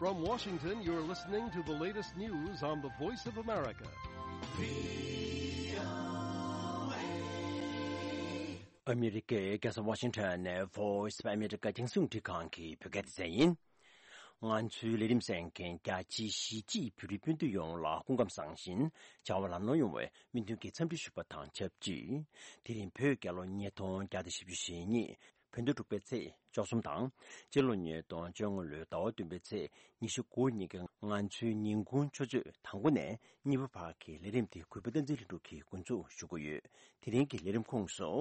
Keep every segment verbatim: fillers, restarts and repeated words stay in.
From Washington, you're listening to the latest news on the Voice of America. ཨ་མི་རི་ཀའི་རྒྱལ་ས་ཝ་ཤིང་ཊོན་ནས་Voice of America་རྒྱང་སྲིང་རླུང་འཕྲིན་ཁང་གི་བོད་སྐད་སྡེ་ཚན་ཡིན། ང་ཚོའི་ལས་རིམ་གསན་མཁན་རྒྱ་ཆེའི་གཞིས་བྱེས་བོད་རིགས་སྤུན་ཟླ་ཡོངས་ལ་སྐུ་ཁམས་བཟང་ཞིང་བྱ་བ་ལམ་ལྷོང་ཡོང་བའི་སྨོན་འདུན་གྱི་འཚམས་འདྲི་ཞུ་བ་དང་ཆབས་ཅིག་དེ་རིང་བོད་རྒྱལ་ལོ་ཉིས་སྟོང་བརྒྱ་དང་བཞི་བཅུ་ཞེ་གཉིས། བོད་ཟླ་དྲུག་པའི་ཚེས་བཅུ་གསུམ་དང་། སྤྱི་ལོ་ཉིས་སྟོང་བཅོ་ལྔ་ལོའི་ཟླ་བ་བདུན་པའི་ཚེས་ཉི་ཤུ་དགུ་ཉིན་གྱི་ང་ཚོའི་ཉིན་གུང་ཆུ་ཚོད་དང་པོ་ནས་གཉིས་པ་བར་གྱི་ལས་རིམ་དེ་གུས་པ་བསྟན་འཛིན་ལྷུན་གྲུབ་ཀྱིས་འགོ་འཛུགས་ཞུ་གི་ཡོད། དེ་རིང་གི་ལས་རིམ་ཁོངས་སུ།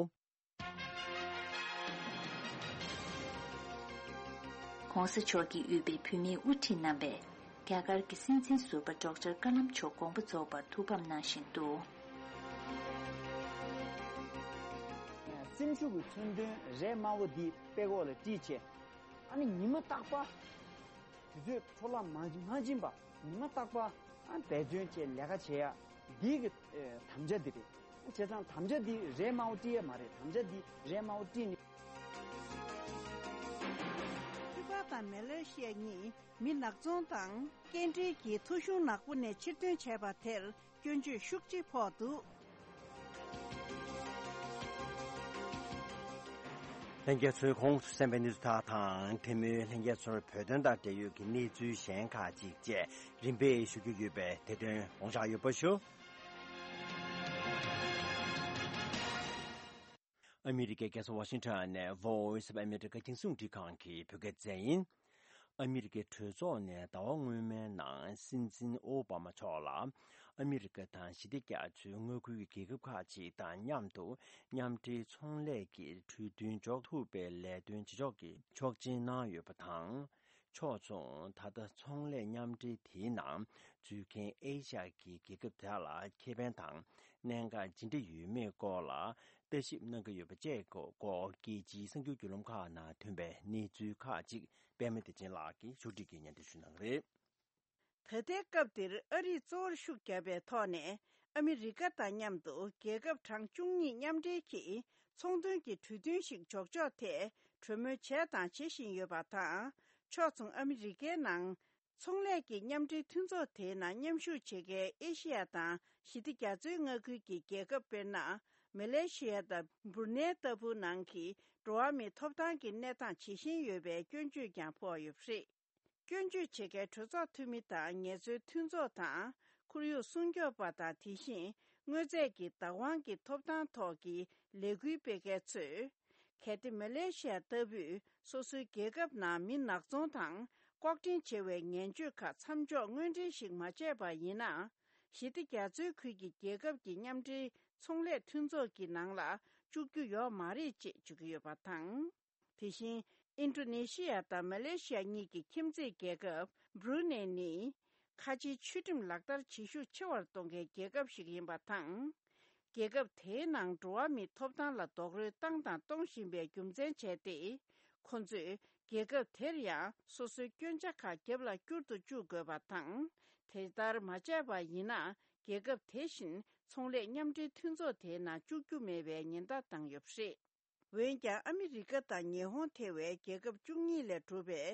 ྋགོང་ས་མཆོག་གིས་དབུས་པའི་བོད་མིའི་དབུ་ཁྲིད་རྣམ་པས་རྒྱ་གར་གྱི་སྲིད་འཛིན་ཟུར་པ་ཌོག་ཊར་ཀ་ལམ་མཆོག་དགོངས་པ་རྫོགས་པར་ཐུགས་ཕམ་གནང་བཞིན་འདུག། སེམས་ཤུགས་ཀྱི་མཚོན་དོན་རས་དམར་པོ་འདི་དཔྲལ་གོག་ལ་དཀྲིས་བྱས། ཨ་ནི་ཉི་མ་རྟག་པར་དུས་ཚོད་འཕྲོ་བརླག་མ་མ་སྦྱིན་པ་ཉི་མ་རྟག་པར་ཨ་འབད་བརྩོན་བྱས་ལས་ཀ་བྱེད་ཡ་འདི་གི་ཨེ་དམ་བཅའ་འདི་རེད། བྱས་ཙང་དམ་བཅའ་འདི་རས་དམར་པོ་དཀྲིས་ཡ་མ་རེད། དམ་བཅའ་འདི་རས་དམར་པོ་དཀྲིས་ནས། ཁུ་པ་དང་མེ་ལེ་ཤི་ཡ་གཉིས་མི་ནག་ཚོང་དང་སྐྱེལ་འདྲེན་གྱི་ཐོ་གཞུང་ནག་པོ་ནས་ཕྱིར་འདོན་བྱས་པ་དེར་སྐྱོན་བརྗོད་ཤུགས་ཆེ་ཕོག་འདུག། ལྷན་རྒྱས་ཚོས་གོང་དུ་གསན་པའི་གནས་ཚུལ་དག་དང་དེ་མིན་ལྷན་རྒྱས་ཚོར་བོད་དོན་དང་འབྲེལ་ཡོད་ཀྱི་གནས་ཚུལ་གཞན་ཁག་ཅིག་བཅས་རིམ་པས་ཞུ་རྒྱུ་ཡོད་པས་དེ་དོན་དགོངས་འཇགས་ཡོད་པ་ཞུ། ཨ་མི་རི་ཀའི་རྒྱལ་ས་ཝ་ཤིང་ཊོན་ནས་Voice of America་རྒྱང་སྲིང་རླུང་འཕྲིན་ཁང་གི་བོད་སྐད་སྡེ་ཚན་ཡིན། ཨ་མི་རི་ཀའི་གྲོས་ཚོགས་ནས་ཟླ་བ་སྔོན་མའི་ནང་སྲིད་འཛིན་ཨོ་བྷ་མ་མཆོག་ལ་ཨ་མི་རི་ཀ་དང་ཞི་བདེ་རྒྱ་མཚོའི་མངའ་ཁུལ་གྱི་རྒྱལ་ཁབ་ཁག་ཅིག་དང་མཉམ་དུ་མཉམ་འབྲེལ་ཚོང་ལས་ཀྱི་གྲོས་མཐུན་འཇོག་ཐུབ་པའི་ལས་དོན་བྱེད་ཕྱོགས་ཀྱི་ཆོག་མཆན་གནང་ཡོད་པ་དང་། ཕྱོགས་མཚུངས་ད་ལྟ་ཚོང་ལས་མཉམ་འབྲེལ་དེའི་ནང་འཛུལ་མཁན་ཨེ་ཤ་ཡ་གི་རྒྱལ་ཁབ་དེ་དག་ལ་ཁེ་ཕན་དང་གནད་འགག་ཇི་འདྲ་ཡོད་མེད་སྐོར་ལ་ལྟ་ཞིབ་གནང་གི་ཡོད་པ་བཅས་སྐོར་རྒྱལ་སྤྱིའི་གསར་འགྱུར་བརྒྱུད་ལམ་ཁག་ནང་ཐོན་པའི་གནས་ཚུལ་ཁག་ཅིག་པད་མ་བདེ་ཆེན་ལགས་ཀྱིས་ཕྱོགས་སྒྲིག་གིས་སྙན་སྒྲོན་ཞུ་གནང་གི་རེད། ད་ལྟའི་སྐབས་འདིར་ཨ་རིས་གཙོ་བོར་ཤུགས་བརྒྱབ་པའི་ཐོག་ནས་ཨ་མི་རི་ཀ་དང་མཉམ་དུ་རྒྱལ་ཁབ་གྲངས་བཅུ་གཉིས་མཉམ་འབྲེལ་གྱིས་ཚོང་དོན་གྱི་གྲོས་མཐུན་ཞིག་འཇོག་ཕྱོགས་ཐད་གྲོས་མོལ་བྱས་དང་བྱེད་བཞིན་ཡོད་པ་དང་། ཕྱོགས་མཚུངས་ཨ་མི་རི་ཀའི་ནང་ཚོང་ལས་ཀྱི་མཉམ་འབྲེལ་མཐུན་ཚོགས་དེའི་ནང་མཉམ་ཞུགས་བྱེད་མཁན་ཨེ་ཤེ་ཡ་དང་ཞི་བདེ་རྒྱ་མཚོའི་མངའ་ཁུལ་གྱི་རྒྱལ་ཁབ་དཔེར་ན་མེ་ལེ་ཤི་ཡ་དང་འབུར་ནེ་ལྟ་བུ་ནང་གི་འགྲོ་བ་མིའི་ཐོབ་ཐང་གི་གནས་སྟངས་ཇི་བཞིན་ཡོད་པའི་སྐྱོན་བརྗོད་ཀྱང་ཕོག་ཡོད་པ་རེད། སྐྱོན་བརྗོད་བྱེད་མཁན་གྲོས་ཚོགས་འཐུས་མི་དང་ངལ་རྩོལ་མཐུན་ཚོགས་དང་ཁོར་ཡུག་སྲུང་སྐྱོབ་པ་དང་དེ་བཞིན་དངོས་རྫས་ཀྱི་བདག་དབང་གི་ཐོབ་ཐང་ཐོག་གི་ལས་འགུལ་སྤེལ་མཁན་ཚོས། གལ་ཏེ་མེ་ལེ་ཤི་ཡ་ལྟ་བུས་སོ་སོའི་རྒྱལ་ཁབ་ནང་མི་ནག་ཚོང་དང་ལྐོག་འདྲེན་བྱེད་པའི་ངན་སྤྱོད་ཁག་མཚམས་འཇོག་དངོས་འབྲེལ་ཞིག་མ་བྱས་པ་ཡིན་ན། ཞི་བདེ་རྒྱ་མཚོའི་ཁུལ་གྱི་རྒྱལ་ཁབ་ཀྱི་མཉམ་འབྲེལ་ཚོང་ལས་མཐུན་ཚོགས་ཀྱི་ནང་ལ་བཅུག་རྒྱུ་ཡོད་མ་རེད་ཅེས་བརྗོད་ཀྱི་ཡོད་པ་དང་། དེ་བཞིན་ཨིན་ཌོ་ནེ་ཤི་ཡ་དང་མ་ལེ་ཤི་ཡ་གཉིས་ཀྱི་ཁྱིམ་མཚེས་རྒྱལ་ཁབ་འབྲུ་ནེ་ནི། ཁ་ཆེའི་ཆོས་ཁྲིམས་ལག་བསྟར་བྱེད་ཤུགས་ཆེ་བར་གཏོང་མཁན་རྒྱལ་ཁབ་ཞིག་ཡིན་པ་དང་། རྒྱལ་ཁབ་དེའི་ནང་འགྲོ་བ་མིའི་ཐོབ་ཐང་ལ་རྡོག་རོལ་བཏང་དང་གཏོང་བཞིན་པའི་རྒྱུ་མཚན་བྱས་ཏེ། ཁོ་ཚོས་རྒྱལ་ཁབ་དེར་ཡང་སོ་སོའི་སྐྱོན་ཆ་ཁག་རྒྱབ་ལ་བསྐྱུར་དུ་བཅུག་དགོས་པ་དང་། དེ་ལྟར་མ་བྱས་པ་ཡིན་ན། རྒྱལ་ཁབ་དེ་བཞིན་ཚོང་ལས་མཉམ་འབྲེལ་མཐུན་ཚོགས་དེའི་ནང་བཅུག་རྒྱུ་མེད་པའི་ཉེན་བརྡ་བཏང་ཡོད་པ་རེད། འོན་ཀྱང་ཨ་མི་རི་ཀ་དང་ཉི་ཧོང་ཐེ་བའི་རྒྱལ་ཁབ་བཅུ་གཉིས་ལས་གྲུབ་པའི་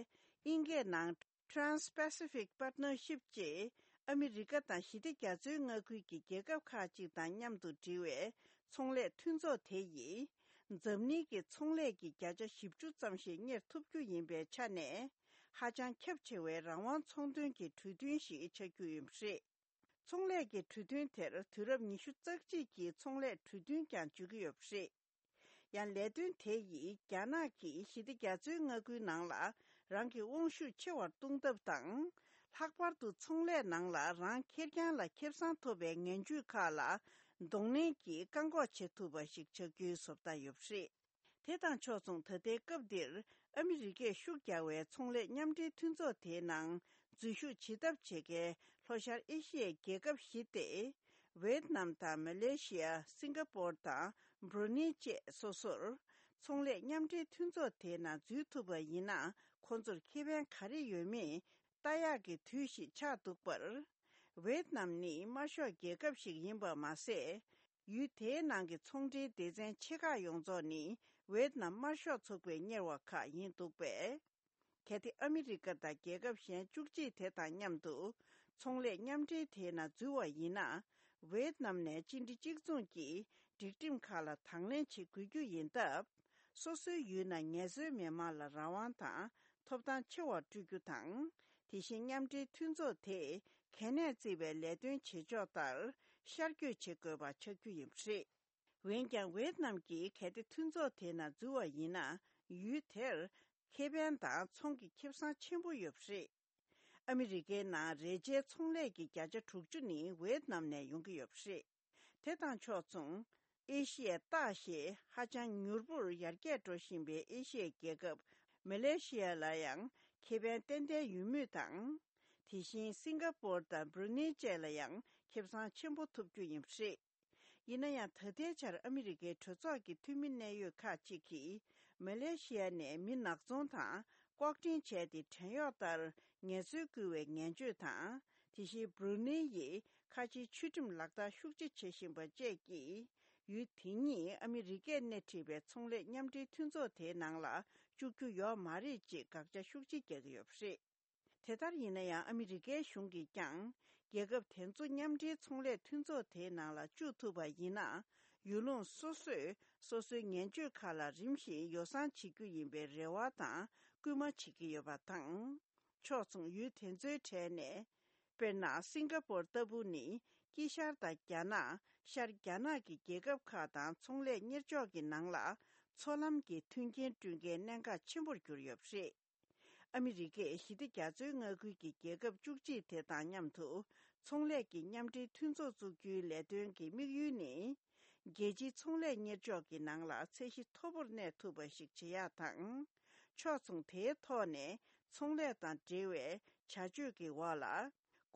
དབྱིན་སྐད་ནང་Trans-Pacific Partnership ཅེས་ཨ་མི་རི་ཀ་དང་ཞི་བདེ་རྒྱ་མཚོའི་མངའ་ཁུལ་གྱི་རྒྱལ་ཁབ་ཁག་ཅིག་དང་མཉམ་དུ་འབྲེལ་བའི་ཚོང་ལས་མཐུན་ཚོགས་དེ་ཡིས། འཛམ་གླིང་གི་ཚོང་ལས་ཀྱི་བརྒྱ་ཆ་བཞི་བཅུ་ཙམ་ཞིག་གཉེར་ཐུབ་རྒྱུ་ཡིན་པའི་ཆ་ནས། ཧ་ཅང་ཁྱབ་ཆེ་བའི་རང་དབང་ཚོང་དོན་གྱི་གྲོས་མཐུན་ཞིག་ཆགས་རྒྱུ་ཡིན་པ་རེད། ཚོང་ལས་ཀྱི་གྲོས་མཐུན་དེར་དུས་རབས་ཉི་ཤུ་རྩ་གཅིག་གི་ཚོང་ལས་གྲོས་མཐུན་ཀྱང་བརྗོད་ཀྱི་ཡོད་པ་རེད། ཡང་ལས་དོན་དེ་ཡིས་རྒྱ་ནག་གིས་ཞི་བདེ་རྒྱ་མཚོའི་མངའ་ཁུལ་ནང་ལ་རང་གི་དབང་ཤུགས་ཆེ་བར་གཏོང་ཐབས་དང་། ལྷག་པར་དུ་ཚོང་ལས་ནང་ལ་རང་ཁེར་རྐྱང་ལ་ཁེ་བཟང་ཐོབ་པའི་ངན་ཇུས་ཁག་ལ་གདོང་ལེན་གྱིས་བཀག་འགོག་བྱེད་ཐུབ་པ་ཞིག་ཆགས་རྒྱུའི་བཟོ་ལྟ་ཡོད་པ་རེད། དེ་དང་ཕྱོགས་མཚུངས་ད་ལྟའི་སྐབས་འདིར་ཨ་མི་རི་ཀས་ཤུགས་རྒྱག་པའི་ཚོང་ལས་མཉམ་འབྲེལ་མཐུན་ཚོགས་དེའི་ནང་འཛུལ་ཞུགས་བྱེད་ཐབས་བྱེད་མཁན་ལྷོ་ཤར་ཨེ་ཤི་ཡའི་རྒྱལ་ཁབ་བཞི་སྟེ། ཝེད་ནམ་དང་མ་ལེ་ཤི་ཡ། སིང་ག་པོར་དང་བྷྲུ་ནེ་བཅས་སོ་སོར་ཚོང་ལས་མཉམ་འབྲེལ་མཐུན་ཚོགས་དེའི་ནང་འཛུལ་ཐུབ་པ་ཡིན་ན་ཁོང་ཚོར་ཁེ་ཕན་ག་རེ་ཡོད་མེད་ལྟ་ཡག་གི་དུས་ཤིག་ཆགས་འདུག་པར། ཝེད་ནམ་ནི་དམར་ཤོག་རྒྱལ་ཁབ་ཞིག་ཡིན་པ་མ་ཟད། ཡུལ་དེའི་ནང་གི་ཚོང་འབྲེལ་སྡེ་ཚན་ཆེ་ཁག་ཡོངས་རྫོགས་ནི་ཝེད་ནམ་དམར་ཤོག་ཚོགས་པས་གཉེར་བ་ཁག་ཡིན་འདུག་པས། གལ་ཏེ་ཨ་མི་རི་ཀ་དང་རྒྱལ་ཁབ་གཞན་བཅུ་གཅིག་དེ་དང་མཉམ་དུ་ཚོང་ལས་མཉམ་འབྲེལ་དེའི་ནང་འཛུལ་བ་ཡིན་ན། ཝེད་ནམ་ནས་གཅིག་སྒྲིལ་གཅིག་མཚུངས་ཀྱི་སྒྲིག་ཁྲིམས་ཁག་ལ་དང་ལེན་བྱེད་དགོས་རྒྱུ་ཡིན་སྟབས། སོ་སོའི་ཡུལ་ནང་ངལ་རྩོལ་མི་དམངས་ལ་རང་དབང་དང་ཐོབ་ཐང་ཆེ་བ་སྤྲོད་རྒྱུ་དང་། དེ་བཞིན་མཉམ་འབྲེལ་མཐུན་ཚོགས་དེས་གལ་གནད་བརྩི་བའི་ལས་དོན་བྱེད་ཕྱོགས་ལྟར་ཤར་བསྐྱོད་བྱེད་དགོས་པ་ཆགས་རྒྱུ་ཡིན་པ་རེད། འོན་ཀྱང་ཝེད་ནམ་གྱིས་གལ་ཏེ་མཐུན་ཚོགས་དེའི་ནང་འཛུལ་བ་ཡིན་ན། ཡུལ་དེར་ཁེ་ཕན་དང་ཚོང་གི་ཁེ་བཟང་ཆེན་པོ་ཡོད་པ་རེད། ཨ་མི་རི་ཀའི་ནང་རས་ཆའི་ཚོང་ལས་ཀྱི་བརྒྱ་ཆ་དྲུག་ཅུ་ནི་ཝེད་ནམ་ནས་ཡོང་གི་ཡོད་པ་རེད། དེ་དང་ཕྱོགས་མཚུངས། ཨེ་ཤི་ཡའི་སྟག་ཞེས་ཧ་ཅང་མྱུར་པོར་ཡར་རྒྱས་འགྲོ་བཞིན་པའི་ཨེ་ཤི་ཡའི་རྒྱལ་ཁབ་མ་ལེ་ཤི་ཡ་ལ་ཡང་ཁེ་ཕན་ཏན་ཏན་ཡོད་མུས་དང་། དེ་བཞིན་སིང་ག་པོར་དང་སྦྲུ་ནེ་བཅས་ལ་ཡང་ཁེ་བཟང་ཆེན་པོ་ཐོབ་རྒྱུ་ཡིན་པ་རེད། ཡིན་ན་ཡང་། ད་ལྟའི་ཆར་ཨ་མི་རི་ཀའི་གྲོས་ཚོགས་ཀྱི་འཐུས་མི་གནད་ཡོད་ཁག་ཅིག་གིས་མ་ལེ་ཤི་ཡ་ནས་མི་ནག་ཚོང་དང་ལྐོག་འདྲེན་བྱས་ཏེ་བྲན་གཡོག་ལྟར་ངལ་རྩོལ་བསྐུལ་བའི་ངན་སྤྱོད་དང་། དེ་བཞིན་སྦྲུ་ནེ་ཡིས་ཁ་ཆེའི་ཆོས་ཁྲིམས་ལག་བསྟར་ཤུགས་ཆེ་བྱེད་བཞིན་པ་བཅས་ཀྱིས། ཡུལ་དེ་ཉིད་ཨ་མི་རི་ཀས་སྣེ་ཁྲིད་པའི་ཚོང་ལས་མཉམ་འབྲེལ་མཐུན་ཚོགས་དེའི་ནང་ལ་བཅུག་རྒྱུ་ཡོད་མ་རེད་ཅེས་དགག་བྱ་ཤུགས་ཆེ་རྒྱག་གི་ཡོད་པ་རེད། དེ་ལྟར་ཡིན་ན་ཡང་། ཨ་མི་རི་ཀའི་གཞུང་གིས་ཀྱང་རྒྱལ་ཁབ་དེ་ཚོ་མཉམ་འབྲེལ་ཚོང་ལས་མཐུན་ཚོགས་དེའི་ནང་ལ་བཅུག་ཐུབ་པ་ཡིན་ན། ཡུལ་ལུང་སོ་སོས་སོ་སོའི་ངན་སྤྱོད་ཁག་ལ་རིམ་བཞིན་ཡོ་བསྲང་བྱེད་རྒྱུ་ཡིན་པའི་རེ་བ་དང་སྐུལ་མ་བྱེད་ཀྱི་ཡོད་པ་དང་། ཕྱོགས་མཚུངས། ཡུལ་དེ་ཚོའི་གྲས་ནས། དཔེར་ན། སིང་ག་པོར་ལྟ་བུ་ནི་དཀྱིལ་ཤར་དང་རྒྱ་ནག་ཤར་རྒྱ་ནག་གི་རྒྱལ་ཁབ་ཁག་དང་ཚོང་ལས་གཉེར་ཕྱོགས་ཀྱི་ནང་ལ་མཚོ་ལམ་གྱི་མཐུན་རྐྱེན་བསྐྲུན་མཁན་གནད་འགག་ཆེན་པོར་གྱུར་ཡོད་པ་རེད། ཨ་མི་རི་ཀས་ཞི་བདེ་རྒྱ་མཚོའི་མངའ་ཁུལ་གྱི་རྒྱལ་ཁབ་བཅུ་གཅིག་དེ་དང་མཉམ་དུ་ཚོང་ལས་ཀྱི་མཉམ་འབྲེལ་མཐུན་ཚོགས་བཙུགས་རྒྱུའི་ལས་དོན་གྱི་དམིགས་ཡུལ་ནི། རྒྱལ་སྤྱིའི་ཚོང་ལས་གཉེར་ཕྱོགས་ཀྱི་ནང་ལ་ཚད་གཞི་མཐོ་པོར་གནས་ཐུབ་པ་ཞིག་བྱེད་ཡག་དང་། ཕྱོགས་མཚུངས། དེའི་ཐོག་ནས་ཚོང་ལས་དང་འབྲེལ་བའི་བྱ་སྤྱོད་ཀྱི་འོག་ལ་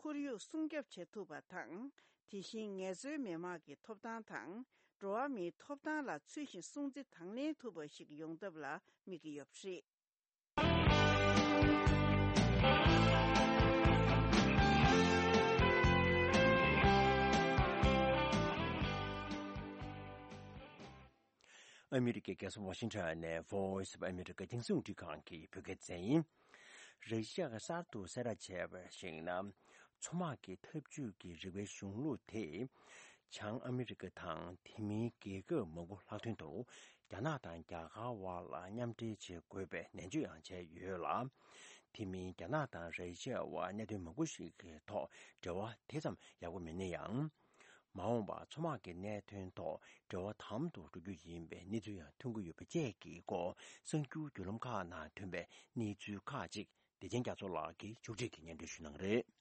ཁོར་ཡུག་སྲུང་སྐྱོབ་བྱེད་ཐུབ་པ་དང་། དེ་བཞིན་ངལ་རྩོལ་མི་དམངས་ཀྱི་ཐོབ་ཐང་དང་འགྲོ་བ་མིའི་ཐོབ་ཐང་ལ་ཚུལ་བཞིན་སྲུང་བརྩི་དང་ལེན་ཐུབ་པ་ཞིག་ཡོང་ཐབས་ལ་དམིགས་ཀྱི་ཡོད་པ་རེད། ཨ་མི་རི་ཀའི་རྒྱལ་ས་ཝ་ཤིང་ཊོན་ནས་Voice of America་རྒྱང་སྲིང་རླུང་འཕྲིན་ཁང་གི་བོད་སྐད་སྡེ་ཚན་ཡིན། ར་ཤི་ཡ་གིས་གསར་དུ་གསལ་བསྒྲགས་བྱས་པར་གཞིགས་ན། མཚོ་དམག་གི་འཐབ་ཇུས་ཀྱི་རིག་པའི་གཞུང་ལུགས་དེས། བྱང་ཨ་མི་རི་ཀ་དང་དེ་མིན་རྒྱལ་ཁབ་མང་པོ་ལྷག་དོན་དུ། རྒྱ་ནག་དང་རྒྱ་གར་བར་ལ་མཉམ་འབྲེལ་བྱེད་དགོས་པའི་ནན་བརྗོད་ཡང་བྱས་ཡོད་ལ། དེ་མིན་རྒྱ་ནག་དང་ར་ཤི་ཡ་དབར་གནད་དོན་མང་པོ་ཞིག་གི་ཐོག་འབྲེལ་བ་དེ་ཙམ་ཡག་པོ་མེད་ན་ཡང་། མ་འོངས་པར་མཚོ་དམག་གི་གནད་དོན་ཐོག་འབྲེལ་བ་དམ་དུ་འགྲོ་རྒྱུ་ཡིན་པའི་གནས་ཚུལ་ཡང་ཐོན་གྱི་ཡོད་པ་བཅས་ཀྱི་སྐོར་གསར་འགྱུར་བརྒྱུད་ལམ་ཁག་ནང་ཐོན་པའི་གནས་ཚུལ་ཁག་ཅིག་བདེ་ཆེན་རྒྱ་མཚོ་ལགས་ཀྱིས་མཇུག་སྒྲིལ་གྱིས་སྙན་སྒྲོན་ཞུ་གནང་གི་རེད།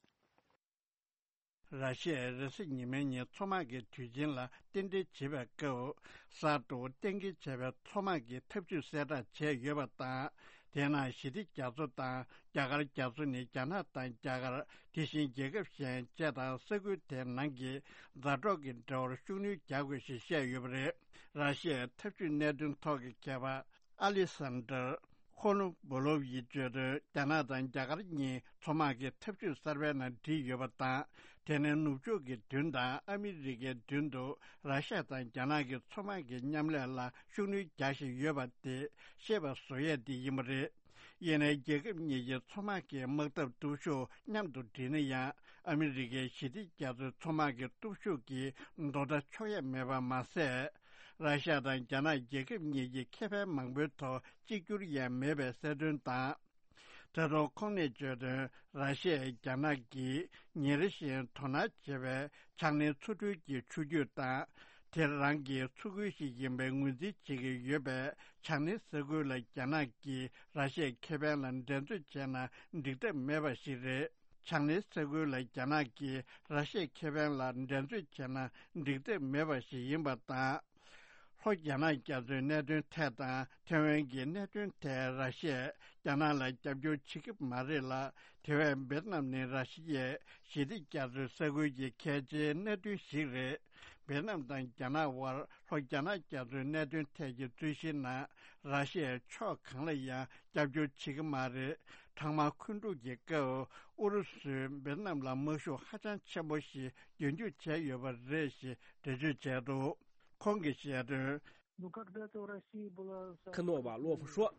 ར་ཤི་ཡས་རེས་གཟའ་ཉི་མའི་ཉིན་མཚོ་དམག་གི་དུས་ཆེན་ལ་རྟེན་འབྲེལ་བྱེད་པའི་སྐབས། གསར་དུ་གཏན་འཁེལ་བྱས་པའི་མཚོ་དམག་གི་འཐབ་ཇུས་གསལ་བསྒྲགས་བྱས་ཡོད་པ་དང་། དེའི་ནང་ཞི་བདེ་རྒྱ་མཚོ་དང་རྒྱ་གར་རྒྱ་མཚོ་ནི་རྒྱ་ནག་དང་རྒྱ་གར། དེ་བཞིན་རྒྱལ་ཁབ་གཞན་བཅས་དང་ས་ཁུལ་དེའི་ནང་གི་མཛའ་གྲོགས་ཀྱི་འབྲེལ་བར་ཤུགས་སྣོན་རྒྱག་དགོས་ཞེས་བཤད་ཡོད་པ་རེད། ར་ཤི་ཡའི་འཐབ་ཇུས་གནད་དོན་ཐོག་གི་མཁས་པ་ཨ་ལི་སན་ཌར། ཁོ་ནུ་བོ་ལོབ་ཡིས་བརྗོད་དོན། རྒྱ་ནག་དང་རྒྱ་གར་གཉིས་མཚོ་དམག་གི་འཐབ་ཇུས་གསར་པའི་ནང་བསྒྲིལ་ཡོད་པ་དང་། དེ་ནི་ནུབ་ཕྱོགས་ཀྱི་མདུན་དང་ཨ་མི་རི་ཀའི་མདུན་དུ་ར་ཤ་ཡ་དང་རྒྱ་ནག་གི་མཚོ་དམག་གི་མཉམ་ལས་ལ་ཤུགས་སྣོན་རྒྱག་བཞིན་ཡོད་པ་དེ་ཤེས་པ་བཟོ་ཡས་དེ་ཡིན་པ་རེད། ཡིན་ནའི་རྒྱལ་ཁབ་གཉིས་ཀྱི་མཚོ་དམག་གི་དམག་འཐབ་སྟོབས་ཤུགས་མཉམ་དུ་སྒྲིལ་ན་ཡང་། ཨ་མི་རི་ཀའི་ཞི་བདེ་རྒྱ་མཚོའི་མཚོ་དམག་གི་སྟོབས་ཤུགས་ཀྱིས་དོ་ཟླ་ཆོག་ཡས་མེད་པ་མ་ཟད། ར་ཤ་ཡ་དང་རྒྱ་ནག་རྒྱལ་ཁབ་གཉིས་ཀྱི་ཁེ་ཕན་མང་པོའི་ཐོག་གཅིག་གྱུར་ཡང་མེད་པའི་གསལ་སྟོན་དང་། ད་དུང་ཁོང་ནས་བརྗོད་དོན། ར་ཤ་ཡས་རྒྱ་ནག་གིས་ཉིན་རེ་བཞིན་དོ་སྣང་བྱེད་པའི་ཆང་ནི་མཚོ་འགྲུལ་གྱི་ཆུ་རྒྱུད་དང་། དེ་རང་གི་མཚོ་ཁུལ་ཞིག་ཡིན་པའི་ངོས་འཛིན་བྱེད་ཀྱི་ཡོད་པའི་ཆང་ནི་ས་ཁུལ་ལ་རྒྱ་ནག་གིས་ར་ཤ་ཡའི་ཁེ་ཕན་ལ་འགྲན་རྩོད་བྱས་ན་འགྲིག་ཐབས་མེད་པ་ཞིག་རེད། ཆང་ནི་ས་ཁུལ་ལ་རྒྱ་ནག་གིས་ར་ཤ་ཡའི་ཁེ་ཕན་ལ་འགྲན་རྩོད་བྱས་ན་འགྲིག་ཐབས་མེད་པ་ཞིག་ཡིན་པ་དང་། ལྷོ་རྒྱ་ནག་རྒྱ་མཚོའི་གནད་དོན་ཐད་དང་ཐེ་ཝན་གྱི་གནད་དོན་ཐད་ར་ཤ་ཡས་རྒྱ་ནག་ལ་རྒྱབ་སྐྱོར་བྱེད་ཀྱི་མ་རེད་ལ། དེ་བས་ཝེ་ཏི་ནམ་ནི་ར་ཤ་ཡའི་ཞི་བདེ་རྒྱ་མཚོའི་ས་ཁུལ་གྱི་གལ་ཆེའི་གནད་དོན་ཞིག་རེད། ཝེ་ཏི་ནམ་དང་རྒྱ་ནག་དབར་ལྷོ་རྒྱ་ནག་རྒྱ་མཚོའི་གནད་དོན་ཐད་ཀྱི་རྩོད་གཞིའི་ནང་ར་ཤ་ཡས་ཕྱོགས་གང་ལ་ཡང་རྒྱབ་སྐྱོར་བྱེད་ཀྱི་མ་རེད། གྲང་དམག་འཁོན་འཁྲུག་གི་སྐབས་ཨུ་རུ་སུས་ཝེ་ཏི་ནམ་ལ་དམག་ཤུགས་ཧ་ཅང་ཆེན་པོ་ཞིག་རྒྱུན་སྐྱོང་བྱས་ཡོད་པ་རེད་ཞེས་འགྲེལ་བརྗོད་བྱས་འདུག་ཁོང་གིས་བཤད་དོན། Ну, когда-то в России была самая Кнова Лоф Шо.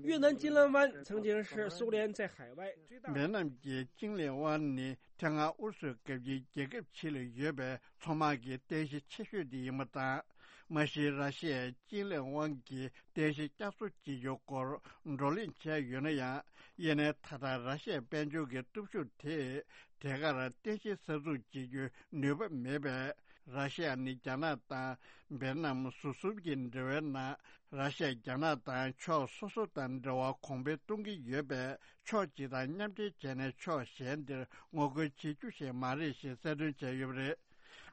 越南金兰湾曾经是苏联在海外最大的 འབེལ་ནམ་གྱི་ཅིང་ལེ་ཝན་ནི་ཐེངས་སྔ་ཨུ་རུ་སུའི་སྐབས་ཀྱི་རྒྱལ་ཁབ་ཕྱི་ལ་ཡོད་པའི་མཚོ་དམག་གི་རྟེན་གཞི་ཆེ་ཤོས་དེ་ཡིན་པ་དང་། མ་གཞི་ར་ཤི་ཡས་ཅིང་ལེ་ཝན་གྱི་རྟེན་གཞི་བསྐྱར་གསོ་བྱེད་རྒྱུའི་སྐོར་བགྲོ་གླེང་བྱས་ཡོད་ན་ཡང་། ཡིན་ནའི་ད་ལྟ་ར་ཤི་ཡའི་དཔལ་འབྱོར་གྱི་སྟོབས་ཤུགས་དེས་དེ་གར་རྟེན་གཞི་གསར་འཛུགས་བྱེད་རྒྱུའི་ནུས་པ་མེད་པས། ར་ཤི་ཡ་ནི་རྒྱ་ནག་དང་འབེལ་ནམ་ཟུར་གསུམ་གྱི་འབྲེལ་བའི་ནང་། ར་ཤི་ཡ་རྒྱ་ནག་དང་ཕྱོགས་སོ་སོ་དང་འབྲེལ་བ་གོང་འཕེལ་གཏོང་གི་ཡོད་པས། ཕྱོགས་གཅིག་དང་མཉམ་འབྲེལ་བྱས་ནས་ཕྱོགས་གཞན་དེར་ངོ་རྒོལ་བྱེད་རྒྱུ་ཞིག་མ་རེད་ཞེས་གསལ་སྟོན་བྱས་ཡོད་པ་རེད།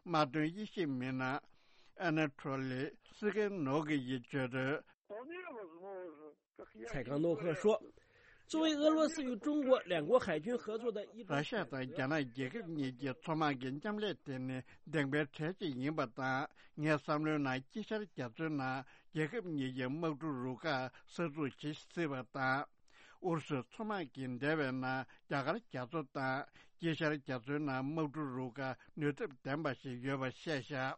དམག་དོན་དབྱེ་ཞིབ་མི་སྣ་ཨ་ན་ཐོ་ལི་སི་ཀན་ནོ་གི་ཡིས་བརྗོད་དོན། 蔡刚诺克说，作为俄罗斯与中国两国海军合作的一 ར་ཤ་དང་རྒྱ་ནག་རྒྱལ་ཁབ་གཉིས་ཀྱི་མཚོ་དམག་གི་མཉམ་ལས་དེ་ནི་བདེན་པའི་གྲས་གཅིག་ཡིན་པ་དང་། ངའི་བསམ་བློའི་ནང་དཀྱིལ་ཤར་རྒྱ་མཚོའི་ནང་རྒྱལ་ཁབ་གཉིས་ཀྱི་དམག་གྲུ་རུ་ཁག་གསར་འཛུགས་བྱེད་སྲིད་པ་དང་། ཨུ་རུ་སུའི་མཚོ་དམག་གིས་འདས་པའི་ནང་རྒྱ་གར་རྒྱ་མཚོ་དང་དཀྱིལ་ཤར་རྒྱ་མཚོའི་ནང་དམག་གྲུ་རུ་ཁག་ནུས་སྟོབས་ལྡན་པ་ཞིག་ཡོད་པ་བཤད་བཞག་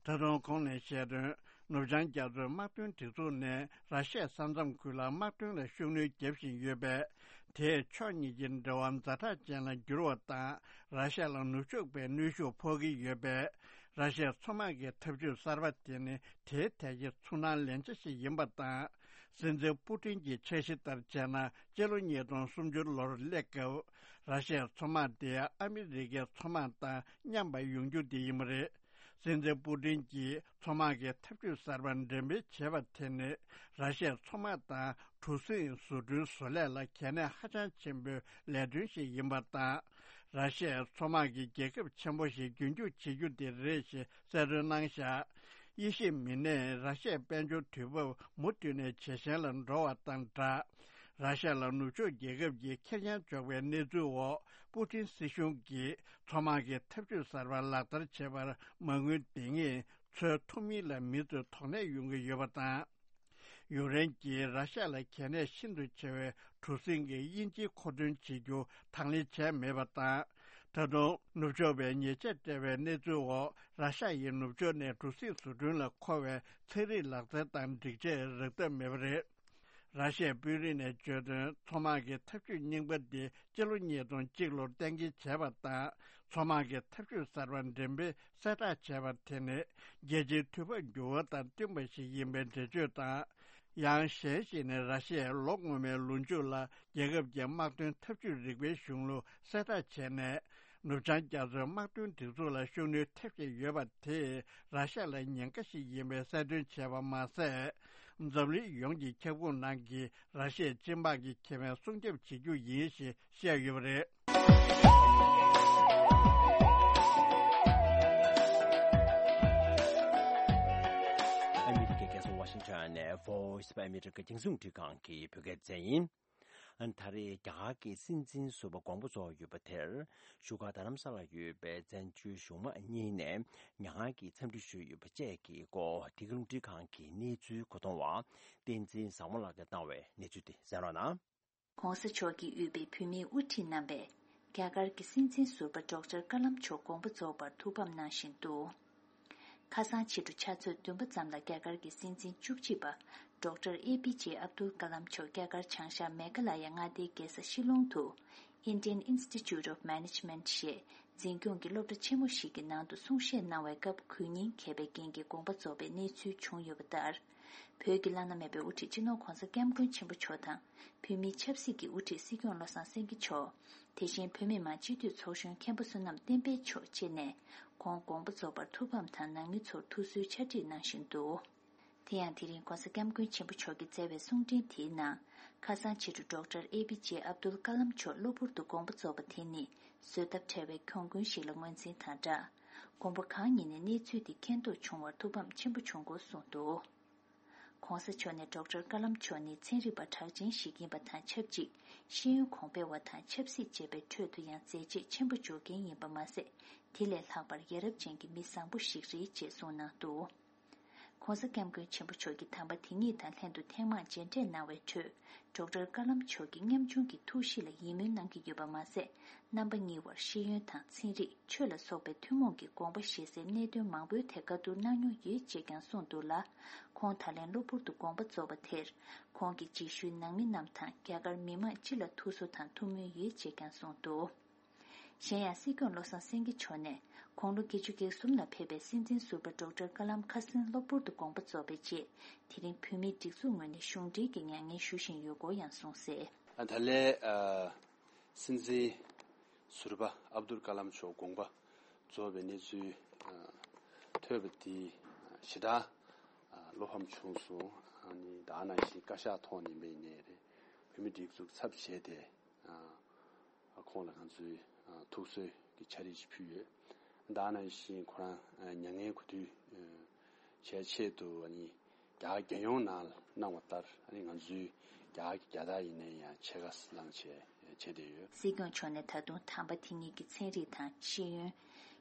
ད་དུང་ཁོང་ནས་བཤད་དོན། ནུབ་བྱང་རྒྱ་མཚོའི་དམག་དོན་སྒྲིག་འཛུགས་ནས་ར་ཤ་ཡའི་ས་མཚམས་ཁུལ་ལ་དམག་དོན་ལ་ཤུགས་སྣོན་རྒྱབ་བཞིན་ཡོད་པས། དེས་ཕྱོགས་གཉིས་ཀྱི་འབྲེལ་བ་ཛ་དྲག་ཅན་ལ་འགྱུར་བ་དང་། ར་ཤ་ཡ་ལ་ནུབ་ཕྱོགས་པའི་གནོན་ཤུགས་ཕོག་གི་ཡོད་པས། ར་ཤ་ཡའི་མཚོ་དམག་གི་འཐབ་ཇུས་གསར་པ་དེ་ནི་དེའི་ཐད་ཀྱི་ཚུར་སྣང་ལན་ཆ་ཞིག་ཡིན་པ་དང་། སྲིད་འཛིན་པུ་ཏིན་གྱི་འཆར་གཞི་ལྟར་བྱས་ན། སྤྱི་ལོ་ཉིས་སྟོང་སུམ་ཅུ་ལོར་སླེབས་སྐབས། ར་ཤ་ཡའི་མཚོ་དམག་དེ་ཨ་མི་རི་ཀའི་མཚོ་དམག་དང་མཉམ་པ་ཡོང་རྒྱུ་དེ་ཡིན་པ་རེད། སྲིད་འཛིན་པུ་ཏིན་གྱིས་མཚོ་དམག་གི་འཐབ་ཇུས་གསར་པ་འགྲེམས་སྤེལ་བྱས་པ་དེ་ནི། ར་ཤ་ཡའི་མཚོ་དམག་དང་གྲུ་གཟིངས་བཟོ་སྐྲུན་བཟོ་ལས་ལ་གལ་གནད་ཧ་ཅང་ཆེན་པོའི་ལས་དོན་ཞིག་ཡིན་པ་དང་། ར་ཤ་ཡའི་མཚོ་དམག་གི་རྒྱལ་ཁབ་ཆེན་པོ་ཞིག་རྒྱུན་འཁྱོངས་བྱེད་རྒྱུ་དེ་རེད་ཞེས་གསལ་སྟོན་གནང་བཞག་དབྱེ་ཞིབ་མི་སྣས་ར་ཤ་ཡའི་དཔལ་འབྱོར་དུས་བབ་མུ་མཐུད་ནས་ཇེ་ཞན་ལ་འགྲོ་བ་དང་སྦྲགས། ར་ཤ་ཡ་ལ་ནུབ་ཕྱོགས་རྒྱལ་ཁབ་ཀྱིས་ཁེར་རྐྱང་འཇོག་པའི་གནས་ཚུལ་འོག་པུ་ཏིན་སྲིད་གཞུང་གིས་མཚོ་དམག་གི་འཐབ་ཇུས་གསར་པ་ལག་བསྟར་བྱེད་པར་མ་དངུལ་འདེང་ངེས་འཚོལ་ཐུབ་མིན་ལ་མི་ཚོས་དོགས་གནས་ཡོང་གི་ཡོད་པ་དང་། ཡུཀ་རེན་གྱིས་ར་ཤ་ཡ་ལ་གལ་གནད་ཤིན་ཏུ་ཆེ་བའི་གྲུ་གཟིངས་ཀྱི་དབྱིན་ཇིའི་མཁོ་འདོན་བྱེད་རྒྱུ་དང་ལེན་བྱས་མེད་པ་དང་། ད་དུང་ནུབ་ཕྱོགས་པས་ཉེས་ཆད་སྤྲད་པའི་གནས་ཚུལ་འོག་ར་ཤ་ཡའི་ནུབ་ཕྱོགས་ནས་གྲུ་གཟིངས་བཟོ་སྐྲུན་ལ་མཁོ་བའི་ཚན་རིག་ལག་རྩལ་དང་སྒྲིག་ཆས་རག་ཐབས་མེད་པ་རེད། ར་ཤ་ཡའི་དཔོན་རིགས་ནས་བརྗོད་དོན། མཚོ་དམག་གི་འཐབ་ཇུས་རྙིང་པ་འདི་སྤྱི་ལོ་ཉིས་སྟོང་གཅིག་ལོར་གཏན་འཁེལ་བྱས་པ་དང་། མཚོ་དམག་གི་འཐབ་ཇུས་གསར་པ་འགྲེམས་སྤེལ་གསལ་བསྒྲགས་བྱས་པ་དེ་ནི། རྒྱལ་སྤྱིའི་དུས་བབ་འགྱུར་བ་དང་བསྟུན་པ་ཞིག་ཡིན་པའི་འགྲེལ་བརྗོད་དང་། ཡང་གཞན་ཞིག་ནི། ར་ཤ་ཡའི་ལོ་སྔོན་མའི་ལོ་མཇུག་ལ་རྒྱལ་ཁབ་ཀྱི་དམག་དོན་འཐབ་ཇུས་རིག་པའི་གཞུང་ལུགས་གསལ་བསྒྲགས་བྱས་ནས། ནུབ་བྱང་རྒྱ་མཚོའི་དམག་དོན་སྒྲིག་འཛུགས་ལ་ཤུགས་སྣོན་ཐེབས་བཞིན་ཡོད་པ་དེས་ར་ཤ་ཡ་ལ་ཉེན་ཁ་ཞིག་ཡིན་པའི་གསལ་སྟོན་བྱས་པ་མ་ཟད། འཛམ་གླིང་ཡོངས་ཀྱི་ཁྱབ་ཁོངས་ནང་གི་ར་ཤ་ཡའི་སྤྱི་དམངས་ཀྱི་ཁེ་ཕན་སྲུང་སྐྱོབ་བྱེད་རྒྱུ་ཡིན་ཞེས་བཤད་ཡོད་པ་རེད། ཨ་མི་རི་ཀའི་རྒྱལ་ས་ཝ་ཤིང་ཊོན་ནས་Voice of America རྒྱང་སྲིང་རླུང་འཕྲིན་ཁང་གི་བོད་སྐད་སྡེ་ཚན་ཡིན། ད་རེས་རྒྱ་གར་གྱི་སྲིད་འཛིན་ཟུར་པ་དགོངས་པ་རྫོགས་ཡོད་པ་དེར། བཞུགས་སྒར་རྡ་རམ་ས་ལར་ཡོད་པའི་བཙན་བྱོལ་གཞུང་མང་གཉིས་ནས་མྱ་ངན་གྱི་འཚམས་འདྲི་ཞུས་ཡོད་པ་བཅས་ཀྱི་སྐོར། འདི་ག་རླུང་འཕྲིན་ཁང་གི་གནས་ཚུལ་གོ་མཐོང་བ་བསྟན་འཛིན་བཟང་མོ་ལགས་ཀྱིས་བཏང་བའི་གནས་ཚུལ་དེ་གསན་རོགས་གནང་། ྋགོང་ས་མཆོག་གིས་དབུས་པའི་བོད་མིའི་དབུ་ཁྲིད་རྣམ་པས་རྒྱ་གར་གྱི་སྲིད་འཛིན་ཟུར་པ་ཌོག་ཊར་ཀ་ལམ་མཆོག་དགོངས་པ་རྫོགས་པར་ཐུགས་ཕམ་གནང་བཞིན་འདུག་ཁ་སང་ཕྱི་དྲོ་ཕྱག་ཚོད་བདུན་པ་ཙམ་ལ་རྒྱ་གར་གྱི་སྲིད་འཛིན་བཅུ་གཅིག་པ་ཌོག་ཊར་ཨེ་པི་ཇེ་ཨབ་དུལ་ཀ་ལམ་མཆོག་རྒྱ་གར་བྱང་ཤར་མེ་གྷ་ལ་ཡ་མངའ་སྡེའི་རྒྱལ་ས་ཤི་ལོང་དུ་Indian Institute of Management ཞེས་འཛིན་སྐྱོང་གི་སློབ་གྲྭ་ཆེན་མོ་ཞིག་གི་ནང་དུ་གསུང་བཤད་གནང་བའི་སྐབས་གུས་བརྙན་འགེབས་པའི་རྐྱེན་གྱིས་དགོངས་པ་རྫོགས་པའི་གནས་ཚུལ་བྱུང་ཡོད་པ་ལྟར། བོད་ཀྱི་བླ་ན་མེད་པའི་དབུ་ཁྲིད་སྤྱི་ནོར་ྋགོང་ས་ྋསྐྱབས་མགོན་ཆེན་པོ་མཆོག་དང་། བོད་མིའི་ཆབ་སྲིད་ཀྱི་དབུ་ཁྲིད་སྲིད་སྐྱོང་བློ་བཟང་སེང་གེ་མཆོག་དེ་བཞིན་བོད་མི་མང་སྤྱི་འཐུས་ཚོགས་གཞོན་མཁན་པོ་བསོད་ནམས་བསྟན་འཕེལ་མཆོག་བཅས་ནས་ཁོང་དགོངས་པ་རྫོགས་པར་ཐུགས་ཕམ་དང་ནང་མི་ཚོར་ཐུགས་གསོའི་ཕྱག་བྲིས་གནང་བཞིན་འདུག་དེ་ཡང་དེ་རིང་ྋགོང་ས་ྋསྐྱབས་མགོན་ཆེན་པོ་མཆོག་གིས་བསྩལ་བའི་གསུང་འཕྲིན་དེའི་ནང་། ཁ་སང་ཕྱི་དྲོ་ཌོག་ཊར་ཨེ་པི་ཇེ་ཨབ་དུལ་ཀ་ལམ་མཆོག་གློ་བུར་དུ་དགོངས་པ་རྫོགས་པ་དེ་ནི་བཟོད་ཐབས་བྲལ་བའི་གྱོང་གུན་ཞིག་ལ་ངོས་འཛིན་དང་སྦྲགས། དགོངས་པ་གང་ཉིད་ནས་གནས་ཚུལ་དེ་མཁྱེན་རྟོགས་བྱུང་བར་ཐུགས་ཕམ་ཆེན་པོ་བྱུང་སྐོར་གསུངས་འདུག ྋགོང་ས་མཆོག་ནས་ཌོག་ཊར་ཀ་ལམ་མཆོག་ནི་ཚན་རིག་པ་གྲགས་ཅན་ཞིག་ཡིན་པ་དང་ཆབས་ཅིག་ཤེས་ཡོན་གོང་འཕེལ་བ་དང་ཆབ་སྲིད་བཅས་པའི་ཁྲོད་དུ་ཡང་མཛད་རྗེས་ཆེན་པོ་འཇོག་མཁན་ཡིན་པ་མ་ཟད། དེ་ལས་ལྷག་པར་ཡ་རབས་ཅན་གྱི་མི་བཟང་པོ་ཞིག་རེད་ཅེས་གསུངས་གནང་འདུག ༸གོང་ས་༸སྐྱབས་མགོན་ཆེན་པོ་མཆོག་གི་དམ་པ་དེ་ཉིད་དང་ལྷན་དུ་ཐེངས་མང་མཇལ་འཕྲད་གནང་བའི་ཁྲོད། ཌོག་ཊར་ཀ་ལམ་མཆོག་གི་ཉམ་ཆུང་གི་ཐུགས་གཤིས་ལ་ཡིད་སྨོན་གནང་གི་ཡོད་པ་མ་ཟད། རྣམ་པ་གཉིས་བར་ཤེས་ཡོན་དང་ཚན་རིག་ཆོས་ལ་སོགས་པའི་ཐུན་མོང་གི་དགོངས་པ་བཞེས་སའི་གནད་དོན་མང་པོའི་ཐད་བཀའ་བསྡུར་གནང་མྱོང་ཡོད་ཅེས་ཀྱང་གསུངས་འདུག་ལ། ཁོང་ད་ལན་གློ་བུར་དུ་དགོངས་པ་རྫོགས་པ་དེར། ཁོང་གི་རྗེས་ཤུལ་ནང་མི་རྣམས་དང་རྒྱ་གར་མི་མང་སྤྱི་ལ་ཐུགས་གསོ་དང་ཐུགས་སྨོན་ཡོད་ཅེས་ཀྱང་གསུངས་འདུག་གཞན་ཡང་སྲིད་སྐྱོང་བློ་བཟང་སེང་གེ་མཆོག་ནས་དགུང་ལོ་བརྒྱད་ཅུ་གྱ་གསུམ་ལ་ཕེབས་པའི་སྲིད་འཛིན་ཟུར་པ་ཌོག་ཊར་ཀ་ལམ་ཁ་སང་གློ་བུར་དུ་དགོངས་པ་རྫོགས་པའི་རྗེས། དེ་རིང་བོད་མིའི་སྒྲིག་འཛུགས་ངོས་ནས་གཞུང་འབྲེལ་གྱི་མྱ་ངན་ཞུ་བཞིན་ཡོད་སྐོར་ཡང་གསུངས་གསལ། ད་ལན། སྲིད་འཛིན་ཟུར་པ་ཨབ་དུལ་ཀ་ལམ་མཆོག་དགོངས་པ་རྫོགས་པའི་གནས་ཚུལ་ཐོས་པ་དེ་ཞེ་དྲག་བློ་ཕམ་བྱུང་སོང་། ཨ་ནི་ད་ནང་བཞིན་བཀའ་ཤག་ཐོག་ནས་ཡིན་པ་ཡིན་ནའི་རེད། བོད་མིའི་སྒྲིག་འཛུགས་ཚབ་བྱས་ཏེ། ཁོང་ལ་ང་ཚོས་ཐུགས་གསོའི་གི་ཕྱག་བྲིས་ཤིག་ཕུལ་ཡོད། ད་ནང་བཞིན་ཁོ་རང་མྱ་ངན་གུས་འདུད་བྱས་ཆེད་དུ་ཨ་ནི་རྒྱ་གར་རྒྱལ་ཡོངས་ནང་ལ་གནང་བ་ལྟར། ཨ་ནི་ང་ཚོའི་རྒྱ་གར་གྱི་རྒྱལ་དར་ཡིན་ན་ཡང་ཕྱེད་ཀ་བསླངས་བྱས་བྱས་བསྡད་ཡོད། སྲིད་སྐྱོང་མཆོག་ནས་ད་དུང་དམ་པ་དེ་ཉིད་ཀྱི་ཚན་རིག་དང་ཤེས་ཡོན།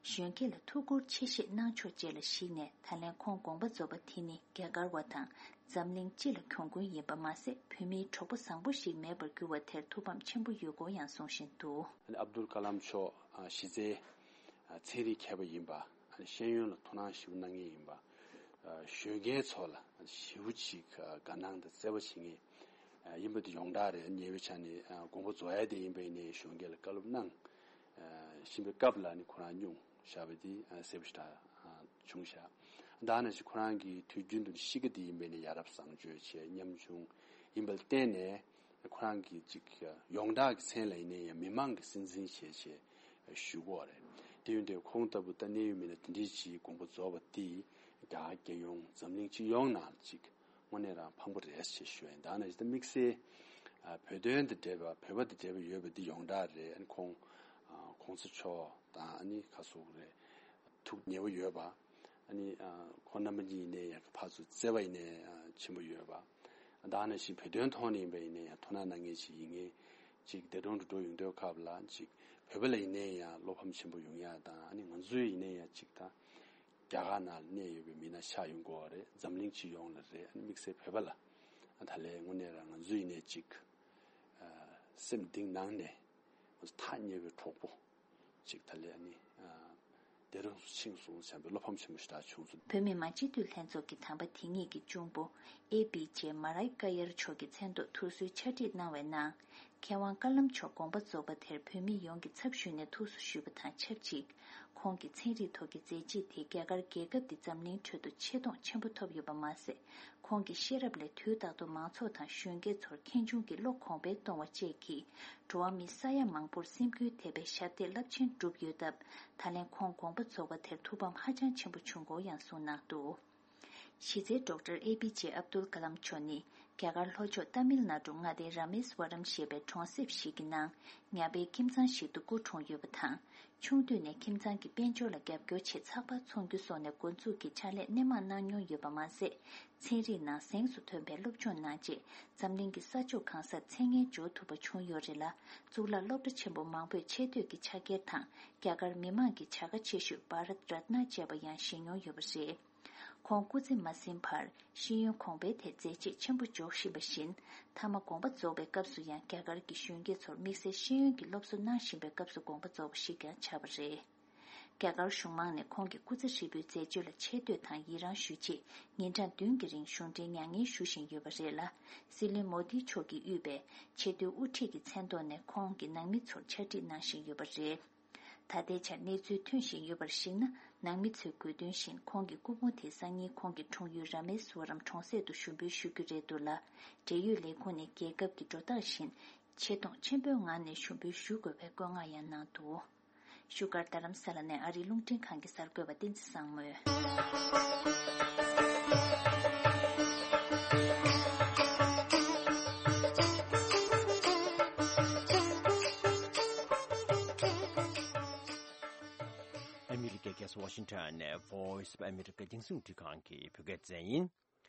གཞོན་སྐྱེས་ལ་ཐུགས་ཁུར་ཆེ་བཞེས་གནང་ཕྱོགས་བཅས་ལ་གཞིགས་ནས། ད་ལན་ཁོང་དགོངས་པ་རྫོགས་པ་དེ་ནི་རྒྱ་གར་བ་དང་འཛམ་གླིང་སྤྱི་ལ་གྱོང་གུན་ཡིན་པ་མ་ཟད། བོད་མིའི་གྲོགས་པོ་བཟང་པོ་ཞིག་མེད་པར་གྱུར་བ་དེར་ཐུགས་ཕམ་ཆེན་པོ་ཡོད་སྐོར་ཡང་གསུང་བཞིན་འདུག་ཨ་ནི་ཨབ་དུལ་ཀ་ལམ་མཆོག་གཞི་རྩའི་ཚན་རིག་མཁས་པ་ཡིན་པ། ཨ་ནི་ཤེས་ཡོན་ལ་དོ་སྣང་ཞེ་པོ་གནང་མཁན་ཡིན་པ། གཞོན་སྐྱེས་ཚོ་ལ་ཞེ་པོ་ཅིག་དགའ་སྣང་དང་བརྩེ་བ་བྱེད་མཁན་ཡིན་པ་དེ་ཡོངས་གྲགས་རེད། ཉེ་བའི་ཆ་ནས་དགོངས་པ་རྫོགས་ཡ་དེ་ཡིན་པ་ཡིན་ནའི་གཞོན་སྐྱེས་ལ་བཀའ་སློབ་གནང་བཞིན་པའི་སྐབས་ལ་ནི་ཁོ་རང་སྙུང་བཞག་པ་དེ་གསལ་པོ་ཞེ་དྲག་བྱུང་བཞག་ད་ནང་བཞིན་ཁོ་རང་གི་དུས་རྒྱུན་དུ་གཤིས་ཀ་དེ་ཡིན་པས་ནི་ཡ་རབས་བཟང་སྤྱོད་བྱས། ཉམ་ཆུང་ཡིན་པ་ལ་བརྟེན་ནས་ཁོ་རང་གི་ཅིག་ཡོངས་གྲགས་ཀྱི་མཚན་ལ་ཡིན་ནའི་ཡང་མི་མང་གི་སྲིད་འཛིན་བྱས་བྱས་ཞུ་གི་ཡོད་རེད། དེ་ཡིན་དུས་ཁོང་ལྟ་བུ་ད་གནད་ཡོད་མི་སྣ་དེ་འདྲའི་ཅིག་དགོངས་པ་རྫོགས་པ་དེ་རྒྱ་གར་རྒྱལ་ཡོངས་འཛམ་གླིང་སྤྱི་ཡོངས་ནང་ཅིག་དངོས་གནས་རང་ཕངས་པོ་རེད་ཅེས་ཞུ་ཡ་ཡིན། ད་ནང་བཞིན་ད་དམིགས་བསལ་ཨ་བོད་དོན་དང་འབྲེལ་བ། བོད་པ་དང་འབྲེལ་བ་ཡོད་པ་འདི་ཡོངས་གྲགས་རེད། ཨ་ནི་ཁོང་ཨ་གོང་ས་མཆོག་དང་ཨ་ནི་ཁ་སོག་རེད། ཐུགས་ཉེ་བོ་ཡོད་པ། ཨ་ནི་ཨ་ཁོང་རྣམ་པ་གཉིས་ཡིན་ནའི་ཡང་ཕར་ཚུར་བརྩེ་བ་ཡིན་ནའི་ཨ་ཆེན་པོ་ཡོད་པ། ད་ནང་བཞིན་བོད་དོན་ཐོག་ནས་ཡིན་པ་ཡིན་ནའི་ཡང་དོ་སྣང་གནང་མཁན་ཞིག་ཡིན་མཁན་ཅིག་འདས་གྲོངས་འགྲོ་འགྲོ་ཡོང་དུས་སྐབས་ལ་ཅིག་བོད་པ་ལ་ཡིན་ནའི་ཡང་བློ་ཕམ་ཆེན་པོ་ཡོང་ཡ་དང་། ཨ་ནི་ང་ཚོའི་ཡིན་ནའི་ཡང་ཅིག་ད་རྒྱ་གར་ནང་ལ་གནས་ཡོད་པའི་མི་སྣ་ཆགས་ཡོང་གི་ཡོད་རེད། འཛམ་གླིང་སྤྱི་ཡོངས་ལ་རེད། ཨ་ནི་དམིགས་བསལ་བོད་པ་ལ་ད་ལན་དངོས་གནས་རང་ང་ཚོ་ཡིན་ནའི་ཅིག་ཨ་སེམས་གཏིང་ནང་ནས་ང་ཚོ་ཐག་ཉེ་བའི་གྲོགས་པོ་ཅིག་ད་ལན་ཨ་ནི་ཨ་འདས་གྲོངས་སུ་ཕྱིན་སོང་བསམ་པའི་བློ་ཕམ་ཆེན་པོ་ཞེ་དྲག་བྱུང་སོང་། བོད་མི་མང་སྤྱི་འཐུས་ལྷན་ཚོགས་ཀྱི་དམ་པ་དེ་ཉིད་ཀྱི་གཅུང་པོ་ཨེ་པི་ཇེ་མ་རའི་ཀ་ཡར་མཆོག་གི་མཚན་ཐོག་ཐུགས་གསོའི་ཕྱག་བྲིས་གནང་བའི་ནང་། མཁས་དབང་ཀ་ལམ་མཆོག་དགོངས་པ་རྫོགས་པ་དེར་བོད་མི་ཡོངས་ཀྱི་ཚབ་ཞུས་ནས་ཐུགས་གསོ་ཞུས་པ་དང་ཆབས་ཅིག་ཁོང་གི་ཚན་རིག་ཐོག་གི་མཛད་རྗེས་དེ་རྒྱ་གར་རྒྱལ་ཁབ་འདི་འཛམ་གླིང་ཁྲོད་དུ་ཆེ་མཐོང་ཆེན་པོ་ཐོབ་ཡོད་པ་མ་ཟད། ཁོང་གི་ཤེས་རབ་ལས་དུས་རྟག་ཏུ་མང་ཚོགས་དང་གཞོན་སྐྱེས་ཚོར་མཁས་བྱུང་གི་བློ་གོང་འཕེལ་གཏོང་བ་བཅས་ཀྱིས། འགྲོ་བ་མི་ས་ཡ་མང་པོར་སེམས་འགུལ་ཐེབས་པའི་ཞབས་འདེགས་རླབས་ཆེན་བསྒྲུབས་ཡོད་སྟབས། ད་ལན་ཁོང་དགོངས་པ་རྫོགས་པ་དེར་ཐུགས་ཕམ་ཧ་ཅང་ཆེན་པོ་བྱུང་སྐོར་ཡང་གསུངས་གནང་འདུག་གཞི་རྩའི་ཌོག་ཊར་ཨེ་པི་ཇེ་ཨབ་དུལ་ཀ་ལམ་མཆོག་ནི་རྒྱ་གར་ལྷོ་ཕྱོགས་ཏཱ་མིལ་ནཱ་ཌུ་མངའ་སྡེའི་ར་མེ་སི་ཝ་རམ་ཞེས་པའི་གྲོང་གསེབ་ཞིག་གི་ནང་ཉ་པའི་ཁྱིམ་ཚང་ཞིག་ཏུ་སྐུ་འཁྲུངས་ཡོད་པ་དང་། ཆུང་དུས་ནས་ཁྱིམ་ཚང་གི་དཔལ་འབྱོར་ལ་རྒྱབ་སྐྱོར་ཆེད་ཚགས་པར་ཚོང་རྒྱུ་སོགས་ནས་འགོ་འཛུགས་ཀྱིས་ཕྱག་ལས་སྣེ་མང་གནང་མྱོང་ཡོད་པ་མ་ཟད། ཚན་རིག་ནང་གཟེངས་སུ་ཐོན་པའི་སློབ་སྦྱོང་གནང་རྗེས། འཛམ་གླིང་གི་ས་ཕྱོགས་གང་སར་མཚན་སྙན་འཇོག་ཐུབ་པ་བྱུང་ཡོད་རེད་ལ། གཙུག་ལག་སློབ་གྲྭ་ཆེན་པོ་མང་པོས་ཆེ་བསྟོད་ཀྱི་ཕྱག་འཁྱེར་དང་། རྒྱ་གར་མི་མང་གི་བྱ་དགའ་ཆེ་ཤོས་བྷ་རཏ་རཏ་ན་བཅས་པ་ཡང་བཞེས་མྱོང་ཡོད་པ་རེད། ཁོང་སྐུ་ཚེ་མ་ཟིན་བར་ཤེས་ཡོན་གོང་འཕེལ་ཐད་མཛད་རྗེས་ཆེན་པོ་འཇོག་བཞིན་པ་བཞིན། མཐའ་མ་དགོངས་པ་རྫོགས་པའི་སྐབས་སུ་ཡང་རྒྱ་གར་གྱི་གཞོན་སྐྱེས་ཚོར་དམིགས་བསལ་ཤེས་ཡོན་གྱི་སློབ་གསོ་གནང་བཞིན་པའི་སྐབས་སུ་དགོངས་པ་རྫོགས་པ་ཞིག་ཀྱང་ཆགས་པ་རེད། རྒྱ་གར་གཞུང་མང་ནས་ཁོང་གི་སྐུ་ཚེ་ཧྲིལ་པོའི་མཛད་སྤྱོད་ལ་ཆེ་བསྟོད་དང་ཡི་རངས་ཞུ་ཆེད་ཉིན་གྲངས་བདུན་གྱི་རིང་གཞུང་འབྲེལ་མྱ་ངན་ཞུ་བཞིན་ཡོད་པ་རེད་ལ། སྲིད་བློན་མོ་དི་མཆོག་གིས་དབུས་པའི་ཆེས་མཐོའི་དབུ་ཁྲིད་ཀྱི་མཚན་ཐོག་ནས་ཁོང་གི་ནང་མི་ཚོར་ཕྱག་བྲིས་གནང་བཞིན་ཡོད་པ་རེད། ད་ལྟའི་ཆར་གནས་ཚུལ་ཐོན་བཞིན་ཡོད་པར་གཞིགས་ན། ནང་མི་ཚོས་དགོས་འདུན་བཞིན་ཁོང་གི་སྐུ་ཕུང་དེ་སང་ཉིན་ཁོང་གི་འཁྲུངས་ཡུལ་ར་མེ་སུ་ཝ་རམ་གྲོང་གསེབ་ཏུ་ཞུགས་འབུལ་ཞུ་རྒྱུ་རེད་འདུག་ལ། འབྲེལ་ཡོད་ལས་ཁུངས་ནས་རྒྱལ་ཁབ་ཀྱི་འགྲོ་སྟངས་བཞིན་ཆེ་མཐོང་ཆེན་པོའི་ངང་ནས་ཞུགས་འབུལ་ཞུ་དགོས་པའི་བཀོད་མངགས་ཡང་གནང་འདུག་བཞུགས་སྒར་རྡ་རམ་ས་ལ་ནས་ཨ་རིའི་རླུང་འཕྲིན་ཁང་གི་གསར་འགོད་པ་བསྟན་འཛིན་བཟང་མོས། ཨ་མི་རི་ཀའི་རྒྱལ་ས་ཝ་ཤིང་ཊོན་ནས་Voice of America་རྒྱང་སྲིང་རླུང་འཕྲིན་ཁང་གི་བོད་སྐད་སྡེ་ཚན་ཡིན།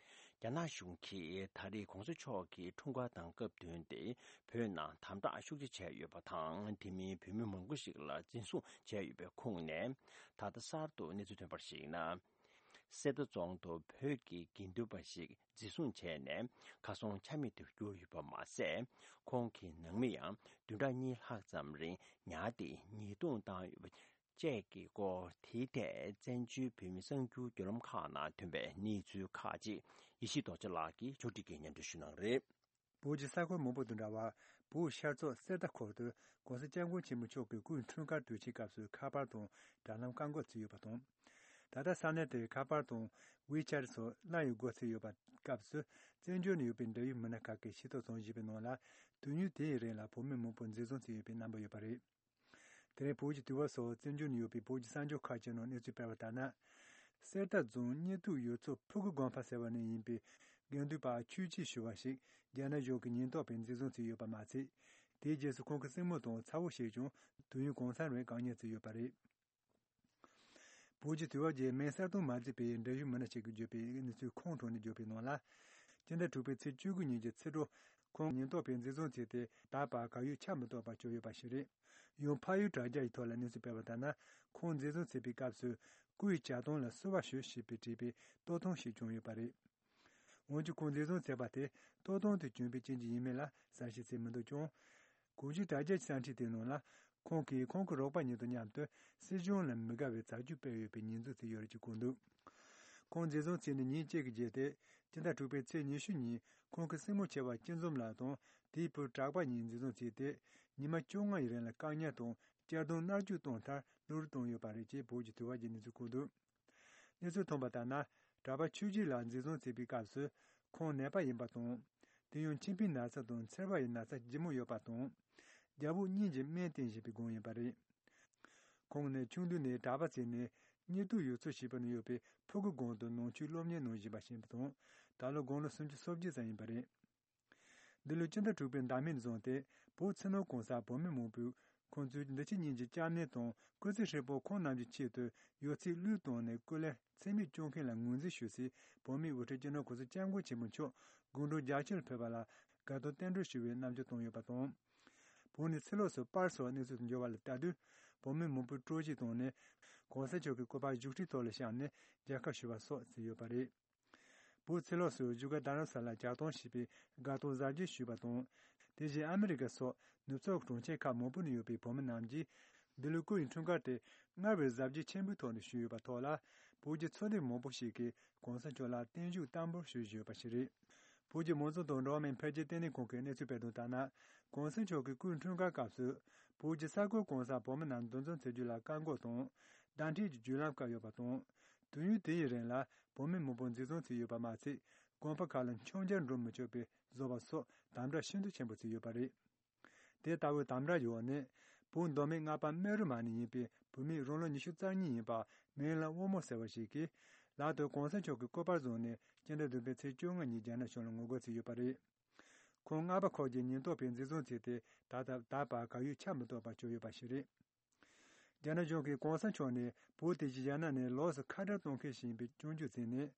རྒྱ་ནག་གཞུང་གིས་ད་རེས་གོང་ས་མཆོག་གི་འཁྲུངས་སྐར་དང་སྐབས་བསྟུན་ཏེ་བོད་ནང་དམ་དྲག་ཤུགས་ཆེ་བྱས་ཡོད་པ་དང་། དེ་མིན་བོད་མི་མང་པོ་ཞིག་ལ་འཛིན་བཟུང་བྱས་ཡོད་པའི་ཁུངས་ནས། ད་ལྟ་གསར་དུ་གནས་ཚུལ་ཐོན་པར་གཞིགས་ན། གསེར་རྟ་རྫོང་དུ་བོད་ཀྱི་དགེ་འདུན་པ་ཞིག་འཛིན་བཟུང་བྱས་ནས་ཁ་སང་ཆ་མེད་དུ་གྱུར་ཡོད་པ་མ་ཟད། ཁོང་གི་ནང་མི་ཡང་བདུན་ཕྲག་གཉིས་ལྷག་ཙམ་རིང་ཉར་ཏེ་ཉེས་རྡུང་བཏང་ཡོད་པ་བཅས་ཀྱི་སྐོར། དེའི་ཐད་བཙན་བྱོལ་བོད་མི་གསར་འགྱུར་བརྒྱུད་ལམ་ཁག་ནང་ཐོན་པའི་གནས་ཚུལ་ཁག་ཅིག་ཡེ་ཤེས་རྡོ་རྗེ་ལགས་ཀྱིས་ཕྱོགས་སྒྲིག་གིས་སྙན་སྒྲོན་ཞུ་གནང་རེད། བོད་ཀྱི་ས་ཁུལ་མང་པོ་དང་འདྲ་བར། བོད་ཤར་ཕྱོགས་གསེར་རྟ་ཁུལ་དུ་༸གོང་ས་༸སྐྱབས་མགོན་ཆེན་པོ་མཆོག་གི་སྐུའི་འཁྲུངས་སྐར་དུས་ཆེན་སྐབས་སུ་ཁ་པར་དང་དྲ་ལམ་བཀག་འགོག་བྱས་ཡོད་པ་དང་། ད་ལྟ་ས་གནས་དེར་ཁ་པར་དང་ཝེ་ཆེ་ཊི་སོགས་བླ་ཡི་སྒོ་ཚུགས་ཡོད་པ་སྐབས་སུ། བཙན་བྱོལ་ནང་ཡོད་པའི་འབྲེལ་ཡོད་མི་སྣ་ཁག་གིས་ཤེས་རྟོགས་བྱུང་བཞིན་པའི་ནང་ལ། དུས་ཡུན་དེའི་རིང་ལ་བོད་མི་མང་པོ་འཛིན་བཟུང་བྱས་ཡོད་པའི་རྣམ་པ་ཡོད་པ་རེད། དེ་རིང་བོད་ཀྱི་དུས་བབ་སོགས་བཙན་བྱོལ་ནང་ཡོད་པའི་བོད་ཀྱི་གསར་འགྱུར་ཁག་ཅིག་ནང་གནས་ཚུལ་སྤེལ་བ་ལྟར་ན། གསེར་རྟ་རྫོང་གཉིས་ཐུག་ཡུལ་ཚོ་ཕུ་གུ་དགོན་པ་ཟེར་བ་ནས་ཡིན་པའི་དགེ་འདུན་པ་ཆོས་སྐྱིད་ཞུ་བ་ཞིག་རྒྱ་ནག་གཞུང་གི་ཉེན་རྟོག་པས་འཛིན་བཟུང་བྱས་ཡོད་པ་མ་ཚད། དེའི་རྗེས་སུ་ཁོང་གི་སྲིང་མོ་དང་ཚ་བོ་ཞིག་ཀྱང་དུས་ཡུན་གང་འཚམ་རིང་བཀག་ཉར་བྱས་ཡོད་པ་རེད། བོད་ཀྱི་དུས་བབ་ཀྱི་མིང་གསལ་སྟོན་མ་མཛད་པའི་འབྲེལ་ཡོད་མི་སྣ་ཞིག་གིས་བརྗོད་པའི་གནས་ཚུལ་ཁོང་གྲོང་ནས་བརྗོད་པའི་ནང་ལ། སྤྱི་ཟླ་དྲུག་པའི་ཚེས་བཅུ་དགུ་ཉིན་གྱི་ཕྱི་དྲོ། ཁོང་ཉེན་རྟོག་པས་འཛིན་བཟུང་བྱས་ཏེ་ད་བར་གར་ཡོད་ཆ་མི་གཏོགས་པར་གྱུར་ཡོད་པ་ཞིག་རེད། ཡང་ཕ་ཡུལ་དྲ་རྒྱ་ཡི་ཐོག་ལ་གནས་ཚུལ་སྤེལ་བ་ལྟར་ན། ཁོང་འཛིན་བཟུང་བྱས་པའི་སྐབས་སུ་སྐུའི་ཇ་ཐང་ལ་བསུ་བ་ཞུ་ཞེས་པའི་བྲིས་པའི་ལྟོ་ཐུང་ཞིག་བྱུང་ཡོད་པ་རེད། འོན་ཀྱང་ཁོང་འཛིན་བཟུང་བྱས་པ་དེ་ལྟོ་ཐུང་དུ་བྱུང་བའི་རྐྱེན་གྱིས་ཡིན་མིན་ལ་གསལ་བཤད་བྱས་མི་འདུག་ཀྱང་། གོང་ཞུས་དྲ་རྒྱ་གསར་འཕྲིན་དེའི་ནང་ལ། ཁོང་གིས་ཁོང་གི་རོགས་པ་གཉིས་དང་མཉམ་དུ་སྲིད་གཞུང་ལ་མི་དགའ་བའི་བྱ་སྤྱོད་སྤེལ་ཡོད་པའི་ཉེས་འཛུགས་བྱས་ཡོད་རེད་ཅེས་བཀོད་འདུག་ཁོང་འཛིན་བཟུང་བྱས་ནས་ཉིན་གཅིག་གི་རྗེས་ཏེ། སྤྱི་ཟླ་དྲུག་པའི་ཚེས་ཉི་ཤུ་ཉིན་ཁོང་གི་སྲིང་མོ་ཆེ་བ་སྐྱིད་འཛོམས་ལགས་དང་དེའི་བུ་གྲགས་པ་གཉིས་འཛིན་བཟུང་བྱས་ཏེ། ཉི་མ་བཅོ་ལྔ་ཡི་རིང་ལ་བཀག་ཉར་དང་གཅར་རྡུང་མནར་གཅོད་བཏང་མཐར་གློ་བུར་བཏང་ཡོད་པ་རེད་ཅེས་བོད་ཀྱི་དུས་བབ་ཀྱིས་གནས་ཚུལ་བཀོད་འདུག་གནས་ཚུལ་ཐོན་པ་ལྟར་ན། གྲྭ་པ་ཆོས་སྐྱིད་ལགས་འཛིན་བཟུང་བྱས་པའི་སྐབས་སུ་ཁོང་ནད་པ་ཡིན་པ་དང་། དེ་ཡང་མཆིན་པའི་ན་ཚ་དང་མཚེར་བ་ཡི་ན་ཚ་ལྗིད་མོ་ཡོད་པ་དང་། རྒྱལ་པོ་གཉིས་ཀྱིས་སྨན་བསྟེན་བཞིན་པའི་སྒང་ཡིན་པ་རེད། ཁོང་ནི་ཆུང་དུས་ནས་གྲྭ་པ་བྱས་ནས་གཉིས་ཐུག་ཡུལ་ཚོ་ཞེས་པ་ནང་ཡོད་པའི་ཕུ་གུ་སྒང་དུ་ནང་ཆོས་སློབ་གཉེར་གནང་བཞིན་པ་ཞིག་ཡིན་པ་དང་། ད་ལོ་དགུང་ལོ་སུམ་ཅུ་སོ་བརྒྱད་ཙམ་ཡིན་པ་རེད། འདི་ལོའི་སྤྱི་ཟླ་དྲུག་པའི་ཟླ་མིན་བཟུང་སྟེ་བོད་ཕྱི་ནང་གང་སར་བོད་མི་མང་པོས་ཁོང་ཚོའི་འདི་ཕྱི་གཉིས་ཀྱི་སྐྱབས་གནས་དང་སྐུ་ཚེ་ཧྲིལ་པོ་ཁོང་རྣམས་ཀྱི་ཆེད་དུ་ཡོད་ཚད་བློས་བཏང་ནས་སྐུ་ལས་ཚད་མེད་བསྐྱོན་མཁན་ལ་ངོས་འཛིན་ཞུ་སའི་བོད་མིའི་དབུ་ཁྲིད་སྤྱི་ནོར་གོང་ས་སྐྱབས་མགོན་ཆེན་པོ་མཆོག་དགུང་གྲངས་བརྒྱད་ཅུ་ལ་ཕེབས་པ་ལ་དགའ་སྟོན་རྟེན་འབྲེལ་ཞུ་བའི་རྣམ་འགྱུར་བསྟན་ཡོད་པ་དང་། བོད་ནས་ཕྱི་ལོགས་སུ་པར་སོགས་གནས་ཚུལ་དུ་འབྱོར་བ་ལ་ལྟ་དུས། བོད་མི་མང་པོས་སྤྲོ་སྐྱིད་བཏང་ནས། གོང་ས་མཆོག་གི་སྐུ་པར་བཞུགས་ཁྲིའི་ཐོག་ལ་བཞག་ནས་མཇལ་ཁ་ཞུ་བ་སོགས་བྱས་ཡོད་པ་རེད། བོད་ཕྱི་ལོགས་སུ་བཞུགས་སྒར་རྡ་རམ་ས་ལར་ཇ་གཏོང་ཞེས་པའི་དགའ་སྟོན་གཟབ་རྒྱས་ཞུས་པ་དང་། དེ་བཞིན་ཨ་མི་རི་ཀ་སོགས་ནུབ་ཕྱོགས་གྲོང་ཁྱེར་ཁག་མང་པོ་ནས་ཡོད་པའི་བོད་མི་རྣམས་ཀྱིས་འདི་ལོའི་སྐུ་ཡི་འཁྲུངས་སྐར་དེ་སྔར་བས་གཟབ་རྒྱས་ཆེན་པོའི་ཐོག་ནས་ཞུས་ཡོད་པ་ཐོག་ལ། བོད་ཀྱི་ཚོགས་སྡེ་མང་པོ་ཞིག་གིས་གོང་ས་མཆོག་ལ་བརྟན་བཞུགས་བསྟར་འབུལ་ཞུས་བཞིན་ཡོད་པ་ཞིག་རེད། བོད་ཀྱི་མང་གཙོ་དང་འགྲོ་བ་མིའི་འཕེལ་རྒྱས་ལྟེ་གནས་ཁང་གིས་གནས་ཚུལ་སྤེལ་དོན་ལྟར་ན། གོང་ས་མཆོག་གི་སྐུའི་འཁྲུངས་སྐར་སྐབས་སུ། བོད་ཀྱི་ས་ཁུལ་གང་སར་བོད་མི་རྣམས་འདུ་འཛོམས་བྱེད་རྒྱུ་ལ་བཀག་འགོག་དང་། བརྡ་འཕྲིན་གྱི་བརྒྱུད་ལམ་བཀག་ཡོད་པ་དང་། དུས་ཡུན་དེའི་རིང་ལ་བོད་མི་མང་པོ་འཛིན་བཟུང་བྱས་ཡོད་པ་མ་ཚད། དགོན་པ་ཁག་ལ་མཆོད་མཇལ་འགྲོ་མི་ཆོག་པའི་བཟོ་བ་སོགས་དམ་དྲག་ཤིན་ཏུ་ཆེན་པོ་བྱས་ཡོད་པ་རེད། དེ་ལྟ་བུའི་དམ་དྲག་འོག་ནས། བོད་མདོ་སྨད་རྔ་པ་སྨད་རུ་མ་ནས་ཡིན་པའི་བོད་མི་རང་ལོ་ཉི་ཤུ་རྩ་གཉིས་ཡིན་པ་མིང་ལ་དབང་མོ་ཟེར་བ་ཞིག་གིས། ལག་ཏུ་གོང་ས་མཆོག་གི་སྐུ་པར་བཟུང་ནས་སྤྱི་ཟླ་བདུན་པའི་ཚེས་བཅོ་ལྔ་ཉིན་རྒྱ་ནག་གཞུང་ལ་ངོ་རྒོལ་བྱས་ཡོད་པ་རེད། ཁོང་རྔ་པ་ཁོག་གི་ཉེན་རྟོག་པས་འཛིན་བཟུང་བྱས་ཏེ། ད་ལྟ་ད་བར་གར་ཡོད་ཆ་མི་གཏོགས་པར་གྱུར་ཡོད་པ་ཞིག་རེད། རྒྱ་ནག་གཞུང་གིས་གོང་ས་མཆོག་ནི་བོད་དེ་བཞིན་རྒྱ་ནག་ནས་ལོགས་སུ་ཁ་བྲལ་གཏོང་མཁན་ཞིག་ཡིན་པའི་སྐྱོན་བརྗོད་བྱས་ནས།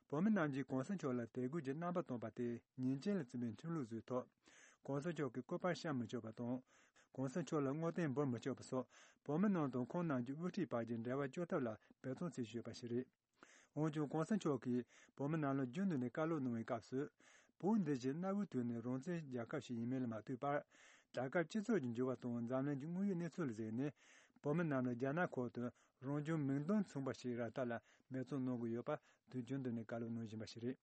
བོད་མི་རྣམས་ཀྱིས་གོང་ས་མཆོག་ལ་དད་གུས་ཀྱི་རྣམ་པ་སྟོན་པ་དེ་ཉེས་ཅན་ལ་བརྩི་བའི་ཁྲིམས་ལུགས་བཟོས་ཐོག། གོང་ས་མཆོག་གི་སྐུ་པར་བཤམས་མི་ཆོག་པ་དང་། གོང་ས་མཆོག་ལ་བསྔོ་རྟེན་འབུལ་མི་ཆོག་པ་སོགས། བོད་མི་རྣམས་དང་ཁོང་རྣམས་ཀྱི་དབུ་ཁྲིད་བར་གྱི་འབྲེལ་བ་གཅོད་ཐབས་ལ་འབད་བརྩོན་བྱེད་བཞིན་ཡོད་པ་ཞིག་རེད། འོན་ཀྱང་གོང་ས་མཆོག་གིས་བོད་མི་རྣམས་ལ་རྒྱུན་དུ་ནས་བཀའ་སློབ་གནང་བའི་སྐབས་སུ། བོད་འདི་བཞིན་གནའ་བོའི་དུས་ནས་རང་བཙན་རྒྱལ་ཁབ་ཞིག་ཡིན་མིན་ལ་མ་ལྟོས་པར། རྒྱལ་ཁབ་སྤྱི་ཚོགས་ཀྱི་འགྱུར་བ་དང་འཛམ་གླིང་གི་དངོས་ཡོད་གནས་ཚུལ་ལ་གཟིགས་ནས། བོད་མི་རྣམས་ལ་རྒྱ་ནག་ཁུལ་དུ་རང་བྱུང་མིང་དོན་མཚུངས་པ་ཞིག་རག་ཐབས་ལ་འབད་བརྩོན་གནང་དགོས་ཡོད་པ། དུས་རྒྱུན་དུ་ནས་བཀའ་སློབ་གནང་བཞིན་པ་ཞིག་རེད།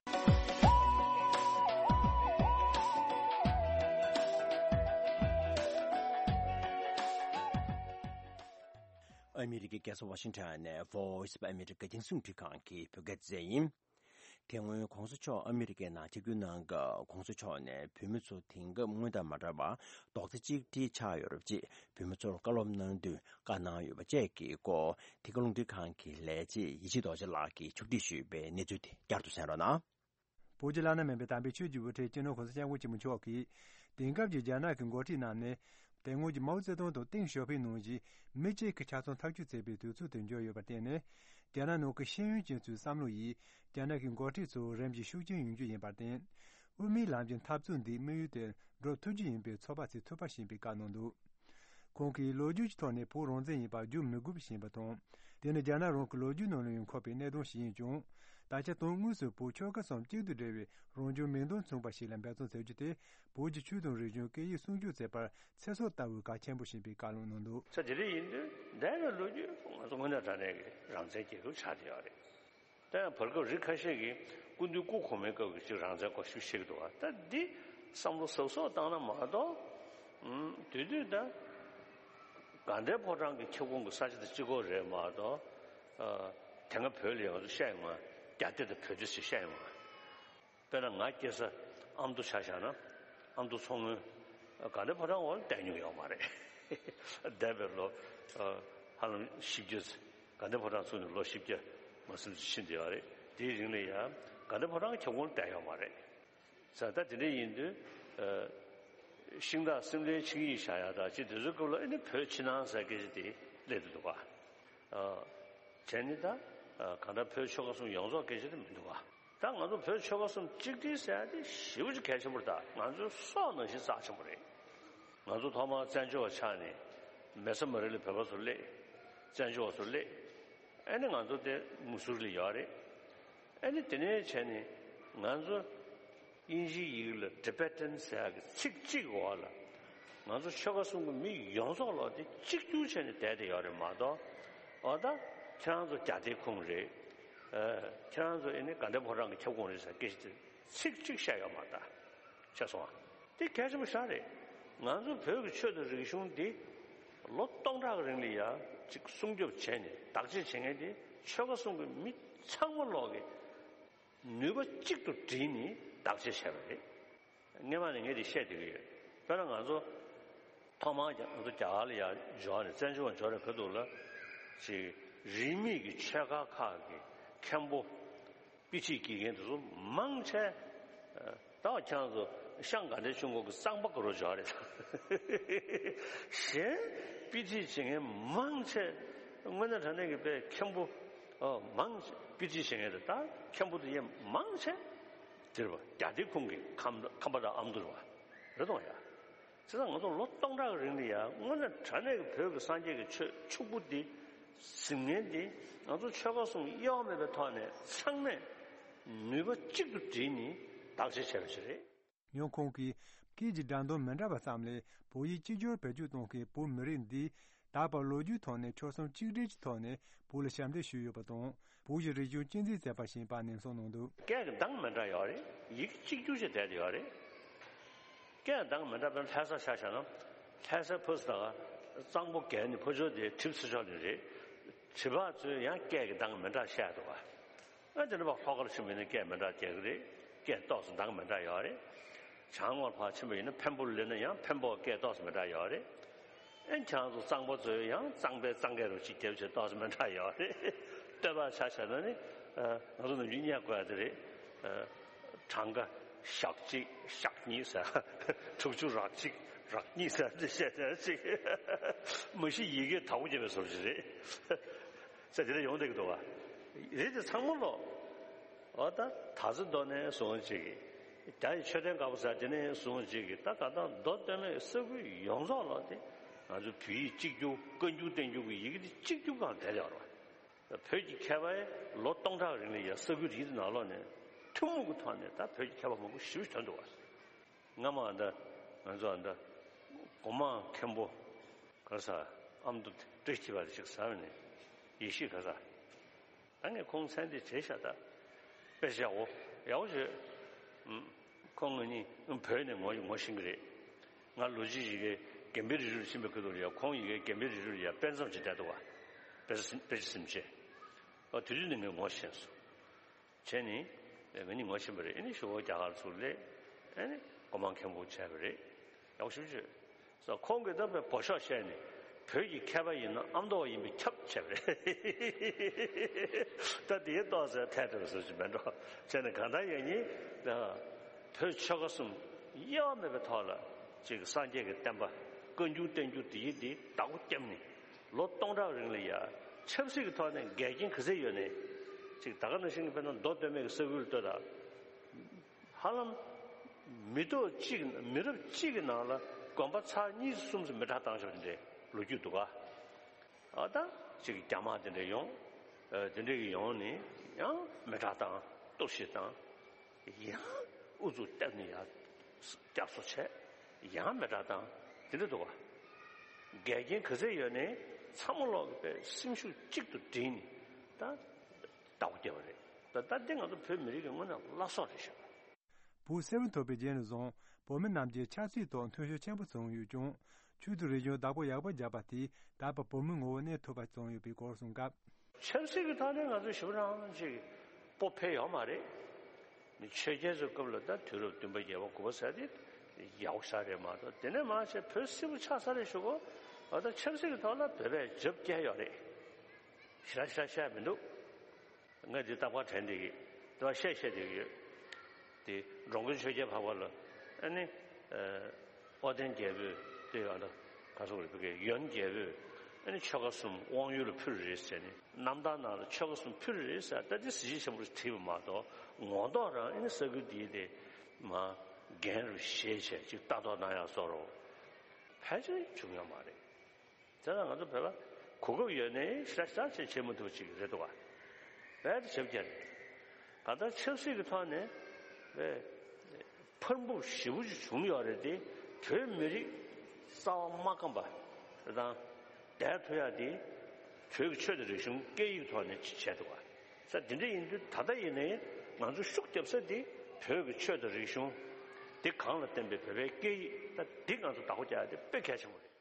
ཨ་མི་རི་ཀའི་རྒྱལ་ས་ཝ་ཤིང་ཊོན་ནས་Voice of America་རྒྱང་སྲིང་རླུང་འཕྲིན་ཁང་གི་བོད་སྐད་སྡེ་ཚན་ཡིན། དེ་སྔོན་༸གོང་ས་མཆོག་ཨ་མི་རི་ཀའི་ནང་ཆིབས་བསྒྱུར་གནང་སྐབས་༸གོང་ས་མཆོག་ནས་བོད་མི་ཚོ་དེང་སྐབས་སྔོན་དང་མ་འདྲ་བར་རྡོག་རྩ་གཅིག་སྒྲིལ་ཆགས་ཡོད་རབས་ཅེས་བོད་མི་ཚོར་བཀའ་སློབ་གནང་དུས་བཀའ་གནང་ཡོད་པ་བཅས་ཀྱི་སྐོར། འདི་ག་རླུང་འཕྲིན་ཁང་གི་ལས་བྱེད་ཡེ་ཤེས་རྡོ་རྗེ་ལགས་ཀྱིས་ཕྱོགས་སྒྲིག་ཞུས་པའི་གནས་ཚུལ་དེ་བསྐྱར་དུ་གསན་རོགས་གནང་། བོད་ཀྱི་བླ་ན་མེད་པའི་དམ་པའི་ཆོས་ཀྱི་དབུ་ཁྲིད་སྤྱི་ནོར་༸གོང་ས་༸སྐྱབས་མགོན་ཆེན་པོ་མཆོག་གིས། དེང་སྐབས་ཀྱི་རྒྱ་ནག་གི་འགོ་ཁྲིད་རྣམས་ནི། དེ་སྔོན་གྱི་མའོ་ཙེ་ཏུང་དང་ཏེང་ཞའོ་ཕིང་ནང་བཞིན་མི་གཅིག་གི་ཆ་ཚང་ཐག་གཅོད་བྱེད་པའི་དུས་ཚོད་དུ་འགྱུར་ཡོད་པར་བརྟེན་ནས། རྒྱ་ནག་ནང་གི་ཤེས་ཡོན་ཅན་ཚོའི་བསམ་བློ་ཡིས་རྒྱ་ནག་གི་འགོ་ཁྲིད་ཚོ་རིམ་གྱིས་ཤུགས་རྐྱེན་ཡོང་རྒྱུ་ཡིན་པར་བརྟེན། དབུ་མའི་ལམ་གྱི་འཐབ་རྩོད་འདིའི་དམིགས་ཡུལ་དེར་འགྲོ་ཐུབ་རྒྱུ་ཡིན་པའི་ཚོད་དཔག་བྱེད་ཐུབ་པ་ཞིག་ཡིན་པའི་བཀའ་གནང་འདུག་ཁོང་གིས་ལོ་རྒྱུས་ཀྱི་ཐོག་ནས་བོད་རང་བཙན་ཡིན་པར་བསྒྱུར་མི་དགོས་པ་ཞིག་ཡིན་པ་དང་ དེ་ནི་རྒྱ་ནག་རང་གི་ལོ་རྒྱུས་ནང་ལ་ཡང་འཁོད་པའི་གནད་དོན་ཞིག་ཡིན་ཀྱང་། ད་ཆ་དོན་དངོས་སུ་བོད་ཆོལ་ཁ་གསུམ་གཅིག་ཏུ་སྒྲིལ་བའི་རང་བྱུང་མིང་དོན་མཚུངས་པ་ཞིག་ལ་འབད་བརྩོན་བྱེད་རྒྱུ་དེ། བོད་ཀྱི་ཆོས་དང་རིག་གཞུང་སྐད་ཡིག་སྲུང་སྐྱོབ་བྱེད་པར་ཚེ་སྲོག་ལྟ་བུའི་གལ་ཆེན་པོ་ཞིག་ཡིན་པའི་བཀའ་སློབ་གནང་འདུག་ས་དེ་རིགས་ཡིན་དུས་འདས་པའི་ལོ་རྒྱུས་ང་ཚོ་དངོས་གནས་དྲང་གནས་ཀྱི་རང་བཙན་རྒྱལ་ཁབ་ཆགས་བསྡད་ཡོད་རེད། ད་ཡང་བར་སྐབས་རིགས་ཁ་ཤས་ཀྱིས་སྐུ་མདུན་སྐུ་གོང་མའི་སྐབས་ཀྱི་ཅིག་རང་བཙན་སྐོར་ཞིབ་བཤད་ཀྱི་འདུག་བ། ད་འདི་བསམ་བློ་གཟབ་གཟབ་བཏང་ན་མ་གཏོགས། ཨུམ། དེ་དུས་ད་དགའ་ལྡན་ཕོ་བྲང་གི་ཁྱབ་ཁོངས་ཀྱི་ས་ཆ་དེ་གཅིག་པོ་རེད་མ་གཏོགས། ཨ། དེ་སྔ་བོད་ལ་ཡང་བཤད་ཡོང་ང་། རྒྱ་སྡེ་དང་བོད་སྡེ་ཟེར་བཤད་ཡོང་ང་། དཔེར་ན་ང་སྐྱེས་ས་ཨ་མདོ་ཆ་བཞག་ན། ཨ་མདོ་མཚོ་སྔོན། དགའ་ལྡན་ཕོ་བྲང་འོག་ལ་བསྡད་མྱོང་ཡོད་མ་རེད། འདས་པའི་ལོ། ཨ། ཧ་ལམ་བཞི་བརྒྱ་ཙམ། དགའ་ལྡན་ཕོ་བྲང་ཚུགས་ནས་ལོ་བཞི་བརྒྱ་མ་ཟིན་ཙམ་ཕྱིན་བསྡད་ཡོད་རེད། དེའི་རིང་ལ་ཡང་དགའ་ལྡན་ཕོ་བྲང་གི་ཁྱབ་ཁོངས་ལ་བསྡད་ཡོད་མ་རེད། ས་ད་དེ་འདྲ་ཡིན་དུས། ཨ། ཤིང་སྟག་སེང་བློན་ཆིངས་ཡིག་བཞག་ཡག་དང་ཅིག་དེ་ཚོའི་སྐབས་ལ་ཨ་ནི་བོད་ཕྱི་ནང་ཟེར་སྐད་ཆ་དེ་སླེབས་འདུག་པ། ཨ། བྱས་ནི་ད། ཨ། གང་ལྟར་བོད་ཆོལ་ཁ་གསུམ་ཡོངས་རྫོགས་སྐད་ཆ་དེ་མི་འདུག་པ། ད་ང་ཚོ་བོད་ཆོལ་ཁ་གསུམ་གཅིག་སྒྲིལ་ཟེར་ཡག་དེ་ཞེ་པོ་ཅིག་གལ་ཆེན་པོ་རེད། ད་ང་ཚོའི་སྲོག་ནང་བཞིན་རྩ་ཆེན་པོ་རེད། ང་ཚོ་ཐོག་མར་བཙན་བྱོལ་བ་ཆགས་ནས་མེ་བཟའ་མ་རི་ལ་བོད་པ་ཚོ་སླེབས། བཙན་བྱོལ་བ་ཚོ་སླེབས། ཨ་ནི་ང་ཚོ་དེ་མུ་སུ་རི་ལ་ཡོད་རེད། ཨ་ནི་དེ་ནས་བྱས་ནས་ང་ཚོ་དབྱིན་ཇིའི་ཡི་གེ་ལ་Tibetan་ཟེར་ཡག་གི་ཚིག་གཅིག་འོག་ལ་ང་ཚོ་ཆོལ་ཁ་གསུམ་གྱི་མི་ཡོངས་རྫོགས་ལོག་དེ་གཅིག་གྱུར་བྱས་ནས་བསྡད་དེ་ཡོད་རེད་མ་གཏོགས། འོ་ད་ཁྱེད་རང་ཚོ་རྒྱ་སྡེའི་ཁོངས་རེད། ཨ། ཁྱེད་རང་ཚོ་ཨ་ནི་དགའ་ལྡན་ཕོ་བྲང་གི་ཁྱབ་ཁོངས་རེད་ཟེར་སྐད་ཆ་དེ་ཚིག་གཅིག་བཤད་ཡོད་མ་རེད་ད། ཤེས་སོང་ཨ། དེ་གལ་ཆེན་པོ་ཞེ་དྲག་རེད། ང་ཚོ་བོད་ཀྱི་ཆོས་དང་རིག་གཞུང་འདི་ལོ་སྟོང་ཕྲག་གི་རིང་ལ་ཡ་ཅིག་སྲུང་སྐྱོབ་བྱས་ནས་བདག་གཅེས་བྱེད་མཁན་དེ་ཆོལ་ཁ་གསུམ་གྱི་མི་ཚང་མ་ལོག་གི་ནུས་པ་གཅིག་ཏུ་བསྒྲིལ་ནས་བདག་གཅེས་བྱས་པ་རེད། སྔན་མ་ནས་ངས་དེ་བཤད་བསྡད་ཀྱི་ཡོད། དཔེར་ན་ང་ཚོ་ཐོག་མར་རྒྱ་ང་ཚོ་རྒྱ་གར་ལ་ཡ་འབྱོར་ནས་བཙན་བྱོལ་བ་འབྱོར་ནས་ག་འདུག་ལ། ཅིག་རིས་མེད་ཀྱི་ཆོས་ཁ་ཁག་གི་མཁན་པོ། དཔེ་ཁྲིད་དགེ་རྒན་དེ་ཚོ་མང་ཆེ། ད་ཁྱེད་རང་ཚོ་ཤང་དགའ་ལྡན་ཆོས་འཁོར་གྱི་གཙང་པ་ག་རུ་འབྱོར་རེད། གཞན་དཔེ་ཁྲིད་བྱེད་མཁན་མང་ཆེ། དངོས་གནས་དྲང་གནས་ཀྱི་དཔེ་མཁན་པོ། ཨོ། མང་ཆེ་དཔེ་ཁྲིད་བྱེད་མཁན་དེ་ད་མཁན་པོ་དེ་ཡང་མང་ཆེ། དེ་རེད་པ། རྒྱ་སྡེ་ཁོངས་ཀྱི་ཁམས་ཁམས་པ་དང་ཨ་མདོ་རེད་པ། རེད་དང་ཡ། བྱས་ཙང་ང་ཚོ་ལོ་སྟོང་ཕྲག་རིང་ལ་ཡང་དངོས་གནས་དྲང་གནས་ཀྱི་བོད་ཀྱི་སངས་རྒྱས་ཀྱི་ཆོས་ཕྱུག་པོ་འདི་ཟིན་མཁན་འདི་ང་ཚོ་ཆོལ་ཁ་གསུམ་དབྱེ་བ་མེད་པའི་ཐོག་ནས་ཚང་མས་ནུས་པ་གཅིག་ཏུ་བསྒྲིལ་ནས་བདག་གཅེས་བྱས་པ་ཞིག་རེད། ཡང་ཁོང་གིས་སྐད་ཀྱི་སྒྲ་འདོན་མི་འདྲ་བ་ཙམ་ལས་བོད་ཡིག་གཅིག་གྱུར་བེད་སྤྱོད་གཏོང་མཁན་བོད་མི་རིགས་འདིས་ད་བར་ལོ་རྒྱུས་ཐོག་ནས་ཆོལ་གསུམ་གཅིག་སྒྲིལ་གྱི་ཐོག་ནས་བོད་ལ་ཞབས་འདེགས་ཞུས་ཡོད་པ་དང་། བོད་ཀྱི་རིག་གཞུང་གཅེས་འཛིན་མཛད་པ་ཞིག་ཡིན་པ་ནན་གསུངས་གནང་འདུག་སྐད་ཀྱི་གདངས་མི་འདྲ་ཡོད་རེད། ཡི་གེ་གཅིག་གྱུར་ཅིག་བསྡད་ཡོད་རེད། སྐད་གདངས་མི་འདྲ་བའི་ལྷ་ས་ཆ་བཞག་ན། ལྷ་སའི་ཕ་སི་དང་གཙང་པོ་བརྒལ་ནས་ཕར་ཕྱོགས་དེ་གྲིབ་ཚེ་ཕྱོགས་ནས་རེད། གྲིབ་བག་ཚོས་ཡང་སྐད་ཀྱི་གདངས་མི་འདྲ་བཤད་འདུག་བ། ཨ་དེ་འདྲ་བ་ལྷོ་ཁ་ལ་ཕྱིན་པ་ཡིན་ན་སྐད་མི་འདྲ་རྒྱག་གི་རེད། སྐད་ཏོག་ཙམ་གདངས་མི་འདྲ་ཡོད་རེད། བྱང་ངོས་ཕར་ཕྱིན་པ་ཡིན་ན་འཕན་པོ་ལ་སླེབས་ན་ཡང་འཕན་པོ་སྐད་ཏོག་ཙམ་མི་འདྲ་ཡོད་རེད། ཨེ་ཁྱེད་རང་ཚོ་གཙང་པོ་ཚོས་ཡང་གཙང་པའི་གཙང་སྐད་རུ་གཅིག་རྒྱབ་བྱས་ཏོག་ཙམ་མི་འདྲ་ཡོད་རེད། སྟོད་པ་ཆ་བཞག་ན་ནི། ཨ། ང་ཚོ་ནམ་རྒྱུན་སྙན་དགོས་ཡ་དེ་རེད། ཨ། གྲངས་ཀ་ཞག་གཅིག་ཞག་གཉིས་ཟེར། དྲུག་ཅུ་རག་གཅིག་རག་གཉིས་ཟེར་འདི་བཤད་བྱས་ཅིག་མ་གཞི་ཡི་གེ་དྭགས་པོ་བརྒྱབ་པའི་བཟོ་ཅིག་རེད། ཟེར་དེ་འདྲ་ཡོང་བསྡད་ཀྱི་འདུག་བ། རེད་དེ་ཚང་མ་ལོ། འོ་ད་དར་རྩེ་མདོ་ནས་བཟུང་ཅིག་རྒྱ་ཡི་མཆོད་རྟེན་དཀར་པོ་ཟེར་དེ་ནས་བཟུང་ཅིག་ད་ག་ད་མདོ་སྟོད་སྨད་ས་ཁུལ་ཡོངས་རྫོགས་ལོ་དེ། ང་ཚོ་བོད་ཡིག་གཅིག་གྱུར་བཀའ་འགྱུར་བསྟན་འགྱུར་གྱི་ཡི་གེ་དེ་གཅིག་གྱུར་སྒང་བསྡད་ཡོད་རེད་བ། བོད་ཀྱི་མཁས་པས་ལོ་སྟོང་ཕྲག་རིང་ལ་ཡ་ས་ཁུལ་རིགས་དེ་ནང་ལོགས་ནས་ཐུན་མོང་གི་ཐོག་ནས་ད་བོད་ཀྱི་མཁས་པ་མང་པོ་ཞེ་པོ་ཅིག་ཐོན་འདུག་བ། སྔ་མ་ཨ་ད་ང་ཚོ་ཨ་ད་སྒོ་མང་མཁན་པོ་ག་ས་ཨ་མདོ་བཀྲ་ཤིས་པ་དེ་ཅིག་ཟ་བས་ནས་ཡེ་ཤེས་ག་ས། ད་ངས་ཁོང་མཚན་དེ་བྱས་ཤག་ད་དཔེ་ཆ་ཡག་པོ་ཡག་པོ་བྱོས། ཁོང་ང་གཉིས་བོད་ནས་ངོ་ངོ་ཤེས་ཀྱི་རེད། ང་ལོ་གཅིག་ཡི་གེ་དགེ་འཕེལ་རི་རུ་ཕྱིན་པའི་ཁུལ་དུ་ཡ། ཁོང་ཡི་གེ་དགེ་འཕེལ་རི་རུ་ཡ་དཔེ་མཚམས་ཅིག་བསྡད་འདུག་བ། དཔེ་ཆ་སིམ་དཔེ་ཆ་སིམ་བྱས། ཨ་དེ་དུས་ནས་ངས་ངོ་ཤེས་སོང་། བྱས་ནས་ང་གཉིས་ངོ་ཤེས་པ་རེད། ཨ་ནི་ཞོགས་པ་རྒྱ་གར་ཚུར་སླེབས། ཨ་ནི་སྒོ་མང་མཁན་པོ་བྱས་པ་རེད། ཡག་ཤོས་བྱོས། ས་ཁོང་གིས་ད་དཔེ་འབོ་ཤོག་བཤད་ནས་བོད་ཀྱི་མཁས་པ་ཡིན་ན་ཨ་མདོ་བ་ཡིན་པས་ཁྱབ་བྱས་པ་རེད། ད་དེའི་ཏོག་ཙམ་ཐལ་འགྲོ་བཟོ་ཞིག་མེད་འགྲོ། བྱས་ནས་གང་ལྟར་ཡང་ཉིད་བོད་ཆོལ་ཁ་གསུམ་དབྱེ་བ་མེད་པའི་ཐོག་ལ་ཅིག་སངས་རྒྱས་ཀྱི་བསྟན་པ་བཀའ་འགྱུར་བསྟན་འགྱུར་དེ་ཡི་དེ་བདག་པོ་བརྒྱབ་ནས་ལོ་སྟོང་ཕྲག་རིང་ལ་ཡ་ཆབ་སྲིད་ཀྱི་ཐོག་ནས་འགལ་རྐྱེན་ག་ཚད་ཡོད་ནས་ཅིག་ད་ག་ནང་བཞིན་གྱི་དཔེར་ན་མདོ་སྟོད་སྨད་ཀྱི་ས་ཁུལ་ལ་ལྟོས་དང་། ཧ་ལམ་མི་ཐོག་གཅིག་མི་རབས་གཅིག་གི་ནང་ལ་དགོན་པ་ཚར་གཉིས་གསུམ་ཙམ་མེ་སྲེག་བཏང་བཞག་པ་དེ་འདྲའི་ལོ་རྒྱུས་འདུག་ག་ཨ་ད་ གཅིག་གི་རྒྱ་དམག་དེ་འདྲ་ཡོང་། ཨ་དེ་འདྲ་གི་ཡོང་ནས་ཡང་མེ་དྲག་བཏང་། གཏོར་བཤིག་བཏང་། ཡང་ཨུ་ཚུགས་བཏབ་ནས་ཡར་བསྐྱར་གསོ་བྱས། ཡང་མེ་དྲག་བཏང་། དེ་འདྲ་འདུག་བ། འགལ་རྐྱེན་ག་ཚད་ཡོད་ནའི་ཚང་མ་ལོག་གི་པའི་སེམས་ཤུགས་གཅིག་ཏུ་བསྒྲིལ་ནས་ད་བདག་པོ་རྒྱབ་པ་རེད། ད་ད་འདི་ང་ཚོ་བོད་མི་རིགས་ཀྱི་དངོས་གནས་བླ་སྲོག་རེད་ཤག་བོད་གསལ་བོ་ཐོབ་པའི་རྗེས་ནས་བཟུང་བོད་མི་རྣམས་ཀྱིས་ཆབ་སྲིད་ཐོག་མཐུན་ཕྱོགས་ཆེན་པོ་བཟུང་ཡོད་ཀྱང་། ཆོས་དང་རིག་གཞུང་བདག་པོ་ཡག་པོ་བརྒྱབ་པ་དེས་ད་བར་བོད་མིའི་ངོ་བོ་གནས་ཐུབ་པ་བྱུང་ཡོད་པའི་སྐོར་གསུངས་སྐབས། ཆབ་སྲིད་ཀྱི་ཐོག་ནས་ང་ཚོ་ཞེ་པོ་རང་ཅིག་སྤོབས་འཕེལ་ཡོད་མ་རེད། ཆོས་རྒྱལ་ཚོའི་སྐབས་ལ་ད་དུས་རབས་བདུན་པ་བརྒྱད་པ་དགུ་པ་ཟེར་དེ་ཡག་པོ་ཞེ་དྲག་རེད་མ་གཏོགས། དེ་ནས་མར་བྱས་བོད་སིལ་བུ་ཆགས་ཚར་རེད་ཞུ་གོ། འོ་ད་ཆབ་སྲིད་ཀྱི་ཐོག་ལ་བོད་པས་རྒྱབ་བསྐྱལ་ཡོད་རེད། ཞེ་དྲག་ཞེ་དྲག་བཤད་མི་འདུག་ང་འདི་རྟག་པར་དྲན་བསྡད་ཀྱི། རྟག་པར་བཤད་བཤད་བསྡད་ཀྱི་ཡོད། དེ་འགྲོ་མགོན་ཆོས་རྒྱལ་འཕགས་པ་ལ་ཨ་ནི། ཨོ་རྒྱན་རྒྱལ་པོས་དེ་ཡང་ད་ག་སོག་རེད། བོད་སྐད་ཡོན་རྒྱལ་པོས་ཨ་ནི་ཆོལ་ཁ་གསུམ་དབང་ཡུལ་ལ་ཕུལ་རེད་ཟེར་ནས། རྣམ་ཐར་ནང་ལ་ཆོལ་ཁ་གསུམ་ཕུལ་རེད་ཟེར། ད་དེ་གཟི་བརྗིད་ཆེན་པོ་རེད་བྲིས་པ་མ་གཏོགས། ངོ་ཐོག་རང་ཨ་ནི་ས་ཁུལ་དེའི་དེ་མ་རྒན་རུ་བཞེས་བྱས་ཅིག་ལྟ་རྟོག་གནང་ཡག་བཟོ་འདྲ་ཕལ་ཆེར་བྱུང་ཡོད་མ་རེད། དེ་ལ་ང་ཚོ་བོད་པ་གོ་སྐབས་ཡོད་ནའི་ཤ་ཤ་ཆེ་བྱེད་མི་ཐུབ་པ་ཅིག་རེད་འདུག་བ། རྦད་དེ་ཞེ་པོ་ཅིག་རེད། ད་ལྟ་ཆབ་སྲིད་ཀྱི་ཐོག་ནས་རྦད་འཕར་འབུབ་ཞེ་པོ་ཅིག་བྱུང་ཡོད་རེད་དེ། བོད་མི་རིགས་རྩ་བ་མ་སྐམ་པ་དང་བསྡད་ཐུབ་ཡག་དེ་བོད་ཀྱི་ཆོས་དང་རིག་གཞུང་སྐད་ཡིག་ཐོག་ནས་བྱས་འདུག་བ། ས་དེ་འདྲ་ཡིན་དུས་ད་ལྟ་ཡིན་ནའི་ང་ཚོ་ཤུགས་རྒྱབ་ས་དེ་བོད་ཀྱི་ཆོས་དང་རིག་གཞུང་དེ་གོང་ལ་བསྟན་པའི་བོད་པའི་སྐད་ཡིག་ད་འདི་ང་ཚོ་བདག་པོ་རྒྱག་ཡག་དེ་དཔེ་གལ་ཆེན་པོ་རེད།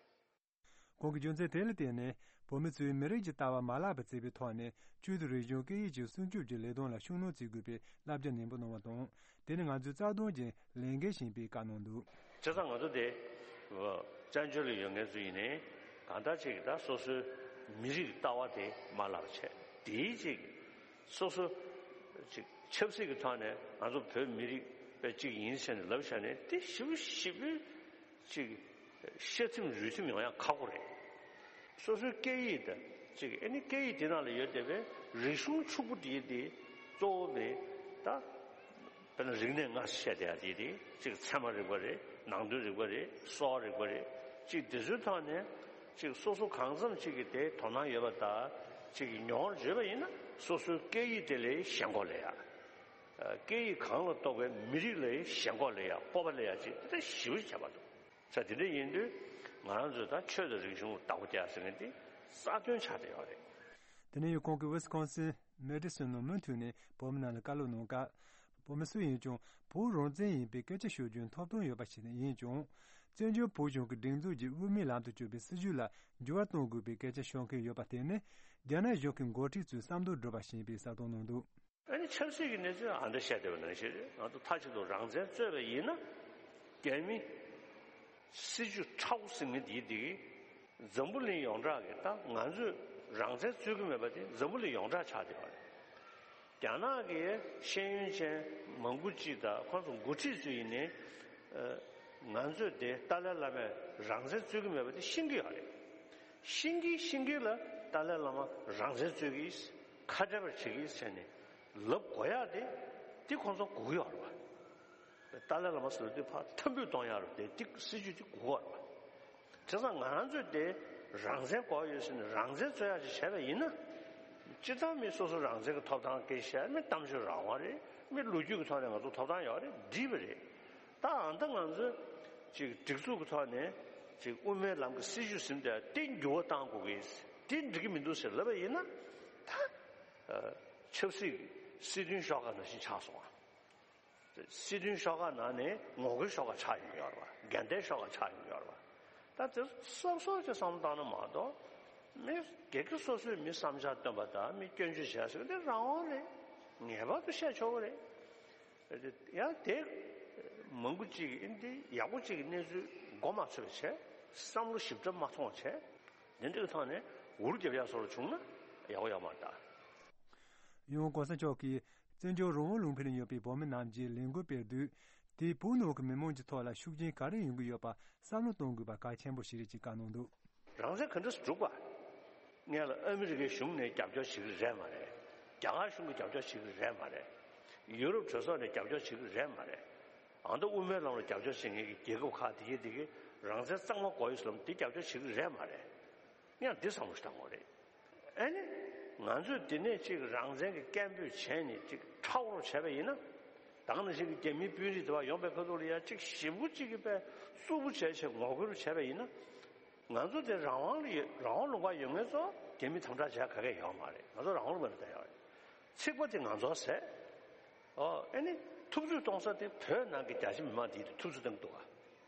ཁོང་གིས་རྒྱུ་མཚན་དེ་ལ་བརྟེན་ནས་བོད་མི་ཚོས་མི་རིགས་ཀྱི་ལྟ་བ་མ་བརླག་པར་བརྩི་བའི་ཐོག་ནས་ཆོས་དང་རིག་གཞུང་སྐད་ཡིག་ཀྱི་སྲུང་སྐྱོབ་ཀྱི་ལས་དོན་ལ་ཤུགས་སྣོན་བྱེད་དགོས་པའི་བསླབ་བྱ་ནན་པོ་གནང་བ་དང་། དེ་ནི་ང་ཚོའི་རྩ་དོན་ཅན་ལས་འགན་ཡིན་པའི་བཀའ་གནང་འདུག་བྱས་ཙང་ང་ཚོ་དེ་བཙན་བྱོལ་ལ་ཡོད་མཁན་ཚོ་ཡིན་ནའི་གང་ལྟར་ཅིག་ད་སོ་སོའི་མི་རིགས་ལྟ་བ་དེ་མ་བརླག་པ་བྱས། དེའི་ཅིག་སོ་སོ་ཅིག་ཆབ་སྲིད་ཀྱི་ཐོག་ནས་ང་ཚོ་བོད་མི་རིགས་པའི་ཅིག་ཡིན་ཟེར་ནས་ལབ་བཞག་ནས་དེ་ཞེ་པོ་ཞེ་པོ་ཅིག་ཤ་ཚིམ་རུས་ཚིམ་ཡོང་ཡག་ཁག་པོ་རེད། སོ་སོའི་སྐད་ཡིག་དང་ཅིག་ཨ་ནི་སྐད་ཡིག་དེ་ནང་ལ་ཡོད་བསྡད་པའི་རིག་གཞུང་ཕྱུག་པོ་དེ་དེ་གཙོ་བོ་རེད་ད། དཔེར་ན་རིག་གནས་སྔ་ཕྱི་བཤད་བསྡད་ཡག་དེ་དེ་ཅིག་ཚད་མ་རིག་པ་རེད། ནང་དོན་རིག་པ་རེད། གསོ་བ་རིག་པ་རེད། ཅིག་དེ་ཚོའི་ཐོག་ནས་ཅིག་སོ་སོ་གང་འཚམ་ཅིག་གི་དེ་དོ་སྣང་ཡོད་པ་དང་ཅིག་གི་མྱོང་བརྗོད་པ་ཡིན་ན་སོ་སོའི་སྐད་ཡིག་དེ་ལ་ཞེན་ཁོག་སླེབས་ཡག་སྐད་ཡིག་གང་ལ་གཏོགས་པའི་མི་རིགས་ལ་ཞེན་ཁོག་སླེབས་ཡག་སྤོབས་པ་སླེབས་ཡག་ཅིག་དེ་ཞེ་པོ་ཁྱད་པར་འདུག་ས་དེ་འདྲ་ཡིན་དུས་ང་རང་ཚོས་ད་ཆོས་དང་རིག་གཞུང་བདག་པོ་རྒྱག་ཟེར་མཁན་དེ་རྩ་དོན་ཆགས་བསྡད་ཡོད་རེད། དེ་ནས་ཡང་ཁོང་གིས་ཝི་སི་ཀོན་སིན་མེ་ཌི་སོན་ནང་མུ་མཐུད་ནས་བོད་མི་རྣམས་ལ་བཀའ་སློབ་གནང་སྐབས། བོད་མི་སུ་ཡིན་ཀྱང་བོད་རང་བཙན་ཡིན་པའི་སྐད་ཆ་ཤོད་རྒྱུའི་ཐོབ་ཐང་ཡོད་པ་ཞིག་ཡིན་ཀྱང་། བཙན་བྱོལ་བོད་གཞུང་གི་སྒྲིག་འཛུགས་ཀྱིས་དབུ་མའི་ལམ་དུ་བསྐྱོད་པའི་སྲིད་བྱུས་ལ་འགྱུར་བ་གཏོང་དགོས་པའི་སྐད་ཆ་ཤོད་མཁན་ཡོད་པ་དེ་ནི་རྒྱ་ནག་གཞུང་གི་འགོ་ཁྲིད་ཚོའི་བསམ་དོན་སྒྲུབ་པ་ཞིག་ཡིན་པའི་གསལ་སྟོན་གནང་འདུག་ཨ་ནི་ཆབ་སྲིད་ཀྱི་གནས་ཚུལ་ཨ་འདྲ་བཤད་བསྡད་པ་ནང་བཞིན་རེད། ང་ཚོ་མཐའ་གཅིག་ཏུ་རང་བཙན་རྩོད་པ་ཡིན་ན། རྒྱ་མི་སྲིད་བྱུས་ཁྲ་བོ་ཟེར་མཁན་དེའི་དེ་གི་འཛམ་བུ་གླིང་ཡོངས་གྲགས་ཀྱི་ད་ང་ཚོས་རང་བཙན་རྩོད་ཀྱི་མེད་པ་དེ་འཛམ་བུ་གླིང་ཡོངས་གྲགས་ཆགས་བསྡད་པ་རེད། རྒྱ་ནག་གི་ཤེས་ཡོན་ཅན་མང་པོ་ཅིག་དང་ཁོང་ཚོ་འགོ་ཁྲིད་ཚོ་ཡིན་ནའི། ཨ་ང་ཚོས་དེ་ཏཱ་ལའི་བླ་མས་རང་བཙན་རྩོད་ཀྱི་མེད་པ་དེ་ཤེས་ཀྱི་ཡོད་རེད། ཤེས་ཀྱི་ཤེས་ཀྱི་ལ་ཏཱ་ལའི་བླ་མ་རང་བཙན་རྩོད་ཀྱི་ཁ་བྲལ་བར་བྱེད་ཀྱི་ཟེར་ནས་ལབ་དགོས་ཡག་དེ་དེ་ཁོང་ཚོ་དགོས་ཀྱི་ཡོད་རེད་པ། ཏཱ་ལའི་བླ་མ་ཟེར་བ་དེ་ཕར་ཐར་འབུད་གཏོང་ཡག་རེད་དེ་དེ་སྲིད་བྱུས་དེ་དགོས་ཀྱི་ཡོད་རེད་པ། བྱས་ཙང་ང་རང་ཚོས་དེ་རང་བཙན་དགོས་ཡོད་ཟེར་ནས་རང་བཙན་རྩོད་ཡག་ཅིག་བྱས་པ་ཡིན་ན། སྤྱིར་བཏང་མི་སོ་སོ་རང་བཙན་གྱི་ཐོབ་ཐང་སྐད་བཤད། མི་གཏམ་བརྗོད་རང་དབང་རེད། མི་ལོ་རྒྱུས་ཀྱི་ཐོག་ནས་ང་ཚོ་ཐོབ་ཐང་ཡོད་རེད། འགྲིག་པ་རེད། ད་ཨ་ནི་ད་ང་ཚོས་ཅིག་སྒྲིག་འཛུགས་ཀྱི་ཐོག་ནས་ཅིག་དབུ་མའི་ལམ་གྱི་སྲིད་བྱུས་ཟིན་ཏེ་དེ་འགྱུར་བ་གཏང་དགོས་ཀྱི། དེ་འགྲིག་གི་མི་འདུག་ཟེར་ལབ་པ་ཡིན་ན། ད་ཨ་ཆབ་སྲིད་ཀྱི་སྲིད་དོན་ཤོག་ཁག་ནང་བཞིན་ཆགས་སོང་ཨ། སྲིད་དོན་ཤོག་ཁག་ནང་ནས་ངོ་རྒོལ་ཤོག་ཁག་ཆགས་ཡོང་གི་ཡོད་རེད་པ། འགལ་ཟླའི་ཤོག་ཁག་ཆགས་ཡོང་གི་ཡོད་རེད་པ། ད་དེ་སོབ་སོབ་ཅིག་བསམ་བློ་བཏང་ན་མ་གཏོགས། མི་སྒེར་གྱི་སོ་སོའི་མི་བསམ་འཆར་བཏོན་པ་དང་མི་སྐྱོན་བརྗོད་བྱས་ཟེར་དེ་རང་དབང་རེད། ངེས་པར་དུ་བཤད་ཆོག་གི་རེད། ཡང་དེ་མང་པོ་ཅིག་གིས་འདི་ཡག་པོ་ཅིག་གི་གནས་ཚུལ་མགོ་མ་ཚོས་པ་བྱས། བསམ་བློ་ཞིབ་ཕྲ་མ་ཐོངས་བྱས། དེ་འདྲའི་ཐོག་ནས་འུར་རྒྱབ་ཡག་བཟོ་འདྲ་བྱུང་ན་ཡག་པོ་ཡོད་མ་རེད་ད། ཡང་གོང་ས་མཆོག་གིས་བཙན་བྱོལ་རང་དབང་ལུང་པ་ལ་ཡོད་པའི་བོད་མི་རྣམས་ཀྱིས་ལས་འགུལ་སྤེལ་དུས། དེས་བོད་ནང་གི་མི་མང་གི་ཐོག་ལ་ཤུགས་རྐྱེན་ག་རེ་ཡོང་གི་ཡོད་པ་བསམ་བློ་གཏོང་དགོས་པ་གལ་ཆེན་པོ་ཞིག་རེད་ཅེས་བཀའ་གནང་འདུག་རང་བཙན་ག་འདྲ་སེ་སྒྲུབ་པ། སྔོན་ལ་ཨ་མི་རི་ཀའི་གཞུང་ནས་རྒྱབ་སྐྱོར་བྱེད་ཀྱི་རེད་མ་རེད། རྒྱ་གར་གཞུང་གིས་རྒྱབ་སྐྱོར་བྱེད་ཀྱི་རེད་མ་རེད། ཡུ་རོབ་གྲོས་ཚོགས་ནས་རྒྱབ་སྐྱོར་བྱེད་ཀྱི་རེད་མ་རེད། ཨ་མདོ་དབུ་མའི་ལམ་ལ་རྒྱབ་སྐྱོར་བྱེད་མཁན་གྱི་རྒྱལ་ཁབ་ཁག་དེ་གས་དེ་གས་རང་བཙན་གཙང་མ་དགོས་ཡོད་ཟེར་ལབ་དེ་རྒྱབ་སྐྱོར་བྱེད་ཀྱི་རེད་མ་རེད། ཡང་འདི་བསམ་བློ་ཞིག་བཏང་དགོས་རེད། ཨེ་ནི། ང་ཚོས་འདི་ནས་ཅིག་རང་བཙན་གྱི་སྐད་འབོད་བྱས་ནས་ཅིག་ཁྲ་བོར་བྱས་པ་ཡིན་ན། ད་ག་ནང་བཞིན་གྱི་རྒྱ་མིའི་དཔོན་རིགས་དེ་བ་ཡོང་པའི་ཁ་ཐུག་ལ་ཡ་ཅིག་ཞེ་པོ་ཅིག་གི་པའི་རྩུབ་པོ་བྱས་བྱས་ངོ་རྒོལ་བྱས་པ་ཡིན་ན། ང་ཚོ་དེ་རང་དབང་ལ་ཡོད། རང་དབང་ལུང་པ་ཡོད་མཁན་ཚོ་རྒྱ་མི་དམ་དྲག་བྱས་ག་གེ་ཡོད་མ་རེད། ང་ཚོ་རང་དབང་ལུང་པ་ལ་བསྡད་ཡོད་རེད། ཚིག་པ་དེ་ང་ཚོ་ཟད། ཨོ་ཨེ་ནི། ཐུབ་ཚོད་གཏོང་ས་དེ་བོད་ནང་གི་རྒྱ་ཆེ་མི་མང་དེ་ཐུབ་ཚོད་གཏོང་གི་འདུག་ག་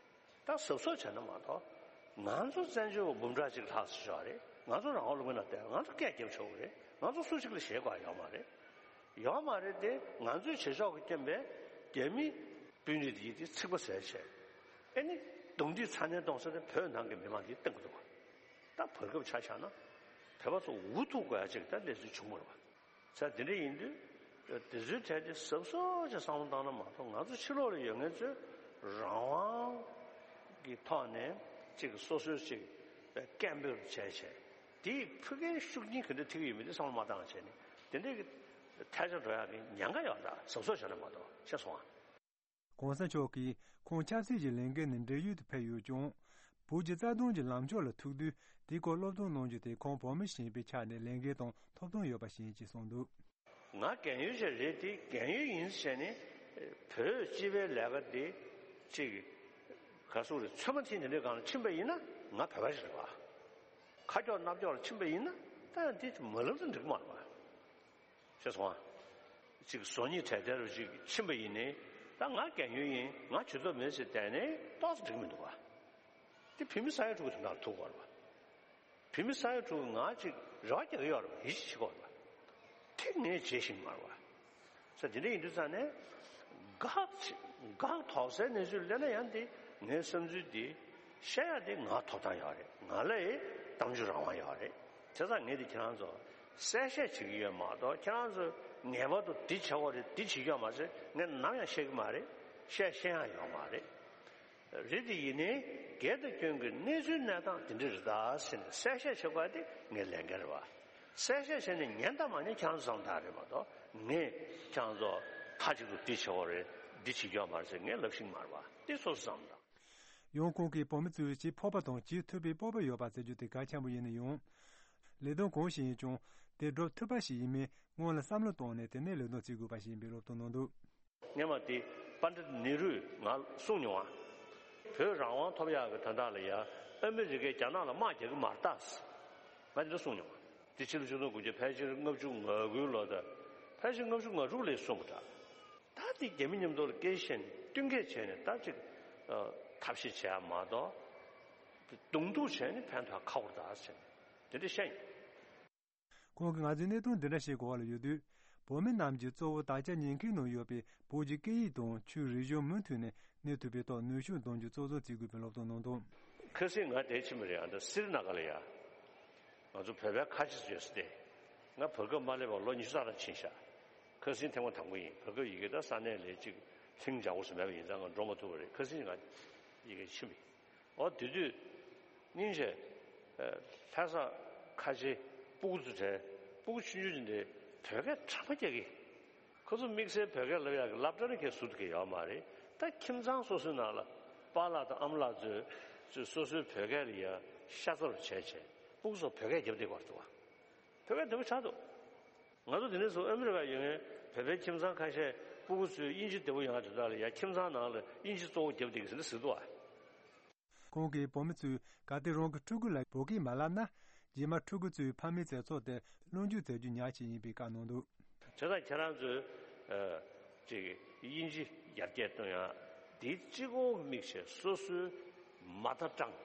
ད་གཟབ་གཟབ་བྱས་ན་མ་གཏོགས། ང་ཚོ་བཙན་བྱོལ་བ་འབུམ་ཕྲག་གཅིག་ལྷག་ཙམ་ཡོད་རེད། ང་ཚོ་རང་དབང་ལུང་པའི་ནང་བསྡད། ང་ཚོ་སྐད་རྒྱབ་ཆོག་གི་རེད། ང་ཚོ་སུ་གཅིག་ལ་ཞེད་དགོས་ཡོད་མ་རེད། ཡོད་མ་རེད་དེ། ང་ཚོའི་བྱེད་ཕྱོགས་ཀྱི་རྐྱེན་པས་རྒྱ་མི་དཔོན་རིགས་དེ་ཡིས་དེ་ཚིག་པ་ཟད་བྱས། ཨེ་ནི། རྡུང་རྡེག་ཚ་ནན་གཏོང་ས་དེ་བོད་ནང་གི་མི་མང་དེ་གཏོང་གི་འདུག་ག་ད་བར་སྐབས་ཆ་བཞག་ན། བོད་པ་ཚོ་འུ་ཐུག་དགོས་ཡ་ཅིག་ད་གནས་ཚུལ་བྱུང་མ་རེད་པ། ས་དེ་འདྲ་ཡིན་དུས། དེ་ཚོའི་གྲས་དེ་གཟབ་གཟབ་ཅིག་བསམ་བློ་བཏང་ན་མ་གཏོགས། ང་ཚོ་ཕྱི་ལོགས་ལ་ཡོད་མཁན་ཚོས་རང་དབང་གི་ཐོག་ནས་ཅིག་སོ་སོའི་ཅིག་སྐད་འབོད་བྱས་བྱས། དེའི་ཕུགས་ཀའི་ཤུགས་རྐྱེན་ག་འདྲ་ཐེབས་ཀྱི་ཡོད་མེད་དེ་བསམ་བློ་མ་བཏང་བྱས་ནས། དེ་འདྲའི་གི་ཐལ་ཆ་འགྲོ་ཡག་གི་ཉེན་ཁ་ཡོད་རེད། གཟབ་གཟབ་བྱས་ན་མ་གཏོགས། ཤེས་སོང་ཨ། གོང་ས་མཆོག་གིས་ཁོང་ཆབ་སྲིད་ཀྱི་ལས་འགན་ནས་འབྲེལ་ཡོད་དུ་ཕེབས་ཡོད་ཀྱང་། བོད་ཀྱི་རྩ་དོན་གྱི་ལངས་ཕྱོགས་ལ་ཐུག་དུས། དེའི་སྐོར་སློབ་སྟོན་གནང་རྒྱུ་དེ་ཁོང་བོད་མི་ཞེས་པའི་ཆ་ནས་ལས་འགན་དང་ཐོབ་ཐང་ཡོད་པ་ཞིག་ཡིན་ཅེས་གསུངས་འདུག་ང་རྒན་ཡོལ་ཞིག་རེད་དེ། རྒན་ཡོལ་ཡིན་ཟེར་ནས་བོད་སྤྱི་པའི་ལས་ཀ་དེ་ཅིག་ག་སུ་རེད། ཚོད་མ་ཐིག་འདི་འདྲའི་སྒང་ལ་ཕྱིན་པ་ཡིན་ན་ང་བོད་པ་ཞིག་རེད་པ། ཁ་ཀྱོག་སྣ་ཀྱོག་ལ་ཕྱིན་པ་ཡིན་ན་ད་འདི་མ་ལབ་ན་འགྲིག་མ་རེད་པ། ཤེས་སོང་ཨ། ཅིག་བཟོ་ཉིད་དྲན་རྟེན་རུ་ཅིག་ཕྱིན་པ་ཡིན་ནའི། ད་ང་རྒན་ཡོལ་ཡིན། ང་ཇུས་གཏོགས་མེད་ཟེར་བསྡད་ནའི་ཏོག་ཙམ་འགྲིག་མི་འདུག་ག་དེ་བོད་མི་ས་ཡ་དྲུག་གི་དོན་དག་ལ་ཐུག་དགོས་རེད་པ། བོད་མི་ས་ཡ་དྲུག་གིས་ང་ཅིག་རེ་བ་རྒྱག་གི་ཡོད་རེད་པ། ཡིད་ཆེས་བྱེད་དགོས་རེད་པ། དེ་ངས་བྱེད་བཞིན་མ་རེད་པ། ས་དེ་འདྲ་ཡིན་དུས་ཙང་ནས། དགག་དགག་དོག་སའི་གནས་ཚུལ་སླེབས་ན་ཡང་དེ་ངའི་བསམ་ཚུལ་དེ་བཤད་ཡ་དེ་ང་ཐོབ་ཐང་ཡོད་རེད། ང་ལ་ཡི་གཏམ་བརྗོད་རང་དབང་ཡོད་རེད། བྱས་ཙང་ངས་དེ་ཁྱེད་རང་ཚོ་གསལ་བཤད་བྱེད་ཀྱི་ཡོད་མ་གཏོགས། ཁྱེད་རང་ཚོས་ངེས་པར་དུ་འདི་བྱེད་དགོས་རེད། འདི་བྱེད་ཀྱི་ཡོད་མ་ཟེར་ངས་ནམ་ཡང་བཤད་ཀྱི་མ་རེད། བཤད་ཤེས་ཡག་ཡོད་མ་རེད། རེད་དེ་ཡིན་ནའི་སྒེར་དང་སྐྱོན་གྱི་གནས་ཚུལ་གནས་སྟངས་དེ་འདྲ་རེད་ད་ཟེར་ནས་གསལ་བཤད་བྱེད་དགོས་དེ་ངའི་ལས་འགན་རེད་པ། གསལ་བཤད་བྱས་ནས་ཉན་དང་མ་ཉན་ཁྱེད་རང་ཚོ་བསམ་བློ་བཏང་རེད་མ་གཏོགས། ངས་ཁྱེད་རང་ཚོ་མཐའ་གཅིག་ཏུ་འདི་བྱེད་དགོས་རེད། འདི་བྱེད་རྒྱུ་ཡོད་མ་རེད་ཟེར་ངས་ལབ་ཤེས་ཀྱི་མ་རེད་པ། དེ་སོ་སོ་བསམ་བློ་བཏང་། ཡང་ཁོང་གིས་བོད་མི་ཚོས་བྱེད་ཕོད་པ་དང་བྱེད་ཐུབ་པའི་སྤོབས་པ་ཡོད་པ་ཟེར་རྒྱུ་དེ་གལ་ཆེན་པོ་ཡིན་ན་ཡང་། ལས་དོན་གང་ཞིག་ཡིན་ཀྱང་དེ་སྒྲུབ་ཐུབ་པ་ཞིག་ཡིན་མིན་སྔོན་ལ་བསམ་བློ་བཏང་ནས་དེ་ནས་ལས་དོན་བྱེད་དགོས་པ་ཞིག་ཡིན་པའི་སློབ་སྟོན་གནང་འདུག་སྔོན་མ་དེ་པཎ་ཌི་ཏ་ནེ་རུས་ང་གསུངས་མྱོང་བ། བོད་རང་དབང་ཐོབ་ཡག་གི་དོན་དག་ལ་ཡ་ཨ་མི་རི་ཀས་རྒྱ་ནག་ལ་དམག་རྒྱག་གི་མ་རེད་ད། ང་དེ་འདྲ་གསུངས་མྱོང་བ། དེ་ཕྱི་ལོ་ཆིག་སྟོང་དགུ་བརྒྱ་ཕལ་ཆེར་ལྔ་བཅུ་ང་དགུའི་ལོ་དང་། ཕལ་ཆེར་ལྔ་བཅུ་ང་དྲུག་ལ་གསུངས་པ་འདྲ། ད་དེ་རྒྱ་མི་མཉམ་དུ་ལ་སྐད་ཆ་བཤད་ནས་བསྟུན་མཁས་བྱས་ནས་ད་ཅིག་ཨ། ཐབས་ཤེས་བྱས་ཡ་མ་གཏོགས། གདོང་ཐུག་བྱས་ནས་ཕན་ཐོགས་ཁག་པོ་རེད་ད་ཟེར་ནས་དེ་འདྲ་བཤད་མྱོང་། ཁོང་གིས་ང་ཚོའི་གནད་དོན་འདི་འདྲ་ཞིག་གོ་བ་ལ་ཡོད་དུས། བོད་མི་རྣམས་ཀྱིས་གཙོ་བོ་དར་ཆ་ཉེན་ཁའི་ནང་ཡོད་པའི་བོད་ཀྱི་སྐད་ཡིག་དང་ཆོས་རིག་གཞུང་མུ་མཐུད་ནས་གནས་ཐུབ་པའི་ཐོག་ནུས་ཤུགས་འདོན་རྒྱུ་གཙོ་བཟོ་བྱེད་དགོས་པའི་སློབ་སྟོན་གནང་འདུག་ཁ་སང་ང་དེར་ཕྱིན་པ་རེད། ཨ་ད་སི་རི་ན་ག་ལ་ཡ། ང་ཚོ་བོད་པའི་ཁ་ཆེ་ཚོ་ཡོད་ས་དེ། ང་བར་སྐབས་མ་སླེབས་པར་ལོ་ཉི་ཤུ་རྩ་ལྔ་ཕྱིན་ཤག་ཁ་སང་ཐེངས་མ་དང་པོ་ཡིན། བར་སྐབས་ཡི་གེ་ད་ས་གནས་ལ་ཅིག་ལྷིང་འཇགས་པོ་ཞིག་མེད་པ་ཡིན་ཙང་ང་འགྲོ་མ་ཐུབ་པ་རེད། ཁ་སང་ང་ཡི་གེ་ཕྱིན་པ་ཡིན། འོ་དེ་དུས་སྙིང་རྗེ། ལྷ་ས་ཁ་ཆེ་སྤུ་གུ་ཚོ་དྲན། སྤུ་གུ་ཆུང་ཆུང་ཅིག་འདྲ་བོད་སྐད་གྲགས་པ་རྒྱག་གི། ཁོ་ཚོ་དམིགས་བསལ་བོད་སྐད་ལབ་ཡག་གི་སློབ་གྲྭ་ནས་ཁྱེད་ཟུར་དུ་གི་ཡོད་མ་རེད། ད་ཁྱིམ་ཚང་སོ་སོའི་ནང་ལ་པཱ་ལགས་དང་ཨ་མ་ལགས་ཚོས་ཚོས་སོ་སོའི་བོད་སྐད་ལ་ཡ་ཤ་ཚ་རུ་བྱས་བྱས་སྤུ་གུ་ཚོ་བོད་སྐད་རྒྱབ་བསྡད་ཀྱི་ཡོད་རེད་བ། བོད་སྐད་བདེ་པོ་ཆགས་འདུག་ང་ཚོ་དེ་ནས་བཟུང་ཨ་མི་རི་ཀ་ཡོད་མཁན་བོད་པའི་ཁྱིམ་ཚང་ཁ་ཤས་སྤུ་གུ་ཚོས་དབྱིན་ཇི་བདེ་པོ་ཡོང་ཡ་དེ་དག་ལ་ཡ་ཁྱིམ་ཚང་ནང་ལ་དབྱིན་ཇི་གཙོ་བོ་རྒྱབ་བསྡད་ཀྱི་ཟེར་ནས་ཟེར་འདུག་བ། ཁོང་གིས་བོད་མི་ཚོས་གལ་ཏེ་རང་གི་ཕྲུ་གུ་ལ་བོད་སྐད་མ་བསླབ་ན། རྗེས་མ་ཕྲུ་གུ་ཚོའི་ཕ་མའི་ཚེ་སྲོག་དེ་བློས་འཇུག་མཛད་རྒྱུ་ཉག་ཅིག་ཡིན་པའི་བཀའ་གནང་འདུག་བྱས་ཙང་ཁྱེད་རང་ཚོས་ཨ། ཅིག་དབྱིན་ཇི་ཡར་རྒྱས་གཏོང་ཡ་དེ་གཅིག་པོ་དམིགས་བྱས་སོ་སོའི་མ་མཐའ་སྐྲངས།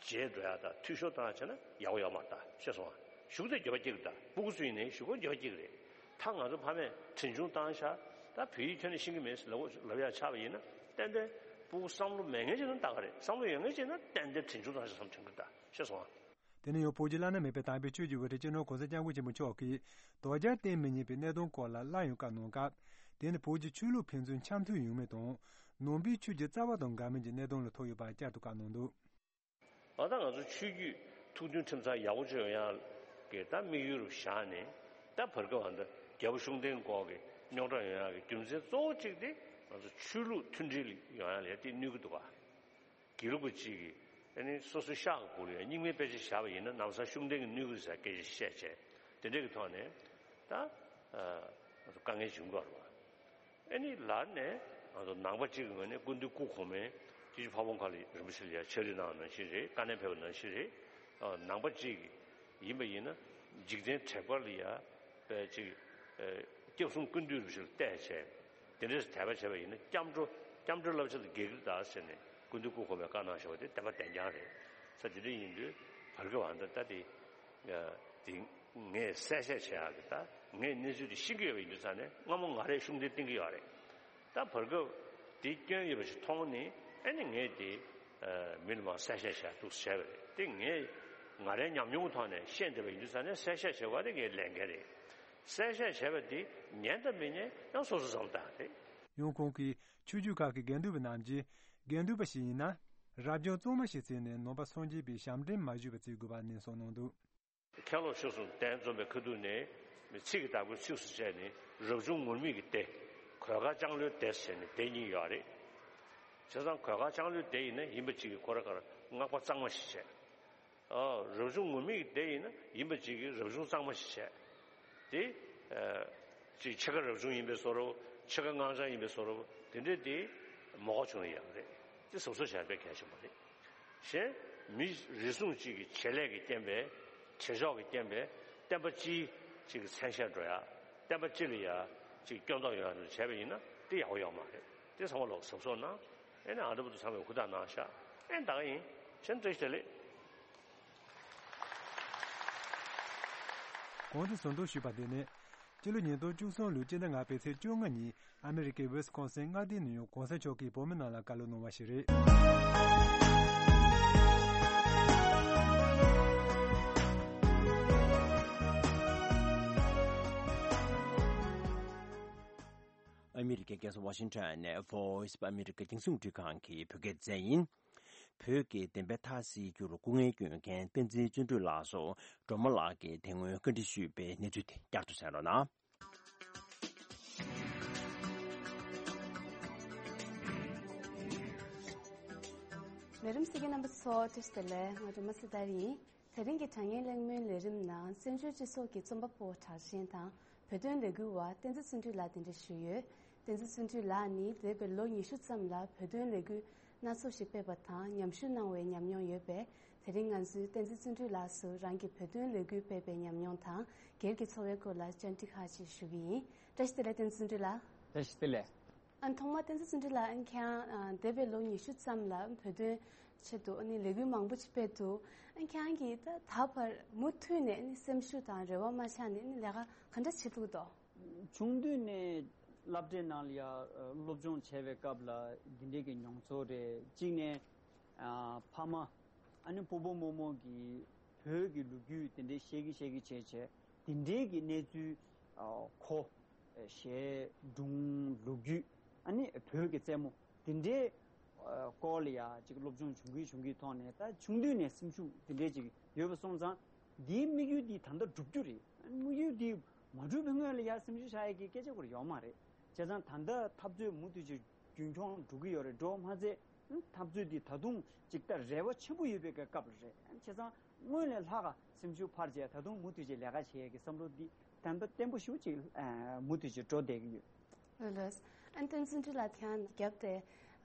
རྗེས་འགྲོ་ཡ་དང་འཐུས་ཤོར་བཏང་ཡ་བྱས་ན་ཡག་པོ་ཡོད་མ་རེད་ད། ཤེས་སོང་ང་། གཞུག་དེ་འགྱོད་པ་སྐྱེ་གི་རེད་ད། སྤུ་གུ་ཚོ་ཡིན་ནའི་གཞུག་གུ་འགྱོད་པ་སྐྱེ་གི་རེད། ད་ང་ཚོ་ཕ་མས་གྲོན་ཆུང་བཏང་ཤག་ད་བོད་ཡིག་ཁྱོན་ནས་ཤེས་ཀྱི་མེད་ཟེར་ལབ་ལབ་ཡ་ཆགས་པ་ཡིན་ན་ཏན་ཏན་སྤུ་གུ་བསམ་བློ་མེད་མཁན་ཅིག་ན་ད་ག་རེད། བསམ་བློ་ཡོད་མཁན་ཅིག་ན་ཏན་ཏན་གྲོན་ཆུང་བཏང་ཤག་བསམ་དྲན་གི་རེད་ད། ཤེས་སོང་ང་། དེ་ནས་ཡང་བོད་ཀྱི་བླ་ན་མེད་པའི་དམ་པའི་ཆོས་ཀྱི་དབུ་ཁྲིད་སྤྱི་ནོར་གོང་ས་སྐྱབས་མགོན་ཆེན་པོ་མཆོག་གིས་དོལ་རྒྱལ་བསྟེན་མི་ཉན་པའི་གནད་དོན་སྐོར་ལ་སླར་ཡང་བཀའ་གནང་སྐབས། དེ་ནི་བོད་ཀྱི་ཆོས་ལུགས་ཕན་ཚུན་འཆམ་མཐུན་ཡོང་མིན་དང་། ནང་པའི་ཆོས་ཀྱི་རྩ་བ་དང་འགལ་མིན་གྱི་གནད་དོན་ལ་ཐུག་ཡོད་པ་བསྐྱར་དུ་བཀའ་གནང་འདུག་ཨ་ད་ང་ཚོ་ཆོས་བརྒྱུད་ཐུགས་མཐུན་ཁྲིམས་གཙང་ཡག་པོ་ཅིག་ཡོང་ཡག་གི་ད་དམིགས་ཡུལ་རུ་བཞག་ནས། ད་བར་སྐབས་ཨ་ད་རྒྱལ་པོ་ཤུགས་ལྡན་སྐོར་གྱི་རྙོག་དྲ་ཡོང་ཡག་གི་རྒྱུ་མཚན་གཙོ་བོ་གཅིག་དེ་ང་ཚོ་ཆོས་ལུགས་མཐུན་སྒྲིལ་ཡོང་ཡག་ལ་དེ་གནོད་ཀྱི་འདུག་ག་དགེ་ལུགས་པ་གཅིག་གིས་ ཨ་ནི་སོ་སོའི་ཤག་གི་སྒོ་ལ་ཡང་རྙིང་མའི་དཔེ་ཆ་བཞག་པ་ཡིན་ན་ལམ་སང་ཤུགས་ལྡན་གྱི་གནོད་ཀྱི་རེད་ཟེར་སྐད་ཆ་བཤད་བྱས། དེ་འདྲ་གི་ཐོག་ནས་ད་ཨ་དཀའ་ངལ་བྱུང་དགོས་རེད་བ། ཨ་ནི་ལར་ནས་ང་ཚོ་ནང་པ་གཅིག་གི་ངོས་ནས་སྐུ་མདུན་སྐུ་གོང་མས་སྐྱབས་རྗེ་ཕ་བོང་ཁ་ལ་རིན་པོ་ཆེ་ལ་ཡང་ཕྱག་བྲིས་གནང་བ་ནང་བཞིན་རེད། བཀའ་ནན་ཕེབས་པ་ནང་བཞིན་རེད། ཨ་ནང་པ་གཅིག་ཡིན་པ་ཡིན་ན་འཇིག་རྟེན་དྲེགས་པ་ལ་ཡང་དཔེ་གཅིག་ཨ་སྐྱབས་གསུམ་ཀུན་འདུས་རིན་པོ་ཆེ་ལ་བལྟས་བྱས། དེ་འདྲས་དད་པ་བྱས་པ་ཡིན་ན་སྐྱབས་འགྲོ་སྐྱབས་འགྲོའི་བསླབ་བྱ་དང་འགལ་གྱི་རེད་ད་ཟེར་ནས་སྐུ་མདུན་སྐུ་གོང་མས་བཀའ་གནང་བཞག་པ་དེ་བདེན་པ་བདེན་རྐྱང་རེད། ས་དེ་འདྲ་ཡིན་དུས་བར་སྐབས་ཨ་ད་ད་དེ་དེ་ངས་གསལ་བཤད་བྱེད་ཡག་གི་ད་ངས་གནས་ཚུལ་དེ་ཤེས་ཀྱི་ཡོད་པ་ཡིན་དུས་ཙང་ནས་སྔ་མོ་ང་རས་ཤུགས་ལྡན་བསྟན་གྱི་ཡོད་རེད། ད་བར་སྐབས་དེ་སྐྱོན་ཡོད་པ་ཞིག་མཐོང་ནས་ཨ་ནི་ངས་དེ་མི་ལ་མར་གསལ་བཤད་བྱས་འདུག་བྱས་པ་རེད། དེ་ངས་ང་རའི་ཉམས་མྱོང་གི་ཐོག་ནས་ཤེས་བསྡད་པ་ཡིན་དུས་ཙང་ནས་གསལ་བཤད་བྱེད་པ་དེ་ངའི་ལས་འགན་རེད། གསལ་བཤད་བྱས་པ་དེ་ཉན་དང་མི་ཉན་ཡང་སོ་སོ་བསམ་བཏང་རེད། ཡང་ཁོང་གིས་ཆོས་བརྒྱུད་ཁག་གི་དགེ་འདུན་པ་རྣམས་ཀྱིས་དགེ་འདུན་པ་ཞིག་ཡིན་ན་རབ་བྱུང་གཙང་མ་ཞིག་བརྩིས་ནས་ནང་པ་སངས་རྒྱས་པའི་ཞབས་འདྲེན་མ་ཞུས་པ་བརྩི་དགོས་པ་ནན་གསུངས་གནང་འདུག། མཁན་སློབ་ཆོས་གསུམ་གདན་འཛོམས་པའི་ཁ་ཐུག་ནས་ཚིག་གི་བདག་པོའི་ཚིགས་སུ་བཅད་ནས་རབ་བྱུང་ངུར་སྨྲིག་གི་སྡེ། གོས་དཀར་ལྕང་ལོའི་སྡེ་ཟེར་ནས་སྡེ་གཉིས་ཡོད་རེད། བྱས་ཙང་གོས་དཀར་ལྕང་ལོའི་སྡེ་ཡིན་ན་ཡིན་པ་གཅིག་གིས་ཁོ་རང་གར་སྔགས་པ་གཙང་མ་ཞིག་བྱས། ཨོ། རབ་བྱུང་ངུར་སྨྲིག་གི་སྡེ་ཡིན་ན་ཡིན་པ་གཅིག་གིས་རབ་བྱུང་གཙང་མ་ཞིག་བྱས། དེ། ཨ། ཅིག་ཕྱེད་ཀ་རབ་བྱུང་ཡིན་པའི་བཟོ་འདྲ། ཕྱེད་ཀ་སྔགས་འཆང་ཡིན་པའི་བཟོ་འདྲ། དེ་འདྲས་དེ་མ་གོ་བྱུང་ན་ཡག་རེད། དེ་གཟབ་གཟབ་བྱས་པའི་གལ་ཆེན་པོ་རེད། གཞན་མི་རེ་ཟུང་གཅིག་གི་བྱེད་ལས་ཀྱི་རྐྱེན་པས། བྱེད་ཕྱོགས་ཀྱི་རྐྱེན་པས་བསྟན་པ་སྤྱིའི་གཅིག་གི་མཚན་ཤས་འགྲོ་ཡ། བསྟན་པ་སྤྱི་ལ་ཡ་གཅིག་སྐྱོན་འདོགས་ཡོང་ཡ་འདྲ་བྱས་པ་ཡིན་ན་དེ་ཡག་པོ་ཡོད་མ་རེད། དེ་ཚང་མ་ལོག་གཟབ་གཟབ་གནང་། ཨེ་ནས་ཨ་འདྲ་པོ་དེ་ཚང་མས་ཧུར་ཐག་གནང་ཤག། ཨེ་ད་ག་ཡིན། ཕྱིན་བཀྲ་ཤིས་བདེ་ལེགས། གོང་དུ་ཟུར་འདོན་ཞུས་པ་འདི་ནི་སྤྱི་ལོ་ཉིས་སྟོང་བཅུ་གསུམ་ལོའི་སྤྱི་ཟླ་ལྔ་པའི་ཚེས་བཅོ་ལྔ་ཉིན་ཨ་མི་རི་ཀའི་ཝི་སི་ཀོན་སིན་མངའ་སྡེའི་ནང་ཡང་གོང་ས་མཆོག་གིས་བོད་མི་རྣམས་ལ་བཀའ་སློབ་གནང་བ་ཞིག་རེད། ཨ་མི་རི་ཀའི་རྒྱལ་ས་ཝ་ཤིང་ཊོན་ནས་Voice of America་རྒྱང་སྲིང་རླུང་འཕྲིན་ཁང་གི་བོད་སྐད་སྡེ་ཚན་ཡིན། བོད་ཀྱི་བདེན་པའི་མཐའ་གསལ་རྒྱུར་སྐུ་ངལ་བསྐྱོན་མཁན་བསྟན་འཛིན་བརྩོན་འགྲུས་ལགས་སུ་སྒྲོལ་མ་ལགས་ཀྱིས་དེ་སྔོན་བཀའ་འདྲི་ཞུས་པའི་གནས་ཚུལ་དེ་བསྐྱར་དུ་གསན་རོགས་གནང་། ལས་རིམ་གསན་མཁན་རྣམ་པ་ཚོ་བཀྲ་ཤིས་བདེ་ལེགས། ང་སྒྲོལ་མ་སྲི་ཐར་ཡིན། དེ་རིང་གི་དྲ་བརྙན་གླེང་མོལ་ལས་རིམ་ནང་བཙན་བྱོལ་སྤྱི་ཚོགས་ཀྱི་རྩོམ་པ་པོ་གྲགས་ཅན་དང་བོད་དོན་ལས་འགུལ་བ་བསྟན་འཛིན་བརྩོན་འགྲུས་ལགས་གདན་འདྲེན་ཞུས་ཡོད། བསྟན་འཛིན་བརྩོན་འགྲུས་ལགས་ནི་འདས་པའི་ལོ་ཉི་ཤུ་ཙམ་ལ་བོད་དོན་ལས་འགུལ་སྣ་ཚོགས་ཤིག་སྤེལ་བ་དང་ཉམས་ཞིབ་གནང་བའི་ཉམས་མྱོང་ཡོད་པས། དེ་རིང་ང་ཚོས་བསྟན་འཛིན་བརྩོན་འགྲུས་ལགས་སུ་རང་གི་བོད་དོན་ལས་འགུལ་སྤེལ་བའི་ཉམས་མྱོང་དང་སྒེར་གྱི་འཚོ་བའི་སྐོར་ལ་བཅར་འདྲི་ཁག་ཅིག་ཞུ་གི་ཡིན། བཀྲ་ཤིས་བདེ་ལེགས། བསྟན་འཛིན་བརྩོན་འགྲུས་ལགས། བཀྲ་ཤིས་བདེ་ལེགས། ཨ་ཐོག་མར་བསྟན་འཛིན་བརྩོན་འགྲུས་ལགས། ཨ་ཁྱེད་རང་ཨ་འདས་པའི་ལོ་ཉི་ཤུ་ཙམ་ལ་བོད་དོན་ཆེད་དུ་ཨ་ནི་ལས་འགུལ་མང་པོ་ཅིག་སྤེལ་འདུག། ཨ་ཁྱེད་རང་གིས་ད་ད་བར་མུ་མཐུད་ནས་ཨ་ནི་སེམས་ཤུགས་དང་རེ་བ་མ་ཆག་ནས་ཨ་ནི་ལས་ཀ་ག་འདྲ་བྱེད་ཐུབ་འདུག། ཆུང་དུས་ནས་སློབ་གྲྭའི་ནང་ལ་ཡ་སློབ་སྦྱོང་བྱས་པའི་སྐབས་ལ་འདི་འདྲའི་གི་མྱོང་ཚོར་རེད། གཅིག་ནས་ཨ་ཕ་མ་ཨ་ནི་སྤོ་བོ་རྨོ་མོ་གིས་བོད་ཀྱི་ལོ་རྒྱུས་དེ་འདྲའི་བཤད་གི་བཤད་གི་བྱས་བྱས་དེ་འདྲའི་གི་གནས་ཚུལ་ཨ་གོ། གཞས་སྒྲུང་ལོ་རྒྱུས་ཨ་ནི་བོད་ཀྱི་རྩེད་མོ་དེ་འདྲའི་ཨ་སྐོར་ལ་ཡ་ཅིག་སློབ་སྦྱོང་བྱུང་གི་བྱུང་གི་ཐོག་ནས་ད་ཆུང་དུས་ནས་སེམས་ཤུགས་དེ་འདྲའི་ཅིག་ཡོད་པ་སོང་ཙང་འདིའི་དམིགས་ཡུལ་འདི་ད་ལྟ་འགྲུབ་རྒྱུ་རེད། དམིགས་ཡུལ་འདི་མ་འགྲུབ་པའི་སྔོན་ལ་ཡ་སེམས་ཤུགས་ཆག་ཡས་ཀྱི་སྐད་ཆ་ཁོ་རང་ཡོད་མ་རེད། བྱས་ཙང་ད་ལྟ་འཐབ་རྩོད་མུ་མཐུད་ཅིག་རྒྱུན་འཁྱོངས་འགྲོ་གི་ཡོད་རེད། འགྲོ་མ་ཚད་འཐབ་རྩོད་འདི་ད་དུང་ཅིག་ད་རེ་བ་ཆེན་པོ་ཡོད་པའི་སྐབས་རེད། བྱས་ཙང་སྔོན་ལས་ལྷག་ག་སེམས་ཤུགས་འཕར་བྱས་ད་དུང་མུ་མཐུད་ཅིག་ལས་ཀ་བྱེད་ཡས་ཀྱི་བསམ་བློ་འདི་ད་ལྟ་བརྟན་པོ་ཞེ་པོ་ཅིག་མུ་མཐུད་ཅིག་འགྲོ་བསྡད་ཀྱི་ཡོད། ལགས་ལགས། ཨ་ནི་བསྟན་འཛིན་བརྩོན་འགྲུས་ལགས། ཁྱེད་རང་རྒྱབ་དེ་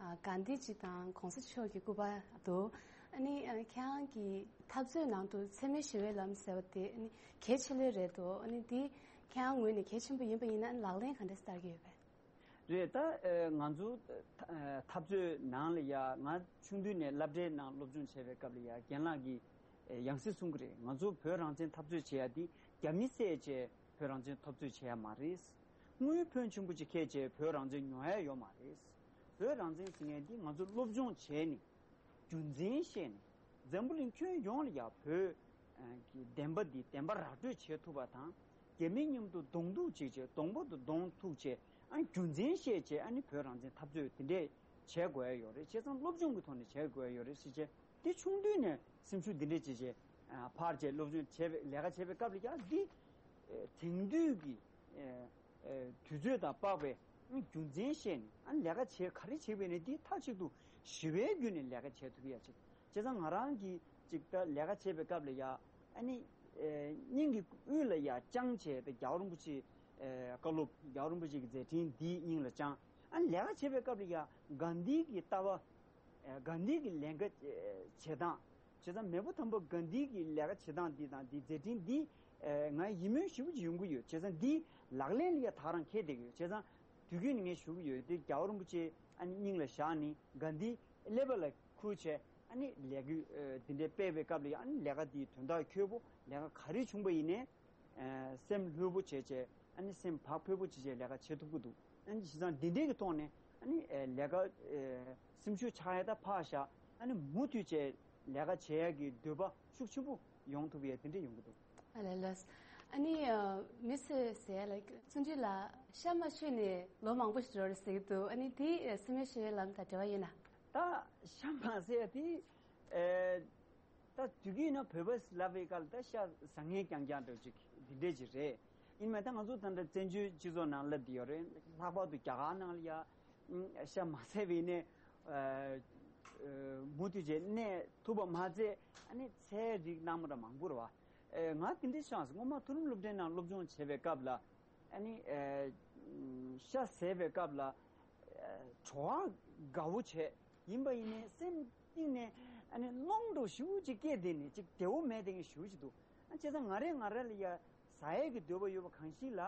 ཨ་གྷན་དྷི་ཇི་དང་གོང་ས་མཆོག་གི་སྐུ་པར་འདུག། ཨ་ནི་ཨ་ཁྱེད་རང་གི་འཐབ་རྩོད་ནང་དུ་འཚེ་མེད་ཞི་བའི་ལམ་ཟེར་བ་དེ་ཨ་ནི་གལ་ཆེ་ལོས་རེད་འདུག། ཨ་ནི་འདི་ཁྱེད་རང་ངོས་ནས་གལ་ཆེན་པོ་ཡིན་པ་ཡིན་ན་ཨ་ནི་ལག་ལེན་ག་འདྲས་བསྟར་གྱི་ཡོད་པས། རེད། ད་ཨ་ང་ཚོ་ཨ་འཐབ་རྩོད་ནང་ལ་ཡ་ང་ཆུང་དུས་ནས་སློབ་གྲྭའི་ནང་སློབ་སྦྱོང་བྱས་པའི་སྐབས་ལ་ཡ་རྒན་ལགས་ཀྱིས་ཨ་ཡང་སེ་གསུང་གི་རེད། ང་ཚོ་བོད་རང་བཙན་འཐབ་རྩོད་བྱེད་ཡ་འདི་རྒྱ་མི་བསད་བྱས་བོད་རང་བཙན་འཐབ་རྩོད་བྱེད་ཡ་མ་རེད། དངུལ་ཕོན་ཆེན་པོ་ཅིག་ཁྱེར་བྱས་བོད་རང་བཙན་ཉོ་ཡ་ཡོད་མ་རེད། བོད་རང་བཙན་ཟེར་མཁན་འདི་ང་ཚོ་སློབ་སྦྱོང་བྱས་ནས་རྒྱུ་མཚན་བཤད་ནས་འཛམ་བུ་གླིང་ཁྱོན་ཡོངས་ལ་ཡ་བོད་ཀྱི་བདེན་པ་འདི་བདེན་པ་ར་སྤྲོད་བྱེད་ཐུབ་པ་དང་། རྒྱ་མི་མཉམ་དུ་གདོང་ཐུག་བྱེད་བྱས་གདོང་པ་དང་གདོང་ཐུག་བྱས་ཨ་རྒྱུ་མཚན་བཤད་བྱས་ཨ་ནི་བོད་རང་བཙན་འཐབ་རྩོད་འདི་འདྲས་བྱེད་དགོས་ཡ་ཡོད་རེད། བྱས་ཙང་སློབ་སྦྱོང་གི་ཐོག་ནས་བྱེད་དགོས་ཡ་ཡོད་རེད་ཟེར་བྱས་དེ་ཆུང་དུས་ནས་སེམས་ཤུགས་འདི་འདྲས་བྱེད་བྱས་ཕར་བྱས་སློབ་སྦྱོང་བྱས་པའི་ལས་ཀ་བྱས་པའི་སྐབས་ལ་ཡ་འདི་དེང་དུས་ཀྱི་དུས་ཚོད་དང་དཔག་པའི་རྒྱུ་མཚན་བཤད་ནས་ཨ་ནི་ལས་ཀ་བྱེད་ག་རེ་བྱེད་པ་ཡིན་ན་འདི་མཐའ་གཅིག་ཏུ་ཞི་བའི་བརྒྱུད་ནས་ལས་ཀ་བྱེད་ཐུབ་ཡ་ཅིག་བྱས་ཙང་ང་རང་གིས་ཅིག་ད་ལས་ཀ་བྱེད་པའི་སྐབས་ལ་ཡ་ཨ་ནི་ཨེ་སྙིང་གི་དབུས་ལ་ཡ་བཅངས་བྱས་ད་རྒྱལ་བ་རིན་པོ་ཆེ་ཨེ་བཀའ་སློབ་རྒྱལ་བ་རིན་པོ་ཆེ་གི་མཛད་འཕྲིན་འདིའི་སྙིང་ལ་བཅངས། ཨ་ནི་ལས་ཀ་བྱེད་པའི་སྐབས་ལ་ཡ་གྷན་དྷི་གི་ལྟ་བ་ཨེ་གྷན་དྷི་གི་ལས་ཀ་ཨེ་བྱེད་སྟངས། བྱས་ཙང་མེས་པོ་དམ་པ་གྷན་དྷི་གི་ལས་ཀ་བྱེད་སྟངས་འདི་དང་འདི་མཛད་འཕྲིན་འདི་ཨེ་ང་ཡིད་སྨོན་ཞེ་པོ་ཅིག་ཡོང་གི་ཡོད། བྱས་ཙང་འདི་ལག་ལེན་ལ་ཡ་ད་རང་འཁེལ་བསྡད་ཀྱི་ཡོད། བྱས་ཙང་དུས་རྒྱུན་ནས་ངས་ཞུ་གི་ཡོད་དེ་རྒྱལ་བ་རིན་པོ་ཆེ་ཨ་ནི་སྙིང་ལ་བཞག་ནས་གྷན་དྷི་ཀླད་པ་ལ་ཁུར་བྱས་ཨ་ནི་ལས་འགུལ་ཨེ་འདི་འདྲའི་སྤེལ་བའི་སྐབས་ལ་ཡང་ཨ་ནི་ལས་ཀ་འདིའི་དོན་དག་འཁྱོལ་པོ་ལས་ཀ་ག་རེ་བྱུང་པ་ཡིན་ནའི་ཨེ་སེམས་ལྷོད་པོ་བྱས་བྱས་ཨ་ནི་སེམས་བག་ཕེབས་པོ་བྱས་བྱས་ལས་ཀ་བྱེད་ཐུབ་ཀྱི་འདུག་ཨ་ནི་བྱས་ཙང་འདི་འདྲའི་གི་ཐོག་ནས་ཨ་ནི་ཨེ་ལས་ཀ་ཨེ་སེམས་ཤུགས་ཆག་ཡ་ད་ཕར་བཞག་ཨ་ནི་མུ་མཐུད་བྱས་ལས་ཀ་བྱེད་ཡ་གི་འདོད་པ་ཤུགས་ཆེན་པོ་ཡོང་ཐུབ་ཡ་དེ་འདྲ་ཡོང་གི་འདུག་ཨ་ལས་ལགས། ཨ་ནི་ཨ་མི་ཚོས་ཟེར་ཡ་ལ་བརྩོན་འགྲུས་ལགས་ཤ་མ་མཆོད་ནས་ལོ་མང་པོ་ཞིག་འགྲོ་རེད་ཟེར་གྱི་འདུག་ཨ་ནི་དེ་ཨ་སེམས་ཤུགས་ལམ་དང་འབྲེལ་བ་ཡོད་ན། ད་ཤ་མ་ཟེར་ཡ་དེ་ཨེ་ད་དུས་རྒྱུན་ན་བོད་པ་ལབ་པའི་སྐབས་ལ་ད་ཤ་ཟ་མཁན་རྐྱང་རྐྱང་འདྲ་ཅིག་འདི་འདྲས་ཅིག་རེད། ཡིན་མིན་ད་ང་ཚོ་ད་ལྟ་བཙན་བྱོལ་སྤྱི་ཚོགས་ནང་སླེབས་བསྡད་ཡོད་རེད། ལྷག་པར་དུ་རྒྱ་གར་ནང་ལ་ཡ་ཤ་མ་ཟས་པའི་ནས་མུ་མཐུད་བྱས་གནས་ཐུབ་པ་མ་ཚད་ཨ་ནི་ཚལ་རིགས་སྣ་མང་ར་མང་པོ་རེད་བ། ང་དེ་འདྲས་ཤ་ངོ་མ་མཐོ་རིམ་སློབ་གྲྭའི་ནང་སློབ་སྦྱོང་བྱེད་པའི་སྐབས་ལ་ཨ་ནི་ཤ་ཟས་པའི་སྐབས་ལ་བྲོ་བ་དགའ་བོ་བྱས། ཡིན་པ་ཡིན་ནའི་སེམས་གཏིང་ནས་ཨ་ནི་གནོང་འདྲ་ཞེ་པོ་ཅིག་སྐྱེས་བསྡད་ནས་ཅིག་བདེ་བོ་མེད་བསྡད་མཁན་ཞེ་པོ་ཅིག་འདུག་ཨ་བྱས་ཙང་ང་རས་ང་ར་ལ་ཡ་ཟ་ཡས་ཀྱི་འདོད་པ་ཡོད་པ་གང་ཞིག་ལ་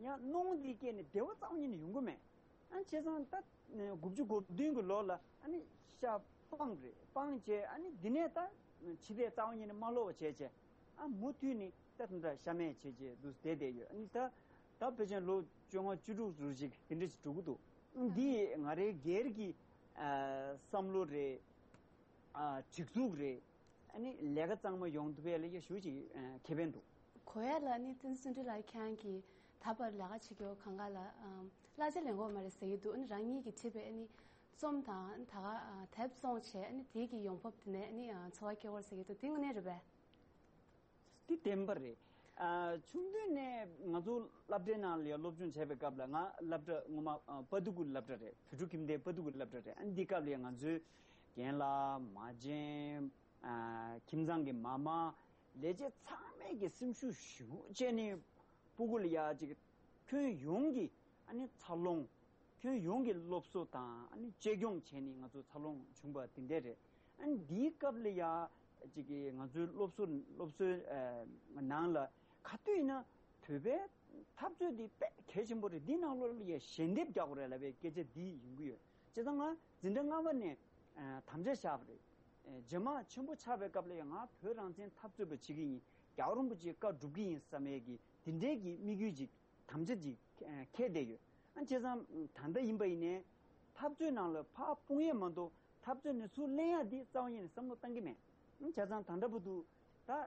ཡང་གནོང་འདི་སྐྱེས་ནས་བདེ་བ་རྩ་བ་ཉིད་ནས་ཡོང་གི་མེད། ཨ་བྱས་ཙང་ད་དགུ་བཅུ་གོ་བདུན་གྱི་ལོ་ལ་ཨ་ནི་ཤ་སྤངས་རེད། སྤངས་བྱས་ཨ་ནི་འདི་ནས་ད་ཕྱི་བལྟས་རྩ་བ་ཉིད་ནས་མ་ལོག་པ་བྱས་བྱས་ཨ་མུ་མཐུད་ནས་ད་དེ་འདྲ་ཤ་མེད་བྱས་བྱས་འདུག་བསྡད་བསྡད་ཡོད། ཨ་ནི་ད་ད་ཕལ་ཆེར་ལོ་བཅོ་ལྔ་བཅུ་དྲུག་རུ་ཅིག་དེ་འདྲ་ཞིག་འགྲོ་གི་འདུག་འདི་ང་རའི་སྒེར་གྱི་ཨ་བསམ་བློ་རེད། ཨ་སྒྲིག་འཛུགས་རེད། ཨ་ནི་ལས་ཀ་གཙང་མ་ཡོང་ཐུབ་ཡ་ལ་ཡ་ཞུ་ཅིག་ཨ་ཁེ་ཕན་འདུག་གོ་ཡ་ལ་ནི་བསྟན་འཛིན་བརྩོན་འགྲུས་ལགས་ཁྱེད་རང་གིས་ད་བར་ལས་ཀ་བྱེད་རྒྱུ་གང་ག་ལ་ཨམ་གླ་ཆ་ལེན་གོ་མ་རེད་ཟེར་གྱི་འདུག་ཨ་ནི་རང་ཉིད་ཀྱིས་བྲིས་པའི་ཨ་ནི་རྩོམ་དང་ད་ག་ཨ་དེབ་བཙོང་བྱས་ཨ་ནི་དེའི་གི་ཡོང་འབབ་དེ་ནས་ཨ་ནི་ཨ་འཚོ་བ་སྐྱེལ་གོ་ཟེར་གྱི་འདུག་དེ་དངོས་གནས་རེད་པས། འདི་བདེན་པ་རེད། ཨ་ཆུང་དུས་ནས་ང་ཚོ་སློབ་གྲྭའི་ནང་ལ་ཡང་སློབ་སྦྱོང་བྱས་པའི་སྐབས་ལ་ང་སློབ་གྲྭ་ངོ་མ་ཨ་དཔའ་མཐུ་གུ་སློབ་གྲྭ་རེད། བོད་ཕྲུག་ཁྱིམ་སྡེའི་དཔའ་མཐུ་གུ་སློབ་གྲྭ་རེད། ཨ་འདི་སྐབས་ལ་ཡང་ང་ཚོའི་རྒན་ལགས་མ་བྱན་ཨ་ཁྱིམ་ཚང་གི་མ་མ་ལས་བྱེད་ཚང་མས་ཀྱི་སེམས་ཤུགས་ཞེ་པོ་བྱས་ནས་སྤུ་གུ་ལ་ཡ་ཅིག་ཁྱོན་ཡོངས་ཀྱི་ཨ་ནི་འཚར་ལོངས། ཁྱོན་ཡོངས་ཀྱི་སློབ་གསོ་དང་ཨ་ནི་གཅེས་སྐྱོང་བྱས་ནས་ང་ཚོ་འཚར་ལོངས་བྱུང་པ་དེ་འདྲས་རེད། ཨ་ནི་འདིའི་སྐབས་ལ་ཡ་ཅིག་གི་ང་ཚོའི་སློབ་གསོ་སློབ་གསོའི་ཨ་ནང་ལ་ག་དུས་ཡིན་ན་བོད་པའི་འཐབ་རྩོད་འདི་དཔེ་གལ་ཆེན་པོ་རེད། འདི་ནང་ལོགས་ལ་ཡ་ཞལ་འདེབས་རྒྱག་དགོས་རེད་ལབ་པའི་སྐད་ཆ་འདི་ཡོང་གི་ཡོད། བྱས་ཙང་ང་འཛིན་གྲྭ་ལྔ་པ་ནས་ཨ་དམ་བཅའ་བཞག་པ་རེད། ཨ་རྗེས་མ་ཆེན་པོ་ཆགས་པའི་སྐབས་ལ་ཡ་ང་བོད་རང་བཙན་འཐབ་རྩོད་པ་བྱེད་ཀྱི་ཡིན། རྒྱལ་བ་རིན་པོ་ཆེའི་བཀའ་སྒྲུབ་ཀྱི་ཡིན་བསམ་ཡས་ཀྱི་འདི་འདྲའི་གི་དམིགས་ཡུལ་ཅིག་དམ་བཅའ་ཅིག་ཨ་འཁྱེར་བསྡད་ཡོད། ཨ་བྱས་ཙང་ད་ལྟ་ཡིན་པ་ཡིན་ནའི་འཐབ་རྩོད་ནང་ལ་ཕར་སྤུངས་ཡས་མ་གཏོགས་འཐབ་རྩོད་ནས་ཚུར་ལེན་ཡ་འདི་རྩ་བ་ཉིད་ནས་བསམ་བློ་བཏང་གི་མེད། ཨ་བྱས་ཙང་ད་ལྟ་བར་དུ་ད་ཨ་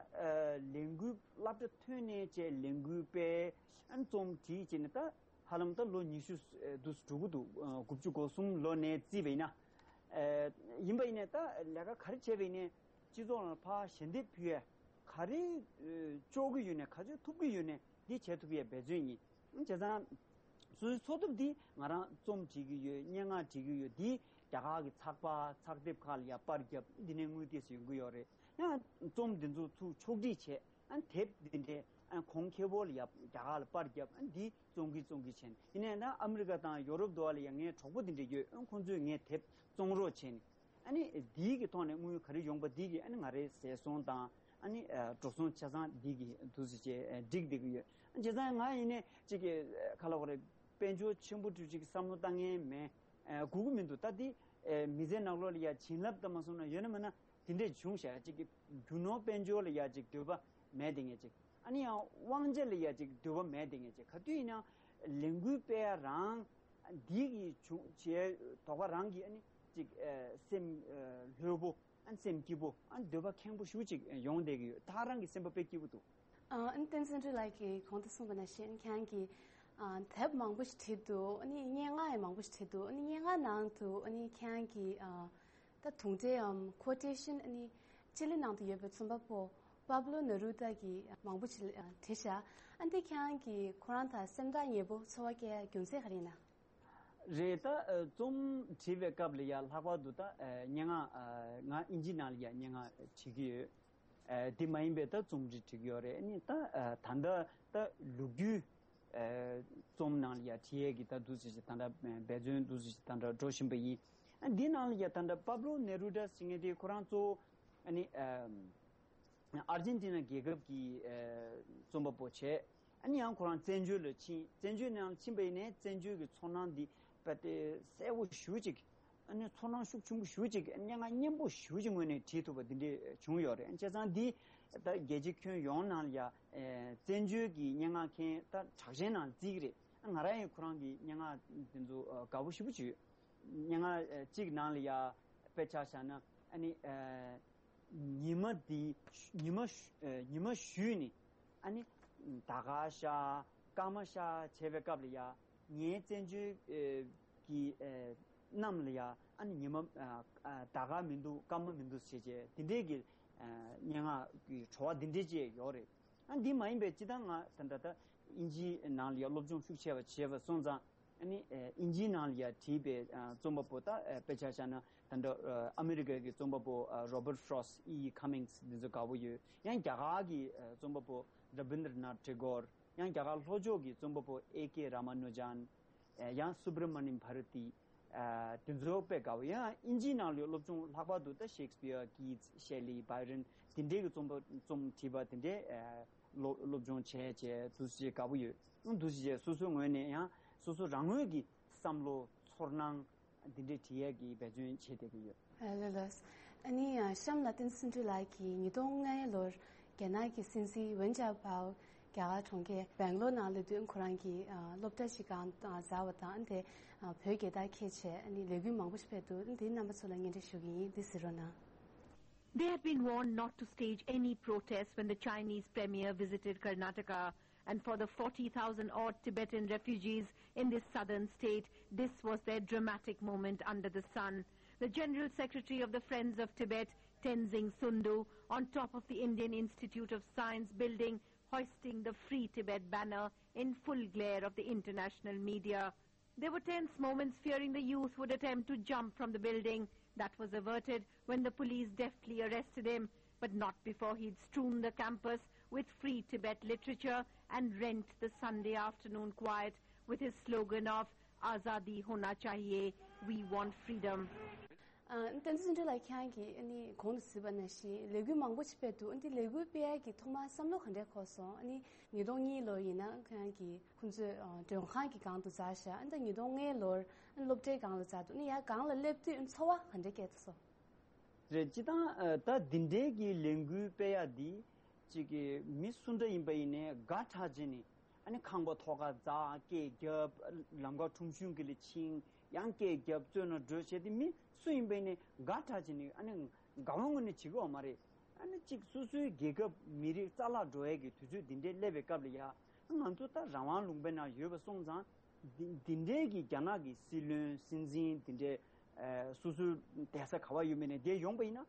ལས་འགུལ་སློབ་གྲྭ་ཐོན་ནས་བྱས་ལས་འགུལ་སྤེལ། ཨ་རྩོམ་བྲིས་བྱས་ནས་ད་ཧ་ལམ་ད་ལོ་ཉི་ཤུ་ཨ་འདུག་འགྲོ་གི་འདུག་ཨ་དགུ་བཅུ་གོ་གསུམ་ལོ་ནས་བརྩིས་པ་ཡིན་ན། ཨ་ཡིན་པ་ཡིན་ནའི་ད་ལས་ཀ་ག་རེ་བྱས་པ་ཡིན་ནའི་སྤྱི་ཚོགས་ནང་ཕར་ཞལ་འདེབས་ཕུལ་ཡས་ག་རེ་ཨ་ལྕོགས་ཀྱི་ཡོད་ནའི་ག་ཚོད་ཐུབ་ཀྱི་ཡོད་ནའི་འདི་བྱེད་ཐུབ་ཡས་འབད་བརྩོན་ཡིན། བྱས་ཙང་སོ་སོའི་འཚོ་ཐབས་འདི་ང་རང་རྩོམ་བྲིས་ཀྱི་ཡོད། སྙན་ངག་བྲིས་ཀྱི་ཡོད། འདི་རྒྱ་གར་གྱི་ཚགས་པར་ཚགས་དེབ་ཁག་ལ་ཡ་པར་བརྒྱབ། འདི་ནས་དངུལ་ཏོག་ཙམ་ཡོང་གི་ཡོད་རེད། ཡང་རྩོམ་འདི་ཚོ་ཚུར་ཕྱོགས་སྒྲིག་བྱས། ཨ་དེབ་འདི་འདྲའི་ཨ་གོང་ཁེ་པོ་ལ་ཡ་རྒྱ་གར་ལ་པར་བརྒྱབ། ཨ་འདི་བཙོང་གི་བཙོང་གི་བྱས་ནས། ཡིན་ནའི་ད་ཨ་མི་རི་ཀ་དང་ཡོ་རོབ་དུ་བ་ལ་ཡ་ངའི་གྲོགས་པོ་འདི་འདྲ་ཡོད། ཨ་ཁོང་ཚོས་ངའི་དེབ་བཙོང་རོགས་བྱས་ནས། ཨ་ནི་འདིའི་གི་ཐོག་ནས་དངུལ་ག་རེ་ཡོང་པ་འདི་གི་ཨ་ནི་ང་རའི་ཟས་སོང་དང་ཨ་ནི་ཨ་འགྲོ་སོང་ཆ་ཚང་འདི་གི་འདུག་སེ་བྱས་ཨ་སྒྲིག་བསྡད་ཀྱི་ཡོད། ཨ་བྱས་ཙང་ང་ཡིན་ནའི་ཅིག་གི་ཨ་ག་ལབ་དགོས་རེད། དཔལ་འབྱོར་ཆེན་པོ་འདྲ་ཅིག་བསམ་བློ་བཏང་མཁན་མེད། ཨ་དགོས་ཀྱི་མི་འདུག་ད་འདི་ཨ་མི་ཚེ་ནང་ལོགས་ལ་ཡ་བྱིན་རླབས་ཙམ་མ་སོང་ན་ཡོད་ན་མེད་ན། དེ་འདྲས་བྱུང་ཤག་ཅིག་གི་རྒྱུ་ནོར་དཔལ་འབྱོར་ལ་ཡ་ཅིག་འདོད་པ་མེད་དེ་ངས་ཅིག་ཨ་ནི་ཡང་དབང་ཆ་ལ་ཡ་ཅིག་འདོད་པ་མེད་དེ་ངས་ཅིག་ག་དུས་ཡིན་ན་ལས་འགུལ་སྤེལ་ཡ་རང་འདི་གི་བྱུང་བྱས་དོགས་པ་རང་གི་ཨ་ནི་ཅིག་ཨ་སེམས་ཨ་ལྷོད་པོ་ཨ་ནི་སེམས་སྐྱིད་པོ་ཨ་ནི་འདོད་པ་ཁེངས་པོ་ཞེ་པོ་ཅིག་ཡོང་བསྡད་ཀྱི་ཡོད། ད་རང་གི་སེམས་པ་དཔེ་སྐྱིད་པོ་འདུག་ཨ་ཨ་ནི་བསྟན་འཛིན་སྒྲོལ་ལགས་ཀྱིས་གོང་དུ་གསུངས་པ་ནང་བཞིན་ཁྱེད་རང་གིས་ཨ་དེབ་མང་པོ་ཞིག་བྲིས་འདུག་ཨ་ནི་སྙན་ངག་ཡང་མང་པོ་ཞིག་བྲིས་འདུག་ཨ་ནི་སྙན་ངག་ནང་དུ་ཨ་ནི་ཁྱེད་རང་གིས་ཨ། ད་དུང་སྒྲའམ་ཁོ་ཊེ་ཤན་ཨ་ནི་ཅི་ལི་ནང་དུ་ཡོད་པའི་རྩོམ་པ་པོ་པབ་ལོ་ནེ་རུ་ད་གིས་མང་པོ་ཞིག་བྲིས་ཤག་ཨ་འདི་ཁྱེད་རང་གིས་ཁོ་རང་དང་སེམས་ཐག་ཉེ་པོ་ཚོར་བ་སྐྱེ་རྒྱུ་མཚན་ག་རེ་ཡིན་ན། རེད། ད་ཨ་རྩོམ་བྲིས་པའི་སྐབས་ལ་ཡ་ལྷག་པར་དུ་ད་ཨ་སྙན་ངག་ཨ་ང་ཨིན་ཇི་ནང་ལ་ཡ་སྙན་ངག་བྲིས་ཀྱི་ཡོད། ཨ་དེ་མ་ཡིན་པའི་ད་རྩོམ་རིག་བྲིས་ཀྱི་ཡོད་རེད། ཨ་ནི་ད་ཨ་ད་ལྟ་ད་ལོ་རྒྱུས་ཨ་རྩོམ་ནང་ལ་ཡ་བྲིས་ཡས་ཀྱི་ད་འདུག་ཟེར་ཞིག་ད་ལྟ་འབད་བརྩོན་འདུག་ཟེར་ཞིག་ད་ལྟ་འགྲོ་བཞིན་པ་ཡིན། ཨ་འདི་ནང་ལ་ཡ་ད་ལྟ་པབ་ལོ་ནེ་རུ་ཌ་ཟེར་མཁན་དེ་ཁོ་རང་གཙོ་བོ་ཨ་ནི་ཨ། ཨར་ཇེན་ཏི་ན་རྒྱལ་ཁབ་ཀྱི་ཨ་རྩོམ་པ་པོ་བྱས། ཨ་ནི་ཡང་ཁོ་རང་བཙན་བྱོལ་ལ་ཕྱིན། བཙན་བྱོལ་ནང་ཕྱིན་པ་ཡིན་ནའི་བཙན་བྱོལ་གྱི་ཚོར་སྣང་འདི་དཔེ་དེ་གསལ་པོ་ཞེ་པོ་ཅིག་ཨ་ནི་ཚོར་སྣང་ཤུགས་ཆེན་པོ་ཞེ་པོ་ཅིག་སྙན་ངག་སྙན་པོ་ཞེ་པོ་ཅིག་ངོས་ནས་བྲིས་ཐུབ་པ་འདི་འདྲས་བྱུང་ཡོད་རེད། བྱས་ཙང་འདི་ད་རྒྱལ་སྤྱི་ཁྱོན་ཡོངས་ནང་ལ་ཡ་ཨ་བཙན་བྱོལ་གྱི་སྙན་ངག་མཁན་ད་གྲགས་ཅན་ནང་བརྩི་གི་རེད། ང་རང་ཡང་ཁོ་རང་གི་སྙན་ངག་འདི་ཚོ་ཨ་དགའ་པོ་ཞེ་པོ་ཅིག་ཡོད། སྙན་ངག་ཨ་གཅིག་ནང་ལ་ཡ་དཔེ་ཆ་བཞག་ན་ཨ་ནི་ཨ། ཉི་མ་འདི་ཉི་མ་ཉི་མ་གཞུས་ནས་ཨ་ནི་ཟླ་སྐར་ཤར་སྐར་མ་ཤར་བྱས་པའི་སྐབས་ལ་ཡ་ངའི་བཙན་བྱོལ་གྱི་གནམ་ལ་ཡ་ཨ་ནི་ཉི་མ་ཟླ་སྐར་མི་འདུག་སྐར་མ་མི་འདུག་ཟེར་བྱས་དེ་འདྲས་ཀྱི་སྙན་ངག་གི་བྲོ་བ་འདི་འདྲས་ཅིག་ཡོད་རེད། ཨ་འདི་མ་ཡིན་པའི་སྤྱི་བཏང་ང་ད་ལྟ་ད་ཨིན་ཇིའི་ནང་ལ་ཡ་སློབ་སྦྱོང་ཤུགས་ཆེ་བ་བྱས་པ་སོང་ཙང་། ཨ་ནི་ཨ་ཨིན་ཇིའི་ནང་ལ་ཡ་བྲིས་པའི་ཨ་རྩོམ་པ་པོ་ད་ཨ་དཔེ་ཆ་བཞག་ན་ད་ལྟ་ཨ་ཨ་མི་རི་ཀ་གི་རྩོམ་པ་པོ་ཨ་Robert Frost, E E Cummings འདི་ཚོ་དགའ་པོ་ཡོད། ཡང་རྒྱ་གར་གྱི་ཨ་རྩོམ་པ་པོ་Rabindranath Tagore, ཡང་རྒྱ་གར་ལྷོ་ཕྱོགས་ཀྱི་རྩོམ་པ་པོ་A K Ramanujan, ཨ་ཡང་Subramanyam Bharati, ཨ་དེ་ཚོ་དཔེ་དགའ་པོ། ཡང་ཨིན་ཇིའི་ནང་ལ་ཡོད་སློབ་སྦྱོང་ལྷག་པར་དུ་ད་Shakespeare, Keats, Shelley, Byron འདི་འདྲའི་གི་རྩོམ་པ་རྩོམ་བྲིས་པ་དེ་འདྲའི་ཨ་སློབ་སློབ་སྦྱོང་བྱས་བྱས་འདུག་སེ་དགའ་པོ་ཡོད། འདུག་སེ་བྱས་སོ་སོའི་ངོས་ནས་ཡང་སོ་སོ་རང་ངོས་ཀྱི་བསམ་བློ་ཚོར་སྣང་འདི་འདྲའི་བྲིས་ཡས་ཀྱི་འབད་བརྩོན་བྱེད་བསྡད་ཀྱི་ཡོད། ཨ་ལགས་ལགས། ཨ་ནི་ཡང་གཤམ་ལ་བསྟན་འཛིན་ལགས་ཀྱིས་ཉིས་སྟོང་ལྔའི་ལོར་རྒྱ་ནག་གི་སྲིད་འཛིན་ཝེན་ཅའོ་པའོ་རྒྱ་གར་གྲོང་ཁྱེར་སྦེང་ལོར་ནང་སླེབས་དུས་ཁོ་རང་གིས་ཨ་སློབ་གྲྭ་ཞིག་གང་ཨ་འཛུགས་པ་དང་དེ་ཨ་བོད་རྒྱལ་དར་འཁྱེར་བྱས་ཨ་ནི་ལས་འགུལ་མང་པོ་ཞིག་སྤེལ་འདུག་དེ་རྣམ་པ་ཚོ་ལ་སྙན་སྒྲོན་ཞུ་གི་ཡིན། འདི་གཟིགས་རོགས་གནང་། They had been warned not to stage any protests when the Chinese premier visited Karnataka, and for the forty thousand odd Tibetan refugees in this southern state, this was their dramatic moment under the sun. The General Secretary of the Friends of Tibet, Tenzing Sundu, on top of the Indian Institute of Science building, hoisting the Free Tibet banner in full glare of the international media. There were tense moments, fearing the youth would attempt to jump from the building. That was averted when the police deftly arrested him, but not before he'd strewn the campus with Free Tibet literature and rent the Sunday afternoon quiet with his slogan of "Azadi hona chahiye, we want freedom." ཨ་བསྟན་འཛིན་ལགས་ཁྱེད་རང་གིས་ཨ་ནི་གོང་དུ་གཟིགས་པ་ནང་བཞིན་ལས་འགུལ་མང་པོ་ཞིག་སྤེལ་འདུག་ཨ་ནི་ལས་འགུལ་སྤེལ་ཡག་གི་ཐོག་མར་བསམ་བློ་ག་འདྲས་འཁོར་སོང་། ཨ་ནི་ཉིས་སྟོང་གཉིས་ལོ་ཡིན་ན་ཁྱེད་རང་གིས་ཁོང་ཚོས་ཨ་མགྲོན་ཁང་གི་སྒང་དུ་འཛེགས་བཞག་ཨ་ནི་ད་ཉིས་སྟོང་ལྔའི་ལོར་ཨ་ནི་སློབ་གྲྭའི་སྒང་ལ་འཛེགས་འདུག་ཨ་ནི་ཡར་སྒང་ལ་སླེབས་དུས་ཨ་ནི་ཚོར་བ་ག་འདྲས་སྐྱེས་སོང་། རེད། སྤྱིར་བཏང་ཨ་ད་འདི་འདྲའི་གི་ལས་འགུལ་སྤེལ་ཡག་འདི་ཅིག་གི་མི་སུ་འདྲ་ཡིན་པ་ཡིན་ནའི་དགའ་དྲགས་བྱས་ནས། ཨ་ནི་ཁང་པ་ཐོག་ཁར་འཛེགས། སྐད་རྒྱབ། ལམ་ཁ་ཁྲོམ་གཞུང་གི་ལ་ཕྱིན། ཡང་སྐད་རྒྱབ། བཙོན་ལ་འགྲོ་བྱས་ཏེ་མི་སུ་ཡིན་པ་ཡིན་ནའི་དགའ་དྲགས་བྱས་ནས་ཨ་ནི་དགའ་བ་ངོས་ནས་བྱེད་ཀྱི་ཡོད་མ་རེད། ཨ་ནི་གཅིག་སོ་སོའི་རྒྱལ་ཁབ་མི་རིགས་རྩ་བརླག་འགྲོ་ཡས་ཀྱི་དུས་ཚོད་འདི་འདྲའི་སླེབས་པའི་སྐབས་ལ་ཡ། ང་ཚོ་ད་རང་དབང་ལུང་པའི་ནང་ཡོད་པ་སོང་ཙང་། འདི་འདི་འདྲའི་གི་རྒྱ་ནག་གི་སྲིད་བློན་སྲིད་འཛིན་འདི་འདྲའི་ཨ་སོ་སོའི་བསྡད་ས་ག་པར་ཡོད་མེད་ནས་འདིར་ཡོང་པ་ཡིན་ན།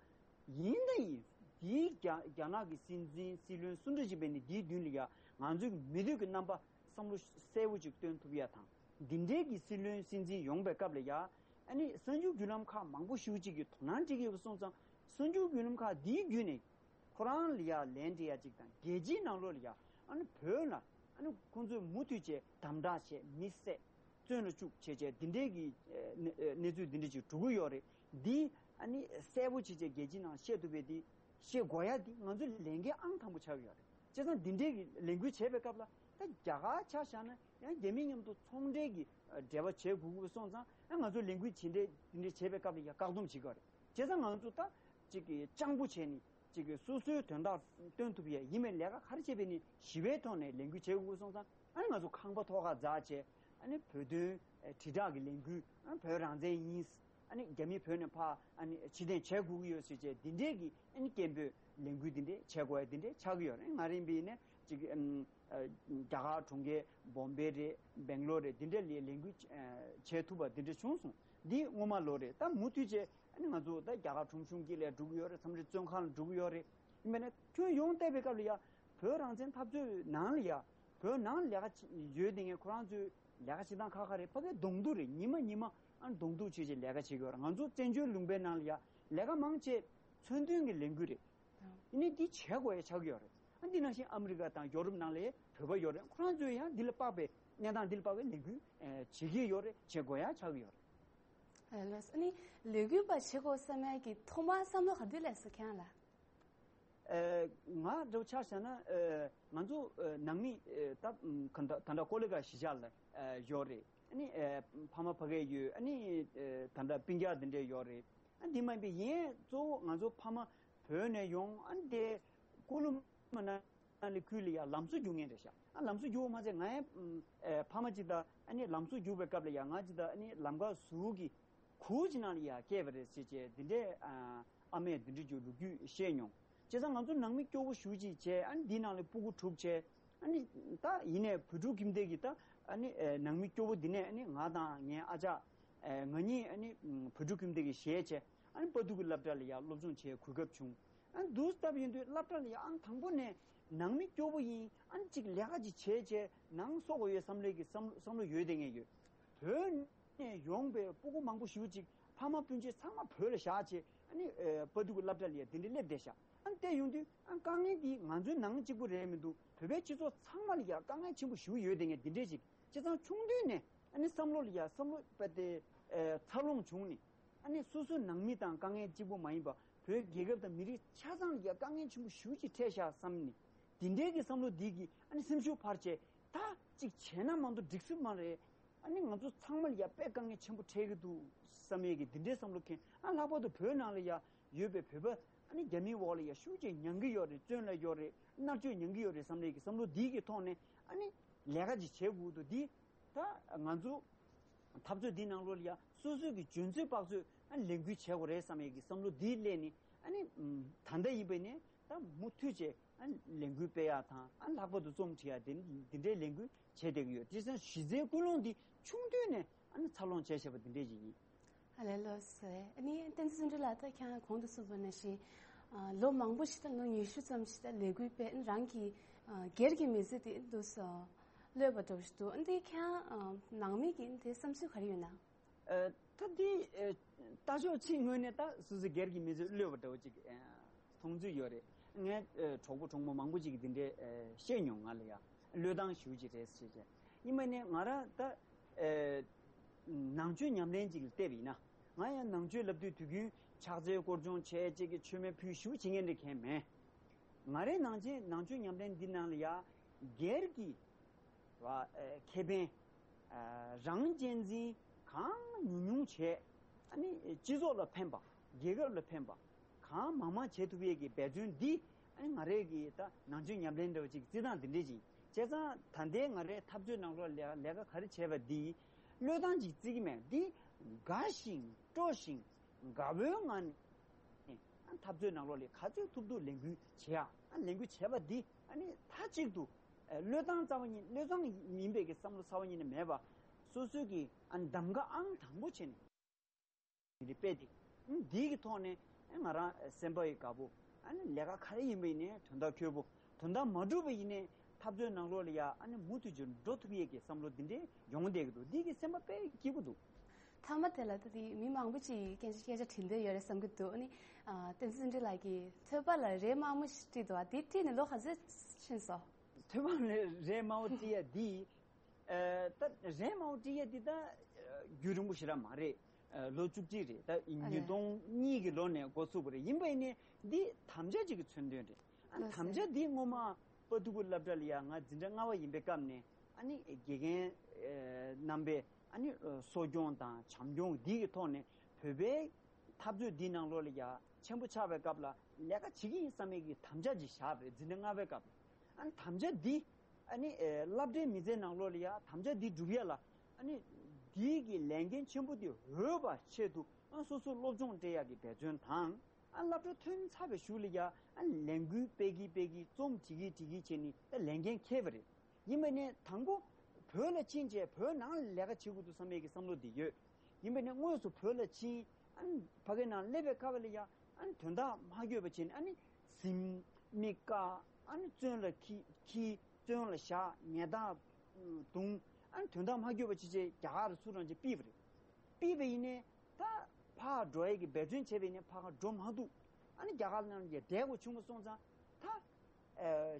ཡིན་ད་ཡིན། དེའི་རྒྱ་རྒྱ་ནག་གི་སྲིད་འཛིན་སྲིད་བློན་སུ་འདྲ་ཞིག་བས་ནི་དེའི་མདུན་ལ་ཡ་ང་ཚོའི་མི་འདོད་ཀྱི་རྣམ་པ་བསམ་བློ་གསལ་པོ་ཅིག་སྟོན་ཐུབ་ཡ་དང་། འདི་འདྲའི་གི་སྲིད་བློན་སྲིད་འཛིན་ཡོང་པའི་སྐབས་ལ་ཡ་ཨ་ནི་གསར་འགྱུར་བརྒྱུད་ལམ་ཁག་མང་པོ་ཞེ་པོ་ཅིག་གིས་དོ་སྣང་སྤྲད་ཀྱི་ཡོད་པ་སོང་ཙང་། གསར་འགྱུར་བརྒྱུད་ལམ་ཁག་འདིའི་བརྒྱུད་ནས་ཁོ་རང་ལ་ཡ་ལན་སྤྲད་ཡ་ཅིག་དང་། རྒྱལ་སྤྱིའི་ནང་ལོགས་ལ་ཡ་ཨ་ནི་བོད་ལ་ཨ་ནི་ཁོང་ཚོས་མུ་མཐུད་བྱས་དམ་དྲག་བྱས། མི་བསད། བཙོན་ལ་བཅུག་བྱས་བྱས་འདི་འདྲའི་གི་ཨ་གནས་ཚུལ་འདི་འདྲ་ཅིག་འགྲོ་གི་ཡོད་རེད། འདི་ཨ་ནི་གསལ་པོ་བྱས་བྱས་རྒྱལ་སྤྱིའི་ནང་བཤད་ཐུབ་པའི་འདི་བཤད་དགོས་ཡ་འདི་ང་ཚོའི་ལས་འགན་ཨང་དང་པོ་ཆགས་ཀྱི་ཡོད་རེད། བྱས་ཙང་འདི་འདྲའི་གི་ལས་འགུལ་བྱས་པའི་སྐབས་ལ་ད་རྒྱ་གར་ཆ་བཞག་ན་ཡང་རྒྱ་མི་མཉམ་དུ་ཚོང་འབྲེལ་གྱི་འབྲེལ་བ་བྱེད་དགོས་ཀྱི་སོང་ཙང་། ཡང་ང་ཚོ་ལས་འགུལ་ཇི་འདྲའི་འདི་འདྲའི་བྱས་པའི་སྐབས་ལ་ཡང་བཀག་སྡོམ་བྱེད་ཀྱི་ཡོད་རེད། བྱས་ཙང་ང་ཚོ་ད་ཅིག་གི་སྤྱང་པོ་བྱས་ནས། གཅིག་གིས་སོ་སོའི་དོན་དག་སྟོན་ཐུབ་ཡས་ཡིན་མིན་ལས་ཀ་ག་རེ་བྱས་པས་ནི་ཞི་བའི་ཐོག་ནས་ལས་འགུལ་བྱེད་དགོས་སོང་ཙང་། ཨ་ནི་ང་ཚོ་ཁང་པ་ཐོག་ཁར་འཛེགས་བྱས། ཨ་ནི་བོད་དོན་ཨེ་དྲིལ་བསྒྲགས་ཀྱི་ལས་འགུལ། ཨ་ནི་བོད་རང་བཙན་ཡིན། ཨ་ནི་རྒྱ་མི་བོད་ནས་ཕར་ཨ་ནི་ཕྱིར་འཐེན་བྱེད་དགོས་ཀྱི་ཡོད་ཟེར་བྱས་འདི་འདྲས་ཀྱི་ཨ་ནི་སྐད་འབོད་ལས་འགུལ་འདི་འདྲས་བྱེད་དགོས་ཡ་འདི་འདྲས་ཆགས་ཀྱི་ཡོད་རེད། ང་རང་ཡིན་པ་ཡིན་ནའི་གཅིག་གི་ཨམ་ཨ་རྒྱ་གར་གྲོང་ཁྱེར་བོམ་བེ་རེད། སྦེང་ལོར་རེད། འདི་འདྲས་ལ་ལས་འགུལ་ཨ་བྱེད་ཐུབ་པ་འདི་འདྲས་བྱུང་སོང་། འདི་སྔོན་མ་ལོ་རེད། ད་མུ་མཐུད་བྱས། ཨ་ནི་ང་ཚོ་ད་རྒྱ་གར་ཁྲོམ་གཞུང་དཀྱིལ་ལ་འགྲོ་གི་ཡོད་རེད། མཚམས་རེ་བཙོན་ཁང་ལ་འགྲོ་གི་ཡོད་རེད། ཡིན་པས་ན་ཁྱོན་ཡོངས་བལྟས་པའི་སྐབས་ལ་ཡ། བོད་རང་བཙན་འཐབ་རྩོད་ནང་ལ་ཡ། བོད་ནང་ལ་ལས་ཀ་ཡོད་དེ་ངས་ཁོ་རང་ཚོའི་ ལས་ཀ་བྱེད་སྟངས་ཁག་ཁག་རེད། ཕ་གིའི་གདོང་ཐུག་རེད། ཉི་མ་ཉི་མ་ཨ་གདོང་ཐུག་བྱས་བྱས་ལས་ཀ་བྱེད་ཀྱི་ཡོད་རེད། ང་ཚོ་བཙན་བྱོལ་ལུང་པའི་ནང་ལ་ཡ་ལས་ཀ་མང་ཆེ་མཚོན་དོན་གྱི་ལས་འགུལ་རེད། ཨ་ནི་འདི་བྱེད་དགོས་ཡ་ཆགས་ཀྱི་ཡོད་རེད། ཨ་འདི་ནང་བཞིན་ཨ་མི་རི་ཀ་དང་ཡོ་རོབ་ནང་ལ་བོད་པ་ཡོད་རེད། ཁོ་རང་ཚོས་ཡང་འདི་ལ་དཔག་པའི་གནས་སྟངས་འདི་ལ་དཔག་པའི་ལས་འགུལ་ཨེ་བྱེད་ཀྱི་ཡོད་རེད། བྱེད་དགོས་ཡ་ཆགས་ཀྱི་ཡོད་རེད། ཨ་ལགས་སོ། ཨ་ནི་ལས་འགུལ་པ་བྱེད་དགོས་བསམ་ཡ་གི་ཐོག་མར་བསམ་བློ་ག་དུས་སླེབས་སོང་ཁྱེད་རང་ལ། ཨེ་ང་འདྲ་བོ་ཆ་བཞག་ན་ཨེ་ང་ཚོ་ཨེ་ནང་མི་ཨེ་ད་ཨམ་ག་འདྲ་ད་ལྟ་ཀོ་ལི་གྷལ་གཞིས་ཆགས་ལ་ཨེ་ཡོད་རེད། ཨ་ནི་ཨེ་ཕ་མ་ཕ་གིར་ཡོད། ཨ་ནི་ཨེ་ད་ལྟ་སྤུན་ཀྱག་འདི་འདྲས་ཡོད་རེད། ཨ་འདི་མ་ཡིན་པའི་ཡིན་གཙོ་བོ་ང་ཚོ་ཕ་མ་བོད་ནས་ཡོང་། ཨ་ནི་དེ་ཀུ་ལུ་མ་ན་ལི་ཁུལ་ལ་ཡ་ལམ་བཟོ་རྒྱུག་མཁན་རེད་ཤག་ཨ་ལམ་བཟོ་རྒྱུག་པ་མ་ཚད་ང་ཡང་ཨེ་ཕ་མ་ཅིག་དང་ཨ་ནི་ལམ་བཟོ་རྒྱུག་པའི་སྐབས་ལ་ཡ་ང་ཅིག་དང་ཨ་ནི་ལམ་ཁ་ཟུར་གྱི་གུར་གྱི་ནང་ལ་ཡ་བསྐྱལ་བ་རེད་ཟེར་བྱས་འདི་འདྲའི་ཨ་ཨ་མས་འདི་འདྲ་ཅིག་ལོ་རྒྱུས་བཤད་མྱོང་། བྱས་ཙང་ང་ཚོ་ནང་མི་སྐྱོ་བོ་ཞེ་པོ་ཅིག་བྱས། ཨ་ནི་འདི་ནང་ལ་སྤུ་གུ་དྲུག་བྱས། ཨ་ནི་ད་ཡིན་ནའི་བོད་ཕྲུག་ཁྱིམ་སྡེ་གི་ད་ཨ་ནི་ཨེ་ནང་མི་སྐྱོ་བོ་འདི་ནས་ཨ་ནི་ང་དང་ངའི་ཨ་ཅག་ཨེ་ང་གཉིས་ཨ་ནི་ཨམ་བོད་ཕྲུག་ཁྱིམ་སྡེ་གི་གཞས་བྱས། ཨ་ནི་དཔའ་སྡུག་གི་སློབ་གྲྭ་ལ་ཡ་སློབ་སྦྱོང་བྱེད་གོ་སྐབས་བྱུང་། ཨ་ནི་འདུག་སྟབས་ཡིན་དུས་སློབ་གྲྭ་ལ་ཡ་ཨང་དང་པོ་ནས་ནང་མི་སྐྱོ་བོ་ཡིན། ཨ་ནི་ཅིག་ལས་ཀ་ཅིག་བྱས་བྱས་ནང་གསོ་དགོས་ཡོད་བསམ་ལས་ཀྱི་བསམ་བསམ་བློ་ཡོད་བསྡད་མཁན་ཡོད། བོད་ནས་ཡོང་པའི་སྤུ་གུ་མང་པོ་ཞེ་པོ་ཅིག་ཕ་མ་སྤུན་མཆེད་ཚང་མ་བོད་ལ་བཞག་བྱས། ཨ་ནི་ཨེ་དཔའ་སྡུག་གི་སློབ་གྲྭ་ལ་ཡ་འདི་འདྲ་སླེབས་བསྡད་ཤག་ཨ་ནི་བལྟས་ཡོང་དུས་ཨ་དཀའ་ངལ་འདི་ང་ཚོའི་ནང་གཅིག་པུ་རེད་མི་འདུག་བོད་པའི་སྤྱི་ཚོགས་ཚང་མ་ལ་ཡ་དཀའ་ངལ་ཆེན་པོ་ཞེ་པོ་ཡོད་བསྡད་མཁན་འདི་འདྲས་ཅིག་བྱས་ཙང་ཆུང་དུས་ནས་ཨ་ནི་བསམ་བློ་ལ་ཡ་བསམ་བློ་དཔེ་དེ་ཨེ་འཚར་ལོངས་བྱུང་ནས། ཨ་ནི་སོ་སོའི་ནང་མི་དང་དཀའ་ངལ་གཅིག་པུ་མ་ཡིན་པ་བོད་རྒྱལ་ཁབ་དང་མི་རིགས་ཆ་ཚང་ལ་ཡ་དཀའ་ངལ་ཆེན་པོ་ཞེ་པོ་ཅིག་འཕྲད་ཤག་བསམ་ནས། དེ་འདྲའི་གི་བསམ་བློ་འདི་གིས་ཨ་ནི་སེམས་ཤུགས་འཕར་བྱས། ད་ཅིག་བྱས་ན་མ་གཏོགས་འགྲིག་སྲིད་མ་རེད། ཨ་ནི་ང་ཚོ་ཚང་མ་ལ་ཡ་དཔེ་དཀའ་ངལ་ཆེན་པོ་འཕྲད་ཀྱི་འདུག་བསམ་ཡས་ཀྱི་འདི་འདྲའི་བསམ་བློ་འཁྱེར། ཨ་ལྷག་པར་དུ་བོད་ནང་ལ་ཡ་ཡོད་པའི་བོད་པ་ཨ་ནི་རྒྱ་མིའི་འོག་ལ་ཡ་ཤུགས་ཆེ་མྱང་གི་ཡོད་རེད། བཙོན་ལ་ཡོད་རེད། མནར་གཅོད་མྱང་གི་ཡོད་རེད་བསམ་ཡས་ཀྱི་བསམ་བློ་འདི་གི་ཐོག་ནས་ཨ་ནི་ལས་ཀ་ཅིག་བྱེད་དགོས་འདུག་འདི་ད་ང་ཚོ་འཐབ་རྩོད་འདི་ནང་ལོགས་ལ་ཡ་སོ་སོའི་གི་འཇོན་ཚོད་དཔག་ཚོད་ཨ་ནི་ལས་འགུལ་བྱེད་དགོས་རེད་བསམ་ཡས་ཀྱི་བསམ་བློ་འདི་སླེབས་ནས། ཨ་ནི་ད་ལྟ་ཡིན་པ་ནས་ད་མུ་མཐུད་བྱས་ཨ་ནི་ལས་འགུལ་སྤེལ་ཡག་དང་། ཨ་ནི་ལྷག་པར་དུ་རྩོམ་འབྲི་ཡག་དེ་འདི་འདྲའི་ལས་འགུལ་བྱས་བསྡད་ཀྱི་ཡོད། དེ་ཚོ་གཞི་རྩའི་ཀུན་སློང་འདི་ཆུང་དུས་ནས་ཨ་ནི་འཚར་ལོངས་བྱས་བྱས་པ་འདི་འདྲས་ཅིག་ཡིན། ཨ་ལས་ལགས་སོ། ཨ་ནི་བསྟན་འཛིན་བདེ་ལགས། ད་ཁྱེད་རང་གོང་དུ་གསུངས་པ་ནང་བཞིན་ཨ་ལོ་མང་པོ་ཞིག་དང་ལོ་ཉི་ཤུ་ཙམ་ཞིག་དང་ལས་འགུལ་སྤེལ། ཨ་ནི་རང་གི་ཨ་སྒེར་གྱི་མི་ཚེ་དེ་འདུག་སེ་གློད་པ་འདྲ་བོ་ཞིག་འདུག་ཨ་ནི་ཁྱེད་རང་ཨ་ནང་མི་གི་དེ་བསམ་ཚུལ་ག་རེ་ཡོད་ན། ཨ་ད་འདི་ཨ་ལྟ་ཕྱོགས་གཅིག་ངོས་ནས་ད་སོ་སོའི་སྒེར་གྱི་མི་ཚེ་གློད་པ་འདྲ་བོ་ཅིག་ཨ་མཐོང་ཚུལ་ཡོད་རེད། ངའི་ཨ་གྲོགས་པོ་གྲོགས་མོ་མང་པོ་ཅིག་གིས་འདི་འདྲའི་ཨ་བཤད་མྱོང་ང་ལ་ཡ། གློད་སྟངས་ཞེ་པོ་ཅིག་རེད་ཟེར་བྱས། ཡིན་པ་ནས་ང་རང་ད་ཨ་ནང་ཆོས་ཉམས་ལེན་ཅིག་ལ་བལྟས་པ་ཡིན་ན། ང་ཡང་ནང་ཆོས་ལབ་དུས་དུས་རྒྱུན་ཕྱག་འཚལ་སྐོར་སྦྱོང་བྱས། ཅིག་གི་མཆོད་མེ་ཕུལ་ཞེ་པོ་བྱེད་མཁན་འདྲ་གང་མེད། ང་རའི་ནང་ཆེན་ནང་ཆོས་ཉམས་ལེན་འདི་ནང་ལ་ཡ་སྒེར་གྱི་བ་ཨེ་ཁེ་ཕན་ཨ་རང་གཅེས་འཛིན་གང་ཉུང་ཉུང་བྱས། ཨ་ནི་སྤྱི་ཚོགས་ལ་ཕན་པ། རྒྱལ་ཁབ་ལ་ཕན་པ་གང་མང་མང་བྱེད་ཐུབ་ཡས་ཀྱི་འབད་བརྩོན་འདི་ཨ་ནི་ང་རའི་གི་ད་ནང་ཆོས་ཉམས་ལེན་འདྲ་བ་ཅིག་བརྩི་སྟངས་འདི་འདྲས་ཅིག་བྱས་ཙང་ད་ལྟའི་ང་རའི་འཐབ་རྩོད་ནང་ལོགས་ལ་ལས་ཀ་ག་རེ་བྱས་པ་འདི་གློད་སྟངས་ཅིག་བརྩི་གི་མེད། འདི་དགའ་ཞིང་སྤྲོ་ཞིང་དགའ་བོའི་ངང་ནས་ཨ་འཐབ་རྩོད་ནང་ལོགས་ལ་ག་ཚོད་ཐུབ་ཐུབ་ལས་འགུལ་བྱེད་ཡ། ཨ་ལས་འགུལ་བྱས་པ་འདི་ཨ་ནི་མཐའ་གཅིག་ཏུ་ཨ་བློས་བཏང་རྩ་བ་ཉིད་བློས་བཏང་ཡིན་པའི་གི་བསམ་བློ་རྩ་བ་ཉིད་ནས་མེད་པ། སོ་སོའི་གི་ཨ་གདམ་ག་ཨང་དང་པོ་བྱས་ནས་འདི་སྤེལ་ཏེ། ཨ་འདིའི་གི་ཐོག་ནས་ཨ་ང་རང་སེམས་པ་ཡི་དགའ་པོ། ཨ་ནི་ལས་ཀ་ག་རེ་ཡིན་པ་ཡིན་ནའི་དོན་དག་འཁྱོལ་པོ། དོན་དག་མ་འགྲུབ་པ་ཡིན་ནའི་འཐབ་རྩོད་ནང་ལོགས་ལ་ཡ་ཨ་ནི་མུ་མཐུད་ཀྱི་འགྲོ་ཐུབ་ཡས་ཀྱི་བསམ་བློ་འདི་འདྲའི་ཡོང་བསྡད་ཀྱི་འདུག་འདི་གི་སེམས་པ་དཔེ་སྐྱིད་པོ་འདུག་མཐའ་མ་དེ་ལ་ད་དེ་མི་མང་པོ་ཅིག་གིས་སྐད་ཆ་སྐད་ཆ་དྲིས་འདོད་ཡོད་རེད་བསམ་གྱི་འདུག་ཨ་ནི་ཨ་བསྟན་འཛིན་བདེ་ལགས་ཀྱིས་ཐོས་པ་ལ་རས་དམར་མོ་ཞིག་བྲིས་འདུག་ཨ་དེ་བྲིས་ནས་ལོ་ག་ཚོད་ཕྱིན་སོང་། ཐོས་པ་ལ་རས་དམར་པོ་བྲིས་ཡ་འདི་ཨ་ད་རས་དམར་པོ་བྲིས་ཡ་འདི་ད་ཨ་རྒྱུན་རིང་པོ་ཞེ་དྲག་མ་རེད། ཨ་ལོ་བཅུ་གཅིག་རེད། ད་ཨ་ཉིས་སྟོང་གཉིས་ཀྱི་ལོ་ནས་འགོ་ཚུགས་པ་རེད། ཡིན་པ་ཡིན་ནའི་འདི་དམ་བཅའ་ཅིག་གི་མཚོན་དོན་རེད། ཨ་ལགས་སོ། དམ་བཅའ་འདི་སྔོན་མ་དཔའ་ཐུ་གུ་སློབ་གྲྭ་ལ་ཡ་ང་འཛིན་གྲྭ་ལྔ་པ་ཡིན་པའི་སྐབས་ནས་ཨ་ནི་དགེ་རྒན་ཨེ་རྣམ་པས་ཨ་ནི་ཨེ་གསོ་སྐྱོང་དང་བྱམས་སྐྱོང་འདི་གི་ཐོག་ནས་བོད་པའི་འཐབ་རྩོད་འདིའི་ནང་ལོགས་ལ་ཡ་ཆེན་པོ་ཆགས་པའི་སྐབས་ལ་ལས་ཀ་བྱེད་ཀྱི་ཡིན་བསམ་མེད་ཀྱི་དམ་བཅའ་ཅིག་བཞག་པ་རེད། འཛིན་གྲྭ་ལྔ་པའི་སྐབས་ལ། ཨ་ནི་དམ་བཅའ་འདི་ཨ་ནི་ཨེ་སློབ་གྲྭའི་མི་ཚེའི་ནང་ལོགས་ལ་ཡ་དམ་བཅའ་འདི་སྒྲུབ་ཡ་ལ་ཨ་ནི་འདིའི་གི་ལས་འགན་ཆེན་པོ་འདི་འོས་པ་ཆེད་དུ་ཨ་སོ་སོ་སློབ་སྦྱོང་སྤྲད་ཡ་གི་འབད་བརྩོན་དང་། ཨ་སློབ་གྲྭ་ཐོན་ཚར་བའི་གཞུག་ལ་ཡ་ཨ་ལས་འགུལ་སྤེལ་གི་སྤེལ་གི་རྩོམ་བྲིས་གི་བྲིས་གི་བྱས་ནས་ཨ་ལས་འགན་འཁྱེར་བ་རེད། ཡིན་པ་ནས་དང་པོ་བོད་ལ་ཕྱིན་བྱས་བོད་ནང་ལ་ལས་ཀ་བྱེད་དགོས་འདུག་བསམ་ཡས་ཀྱི་བསམ་བློ་འདི་ཡོད། ཡིན་པ་ནས་དངོས་སུ་བོད་ལ་ཕྱིན་ཨ་ཕ་གིའི་ནང་སླེབས་པའི་སྐབས་ལ་ཡ་ཨ་དོན་དག་མ་འགྱོད་པ་བྱས་ནས་ཨ་ནི་ཟིན་མི་བཀག་ཨ་ནི་བཙོན་ལ་ཁྲིད་ཁྲིད་བཙོན་ལ་བཞག་ཉལ་ཐག་བརྡུང་། ཨ་ནི་དོན་དག་མ་འཁྱོལ་བ་ཅི་བྱས་རྒྱ་གར་ཚུར་རང་ཅིག་ཕུད་པ་རེད། ཕུད་པ་ཡིན་ནའི་ད་ཕར་འགྲོ་ཡས་ཀྱི་འབད་བརྩོན་བྱས་པ་ཡིན་ནའི་ཕར་འགྲོ་མ་ཐུབ། ཨ་ནི་རྒྱ་གར་ནང་གི་བསྡད་དགོས་བྱུང་བ་སོང་ཙང་ད།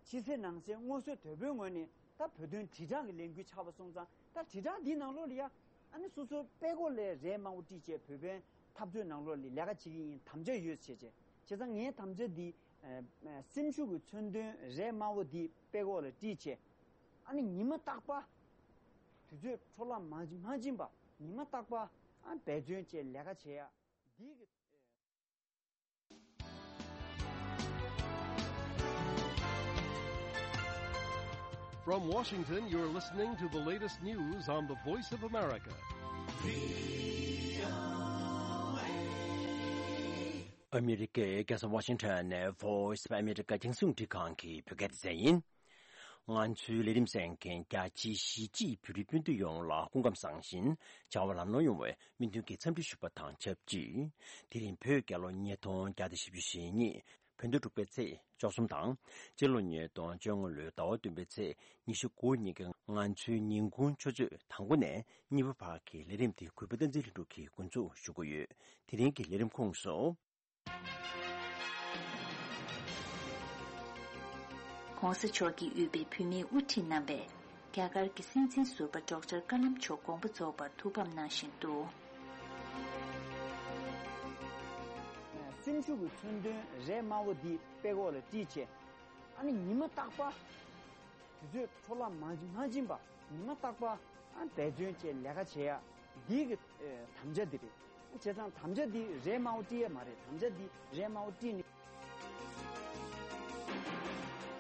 ཕྱི་གསལ་ནང་གསལ་སྔོ་སོལ་དོད་པོའི་ངོས་ནས་ད་བོད་དོན་དྲིལ་བསྒྲགས་ཀྱི་ལས་འགུལ་ཆགས་པ་སོང་ཙང་ད་དྲིལ་བསྒྲགས་འདིའི་ནང་ལོགས་ལ་ཡ། ཨ་ནི་སོ་སོའི་པད་ཀོག་ལ་རས་དམར་པོ་དཀྲིས་བྱས་བོད་པའི་འཐབ་རྩོད་ནང་ལོགས་ལ་ལས་ཀ་བྱེད་ཀྱི་ཡིན་དམ་བཅའ་ཡོད་བྱས་བྱས། བྱས་ཙང་ངའི་དམ་བཅའ་འདི། སེམས་ཤུགས་ཀྱི་མཚོན་དོན་རས་དམར་པོ་འདི་པད་ཀོག་ལ་དཀྲིས་བྱས། ཨ་ནི་ཉི་མ་རྟག་པར་དུས་ཚོད་འཕྲོ་བརླག་མ་མ་ཕྱིན་པ་ཉི་མ་རྟག་པར་ཨ་འབད་བརྩོན་བྱས་ལས་ཀ་བྱེད་ཡ། འདི་གི། From Washington, you're listening to the latest news on the Voice of America. ཨ་མི་རི་ཀའི་རྒྱལ་ས་ཝ་ཤིང་ཊོན་ནས་Voice of America རྒྱང་སྲིང་རླུང་འཕྲིན་ཁང་གི་བོད་སྐད་སྡེ་ཚན་ཡིན། ང་ཚོའི་ལས་རིམ་གསན་མཁན་རྒྱ་ཆེའི་གཞིས་བྱེས་བོད་རིགས་སྤུན་ཟླ་ཡོངས་ལ་སྐུ་ཁམས་བཟང་ཞིང་བྱ་བ་ལམ་ལྷོང་ཡོང་བའི་སྨོན་འདུན་གྱི་འཚམས་འདྲི་ཞུ་བ་དང་ཆབས་ཅིག་དེ་རིང་བོད་རྒྱལ་ལོ་ཉིས་སྟོང་བརྒྱ་དང་བཞི་བཅུ་ཞེ་གཉིས་བོད་ཟླ་དྲུག་པའི་ཚེས་བཅུ་གསུམ་དང་། སྤྱི་ལོ་ཉིས་སྟོང་བཅོ་ལྔ་ལོའི་ཟླ་བ་བདུན་པའི་ཚེས་ཉི་ཤུ་དགུ་ཉིན་གྱི་ང་ཚོའི་ཉིན་གུང་ཆུ་ཚོད་དང་པོ་ནས་གཉིས་པ་བར་གྱི་ལས་རིམ་དེ་གུས་པ་བསྟན་འཛིན་ལྷུན་གྲུབ་ཀྱིས་འགོ་འཛུགས་ཞུ་གི་ཡོད། དེ་རིང་གི་ལས་རིམ་ཁོངས་སུ། ༸གོང་ས་མཆོག་གིས་དབུས་པའི་བུད་མེད་དབུ་ཁྲིད་རྣམ་པས་རྒྱ་གར་གྱི་སྲིད་འཛིན་ཟུར་པ་ཌོག་ཊར་ཀ་ལམ་མཆོག་དགོངས་པ་རྫོགས་པར་ཐུགས་ཕམ་གནང་བཞིན་འདུག་སེམས་ཤུགས་ཀྱི་མཚོན་དོན་རས་དམར་པོ་འདི་པད་ཀོག་ལ་དཀྲིས་བྱས། ཨ་ནི་ཉི་མ་རྟག་པར། དུས་ཚོད་འཕྲོ་བརླག་མ་མ་ཕྱིན་པ་ཉི་མ་རྟག་པར་ཨ་འབད་བརྩོན་བྱས་ལས་ཀ་བྱེད་ཡ་འདི་གི་ཨེ་དམ་བཅའ་འདི་རེད། བྱས་ཙང་དམ་བཅའ་འདི་རས་དམར་པོ་དཀྲིས་ཡ་མ་རེད། དམ་བཅའ་འདི་རས་དམར་པོ་དཀྲིས་ནས།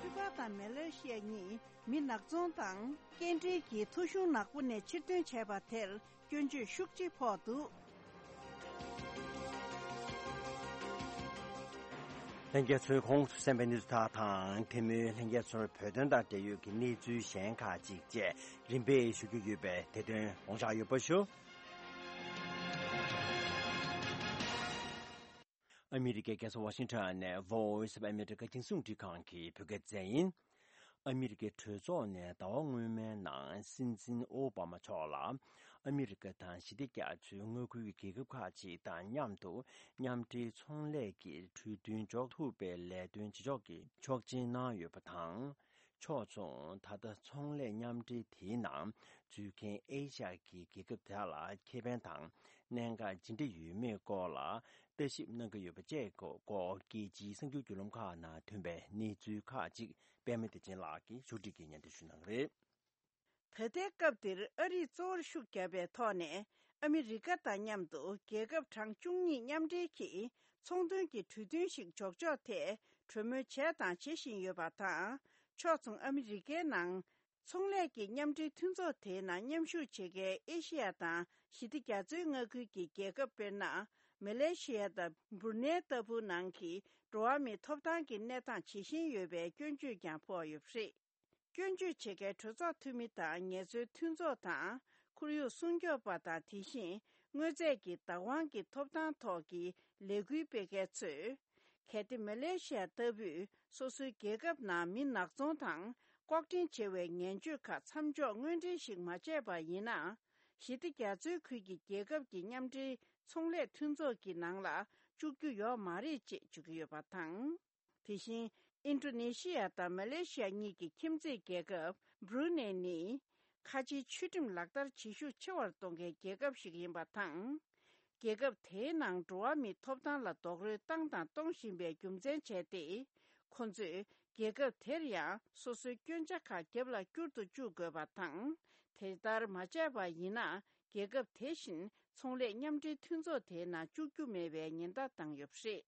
ཀུ་པ་དང་མེ་ལེ་ཤི་ཡ་གཉིས་མི་ནག་ཚོང་དང་སྐྱེལ་འདྲེན་གྱི་ཐོ་གཞུང་ནག་པོ་ནས་ཕྱིར་འདོན་བྱས་པ་དེར། སྐྱོན་བརྗོད་ཤུགས་ཆེ་ཕོག་འདུག་ལྷན་རྒྱས་ཚོས་གོང་དུ་གསན་པའི་གནས་ཚུལ་དག་དང་། དེ་མིན་ལྷན་རྒྱས་ཚོར་བོད་དོན་དང་འབྲེལ་ཡོད་ཀྱི་གནས་ཚུལ་གཞན་ཁག་ཅིག་བཅས་རིམ་པས་ཞུ་རྒྱུ་ཡོད་པས། དེ་དོན་དགོངས་འཇགས་ཡོད་པ་ཞུ། ཨ་མི་རི་ཀའི་རྒྱལ་ས་ཝ་ཤིང་ཊོན་ནས་Voice of America རྒྱང་སྲིང་རླུང་འཕྲིན་ཁང་གི་བོད་སྐད་སྡེ་ཚན་ཡིན། ཨ་མི་རི་ཀའི་གྲོས་ཚོགས་ནས་ཟླ་བ་སྔོན་མའི་ནང་སྲིད་འཛིན་ཨོ་བྷ་མ་མཆོག་ལ་ཨ་མི་རི་ཀ་དང་ཞི་བདེ་རྒྱ་མཚོའི་མངའ་ཁུལ་གྱི་རྒྱལ་ཁབ་ཁག་ཅིག་དང་མཉམ་དུ་མཉམ་འབྲེལ་ཚོང་ལས་ཀྱི་གྲོས་མཐུན་འཇོག་ཐུབ་པའི་ལས་དོན་བྱེད་ཕྱོགས་ཀྱི་ཆོག་མཆན་གནང་ཡོད་པ་དང་། ཕྱོགས་མཚུངས་ད་ལྟ་ཚོང་ལས་མཉམ་འབྲེལ་དེའི་ནང་འཛུལ་མཁན་ཨེ་ཤ་ཡ་གི་རྒྱལ་ཁབ་དེ་དག་ལ་ཁེ་ཕན་དང་གནད་འགག་ཇི་འདྲ་ཡོད་མེད་སྐོར་ལ་ལྟ་ཞིབ་གནང་གི་ཡོད་པ་བཅས་སྐོར་རྒྱལ་སྤྱིའི་གསར་འགྱུར་བརྒྱུད་ལམ་ཁག་ནང་ཐོན་པའི་གནས་ཚུལ་ཁག་ཅིག་པད་མ་བདེ་ཆེན་ལགས་ཀྱིས་ཕྱོགས་སྒྲིག་གིས་སྙན་སྒྲོན་ཞུ་གནང་གི་རེད། ད་ལྟའི་སྐབས་འདིར་ཨ་རིས་གཙོ་བོར་ཤུགས་བརྒྱབ་པའི་ཐོག་ནས་ཨ་མི་རི་ཀ་དང་མཉམ་དུ་རྒྱལ་ཁབ་གྲངས་བཅུ་གཉིས་མཉམ་འབྲེལ་གྱིས་ཚོང་དོན་གྱི་གྲོས་མཐུན་ཞིག་འཇོག་ཕྱོགས་ཐད་གྲོས་མོལ་བྱས་དང་བྱེད་བཞིན་ཡོད་པ་དང་། ཕྱོགས་མཚུངས་ཨ་མི་རི་ཀའི་ནང་ཚོང་ལས་ཀྱི་མཉམ་འབྲེལ་མཐུན་ཚོགས་དེའི་ནང་མཉམ་ཞུགས་བྱེད་མཁན་ཨེ་ཤེ་ཡ་དང་ཞི་བདེ་རྒྱ་མཚོའི་མངའ་ཁུལ་གྱི་རྒྱལ་ཁབ་དཔེར་ན། མེ་ལེ་ཤི་ཡ་དང་འབུར་ནེ་ལྟ་བུ་ནང་གི་འགྲོ་བ་མིའི་ཐོབ་ཐང་གི་གནས་སྟངས་ཇེ་ཞན་ཡོད་པའི་སྐྱོན་བརྗོད་ཀྱང་ཕོག་ཡོད་པ་རེད། སྐྱོན་བརྗོད་བྱེད་མཁན་གྲོས་ཚོགས་འཐུས་མི་དང་ངལ་རྩོལ་མཐུན་ཚོགས་དང་ཁོར་ཡུག་སྲུང་སྐྱོབ་པ་དང་། དེ་བཞིན་དངོས་རྫས་ཀྱི་བདག་དབང་གི་ཐོབ་ཐང་ཐོག་གི་ལས་འགུལ་སྤེལ་མཁན་ཚོས། གལ་ཏེ་མེ་ལེ་ཤི་ཡ་ལྟ་བུས་སོ་སོའི་རྒྱལ་ཁབ་ནང་མི་ནག་ཚོང་དང་ལྐོག་འདྲེན་བྱེད་པའི་ངན་སྤྱོད་ཁག་མཚམས་འཇོག་དངོས་འབྲེལ་ཞིག་མ་བྱས་པ་ཡིན་ན། ཞི་བདེ་རྒྱ་མཚོའི་ཁུལ་གྱི་རྒྱལ་ཁབ་ཀྱི་མཉམ་འབྲེལ་ཚོང་ལས་མཐུན་ཚོགས་ཀྱི་ནང་ལ་བཅུག་རྒྱུ་ཡོད་མ་རེད་ཅེས་བརྗོད་ཀྱི་ཡོད་པ་དང་། དེ་བཞིན་ཨིན་ཌོ་ནེ་ཤི་ཡ་དང་མ་ལེ་ཤི་ཡ་གཉིས་ཀྱི་ཁྱིམ་མཚེས་རྒྱལ་ཁབ་འབྲུ་ནེ་ནི། ཁ་ཆེའི་ཆོས་ཁྲིམས་ལག་བསྟར་བྱེད་ཤུགས་ཆེ་བར་གཏོང་མཁན་རྒྱལ་ཁབ་ཞིག་ཡིན་པ་དང་། རྒྱལ་ཁབ་དེའི་ནང་འགྲོ་བ་མིའི་ཐོབ་ཐང་ལ་རྡོག་རོལ་བཏང་དང་གཏོང་བཞིན་པའི་རྒྱུ་མཚན་བྱས་ཏེ། ཁོ་ཚོས་རྒྱལ་ཁབ་དེར་ཡང་སོ་སོའི་སྐྱོན་ཆ་ཁག་རྒྱབ་ལ་བསྐྱུར་དུ་བཅུག་དགོས་པ་དང་། དེ་ལྟར་མ་བྱས་པ་ཡིན་ན། རྒྱལ་ཁབ་དེ་བཞིན་ཚོང་ལས་མཉམ་འབྲེལ་མཐུན་ཚོགས་དེའི་ནང་བཅུག་རྒྱུ་མེད་པའི་ཉེན་བརྡ་བཏང་ཡོད་པ་རེད།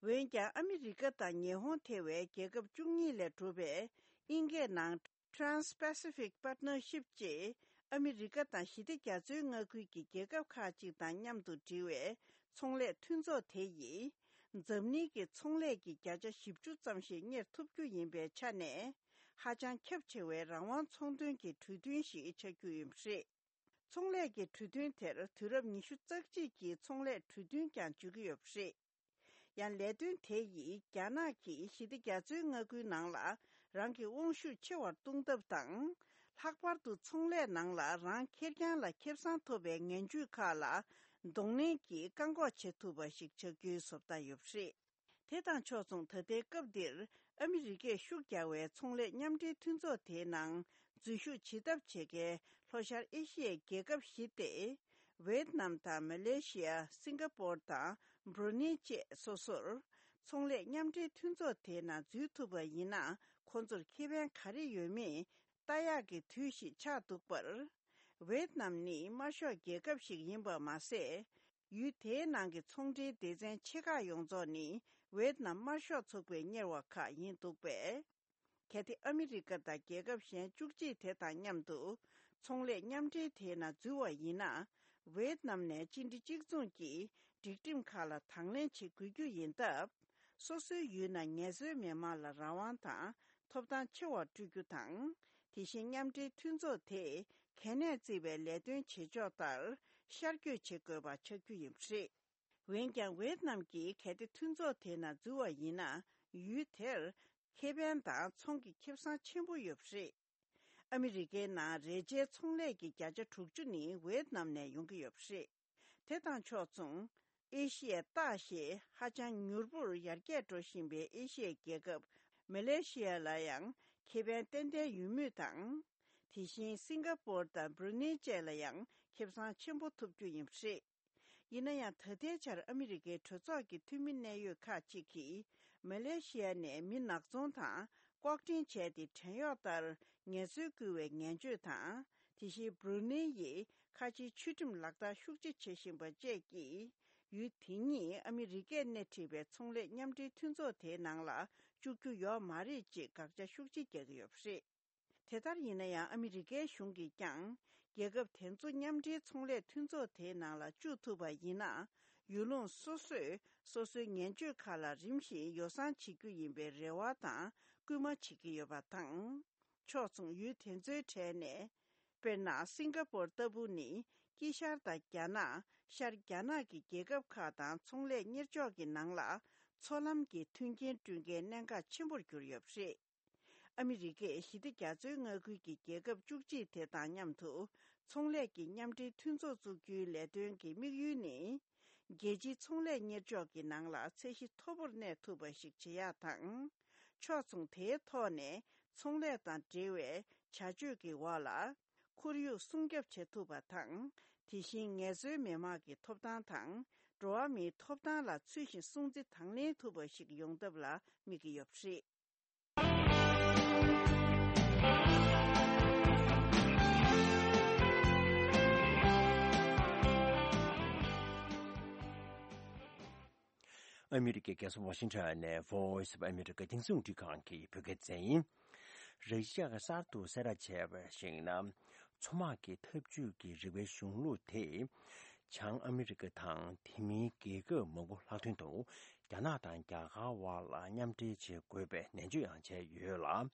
འོན་ཀྱང་ཨ་མི་རི་ཀ་དང་ཉི་ཧོང་ཐེ་བའི་རྒྱལ་ཁབ་བཅུ་གཉིས་ལས་གྲུབ་པའི་དབྱིན་སྐད་ནང་Trans-Pacific Partnership ཅེས་ཨ་མི་རི་ཀ་དང་ཞི་བདེ་རྒྱ་མཚོའི་མངའ་ཁུལ་གྱི་རྒྱལ་ཁབ་ཁག་ཅིག་དང་མཉམ་དུ་འབྲེལ་བའི་ཚོང་ལས་མཐུན་ཚོགས་དེ་ཡིས། འཛམ་གླིང་གི་ཚོང་ལས་ཀྱི་བརྒྱ་ཆ་བཞི་བཅུ་ཙམ་ཞིག་གཉེར་ཐུབ་རྒྱུ་ཡིན་པའི་ཆ་ནས། ཧ་ཅང་ཁྱབ་ཆེ་བའི་རང་དབང་ཚོང་དོན་གྱི་གྲོས་མཐུན་ཞིག་ཆགས་རྒྱུ་ཡིན་པ་རེད། ཚོང་ལས་ཀྱི་གྲོས་མཐུན་དེར་དུས་རབས་ཉི་ཤུ་རྩ་གཅིག་གི་ཚོང་ལས་གྲོས་མཐུན་ཀྱང་བརྗོད་ཀྱི་ཡོད་པ་རེད། ཡང་ལས་དོན་དེ་ཡིས་རྒྱ་ནག་གིས་ཞི་བདེ་རྒྱ་མཚོའི་མངའ་ཁུལ་ནང་ལ་རང་གི་དབང་ཤུགས་ཆེ་བར་གཏོང་ཐབས་དང་། ལྷག་པར་དུ་ཚོང་ལས་ནང་ལ་རང་ཁེར་རྐྱང་ལ་ཁེ་བཟང་ཐོབ་པའི་ངན་ཇུས་ཁག་ལ་གདོང་ལེན་གྱིས་བཀག་འགོག་བྱེད་ཐུབ་པ་ཞིག་ཆགས་རྒྱུའི་བཟོ་ལྟ་ཡོད་པ་རེད། དེ་དང་ཕྱོགས་མཚུངས། ད་ལྟའི་སྐབས་འདིར་ཨ་མི་རི་ཀས་ཤུགས་རྒྱག་པའི་ཚོང་ལས་མཉམ་འབྲེལ་མཐུན་ཚོགས་དེའི་ནང་འཛུལ་ཞུགས་བྱེད་ཐབས་བྱེད་མཁན་ལྷོ་ཤར་ཨེ་ཤི་ཡའི་རྒྱལ་ཁབ་བཞི་སྟེ། ཝེད་ནམ་དང་མ་ལེ་ཤི་ཡ། སིང་ག་པོར་དང་བྷྲུ་ནེ་བཅས་སོ་སོར་ཚོང་ལས་མཉམ་འབྲེལ་མཐུན་ཚོགས་དེའི་ནང་འཛུལ་ཐུབ་པ་ཡིན་ན། ཁོང་ཚོར་ཁེ་ཕན་ག་རེ་ཡོད་མེད་ལྟ་ཡག་གི་དུས་ཤིག་ཆགས་འདུག་པར། ཝེད་ནམ་ནི་དམར་ཤོག་རྒྱལ་ཁབ་ཞིག་ཡིན་པ་མ་ཟད། ཡུལ་དེའི་ནང་གི་ཚོང་འབྲེལ་སྡེ་ཚན་ཆེ་ཁག་ཡོངས་རྫོགས་ནི་ཝེད་ནམ་དམར་ཤོག་ཚོགས་པས་གཉེར་བ་ཁག་ཡིན་འདུག་པས། གལ་ཏེ་ཨ་མི་རི་ཀ་དང་རྒྱལ་ཁབ་གཞན་བཅུ་གཅིག་དེ་དང་མཉམ་དུ་ཚོང་ལས་མཉམ་འབྲེལ་དེའི་ནང་འཛུལ་བ་ཡིན་ན། ཝེད་ནམ་ནས་སྤྱི་འགྲོས་གཅིག་མཚུངས་ཀྱི་སྒྲིག་ཁྲིམས་ཁག་ལ་དང་ལེན་བྱེད་དགོས་རྒྱུ་ཡིན་སྟབས། སོ་སོའི་ཡུལ་ནང་ངལ་རྩོལ་མི་དམངས་ལ་རང་དབང་དང་ཐོབ་ཐང་ཆེ་བ་སྤྲོད་རྒྱུ་དང་། དེ་བཞིན་མཉམ་འབྲེལ་མཐུན་ཚོགས་དེས་གལ་གནད་བརྩི་བའི་ལས་དོན་བྱེད་ཕྱོགས་ལྟར་ཤར་བསྐྱོད་བྱེད་དགོས་པ་ཆགས་རྒྱུ་ཡིན་པ་རེད། འོན་ཀྱང་། ཝེད་ནམ་གྱིས་གལ་ཏེ་མཐུན་ཚོགས་དེའི་ནང་འཛུལ་བ་ཡིན་ན། ཡུལ་དེར་ཁེ་ཕན་དང་ཚོང་གི་ཁེ་བཟང་ཆེན་པོ་ཡོད་པ་རེད། ཨ་མི་རི་ཀའི་ནང་རས་ཆའི་ཚོང་ལས་ཀྱི་བརྒྱ་ཆ་དྲུག་ཅུ་ནི་ཝེད་ནམ་ནས་ཡོང་གི་ཡོད་པ་རེད། དེ་དང་ཕྱོགས་མཚུངས། ཨེ་ཤི་ཡའི་སྟག་ཞེས་ཧ་ཅང་མྱུར་པོར་ཡར་རྒྱས་འགྲོ་བཞིན་པའི་ཨེ་ཤི་ཡའི་རྒྱལ་ཁབ་མ་ལེ་ཤི་ཡ་ལ་ཡང་ཁེ་ཕན་ཏན་ཏན་ཡོད་མུས་དང་། དེ་བཞིན་སིང་ག་པོར་དང་བྷྲུ་ནེ་བཅས་ལ་ཡང་ཁེ་བཟང་ཆེན་པོ་ཐོབ་རྒྱུ་ཡིན་པ་རེད། ཡིན་ན་ཡང་། ད་ལྟའི་ཆར་ཨ་མི་རི་ཀའི་གྲོས་ཚོགས་ཀྱི་འཐུས་མི་གནད་ཡོད་ཁག་ཅིག་གིས་མ་ལེ་ཤི་ཡ་ནས་མི་ནག་ཚོང་དང་ལྐོག་འདྲེན་བྱས་ཏེ་བྲན་གཡོག་ལྟར་ངལ་རྩོལ་བསྐུལ་བའི་ངན་སྤྱོད་དང་། དེ་བཞིན་བྷྲུ་ནེ་ཡིས་ཁ་ཆེའི་ཆོས་ཁྲིམས་ལག་བསྟར་ཤུགས་ཆེ་བྱེད་བཞིན་པ་བཅས་ཀྱིས། ཡུལ་དེ་གཉིས་ཨ་མི་རི་ཀས་སྣེ་ཁྲིད་པའི་ཚོང་ལས་མཉམ་འབྲེལ་མཐུན་ཚོགས་དེའི་ནང་ལ་བཅུག་རྒྱུ་ཡོད་མ་རེད་ཅེས་དགག་བྱ་ཤུགས་ཆེ་རྒྱག་གི་ཡོད་པ་རེད། དེ་ལྟར་ཡིན་ན་ཡང་། ཨ་མི་རི་ཀའི་གཞུང་གིས་ཀྱང་རྒྱལ་ཁབ་དེ་ཚོ་མཉམ་འབྲེལ་ཚོང་ལས་མཐུན་ཚོགས་དེའི་ནང་ལ་བཅུག་ཐུབ་པ་ཡིན་ན། ཡུལ་ལུང་སོ་སོས་སོ་སོའི་ངན་སྤྱོད་ཁག་ལ་རིམ་བཞིན་ཡོ་བསྲང་བྱེད་རྒྱུ་ཡིན་པའི་རེ་བ་དང་སྐུལ་མ་བྱེད་ཀྱི་ཡོད་པ་དང་། ཕྱོགས་མཚུངས། ཡུལ་དེ་ཚོའི་གྲས་ནས། དཔེར་ན། སིང་ག་པོར་ལྟ་བུ་ནི་དཀྱིལ་ཤར་དང་རྒྱ་ནག་ཤར་རྒྱ་ནག་གི་རྒྱལ་ཁབ་ཁག་དང་ཚོང་ལས་གཉེར་ཕྱོགས་ཀྱི་ནང་ལ་མཚོ་ལམ་གྱི་མཐུན་རྐྱེན་བསྐྲུན་མཁན་གནད་འགག་ཆེན་པོར་གྱུར་ཡོད་པ་རེད། ཨ་མི་རི་ཀས་ཞི་བདེ་རྒྱ་མཚོའི་མངའ་ཁུལ་གྱི་རྒྱལ་ཁབ་བཅུ་གཅིག་དེ་དང་མཉམ་དུ་ཚོང་ལས་ཀྱི་མཉམ་འབྲེལ་མཐུན་ཚོགས་བཙུགས་རྒྱུའི་ལས་དོན་གྱི་དམིགས་ཡུལ་ནི། རྒྱལ་སྤྱིའི་ཚོང་ལས་གཉེར་ཕྱོགས་ཀྱི་ནང་ལ་ཚད་གཞི་མཐོ་པོར་གནས་ཐུབ་པ་ཞིག་བྱེད་ཡག་དང་། ཕྱོགས་མཚུངས། དེའི་ཐོག་ནས་ཚོང་ལས་དང་འབྲེལ་བའི་བྱ་སྤྱོད་ཀྱི་འོག་ལ་ཁོར་ཡུག་སྲུང་སྐྱོབ་བྱེད་ཐུབ་པ་དང་། དེ་བཞིན་ངལ་རྩོལ་མི་དམངས་ཀྱི་ཐོབ་ཐང་དང་། འགྲོ་བ་མིའི་ཐོབ་ཐང་ལ་ཚུལ་བཞིན་སྲུང་བརྩི་དང་ལེན་ཐུབ་པ་ཞིག་ཡོང་ཐབས་ལ་དམིགས་ཀྱི་ཡོད་པ་རེད། ཨ་མི་རི་ཀའི་རྒྱལ་ས་ཝ་ཤིང་ཊོན་ནས་Voice of America་རྒྱང་སྲིང་རླུང་འཕྲིན་ཁང་གི་བོད་སྐད་སྡེ་ཚན་ཡིན། ར་ཤི་ཡ་གིས་གསར་དུ་གསལ་བསྒྲགས་བྱས་པར་གཞིགས་ན། མཚོ་དམག་གི་འཐབ་ཇུས་ཀྱི་རིག་པའི་གཞུང་ལུགས་དེ། བྱང་ཨ་མི་རི་ཀ་དང་དེ་མིན་རྒྱལ་ཁབ་མང་པོ་ལྷག་དོན་དུ་རྒྱ་ནག་དང་རྒྱ་གར་བར་ལ་མཉམ་འབྲེལ་བྱེད་དགོས་པའི་ནན་བརྗོད་ཡང་བྱས་ཡོད་ལ།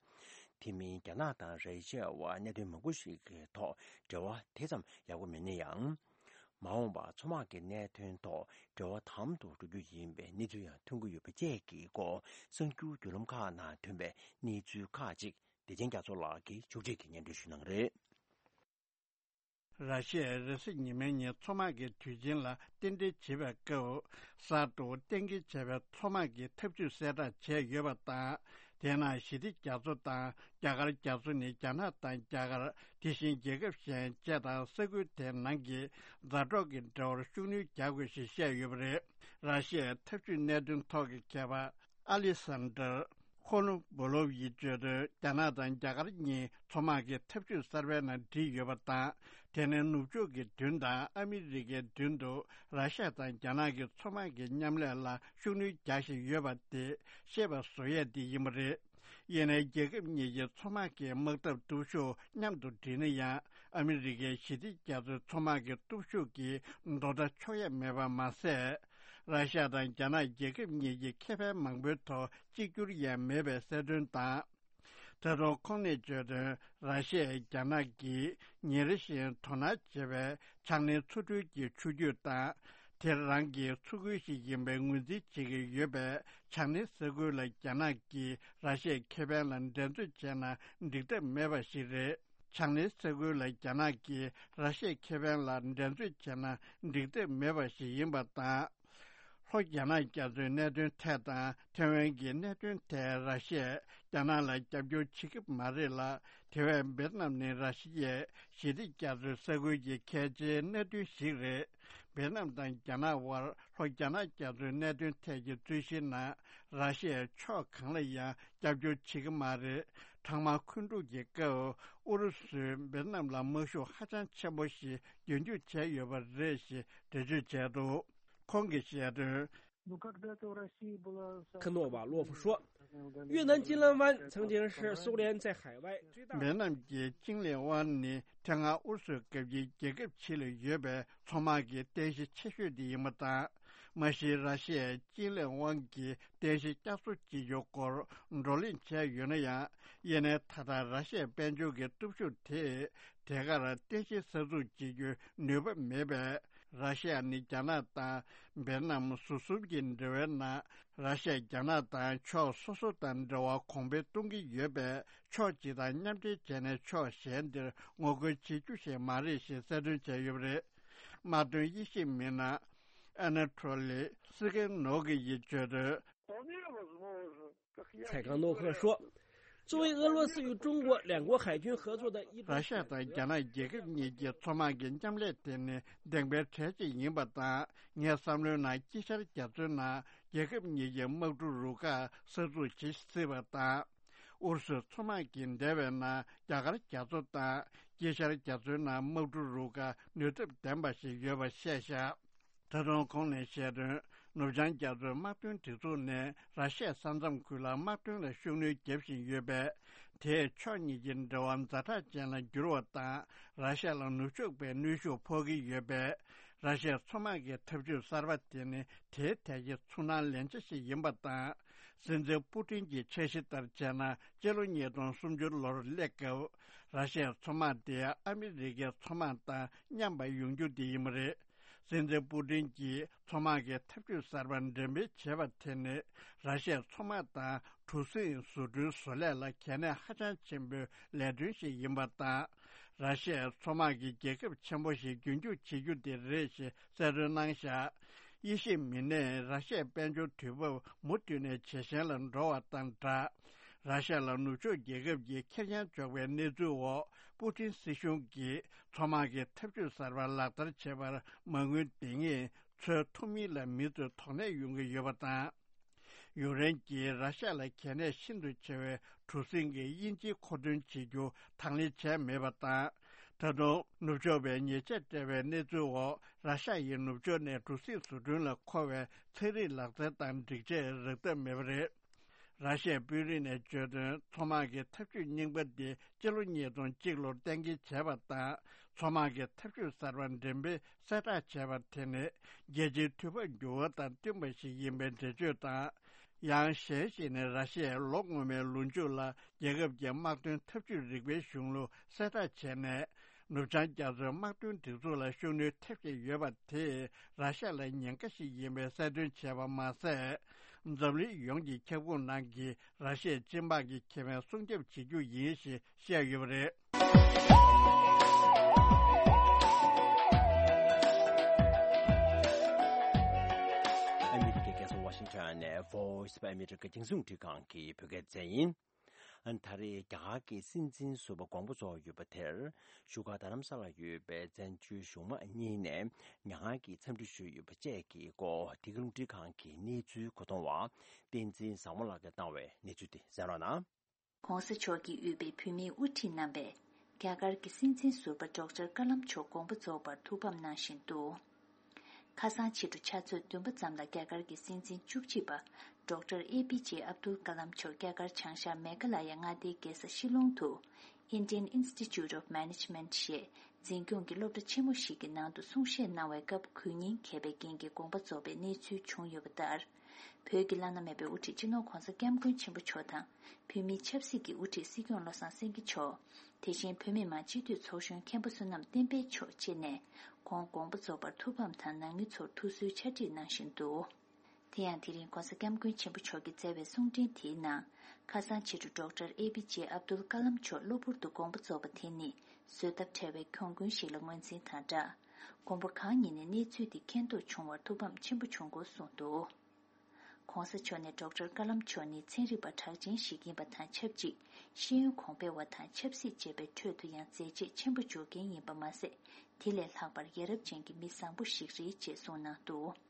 དེ་མིན་རྒྱ་ནག་དང་ར་ཤི་ཡ་བར་གནད་དོན་མང་པོ་ཞིག་གི་ཐོག་འབྲེལ་བ་དེ་ཙམ་ཡག་པོ་མེད་ན་ཡང་། མ་འོངས་པར་མཚོ་དམག་གི་གནད་དོན་ཐོག་འབྲེལ་བ་དམ་དུ་འགྲོ་རྒྱུ་ཡིན་པའི་གནས་ཚུལ་ཡང་ཐོན་གྱི་ཡོད་པ་བཅས་ཀྱི་སྐོར་གསར་འགྱུར་བརྒྱུད་ལམ་ཁག་ནང་ཐོན་པའི་གནས་ཚུལ་ཁག་ཅིག་བདེ་ཆེན་རྒྱ་མཚོ་ལགས་ཀྱིས་ཕྱོགས་སྒྲིག་གིས་སྙན་སྒྲོན་ཞུ་གནང་གི་རེད། ར་ཤི་ཡས་རེས་གཟའ་ཉི་མའི་ཉིན་མཚོ་དམག་གི་དུས་ཆེན་ལ་རྟེན་འབྲེལ་བྱེད་པའི་སྐབས། གསར་དུ་གཏན་འཁེལ་བྱས་པའི་མཚོ་དམག་གི་འཐབ་ཇུས་གསལ་བསྒྲགས་བྱས་ཡོད་པ་དང་། དེ་ནང་ཞི་བདེ་རྒྱ་མཚོ་དང་རྒྱ་གར་རྒྱ་མཚོ་ནི་རྒྱ་ནག་དང་རྒྱ་གར། དེ་བཞིན་རྒྱལ་ཁབ་གཞན་བཅས་དང་ས་ཁུལ་དེའི་ནང་གི་མཛའ་གྲོགས་ཀྱི་འབྲེལ་བར་ཤུགས་སྣོན་རྒྱག་དགོས་ཞེས་བཤད་ཡོད་པ་རེད། ར་ཤི་ཡའི་འཐབ་ཇུས་གནད་དོན་ཐོག་གི་མཁས་པ་ཨ་ལི་སན་དར་ཁོ་ནུ་བོ་ལོབ་ཡིས་བརྗོད་དོན། རྒྱ་ནག་དང་རྒྱ་གར་གཉིས་མཚོ་དམག་གི་འཐབ་ཇུས་གསར་པའི་ནང་བསྒྲིལ་ཡོད་པ་དང་། དེ་ནི་ནུབ་ཕྱོགས་ཀྱི་མདུན་དང་ཨ་མི་རི་ཀའི་མདུན་དུ་ར་ཤ་ཡ་དང་རྒྱ་ནག་གི་མཚོ་དམག་གི་མཉམ་ལས་ལ་ཤུགས་སྣོན་རྒྱག་བཞིན་ཡོད་པ་དེ་ཤེས་པ་བཟོ་ཡས་དེ་ཡིན་པ་རེད། ཡིན་ནའི་རྒྱལ་ཁབ་གཉིས་ཀྱི་མཚོ་དམག་གི་དམག་འཐབ་སྟོབས་ཤུགས་མཉམ་དུ་བསྒྲིལ་ན་ཡང་། ཨ་མི་རི་ཀའི་ཞི་བདེ་རྒྱ་མཚོའི་མཚོ་དམག་གི་སྟོབས་ཤུགས་ཀྱིས་དོ་ཟླ་ཆོག་ཡས་མེད་པ་མ་ཟད། ར་ཤ་ཡ་དང་རྒྱ་ནག་རྒྱལ་ཁབ་གཉིས་ཀྱི་ཁེ་ཕན་མང་པོའི་ཐོག་གཅིག་གྱུར་ཡང་མེད་པའི་གསལ་སྟོན་དང་། ད་དུང་ཁོང་ནས་བརྗོད་དོན། ར་ཤ་ཡས་རྒྱ་ནག་གིས་ཉིན་རེ་བཞིན་དོ་སྣང་བྱེད་པའི་བྱང་སྣེའི་མཚོ་འགྲུལ་གྱི་ཆུ་རྒྱུད་དང་། དེ་རང་གི་མཚོ་ཁུལ་ཞིག་ཡིན་པའི་ངོས་འཛིན་བྱེད་ཀྱི་ཡོད་པས། བྱང་སྣེའི་ས་ཁུལ་ལ་རྒྱ་ནག་གིས་ར་ཤ་ཡའི་ཁེ་ཕན་ལ་འགྲན་རྩོད་བྱས་ན་འགྲིག་ཐབས་མེད་པ་ཞིག་རེད། ཆའང་ནེ་ས་ཁུལ་ལ་རྒྱ་ནག་གིས་ར་ཤི་ཡའི་ཁེ་ཕན་ལ་འགྲན་རྩོད་བྱས་ན་འགྲིག་ཐབས་མེད་པ་ཞིག་ཡིན་པ་དང་། ལྷོ་རྒྱ་ནག་རྒྱ་མཚོའི་གནད་དོན་ཐད་དང་ཐེ་ཝན་གྱི་གནད་དོན་ཐད་ར་ཤི་ཡས་རྒྱ་ནག་ལ་རྒྱབ་སྐྱོར་བྱེད་ཀྱི་མ་རེད་ལ། དེ་བས་འབེད་ནམ་ནི་ར་ཤི་ཡའི་ཞི་བདེ་རྒྱ་མཚོའི་ས་ཁུལ་གྱི་གལ་ཆེའི་གནད་དོན་ཞིག་རེད། འབེད་ནམ་དང་རྒྱ་ནག་དབར་ལྷོ་རྒྱ་ནག་རྒྱ་མཚོའི་གནད་དོན་ཐད་ཀྱི་རྩོད་གཞིའི་ནང་ར་ཤི་ཡས་ཕྱོགས་གང་ལ་ཡང་རྒྱབ་སྐྱོར་བྱེད་ཀྱི་མ་རེད། ཐེངས་མ་འཁོན་འཁྲུག་གི་སྐབས་ཨུ་རུ་སུས་འབེད་ནམ་ལ་དམག་ཤུགས་ཧ་ཅང་ཆེན་པོ་ཞིག་རྒྱུན་སྐྱོང་བྱས་ཡོད་པ་རེད་ཞེས་འགྲེལ་བརྗོད་བྱས་འདུག་ཁོང་གིས་བཤད་དོན། Ну, когда-то в России была самая... Кнова Лофу 说，越南金兰湾曾经是苏联在海外最大的 འབེད་ནམ་གྱི་ཅིང་ལི་ཝན་ནི་ཐེངས་སྔ་ཨུ་རུ་སུའི་སྐབས་ཀྱི་རྒྱལ་ཁབ་ཕྱི་ལ་ཡོད་པའི་མཚོ་དམག་གི་རྟེན་གཞི་ཆེ་ཤོས་དེ་ཡིན་པ་དང་། མ་གཞི་ར་ཤི་ཡས་ཅིང་ལི་ཝན་གྱི་རྟེན་གཞི་བསྐྱར་གསོ་བྱེད་རྒྱུ་སྐོར་བགྲོ་གླེང་བྱས་ཡོད་ན་ཡང་། ཡིན་ནའི་ད་ལྟ་ར་ཤི་ཡའི་དཔལ་འབྱོར་གྱི་སྟོབས་ཤུགས་དེས་དེ་གར་རྟེན་གཞི་གསར་འཛུགས་བྱེད་རྒྱུའི་ནུས་པ་མེད་པས། ར་ཤི་ཡ་ནི་རྒྱ་ནག་དང་འབེད་ནམ་ཟུར་གསུམ་གྱི་འབྲེལ་བའི་ནང་། ར་ཤི་ཡས་རྒྱ་ནག་དང་ཕྱོགས་སོ་སོ་དང་འབྲེལ་བ་གོང་འཕེལ་གཏོང་གི་ཡོད་པས། ཕྱོགས་གཅིག་དང་མཉམ་འབྲེལ་བྱས་ནས་ཕྱོགས་གཞན་དེར་ངོ་རྒོལ་བྱེད་རྒྱུ་ཞིག་མ་རེད་ཞེས་གསལ་སྟོན་བྱས་ཡོད་པ་རེད། དམག་དོན་དབྱེ་ཞིབ་མི་སྣ་ཨ་ན་ཐོ་ལི་སི་ཀེན་ནོ་གི་ཡིས་བརྗོད་དོན། 蔡刚诺克说，作为俄罗斯与中国两国海军合作的一 ར་ཤ་དང་རྒྱ་ནག་རྒྱལ་ཁབ་གཉིས་ཀྱི་མཚོ་དམག་གི་མཉམ་ལས་དེ་ནི་བདེན་པའི་གྲས་གཅིག་ཡིན་པ་དང་། ངའི་བསམ་བློའི་ནང་དཀྱིལ་ཤར་རྒྱ་མཚོའི་ནང་རྒྱལ་ཁབ་གཉིས་ཀྱི་དམག་གྲུ་རུ་ཁག་གསར་འཛུགས་བྱེད་སྲིད་པ་དང་། ཨུ་རུ་སུའི་མཚོ་དམག་གིས་འདས་པའི་ནང་རྒྱ་གར་རྒྱ་མཚོ་དང་དཀྱིལ་ཤར་རྒྱ་མཚོའི་ནང་དམག་གྲུ་རུ་ཁག་ནུས་སྟོབས་ལྡན་པ་ཞིག་ཡོད་པ་བཤད་བཞག་ད་དུང་ཁོང་ནས་བཤད་དོན། ནུབ་བྱང་རྒྱ་མཚོའི་དམག་དོན་སྒྲིག་འཛུགས་ནས་ར་ཤ་ཡའི་ས་མཚམས་ཁུལ་ལ་དམག་དོན་ལ་ཤུགས་སྣོན་རྒྱབ་བཞིན་ཡོད་པས། དེས་ཕྱོགས་གཉིས་ཀྱི་འབྲེལ་བ་ཛ་དྲག་ཅན་ལ་འགྱུར་བ་དང་། ར་ཤ་ཡ་ལ་ནུབ་ཕྱོགས་པའི་གནོན་ཤུགས་ཕོག་གི་ཡོད་པས། ར་ཤ་ཡའི་མཚོ་དམག་གི་འཐབ་ཇུས་གསར་པ་དེ་ནི་དེའི་ཐད་ཀྱི་ཚུར་སྣང་ལན་ཆ་ཞིག་ཡིན་པ་དང་། སྲིད་འཛིན་པུ་ཏིན་གྱི་འཆར་གཞི་ལྟར་བྱས་ན། སྤྱི་ལོ་ཉིས་སྟོང་སུམ་ཅུ་ལོར་སླེབས་སྐབས། ར་ཤ་ཡའི་མཚོ་དམག་དེ་ཨ་མི་རི་ཀའི་མཚོ་དམག་དང་མཉམ་པ་ཡོང་རྒྱུ་དེ་ཡིན་པ་རེད། སྲིད་འཛིན་པུ་ཏིན་གྱིས་མཚོ་དམག་གི་འཐབ་ཇུས་གསར་པ་འགྲེམས་སྤེལ་བྱས་པ་དེ་ནི། ར་ཤ་ཡའི་མཚོ་དམག་དང་གྲུ་གཟིངས་བཟོ་སྐྲུན་བཟོ་ལས་ལ་གལ་གནད་ཧ་ཅང་ཆེན་པོའི་ལས་དོན་ཞིག་ཡིན་པ་དང་། ར་ཤ་ཡའི་མཚོ་དམག་གི་རྒྱལ་ཁབ་ཆེན་པོ་ཞིག་རྒྱུན་སྐྱོང་བྱེད་རྒྱུ་དེ་རེད་ཞེས་གསལ་སྟོན་གནང་བཞག་དབྱེ་ཞིབ་མི་སྣས་ར་ཤ་ཡའི་དཔལ་འབྱོར་དུས་བབ་མུ་མཐུད་ནས་ཇེ་ཞན་ལ་འགྲོ་བ་དང་སྦྲགས། ར་ཤ་ཡ་ལ་ནུབ་ཕྱོགས་རྒྱལ་ཁབ་ཀྱིས་ཁེར་རྐྱང་འཇོག་པའི་གནས་ཚུལ་འོག་པུ་ཏིན་སྲིད་གཞུང་གིས་མཚོ་དམག་གི་འཐབ་ཇུས་གསར་པ་ལག་བསྟར་བྱེད་པར་མ་དངུལ་འདི་ངེས་འཚོལ་ཐུབ་མིན་ལ་མི་ཚོས་དོགས་གནས་ཡོང་གི་ཡོད་པ་དང་། ཡུཀ་རེན་གྱིས་ར་ཤ་ཡ་ལ་གལ་གནད་ཤིན་ཏུ་ཆེ་བའི་གྲུ་གཟིངས་ཀྱི་དབྱིན་ཇིའི་མཁོ་འདོན་བྱེད་རྒྱུ་དང་ལེན་བྱས་མེད་པ་དང་། ད་དུང་ནུབ་ཕྱོགས་པས་ཉེས་ཆད་སྤྲད་པའི་གནས་ཚུལ་འོག་ར་ཤ་ཡའི་ནུབ་ཕྱོགས་ནས་གྲུ་གཟིངས་བཟོ་སྐྲུན་ལ་མཁོ་བའི་ཚན་རིག་ལག་རྩལ་དང་སྒྲིག་ཆས་རག་ཐབས་མེད་པ་རེད། ར་ཤ་ཡའི་དཔོན་རིགས་ནས་བརྗོད་དོན། མཚོ་དམག་གི་འཐབ་ཇུས་རྙིང་པ་འདི་སྤྱི་ལོ་ཉིས་སྟོང་གཅིག་ལོར་གཏན་འཁེལ་བྱས་པ་དང་། མཚོ་དམག་གི་འཐབ་ཇུས་གསར་པ་འགྲེམས་སྤེལ་གསལ་བསྒྲགས་བྱས་པ་དེ་ནི་རྒྱལ་སྤྱིའི་དུས་བབ་འགྱུར་བ་དང་བསྟུན་པ་ཞིག་ཡིན་པའི་འགྲེལ་བརྗོད་དང་། ཡང་གཞན་ཞིག་ནི་ར་ཤི་ཡའི་ལོ་སྔོན་མའི་ལོ་མཇུག་ལ་རྒྱལ་ཁབ་ཀྱི་དམག་དོན་འཐབ་ཇུས་རིག་པའི་གཞུང་ལུགས་གསལ་བསྒྲགས་བྱས་ནས། ནུབ་བྱང་རྒྱ་མཚོའི་དམག་དོན་སྒྲིག་འཛུགས་ལ་ཤུགས་སྣོན་ཐེབས་བཞིན་ཡོད་པ་དེས་ར་ཤ་ཡ་ལ་ཉེན་ཁ་ཞིག་ཡིན་པའི་གསལ་སྟོན་བྱས་པ་མ་ཟད། འཛམ་གླིང་ཡོངས་ཀྱི་ཁྱབ་ཁོངས་ནང་གི་ར་ཤ་ཡའི་སྤྱི་དམངས་ཀྱི་ཁེ་ཕན་སྲུང་སྐྱོབ་བྱེད་རྒྱུ་ཡིན་ཞེས་བཤད་ཡོད་པ་རེད། ཨ་མི་རི་ཀའི་རྒྱལ་ས་ཝ་ཤིང་ཊོན་ནས་Voice of America རྒྱང་སྲིང་རླུང་འཕྲིན་ཁང་གི་བོད་སྐད་སྡེ་ཚན་ཡིན། ད་རེས་རྒྱ་གར་གྱི་སྲིད་འཛིན་ཟུར་པ་དགོངས་པ་རྫོགས་ཡོད་པ་དེར། བཞུགས་སྒར་རྡ་རམ་ས་ལར་ཡོད་པའི་བཙན་བྱོལ་གཞུང་མང་གཉིས་ནས་མྱ་ངན་གྱི་འཚམས་འདྲི་ཞུས་ཡོད་པ་བཅས་ཀྱི་སྐོར། འདི་ག་རླུང་འཕྲིན་ཁང་གི་གནས་ཚུལ་གོ་བསྡུར་བ་བསྟན་འཛིན་བཟང་མོ་ལགས་ཀྱིས་བཏང་བའི་གནས་ཚུལ་དེ་གསན་རོགས་གནང་། ྋགོང་ས་མཆོག་གིས་དབུས་པའི་བོད་མིའི་དབུ་ཁྲིད་རྣམ་པས་རྒྱ་གར་གྱི་སྲིད་འཛིན་ཟུར་པ་ཌོག་ཊར་ཀ་ལམ་མཆོག་དགོངས་པ་རྫོགས་པར་ཐུགས་ཕམ་གནང་བཞིན་འདུག་ཁ་སང་ཕྱི་དྲོ་ཆུ་ཚོད་བདུན་པ་ཙམ་ལ་རྒྱ་གར་གྱི་སྲིད་འཛིན་བཅུ་གཅིག་པ་ཌོག་ཊར་ཨེ་པི་ཇེ་ཨབ་དུལ་ཀ་ལམ་མཆོག་རྒྱ་གར་བྱང་ཤར་མེ་གྷ་ལ་ཡ་མངའ་སྡེའི་རྒྱལ་ས་ཤི་ལོང་དུ་Indian Institute of Management ཞེས་འཛིན་སྐྱོང་གི་སློབ་གྲྭ་ཆེན་མོ་ཞིག་གི་ནང་དུ་གསུང་བཤད་གནང་བའི་སྐབས་གུས་བརྙན་འགེལ་བའི་རྐྱེན་གྱིས་དགོངས་པ་རྫོགས་པའི་གནས་ཚུལ་བྱུང་ཡོད་པ་ལྟར། བོད་ཀྱི་བླ་ན་མེད་པའི་དབུ་ཁྲིད་སྤྱི་ནོར་ྋགོང་ས་ྋསྐྱབས་མགོན་ཆེན་པོ་མཆོག་དང་། བོད་མིའི་ཆབ་སྲིད་ཀྱི་དབུ་ཁྲིད་སྲིད་སྐྱོང་བློ་བཟང་སེང་གེ་མཆོག་དེ་བཞིན་བོད་མི་མང་སྤྱི་འཐུས་ཚོགས་གཞོན་མཁན་པོ་བསོད་ནམས་བསྟན་འཕེལ་མཆོག་བཅས་ནས་ཁོང་དགོངས་པ་རྫོགས་པར་ཐུགས་ཕམ་དང་ནང་མི་ཚོར་ཐུགས་གསོའི་ཕྱག་བྲིས་གནང་བཞིན་འདུག་དེ་ཡང་དེ་རིང་༧གོང་ས་༧སྐྱབས་མགོན་ཆེན་པོ་མཆོག་གིས་མཛད་པའི་གསུང་འཕྲིན་དེའི་ནང་། ཁ་སང་ཕྱི་དྲོ་ཌོག་ཊར་ཨེ་པི་ཇེ་ཨབ་དུལ་ཀ་ལམ་མཆོག་གློ་བུར་དུ་དགོངས་པ་རྫོགས་པ་དེ་ནི་བཟོད་ཐབས་བྲལ་བའི་གྱོང་གུན་ཞིག་ལ་ངོས་འཛིན་དང་སྦྲགས། དགོངས་པ་གང་ཉིད་ནས་གནས་ཚུལ་དེ་མཁྱེན་རྟོགས་བྱུང་བར་ཐུགས་ཕམ་ཆེན་པོ་བྱུང་སྐོར་གསུངས་འདུག། ྋགོང་ས་མཆོག་ནས་ཌོག་ཊར་ཀ་ལམ་མཆོག་ནི་ཚན་རིག་པ་གྲགས་ཅན་ཞིག་ཡིན་པ་དང་ཆབས་ཅིག་ཤེས་ཡོན་གོང་འཕེལ་བ་དང་ཆབ་སྲིད་ཅེས་པའི་ཁྲོད་དུ་ཡང་མཛད་རྗེས་ཆེན་པོ་འཇོག་མཁན་ཡིན་པ་མ་ཟད། དེ་ལས་ལྷག་པར་ཡ་རབས་ཅན་གྱི་མི་བཟང་པོ་ཞིག་རེད་ཅེས་གསུངས་གནང་འདུག།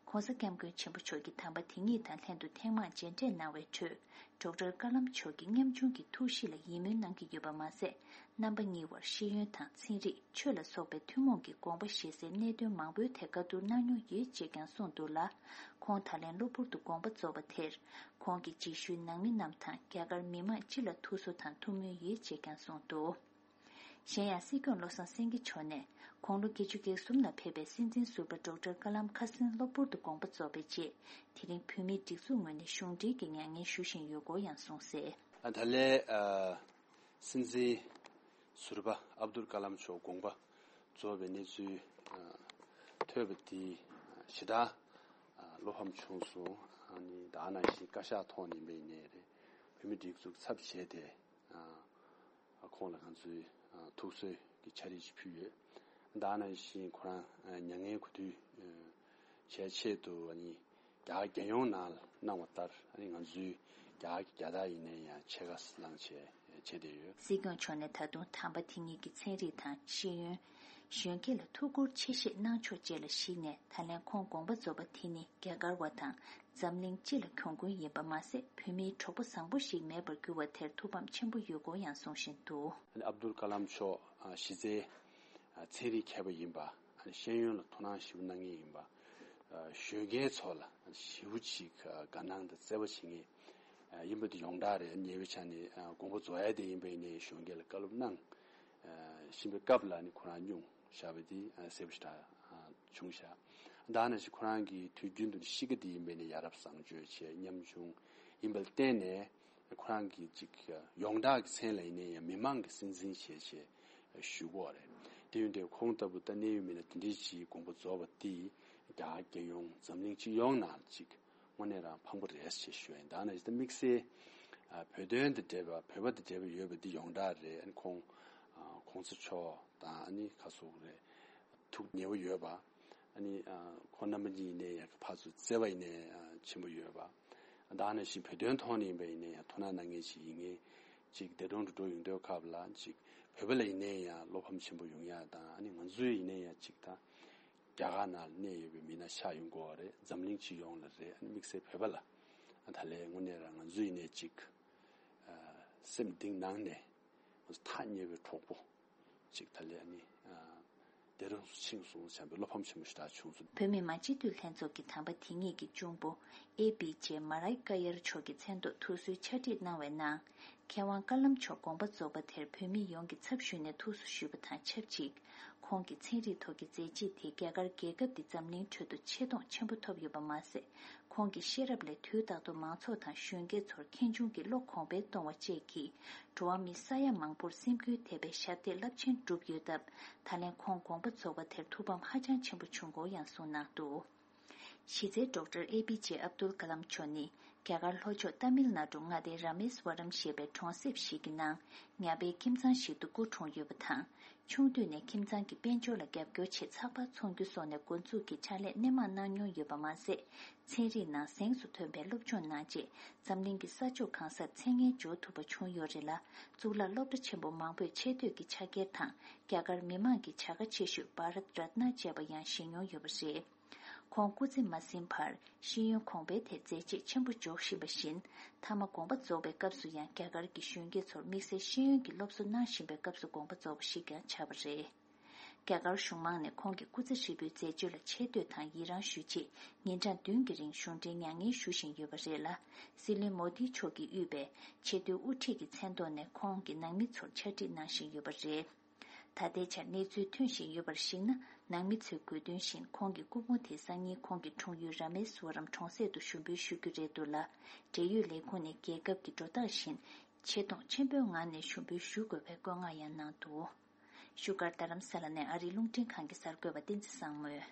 ྋགོང་ས་ྋསྐྱབས་མགོན་ཆེན་པོ་མཆོག་གིས་དམ་པ་དེ་ཉིད་དང་ལྷན་དུ་ཐེངས་མང་མཇལ་འཕྲད་གནང་བའི་ཁྲོད། ཌོག་ཊར་ཀ་ལམ་མཆོག་གི་ཉམ་ཆུང་གི་ཐུགས་གཤིས་ལ་ཡིད་སྨོན་གནང་གི་ཡོད་པ་མ་ཟད། རྣམ་པ་གཉིས་བར་ཤེས་ཡོན་དང་ཚན་རིག་ཆོས་ལ་སོགས་པའི་ཐུན་མོང་གི་དགོངས་པ་བཞེས་སའི་གནད་དོན་མང་པོའི་ཐད་བཀའ་བསྡུར་གནང་མྱོང་ཡོད་ཅེས་ཀྱང་གསུངས་འདུག་ལ། ཁོང་ད་ལན་གློ་བུར་དུ་དགོངས་པ་རྫོགས་པ་དེར། ཁོང་གི་རྗེས་ཤུལ་ནང་མི་རྣམས་དང་རྒྱ་གར་མི་མང་སྤྱི་ལ་ཐུགས་གསོ་དང་ཐུགས་སྨོན་ཡོད་ཅེས་ཀྱང་གསུངས་འདུག། གཞན་ཡང་སྲིད་སྐྱོང་བློ་བཟང་སེང་གེ་མཆོག་ནས་དགུང་ལོ་བརྒྱད་ཅུ་གྱ་གསུམ་ལ་ཕེབས་པའི་སྲིད་འཛིན་ཟུར་པ་ཌོག་ཊར་ཀ་ལམ་ཁ་སང་གློ་བུར་དུ་དགོངས་པ་རྫོགས་པའི་རྗེས། དེ་རིང་བོད་མིའི་སྒྲིག་འཛུགས་ངོས་ནས་གཞུང་འབྲེལ་གྱི་མྱ་ངན་ཞུ་བཞིན་ཡོད་སྐོར་ཡང་གསུངས་གསལ། ད་ལན། སྲིད་འཛིན་ཟུར་པ་ཨབ་དུལ་ཀ་ལམ་མཆོག་དགོངས་པ་རྫོགས་པའི་གནས་ཚུལ་ཐོས་པ་དེ་ཞེ་དྲག་བློ་ཕམ་བྱུང་སོང་། ཨ་ནི་ད་ནང་བཞིན་བཀའ་ཤག་ཐོག་ནས་ཡིན་པ་ཡིན་ནའི་རེད། བོད་མི་སྒྲིག་འཛུགས་ཚབ་བྱས་ཏེ། ཁོང་ལ་ང་ཚོས་ཐུགས་གསོའི་གི་ཕྱག་བྲིས་ཤིག་ཕུལ་ཡོད། ད་ནང་བཞིན་ཁོ་རང་མྱ་ངན་གུས་འདུད་བྱས་ཆེད་དུ་ཨ་ནི་རྒྱ་གར་རྒྱལ་ཡོངས་ནང་ལ་གནང་བ་ལྟར། ཨ་ནི་ང་ཚོའི་རྒྱ་གར་གྱི་རྒྱལ་དར་ཡིན་ནའི་ཡང་ཕྱེད་ཀ་བསླངས་བྱས་བྱས་བསྡད་ཡོད། སྲིད་སྐྱོང་མཆོག་ནས་ད་དུང་དམ་པ་དེ་ཉིད་ཀྱི་ཚན་རིག་དང་ཤེས་ཡོན། གཞོན་སྐྱེས་ལ་ཐུགས་ཁུར་ཆེ་བཞེས་གནང་ཕྱོགས་བཅས་ལ་གཞིགས་ནས། ད་ལན་ཁོང་དགོངས་པ་རྫོགས་པ་དེ་ནི་རྒྱ་གར་བ་དང་འཛམ་གླིང་སྤྱི་ལ་གྱོང་གུན་ཡིན་པ་མ་ཟད། བོད་མིའི་གྲོགས་པོ་བཟང་པོ་ཞིག་མེད་པར་གྱུར་བ་དེར་ཐུགས་ཕམ་ཆེན་པོ་ཡོད་སྐོར་ཡང་གསུང་བཞིན་འདུག། ཨ་ནི་ཨབ་དུལ་ཀ་ལམ་མཆོག་གཞི་རྩའི་ཚན་རིག་མཁས་པ་ཡིན་པ། ཨ་ནི་ཤེས་ཡོན་ལ་དོ་སྣང་ཞེ་པོ་གནང་མཁན་ཡིན་པ། གཞོན་སྐྱེས་ཚོ་ལ་ཞེ་པོ་ཅིག་དགའ་སྣང་དང་བརྩེ་བ་བྱེད་མཁན་ཡིན་པ་དེ་ཡོངས་གྲགས་རེད། ཉེ་བའི་ཆ་ནས་དགོངས་པ་རྫོགས་ཡ་དེ་ཡིན་པ་ཡིན་ནའི་གཞོན་སྐྱེས་ལ་བཀའ་སློབ་གནང་བཞིན་པའི་སྐབས་ལ་ནི་ཁོ་རང་སྙུང་བཞག་པ་དེ་གསལ་པོ་ཞེ་དྲག་བྱུང་ཤག། ད་ནང་བཞིན་ཁོ་རང་གི་དུས་རྒྱུན་དུ་གཤིས་ཀ་དེ་ཡིན་པ་ཡིན་ནའི་ཡ་རབས་བཟང་སྤྱོད་བྱས། ཉམ་ཆུང་ཡིན་པ་ལ་བརྟེན་ནས། ཁོ་རང་གིས་ཅིག་ཡོངས་གྲགས་ཀྱི་མཚན་ལ་ཡིན་ནའི་ཡང་མི་མང་གི་སྲིད་འཛིན་བྱས་བྱས་ཞུ་གི་ཡོད་རེད། དེ་ཡིན་དུས་ཁོང་ལྟ་བུ་ད་གནད་ཡོད་མི་སྣ་དེ་འདྲའི་ཞིག་དགོངས་པ་རྫོགས་པ་དེས་རྒྱ་གར་རྒྱལ་ཡོངས་འཛམ་གླིང་སྤྱི་ཡོངས་ནང་ཅིག་དངོས་གནས་རང་ཕངས་པོ་རེད་ཅེས་ཞུ་ཡ་ཡིན། ད་ནང་བཞིན་ད་དམིགས་བསལ་བོད་དོན་དང་འབྲེལ་བ། བོད་པ་དང་འབྲེལ་བ་ཡོད་པ་འདི་ཡོངས་གྲགས་རེད། ཨ་ནི་ཁོང་གོང་ས་མཆོག་དང་། ཨ་ནི་ག་སོགས་རེད། ཐུགས་ཉེ་བོ་ཡོད་པ། ཨ་ནི་ཁོང་རྣམ་པ་གཉིས་ཡིན་ནའི་ཡང་ཕར་ཚུར་བརྩེ་བ་ཡིན་ནའི་ཆེན་པོ་ཡོད་པ། ད་ནང་བཞིན་བོད་དོན་ཐོག་ནས་ཡིན་པ་ཡིན་ནའི་ཡང་དོ་སྣང་གནང་མཁན་ཞིག་ཡིན་མཁན་ཅིག་འདས་གྲོངས་འགྲོ་འགྲོ་ཡོང་དུས་སྐབས་ལ་ཅིག་བོད་པ་ལ་ཡིན་ནའི་ཡང་བློ་ཕམ་ཆེན་པོ་ཡོང་ཡ་དང་། ཨ་ནི་ང་ཚོའི་ཡིན་ནའི་ཡང་ཅིག་ད་རྒྱ་གར་ནང་ལ་གནས་ཡོད་པའི་མི་སྣ་ཆགས་ཡོང་གི་ཡོད་རེད། འཛམ་གླིང་སྤྱི་ཡོངས་ལ་རེད། ཨ་ནི་དམིགས་བསལ་བོད་པ་ལ་ད་ལན་དངོས་གནས་རང་ང་ཚོ་ཡིན་ནའི་ཅིག་སེམས་གཏིང་ནང་ནས་ང་ཚོ་ཐག་ཉེ་བའི་གྲོགས་པོ་ཅིག་ད་ལན་ཨ་ནི་འདས་གྲོངས་སུ་ཕྱིན་སོང་བྱས་པའི་བློ་ཕམ་ཆེན་པོ་ཞེ་དྲག་བྱུང་སོང་། བོད་མི་མང་སྤྱི་འཐུས་ལྷན་ཚོགས་ཀྱི་དམ་པ་དེ་ཉིད་ཀྱི་གཅུང་པོ་ཨེ་པི་ཇེ་མ་རའི་ཀ་ཡར་མཆོག་གི་མཚན་ཐོག་ཐུགས་གསོའི་ཕྱག་བྲིས་གནང་བའི་ནང་། མཁས་དབང་ཀ་ལམ་མཆོག་དགོངས་པ་རྫོགས་པ་དེར་བོད་མི་ཡོངས་ཀྱི་ཚབ་ཞུས་ནས་ཐུགས་གསོ་ཞུས་པ་དང་ཆབས་ཅིག། ཁོང་གི་ཚན་རིག་ཐོག་གི་མཛད་རྗེས་དེས་རྒྱ་གར་རྒྱལ་ཁབ་འདི་འཛམ་གླིང་ཁྲོད་དུ་ཆེ་མཐོང་ཆེན་པོ་ཐོབ་ཡོད་པ་མ་ཟད། ཁོང་གི་ཤེས་རབ་ལས་དུས་རྟག་ཏུ་མང་ཚོགས་དང་གཞོན་སྐྱེས་ཚོར་ཁེངས་སྐྱུང་གི་བློ་གོང་འཕེལ་གཏོང་བ་བཅས་ཀྱིས། འགྲོ་བ་མི་ས་ཡ་མང་པོར་སེམས་འགུལ་ཐེབས་པའི་ཞབས་འདེགས་རླབས་ཆེན་བསྒྲུབས་ཡོད་སྟབས། ད་ལན་ཁོང་དགོངས་པ་རྫོགས་པ་དེར་ཐུགས་ཕམ་ཧ་ཅང་ཆེན་པོ་བྱུང་སྐོར་ཡང་གསུངས་གནང་འདུག། གཞི་རྩའི་ཌོག་ཊར་ཨེ་པི་ཇེ་ཨབ་དུལ་ཀ་ལམ་མཆོག་ནི་རྒྱ་གར་ལྷོ་ཕྱོགས་ཏཱ་མིལ་ནཱ་ཌུ་མངའ་སྡེའི་ར་མེ་སི་ཝ་རམ་ཞེས་པའི་གྲོང་གསེབ་ཞིག་གི་ནང་ཉ་པའི་ཁྱིམ་ཚང་ཞིག་ཏུ་སྐུ་འཁྲུངས་ཡོད་པ་དང་། ཆུང་དུས་ནས་ཁྱིམ་ཚང་གི་དཔལ་འབྱོར་ལ་རྒྱབ་སྐྱོར་ཆེད་ཚགས་པར་ཚོང་རྒྱུ་སོགས་ནས་འགོ་འཛུགས་ཀྱིས་ཕྱག་ལས་སྣེ་མང་གནང་མྱོང་ཡོད་པ་མ་ཟད། ཚན་རིག་ནང་གཟེངས་སུ་ཐོན་པའི་སློབ་སྦྱོང་གནང་རྗེས། འཛམ་གླིང་གི་ས་ཕྱོགས་གང་སར་མཚན་སྙན་འཇོག་ཐུབ་པ་བྱུང་ཡོད་རེད་ལ། གཙུག་ལག་སློབ་གྲྭ་ཆེན་པོ་མང་པོས་ཆེ་བསྟོད་ཀྱི་ཕྱག་འཁྱེར་དང་། རྒྱ་གར་མི་མང་གི་བྱ་དགའ་ཆེ་ཤོས་བྷ་རཏ་རཏ་ན་བཅས་པ་ཡང་བཞེས་མྱོང་ཡོད་པ་རེད། ཁོང་སྐུ་ཚེ་མ་ཟིན་བར་ཤེས་ཡོན་གོང་འཕེལ་ཐད་མཛད་རྗེས་ཆེན་པོ་འཇོག་བཞིན་པ་བཞིན། མཐའ་མ་དགོངས་པ་རྫོགས་པའི་སྐབས་སུ་ཡང་རྒྱ་གར་གྱི་གཞོན་སྐྱེས་ཚོར་དམིགས་བསལ་ཤེས་ཡོན་གྱི་སློབ་གསོ་གནང་བཞིན་པའི་སྐབས་སུ་དགོངས་པ་རྫོགས་པ་ཞིག་ཀྱང་ཆགས་པ་རེད། རྒྱ་གར་གཞུང་མང་ནས་ཁོང་གི་སྐུ་ཚེ་ཧྲིལ་པོའི་མཛད་སྤྱོད་ལ་ཆེ་བསྟོད་དང་ཡི་རང་ཞུ་ཆེད། ཉིན་གྲངས་བདུན་གྱི་རིང་གཞུང་འབྲེལ་མྱ་ངན་ཞུ་བཞིན་ཡོད་པ་རེད་ལ། སྲིད་བློན་མོ་དི་མཆོག་གིས་དབུས་པའི་ཆེས་མཐོའི་དབུ་ཁྲིད་ཀྱི་མཚན་ཐོག་ནས་ཁོང་གི་ནང་མི་ཚོར་ཕྱག་བྲིས་གནང་བཞིན་ཡོད་པ་རེད། ད་ལྟའི་ཆར་གནས་ཚུལ་ཐོན་བཞིན་ཡོད་པར་གཞིགས་ན། ནང་མི་ཚོས་དགོས་འདུན་བཞིན་ཁོང་གི་སྐུ་ཕུང་དེ་སང་ཉིན་ཁོང་གི་འཁྲུངས་ཡུལ་ར་མེ་སུ་ཝ་རམ་གྲོང་གསེབ་ཏུ་ཞུགས་འབུལ་ཞུ་རྒྱུ་རེད་འདུག་ལ། འབྲེལ་ཡོད་ལས་ཁུངས་ནས་རྒྱལ་ཁབ་ཀྱི་འགྲོ་སྟངས་བཞིན་ཆེ་མཐོང་ཆེན་པོའི་ངང་ནས་ཞུ་འབུལ་ཞུ་དགོས་པའི་བཀོད་མངགས་ཡང་གནང་འདུག། བཞུགས་སྒར་རྡ་རམ་ས་ལ་ནས་ཨ་རིའི་རླུང་འཕྲིན་ཁང་གི་གསར་འགོད་པ་བསྟན་འཛིན་བཟང་མོས།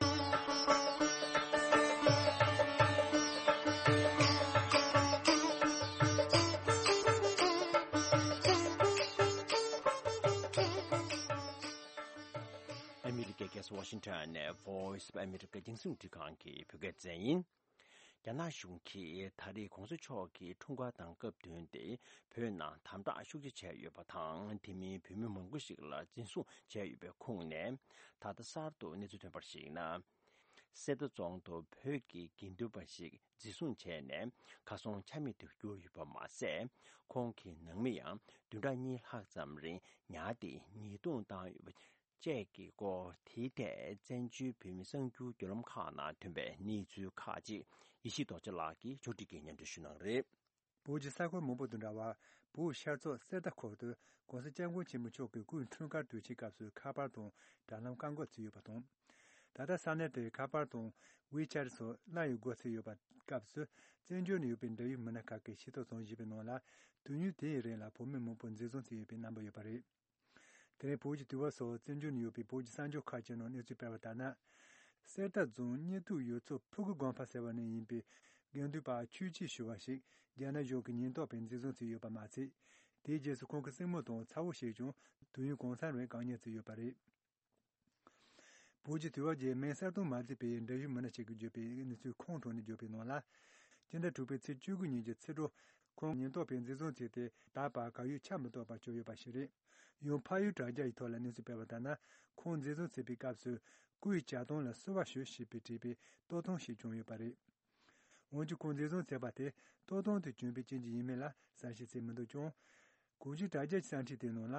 ཤིན་ཁྲོན་ནས་Voice of America རྒྱང་སྲིང་རླུང་འཕྲིན་ཁང་གི་བོད་སྐད་སྡེ་ཚན་ཡིན། རྒྱ་ནག་གཞུང་གིས་ད་རེས་གོང་ས་མཆོག་གི་འཁྲུངས་སྐར་དང་སྐབས་བསྟུན་ཏེ་བོད་ནང་དམ་དྲག་ཤུགས་ཆེ་བྱས་ཡོད་པ་དང་། དེ་མིན་བོད་མི་མང་པོ་ཞིག་ལ་འཛིན་བཟུང་བྱས་ཡོད་པའི་ཁུངས་ནས། ད་ལྟ་གསར་དུ་གནས་ཚུལ་ཐོན་པར་གཞིགས་ན། གསེར་རྟ་རྫོང་དུ་བོད་ཀྱི་དགེ་འདུན་པ་ཞིག་འཛིན་བཟུང་བྱས་ནས་གར་སོང་ཆ་མེད་དུ་གྱུར་ཡོད་པ་མ་ཟད། ཁོང་གི་ནང་མི་ཡང་བདུན་ཕྲག་གཉིས་ལྷག་ཙམ་རིང་ཉར་ཏེ་ཉེས་རྡུང་བཏང་ཡོད་པ་བཅས་ཀྱི་སྐོར། དེའི་ཐད་བཙན་བྱོལ་བོད་མི་གསར་འགྱུར་བརྒྱུད་ལམ་ཁག་ནང་ཐོན་པའི་གནས་ཚུལ་ཁག་ཅིག་ཡེ་ཤེས་རྡོ་རྗེ་ལགས་ཀྱིས་ཕྱོགས་སྒྲིག་གིས་སྙན་སྒྲོན་ཞུ་གནང་གི་རེད། བོད་ཀྱི་ས་ཁུལ་མང་པོ་དང་འདྲ་བར། བོད་ཤར་ཕྱོགས་གསེར་རྟ་ཁུལ་དུ་༸གོང་ས་༸སྐྱབས་མགོན་ཆེན་པོ་མཆོག་གི་སྐུའི་འཁྲུངས་སྐར་དུས་ཆེན་སྐབས་སུ་ཁ་པར་དང་དྲ་ལམ་བཀག་འགོག་བྱས་ཡོད་པ་དང་། ད་ལྟ་ས་གནས་དེར་ཁ་པར་དང་ཝེ་ཆེ་ཊི་སོགས་གླ་ཡི་སྒོ་ཚུགས་ཡོད་པ་སྐབས་སུ། བཙན་བྱོལ་ནང་ཡོད་པའི་འབྲེལ་ཡོད་མི་སྣ་ཁག་གིས་ཤེས་རྟོགས་བྱུང་བཞིན་པའི་ནང་ལ། དུས་ཡུན་དེའི་རིང་ལ་བོད་མི་མང་པོ་འཛིན་བཟུང་བྱས་ཡོད་པའི་རྣམ་པ་ཡོད་པ་རེད། དེ་རིང་བོད་ཀྱི་དུས་བབ་སོགས་བཙན་བྱོལ་ནང་ཡོད་པའི་བོད་ཀྱི་གསར་འགྱུར་ཁག་ཅིག་ནང་གནས་ཚུལ་སྤེལ་བ་ལྟར་ན། གསེར་རྟ་རྫོང་སྙེ་ཏུག་ཡུལ་ཚོ་ཕུ་གུ་དགོན་པ་ཟེར་བ་ནས་ཡིན་པའི་དགེ་འདུན་པ་ཆོས་སྐྱིད་ཞུ་བ་ཞིག་རྒྱ་ནག་གཞུང་གི་ཉེན་རྟོག་པས་འཛིན་བཟུང་བྱས་ཡོད་པ་མ་ཚད། དེའི་རྗེས་སུ་ཁོང་གི་སྲིང་མོ་དང་ཚ་བོ་ཞིག་ཀྱང་དུས་ཡུན་གང་ས་རིང་བཀག་ཉར་བྱས་ཡོད་པ་རེད། བོད་ཀྱི་དུས་བབ་ཀྱི་མིང་གསལ་སྟོན་མ་མཛད་པའི་འབྲེལ་ཡོད་མི་སྣ་ཞིག་གིས་བརྗོད་པའི་གནས་ཚུལ་ཁོང་ཐོག་ནས་བརྗོད་པའི་ནང་ལ། སྤྱི་ཟླ་དྲུག་པའི་ཚེས་བཅུ་དགུ་ཉིན་གྱི་ཕྱི་དྲོ། ཁོང་ཉེན་རྟོག་པས་འཛིན་བཟུང་བྱས་ཏེ། ད་བར་གར་ཡོད་ཆ་མི་གཏོགས་པར་གྱུར་ཡོད་པ་ཞིག་རེད། ཡང་ཕ་ཡུལ་དྲ་རྒྱ་ཡི་ཐོག་ལ་གནས་ཚུལ་སྤེལ་བ་ལྟར་ན། ཁོང་འཛིན་བཟུང་བྱས་པའི་སྐབས་སུ། སྐུའི་ཇ་ཐང་ལ་བསུ་བ་ཞུ་ཞེས་པའི་བྲིས་པའི་ལྟོ་ཐུང་ཞིག་བྱུང་ཡོད་པ་རེད། འོན་ཀྱང་ཁོང་འཛིན་བཟུང་བྱས་པ་དེ་ལྟོ་ཐུང་དེ་གྱོན་པའི་རྐྱེན་གྱིས་ཡིན་མིན་ལ་གསལ་བཤད་བྱས་མི་འདུག་ཀྱང་། གོང་ཞུས་དྲ་རྒྱ་གི་གསར་འགྱུར་དེའི་ནང་ལ།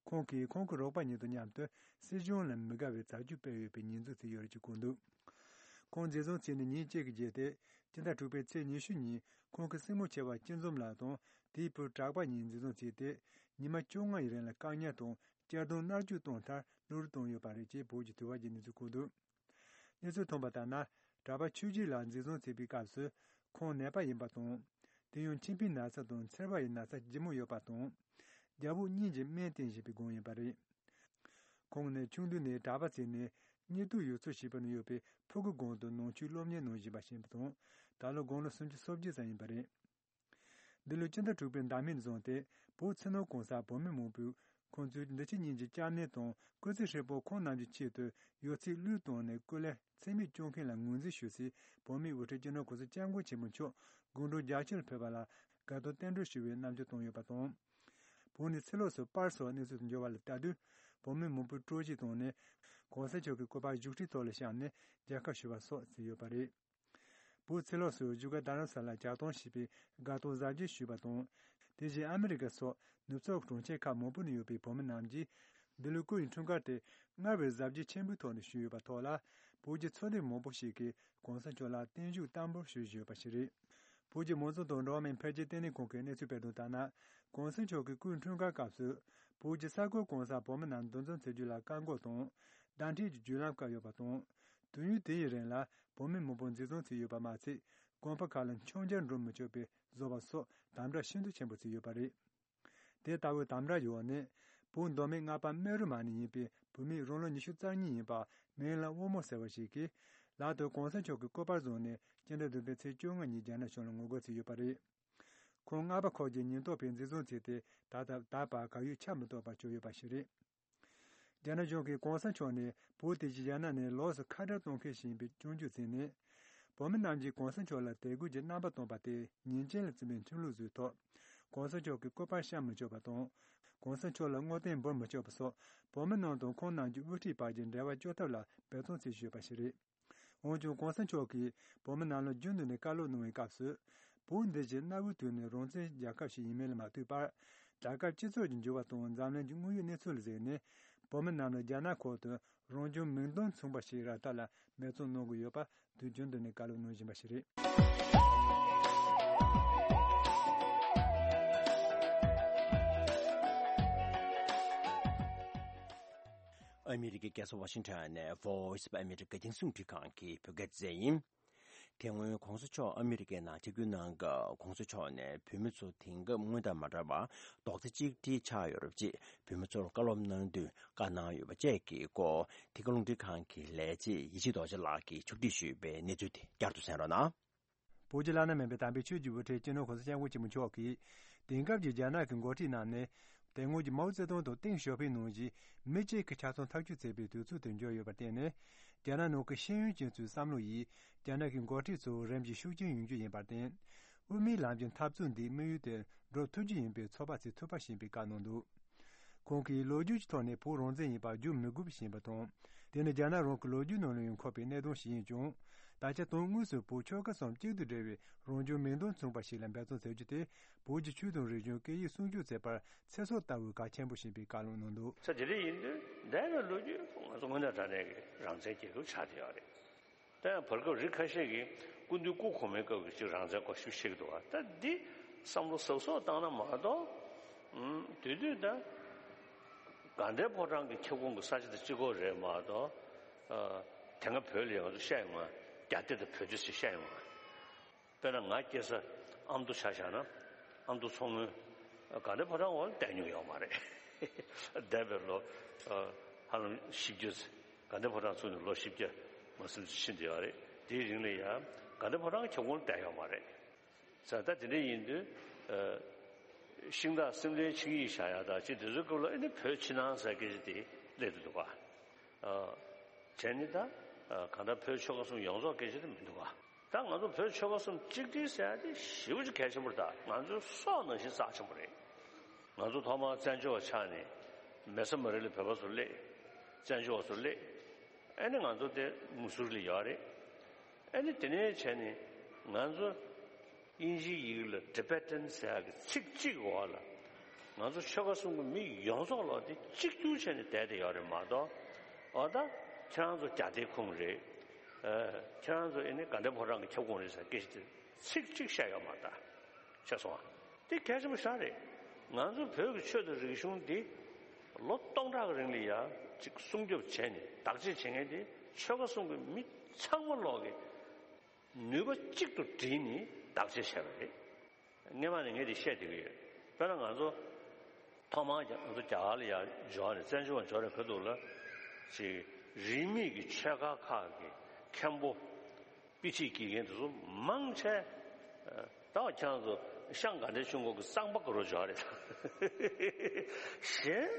ཁོང་གིས་ཁོང་གི་རོགས་པ་གཉིས་དང་མཉམ་དུ་སྲིད་གཞུང་ལ་མི་དགའ་བའི་བྱ་སྤྱོད་སྤེལ་ཡོད་པའི་ཉེས་འཛུགས་བྱས་ཡོད་རེད་ཅེས་བཀོད་འདུག་ཁོང་འཛིན་བཟུང་བྱས་ནས་ཉིན་གཅིག་གི་རྗེས་ཏེ། སྤྱི་ཟླ་དྲུག་པའི་ཚེས་ཉི་ཤུ་ཉིན་ཁོང་གི་སྲིང་མོ་ཆེ་བ་སྐྱིད་འཛོམས་ལགས་དང་དེའི་བུ་གྲགས་པ་གཉིས་འཛིན་བཟུང་བྱས་ཏེ། ཉི་མ་བཅོ་ལྔ་ཡི་རིང་ལ་བཀག་ཉར་དང་། གཅར་རྡུང་མནར་གཅོད་བཏང་མཐར་བློ་རིག་བཏང་ཡོད་པ་རེད་ཅེས་བོད་ཀྱི་དུས་བབ་ཀྱིས་གནས་ཚུལ་བཀོད་འདུག་གནས་ཚུལ་ཐོན་པ་ལྟར་ན། གྲྭ་པ་ཆོས་སྐྱིད་ལགས་འཛིན་བཟུང་བྱས་པའི་སྐབས་སུ། ཁོང་ནད་པ་ཡིན་པ་དང་། དེ་ཡང་མཆིན་པའི་ན་ཚ་དང་མཚེར་བ་ཡི་ན་ཚ་ལྗིད་མོ་ཡོད་པ་དང་། རྒྱབ་འོག་གཉིས་ཀྱི་སྨན་བསྟེན་བཞིན་པའི་སྒང་ཡིན་པ་རེད། ཁོང་ནི་ཆུང་དུས་ནས་གྲྭ་པ་བྱས་ནས་སྙེ་ཏུག་ཡུལ་ཚོ་ཞེས་པ་ན་ཡོད་པའི་ཕུ་གུ་དགོན་དུ་ནང་ཆོས་སློབ་གཉེར་གནང་བཞིན་པ་ཞིག་ཡིན་པ་དང་། ད་ལོ་དགུང་ལོ་སུམ་ཅུ་སོ་བརྒྱད་ཙམ་ཡིན་པ་རེད། འདི་ལོའི་སྤྱི་ཟླ་དྲུག་པའི་ཟླ་མིག་བཟུང་སྟེ། བོད་ཕྱི་ནང་གང་སར་བོད་མི་མང་པོས་ཁོང་ཚོའི་འདི་ཕྱི་གཉིས་ཀྱི་སྐྱབས་གནས་དང་སྐུ་ཚེ་ཧྲིལ་པོ་ཁོང་རྣམས་ཀྱི་ཆེད་དུ་ཡོད་ཚད་བློས་བཏང་ནས་སྐུ་ལས་ཚེ་མེད་སྐྱོང་མཁན་ལ་ངོས་འཛིན་ཞུ་སའི་བོད་མིའི་དབུ་ཁྲིད་སྤྱི་ནོར་༸གོང་ས་༸སྐྱབས་མགོན་ཆེན་པོ་མཆོག་དགུང་གྲངས་བརྒྱད་ཅུ་ལ་ཕེབས་པ་ལ་དགའ་སྟོན་རྟེན་འབྲེལ་ཞུ་བའི་རྣམ་འགྱུར་བསྟན་ཡོད་པ་དང་། བོད་ནས་ཕྱི་ལོགས་སུ་པར་སོགས་གནས་ཚུལ་དུ་འབྱོར་བ་ལ་ལྟ་དུས། བོད་མི་མང་པོས་སྤྲོ་སྐྱིད་བཏང་ནས། གོང་ས་མཆོག་གི་སྐུ་པར་བཞུགས་ཁྲིའི་ཐོག་ལ་བཞག་ནས་མཇལ་ཁ་ཞུ་བ་སོགས་བྱས་ཡོད་པ་རེད། བོད་ཕྱི་ལོགས་སུ་བཞུགས་སྒར་རྡ་རམ་ས་ལར་ཇ་གཏོང་བྱས་པའི་དགའ་སྟོན་གཟབ་རྒྱས་ཞུས་པ་དང་། དེ་བཞིན་ཨ་མི་རི་ཀ་སོགས་ནུབ་ཕྱོགས་གྲོང་ཁྱེར་ཁག་མང་པོ་ནས་ཡོད་པའི་བོད་མི་རྣམས་ཀྱིས་འདི་ལོའི་སྐུ་ཡི་འཁྲུངས་སྐར་དེ་སྔར་བས་གཟབ་རྒྱས་ཆེན་པོའི་ཐོག་ནས་ཞུས་ཡོད་པ་ཐོག་ལ། བོད་ཀྱི་ཚོགས་སྡེ་མང་པོ་ཞིག་གིས་གོང་ས་མཆོག་ལ་བརྟན་བཞུགས་བསྟར་འབུལ་ཞུས་བཞིན་ཡོད་པ་ཞིག་རེད། བོད་ཀྱི་མང་གཙོ་དང་འགྲོ་བ་མིའི་འཕེལ་རྒྱས་ལྟེ་གནས་ཁང་གིས་གནས་ཚུལ་སྤེལ་དོན་ལྟར་ན། གོང་ས་མཆོག་གི་སྐུའི་འཁྲུངས་སྐར་སྐབས་སུ། བོད་ཀྱི་ས་ཁུལ་གང་སར་བོད་མི་རྣམས་འདུ་འཛོམས་བྱེད་རྒྱུ་ལ་བཀག་འགོག་དང་། བརྡ་འཕྲིན་གྱི་བརྒྱུད་ལམ་བཀག་ཡོད་པ་དང་། དུས་ཡུན་དེ་ཡི་རིང་ལ་བོད་མི་མང་པོ་འཛིན་བཟུང་བྱས་ཡོད་པ་མ་ཚད། དགོན་པ་ཁག་ལ་མཆོད་མཇལ་འགྲོ་མི་ཆོག་པའི་བཟོ་བ་སོགས་དམ་དྲག་ཤིན་ཏུ་ཆེན་པོ་བྱས་ཡོད་པ་རེད། དེ་ལྟ་བུའི་དམ་དྲག་ཡོད་ནས། བོད་མདོ་སྨད་རྔ་པ་སྨན་རི་མ་ནས་ཡིན་པའི་བོད་མི་རང་ལོ་ཉི་ཤུ་རྩ་གཉིས་ཡིན་པ་མིང་ལ་དབུ་མོ་ཟེར་བ་ཞིག་གིས། ལག་ཏུ་གོང་ས་མཆོག་གི་སྐུ་པར་བཟུང་ནས་སྤྱི་ཟླ་བདུན་པའི་ཚེས་བཅོ་ལྔ་ཉིན་རྒྱ་ནག་གཞུང་ལ་ངོ་རྒོལ་བྱས་ཡོད་པ་རེད། ཁོང་རྔ་པ་ཁོག་གི་ཉེན་རྟོག་པས་འཛིན་བཟུང་བྱས་ཏེ། ད་ལྟ་ད་བར་གར་ཡོད་ཆ་མི་གཏོགས་པར་གྱུར་ཡོད་པ་ཞིག་རེད། རྒྱ་ནག་གཞུང་གིས་གོང་ས་མཆོག་ནི་བོད་དེ་བཞིན་རྒྱ་ནག་ནས་ལོགས་སུ་ཁ་བྲལ་གཏོང་མཁན་ཞིག་ཡིན་པའི་སྐྱོན་བརྗོད་བྱས་ནས། བོད་མི་རྣམས་ཀྱིས་གོང་ས་མཆོག་ལ་དད་གུས་ཀྱི་རྣམ་པ་སྟོན་པ་དེ་ཉེས་ཅན་ལ་བརྩི་བའི་ཁྲིམས་ལུགས་བཟོས་ཐོག་གོང་ས་མཆོག་གི་སྐུ་པར་བཤམ་མི་ཆོག་པ་དང་། གོང་ས་མཆོག་ལ་བསྔོ་རྟེན་འབུལ་མི་ཆོག་པ་སོགས། བོད་མི་རྣམས་དང་ཁོང་རྣམས་ཀྱི་དབུ་ཁྲིད་བར་གྱི་འབྲེལ་བ་གཅོད་ཐབས་ལ་འབད་བརྩོན་བྱེད་བཞིན་ཡོད་པ་ཞིག་རེད། འོན་ཀྱང་། གོང་ས་མཆོག་གིས་བོད་མི་རྣམས་ལ་རྒྱུན་དུ་ནས་བཀའ་སློབ་གནང་བའི་སྐབས་སུ། བོད་འདི་བཞིན་གནའ་བོའི་དུས་ནས་རང་བཙན་རྒྱལ་ཁབ་ཞིག་ཡིན་མིན་ལ་མ་ལྟོས་པར། རྒྱལ་ཁབ་སྤྱི་ཚོགས་ཀྱི་འགྱུར་བ་དང་འཛམ་གླིང་གི་དངོས་ཡོད་གནས་ཚུལ་ལ་གཟིགས་ནས། བོད་མི་རྣམས་ལ་རྒྱ་ནག་ཁུལ་དུ་རང་བྱུང་མིང་དོན་མཚུངས་པ་ཞིག་རག་ཐབས་ལ་འབད་བརྩོན་གནང་དགོས་ཡོད་པ། དུས་རྒྱུན་དུ་ནས་བཀའ་སློབ་གནང་བཞིན་པ་ཞིག་རེད། ཨ་མི་རི་ཀའི་རྒྱལ་ས་ཝ་ཤིང་ཊོན་ནས་Voice of America རྒྱང་སྲིང་རླུང་འཕྲིན་ཁང་གི་བོད་སྐད་སྡེ་ཚན་ཡིན། དེ་སྔོན་གོང་ས་མཆོག་ཨ་མི་རི་ཀའི་ནང་ཆིབས་བསྒྱུར་གནང་སྐབས། གོང་ས་མཆོག་ནས་བོད་མི་ཚོ་དེང་སྐབས་སྔོན་དང་མ་འདྲ་བར་རྡོག་རྩ་གཅིག་སྒྲིལ་ཆགས་ཡོད་རབས་ཅེས་བོད་མི་ཚོར་བཀའ་སློབ་གནང་དུས་བཀའ་གནང་ཡོད་པ་བཅས་ཀྱི་སྐོར། འདི་ག་རླུང་འཕྲིན་ཁང་གི་ལས་བྱེད་ཡེ་ཤེས་རྡོ་རྗེ་ལགས་ཀྱིས་ཕྱོགས་སྒྲིག་ཞུས་པའི་གནས་ཚུལ་དེ་བསྐྱར་དུ་གསན་རོགས་གནང་། བོད་ཀྱི་བླ་ན་མེད་པའི་དམ་པའི་ཆོས་ཀྱི་དབུ་ཁྲིད་སྤྱི་ནོར་གོང་ས་སྐྱབས་མགོན་ཆེན་པོ་མཆོག་གིས། དེང་སྐབས་ཀྱི་རྒྱ་ནག་གི་འགོ་ཁྲིད་རྣམས་ནི། དེ་སྔོན་གྱི་མའོ་ཙེ་ཏུང་དང་ཏེང་ཞའོ་ཕིང་ནང་བཞིན་མི་གཅིག་གི་ཆ་ཚང་འཐབ་རྩོད་བྱེད་པའི་དུས་ཚོད་དུ་འགྱུར་ཡོད་པར་བརྟེན་ནས། རྒྱ་ནག་ནང་གི་ཤེས་ཡོན་ཅན་ཚོའི་བསམ་བློ་ཡིས་རྒྱ་ནག་གི་འགོ་ཁྲིད་ཚོ་རིམ་གྱིས་ཤུགས་ཆེན་ཡོང་རྒྱུ་ཡིན་པར་བརྟེན། དབུ་མའི་ལམ་གྱི་འཐབ་རྩོད་འདི་དམིགས་ཡུལ་དེར་འགྲོ་ཐུབ་རྒྱུ་ཡིན་པའི་ཚོད་དཔག་བྱེད་ཐུབ་པ་ཞེས་པའི་བཀའ་གནང་འདུག་ཁོང་གིས་ལོ་རྒྱུས་ཀྱི་ཐོག་ནས་བོད་རང་བཙན་ཡིན་པ་བསྒྱུར་མི་དགོས་པ་ཞེས་པ་དང་། དེ་ནི་རྒྱ་ནག་རང་གི་ལོ་རྒྱུས་ནང་ལ་ཡང་འཁོད་པའི་གནད་དོན་ཞིག་ཡིན་ཀྱང་། ད་ཆ་དོན་དངོས་སུ་བོད་ཆོལ་ཁ་གསུམ་གཅིག་ཏུ་སྒྲིལ་བའི་རང་སྐྱོང་མིང་དོན་མཚུངས་པ་ཞིག་ལ་འབད་བརྩོན་བྱེད་རྒྱུ་དེ། བོད་ཀྱི་ཆོས་དང་རིག་གཞུང་སྐད་ཡིག་སྲུང་སྐྱོབ་བྱེད་པར་ཚེ་སྲོག་ལྟ་བུའི་གལ་ཆེན་པོ་ཞིག་ཡིན་པའི་བཀའ་སློབ་གནང་འདུག་ས་དེ་འདྲ་ཡིན་དུས་འདས་པའི་ལོ་རྒྱུས་ང་ཚོ་དངོས་གནས་དྲང་གནས་ཀྱི་རང་བཙན་རྒྱལ་ཁབ་ཆགས་བསྡད་ཡོད་རེད། ད་ཡང་བར་སྐབས་རིགས་ཁ་ཤས་ཀྱིས་སྐུ་མདུན་སྐུ་གོང་མའི་སྐབས་ཀྱི་ཅིག་རང་བཙན་སྐོར་ཞུ་ཤེས་ཀྱི་འདུག་བ། ད་འདི་བསམ་བློ་ཟབ་ཟོབ་བཏང་ན་མ་གཏོགས། ཨུམ། དེ་དུས་ད་དགའ་ལྡན་ཕོ་བྲང་གི་ཁྱབ་ཁོངས་ཀྱི་ས་ཆ་དེ་གཅིག་པོ་རེད་མ་གཏོགས། ཨ། དེ་སྔ་བོད་ལ་ཡང་ང་ཚོ་བཤད་ཡོང་ང་། རྒྱ་སྡེ་དང་བོད་སྡེ་ཟེར་བཤད་ཡོང་ང་། དཔེར་ན་ང་སྐྱེས་ས་ཨ་མདོ་ཆ་བཞག་ན། ཨ་མདོ་མཚོ་སྔོན་དགའ་ལྡན་ཕོ་བྲང་འོག་ལ་བསྡད་མྱོང་ཡོད་མ་རེད། འདས་པའི་ལོ་ཧ་ལམ་བཞི་བརྒྱ་ཙམ། དགའ་ལྡན་ཕོ་བྲང་ཚུགས་ནས་ལོ་བཞི་བརྒྱ་མ་ཟིན་ཙམ་ཕྱིན་བསྡད་ཡོད་རེད། དེའི་རིང་ལ་ཡང་དགའ་ལྡན་ཕོ་བྲང་གི་ཁྱབ་ཁོངས་ལ་བསྡད་ཡོད་མ་རེད། ས་ད་དེ་འདྲ་ཡིན་དུས། ཤིང་སྟག་སེམས་ལྡན་ཆིངས་ཡིག་བཞག་ཡག་དང་ཅི་དེ་ཚོའི་སྐབས་ལ་ཨེ་ནི་བོད་ཕྱི་ནང་ཟེར་སྐད་ཆ་དེ་སླེབས་འདུག་པ། བྱས་ནི་ད་གང་ལྟར་བོད་ཆོལ་ཁ་གསུམ་ཡོངས་རྫོགས་སྐད་ཆ་དེ་མི་འདུག་པ། ད་ང་ཚོ་བོད་ཆོལ་ཁ་གསུམ་གཅིག་སྒྲིལ་ཟེར་ཡག་དེ་ཞེ་པོ་ཅིག་གལ་ཆེན་པོ་རེད། ད་ང་ཚོའི་སྲོག་ནང་བཞིན་རྩ་ཆེན་པོ་རེད། ང་ཚོ་ཐོག་མར་བཙན་བྱོལ་བ་ཆགས་ནས་མེ་སོ་མ་རི་ལ་བོད་པ་ཚོ་སླེབས། བཙན་བྱོལ་བ་ཚོ་སླེབས། ཨེ་ནི་ང་ཚོ་དེ་མུ་སུ་རི་ལ་ཡོད་རེད། ཨེ་ནི་དེ་ནས་བྱས་ནས་ང་ཚོ་དབྱིན་ཇིའི་ཡི་གེ་ལ་Tibetan་ཟེར་ཡག་གི་ཚིག་གཅིག་འོག་ལ་ང་ཚོ་ཆོལ་ཁ་གསུམ་གྱི་མི་ཡོངས་རྫོགས་ལོག་དེ་གཅིག་གྱུར་བྱས་ནས་བསྡད་དེ་ཡོད་རེད་མ་གཏོགས། འོ་ད་ཁྱེད་རང་ཚོ་རྒྱ་སྡེའི་ཁོངས་རེད། ཨ། ཁྱེད་རང་ཚོ་ཨེ་ནི་དགའ་ལྡན་ཕོ་བྲང་གི་ཁྱབ་ཁོངས་རེད་ཟེར་སྐད་ཆ་དེ་ཚིག་གཅིག་བཤད་ཡོད་མ་རེད་ད། ཤེས་སོང་ཨ། དེ་གལ་ཆེན་པོ་ཞེ་དྲག་རེད། ང་ཚོ་བོད་ཀྱི་ཆོས་དང་རིག་གཞུང་འདི་ལོ་སྟོང་ཕྲག་གི་རིང་ལ་ཡ་ཅིག་སྲུང་སྐྱོབ་བྱས་ནས་བདག་གཅེས་བྱེད་མཁན་དེ་ཆོལ་ཁ་གསུམ་གྱི་མི་ཚང་མ་ལོག་གི་ནུས་པ་གཅིག་ཏུ་བསྒྲིལ་ནས་བདག་གཅེས་བྱས་པ་རེད། སྔན་མ་ནས་ངས་དེ་བཤད་བསྡད་ཀྱི་ཡོད། དཔེར་ན་ང་ཚོ་ཐོག་མར་ང་ཚོ་རྒྱ་གར་ལ་ཡ་འབྱོར་ནས་བཙན་བྱོལ་བ་འབྱོར་ནས་ག་འདུག་ལ། ཅིག་རིས་མེད་ཀྱི་ཆོལ་ཁ་ཁག་གི་མཁན་པོ། དཔེ་ཁྲིད་དགེ་རྒན་དེ་ཚོ་མང་ཆེ། ད་ཁྱེད་རང་ཚོ་ཤང་དགའ་ལྡན་ཆོས་འཁོར་གྱི་གཙང་པ་དགའ་རབ་འབྱོར་རེད། གཞན་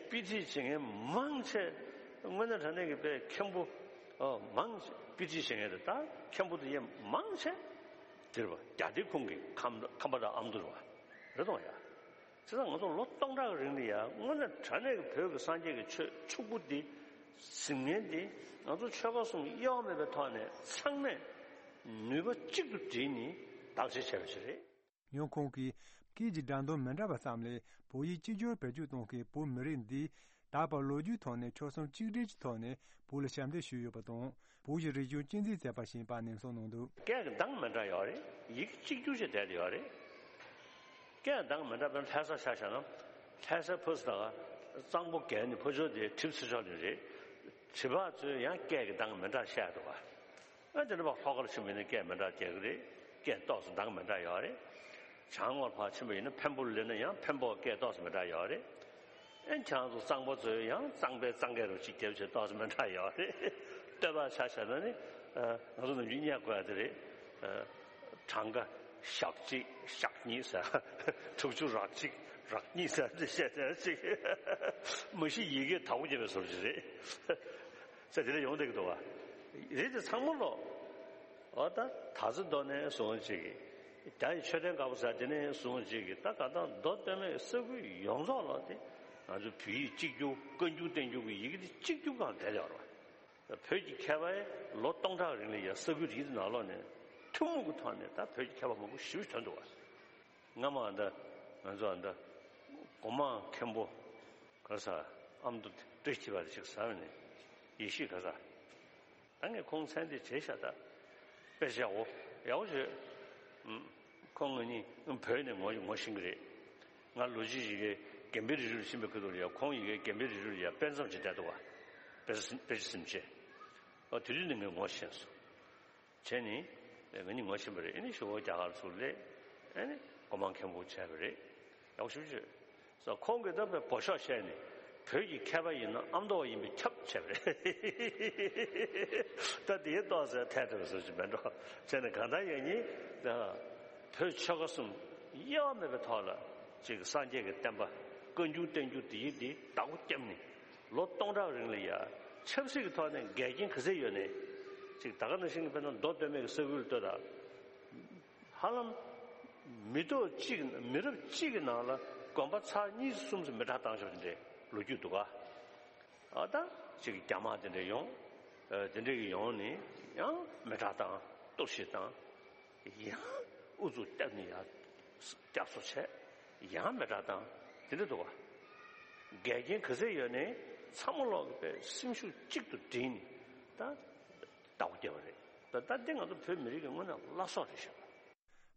དཔེ་ཁྲིད་བྱེད་མཁན་མང་ཆེ། དངོས་གནས་དྲང་གནས་ཀྱི་དཔེ་མཁན་པོ། ཨོ་མང་ཆེ་དཔེ་ཁྲིད་བྱེད་མཁན་དེ་ད་མཁན་པོ་དེ་ཡན་མང་ཆེ། དེ་རེད་པ། རྒྱ་སྡེ་ཁོངས་ཀྱི་ཁམས་ཁམས་པ་དང་ཨ་མདོ་རེད་པ། རེད་དང་ཡ། བྱས་ཙང་ང་ཚོ་ལོ་སྟོང་ཕྲག་གི་རིང་ལ་ཡང་དངོས་གནས་དྲང་གནས་ཀྱི་བོད་ཀྱི་སངས་རྒྱས་ཀྱི་ཆོས་ཕྱུག་པོ་འདི་ཟིན་མཁན་འདི་ང་ཚོ་ཆོལ་ཁ་གསུམ་དབྱེ་བ་མེད་པའི་ཐོག་ནས་ཚང་མས་ནུས་པ་གཅིག་ཏུ་བསྒྲིལ་ནས་བདག་གཅེས་བྱས་པ་ཞིག་རེད། ཡང་ཁོང་གིས་སྐད་ཀྱི་སྒྲ་འདོན་མི་འདྲ་བ་ཙམ་ལས་བོད་ཡིག་གཅིག་གྱུར་བེད་སྤྱོད་གཏོང་མཁན་བོད་མི་རིགས་འདིས་ད་བར་ལོ་རྒྱུས་ཐོག་ནས་ཆོལ་གསུམ་གཅིག་སྒྲིལ་གྱི་ཐོག་ནས་བོད་ལ་ཞབས་འདེགས་ཞུས་ཡོད་པ་དང་། བོད་ཀྱི་རིག་གཞུང་གཅེས་འཛིན་མཛད་པ་ཞིག་ཡིན་པ་ནན་གསུངས་གནང་འདུག་སྐད་ཀྱི་གདངས་མི་འདྲ་ཡོད་རེད། ཡིག་གཅིག་གྱུར་བྱས་བསྡད་ཡོད་རེད། སྐད་གདངས་མི་འདྲ་བའི་ལྷ་ས་ཆ་བཞག་ན། ལྷ་སའི་ཕ་ས་དང་གཙང་པོ་བརྒལ་ནས་ཕར་ཕྱོགས་དེ་གྲིབ་ཚེ་ཕྱོགས་ནས་རེད། གྲིབ་བག་ཚོས་ཡང་སྐད་ཀྱི་གདངས་མི་འདྲ་བཤད་འདུག་ག་ཨ་དེ་འདྲ་བ་ལྷོ་ཁ་ལ་ཕྱིན་པ་ཡིན་ན་སྐད་མི་འདྲ་རྒྱག་གི་རེད། སྐད་ཏོག་ཙམ་གདངས་མི་འདྲ་ཡོད་རེད། བྱང་ངོས་ཕར་ཕྱིན་པ་ཡིན་ན་འཕན་པོ་ལ་སླེབས་ན་ཡང་འཕན་པོ་སྐད་ཏོག་ཙམ་མི་འདྲ་ཡོད་རེད། ཨེ་ཁྱེད་རང་ཚོ་གཙང་པ་ཚོས་ཡང་གཙང་པའི་གཙང་སྐད་རུ་གཅིག་རྒྱབ་བྱས་ཏོག་ཙམ་མི་འདྲ་ཡོད་རེད། སྟོད་པ་ཆ་བཞག་ན་ནི། ཨ། ང་ཚོ་ནམ་རྒྱུན་བསྙད་དགོས་ཡ་དེ་རེད། ཨ། གྲངས་ཀ་ཞག་གཅིག་ཞག་གཉིས་ཟེར། དྲུག་ཅུ་རག་གཅིག་རག་གཉིས་ཟེར་དེ་བཤད་བསྡད་ཅིག་མ་གཞི་ཡི་གེ་དྭགས་པོ་རྒྱབ་པའི་བཟོ་ཅིག་རེད། ཟེར་དེ་འདྲ་ཡོང་བསྡད་ཀྱི་འདུག་བ། རེད་དེ་ཚང་མ་ལོ། འོ་ད་ད་ཚོད་མདོ་ནས་བཟུང་ཅིག་རྒྱ་ཡི་མཆོད་རྟེན་དཀར་པོ་ཟེར་དེ་ནས་བཟུང་ཅིག་ད་ག་ད་མདོ་སྟོད་སྨད་ས་ཁུལ་ཡོངས་རྫོགས་ལ་དེ་ང་ཚོ་བོད་ཡིག་གཅིག་གྱུར་བཀའ་འགྱུར་བསྟན་འགྱུར་གྱི་ཡི་གེ་དེ་གཅིག་གྱུར་སྒང་བསྡད་ཡོད་རེད་བ། བོད་ཀྱི་མཁས་པས་ལོ་སྟོང་ཕྲག་རིང་ལ་ཡ་ས་ཁུལ་རིགས་དེ་ནང་ལོགས་ནས་ཐུན་མོང་གི་ཐོག་ནས་ད་བོད་ཀྱི་མཁས་པ་མང་པོ་ཞེ་པོ་ཐོན་འདུག་བ། སྔ་མ་ཨ་ད་ང་ཚོ་ཨ་ད་སྒོ་མང་མཁན་པོ་ག་ས་ཨ་མདོ་བཀྲ་ཤིས་པ་ཞིག་ཟ་བ་ནས་ཡེ་ཤེས་ག་ས། ད་ངས་ཁོང་མཚན་དེ་བརྗེད་ཤག་ད། དཔེ་ཆ་ཡག་པོ་ཡག་པོ་བྱོས། ཨུམ། ཁོང་ང་གཉིས་བོད་ནས་ངོ་ངོ་ཤེས་ཀྱི་རེད། ང་ལོ་གཅིག་ཡི་གེ་དགེ་འཕེལ་རི་རུ་ཕྱིན་པའི་ཁ་ཐུག་ལ་ཡ་ཁོང་ཡི་གེ་དགེ་འཕེལ་རི་རུ་ལ་ཡ་དཔེ་མཚམས་ཅིག་བསྡད་འདུག་བ། དཔེ་ཆ་དཔེ་ཆ་ཟིན་བྱས། ཨ་དེ་དུས་ནས་ངས་ངོ་ཤེས་སོང་། བྱས་ནས་ང་གཉིས་ངོ་ཤེས་པ་རེད། ཨ་ནི་ཞོགས་པ་རྒྱ་གར་ཚུར་སླེབས། ཨ་ནི་སྒོ་མང་མཁན་པོ་བྱས་པ་རེད། ཡག་པོ་ཞེ་པོ་ཅིག་ས་ཁོང་གིས་ད་དཔེ་འབོ་ཤོག་བཤད་ནས་བོད་ཀྱི་མཁས་པ་ཡིན་ན་ཨ་མདོ་བ་ཡིན་པས་ཁྱབ་བྱས་པ་རེད། ད་དེའི་ཏོག་ཙམ་ཐད་ཐུབ་པ་བཟོ་ཅིག་མེད་འགྲོ། བྱས་ནས་གང་ལྟར་ཡང་ཉིད་ད་བོད་ཆོལ་ཁ་གསུམ་དབྱེ་བ་མེད་པའི་ཐོག་ལ་ཅིག་སངས་རྒྱས་ཀྱི་བསྟན་པ་ བཀའ་འགྱུར་བསྟན་འགྱུར་དེ་ཡིན་དེ་བདག་པོ་བརྒྱབ་ནས་ལོ་སྟོང་ཕྲག་རིང་ལ་ཡ་ཆབ་སྲིད་ཀྱི་ཐོག་ནས་འགལ་རྐྱེན་ག་ཚད་ཡོད་ནས་ཅིག་ད་ག་ནང་བཞིན་གྱི་དཔེར་ན་མདོ་སྟོད་སྨད་ཀྱི་ས་ཁུལ་ལ་ལྟོས་དང་། ཧ་ལམ་མི་ཐོག་གཅིག་མི་རབས་གཅིག་གི་ནང་ལ་དགོན་པ་ཚར་གཉིས་གསུམ་ཙམ་མེ་སྲེག་བཏང་ཤོག་དེ་འདྲའི་ལོ་རྒྱུས་འདུག་ག་ཨ་ད་ཅིག་རྒྱ་དམག་དེ་འདྲ་ཡོང་། ཨ་དེ་འདྲ་གི་ཡོང་ནས་ཡང་མེ་སྲེག་བཏང་གཏོར་བཤིག་བཏང་། ཡང་ཨུ་ཚུགས་བརྒྱབ་ནས་ཡང་བསྐྱར་གསོ་བྱས། ཡང་མེ་སྲེག་བཏང་དེ་འདྲ་འདུག་ག་འགལ་རྐྱེན་ག་ཚད་ཡོད་ནའི་ཚང་མ་ལོག་གི་པའི་སེམས་ཤུགས་གཅིག་ཏུ་བསྒྲིལ་ནས་ད་བདག་པོ་བརྒྱབ་པ་རེད། ད་ད་འདི་ང་ཚོ་བོད་མི་རིགས་ཀྱི་དངོས་གནས་བླ་སྲོག་རེད་ཤག་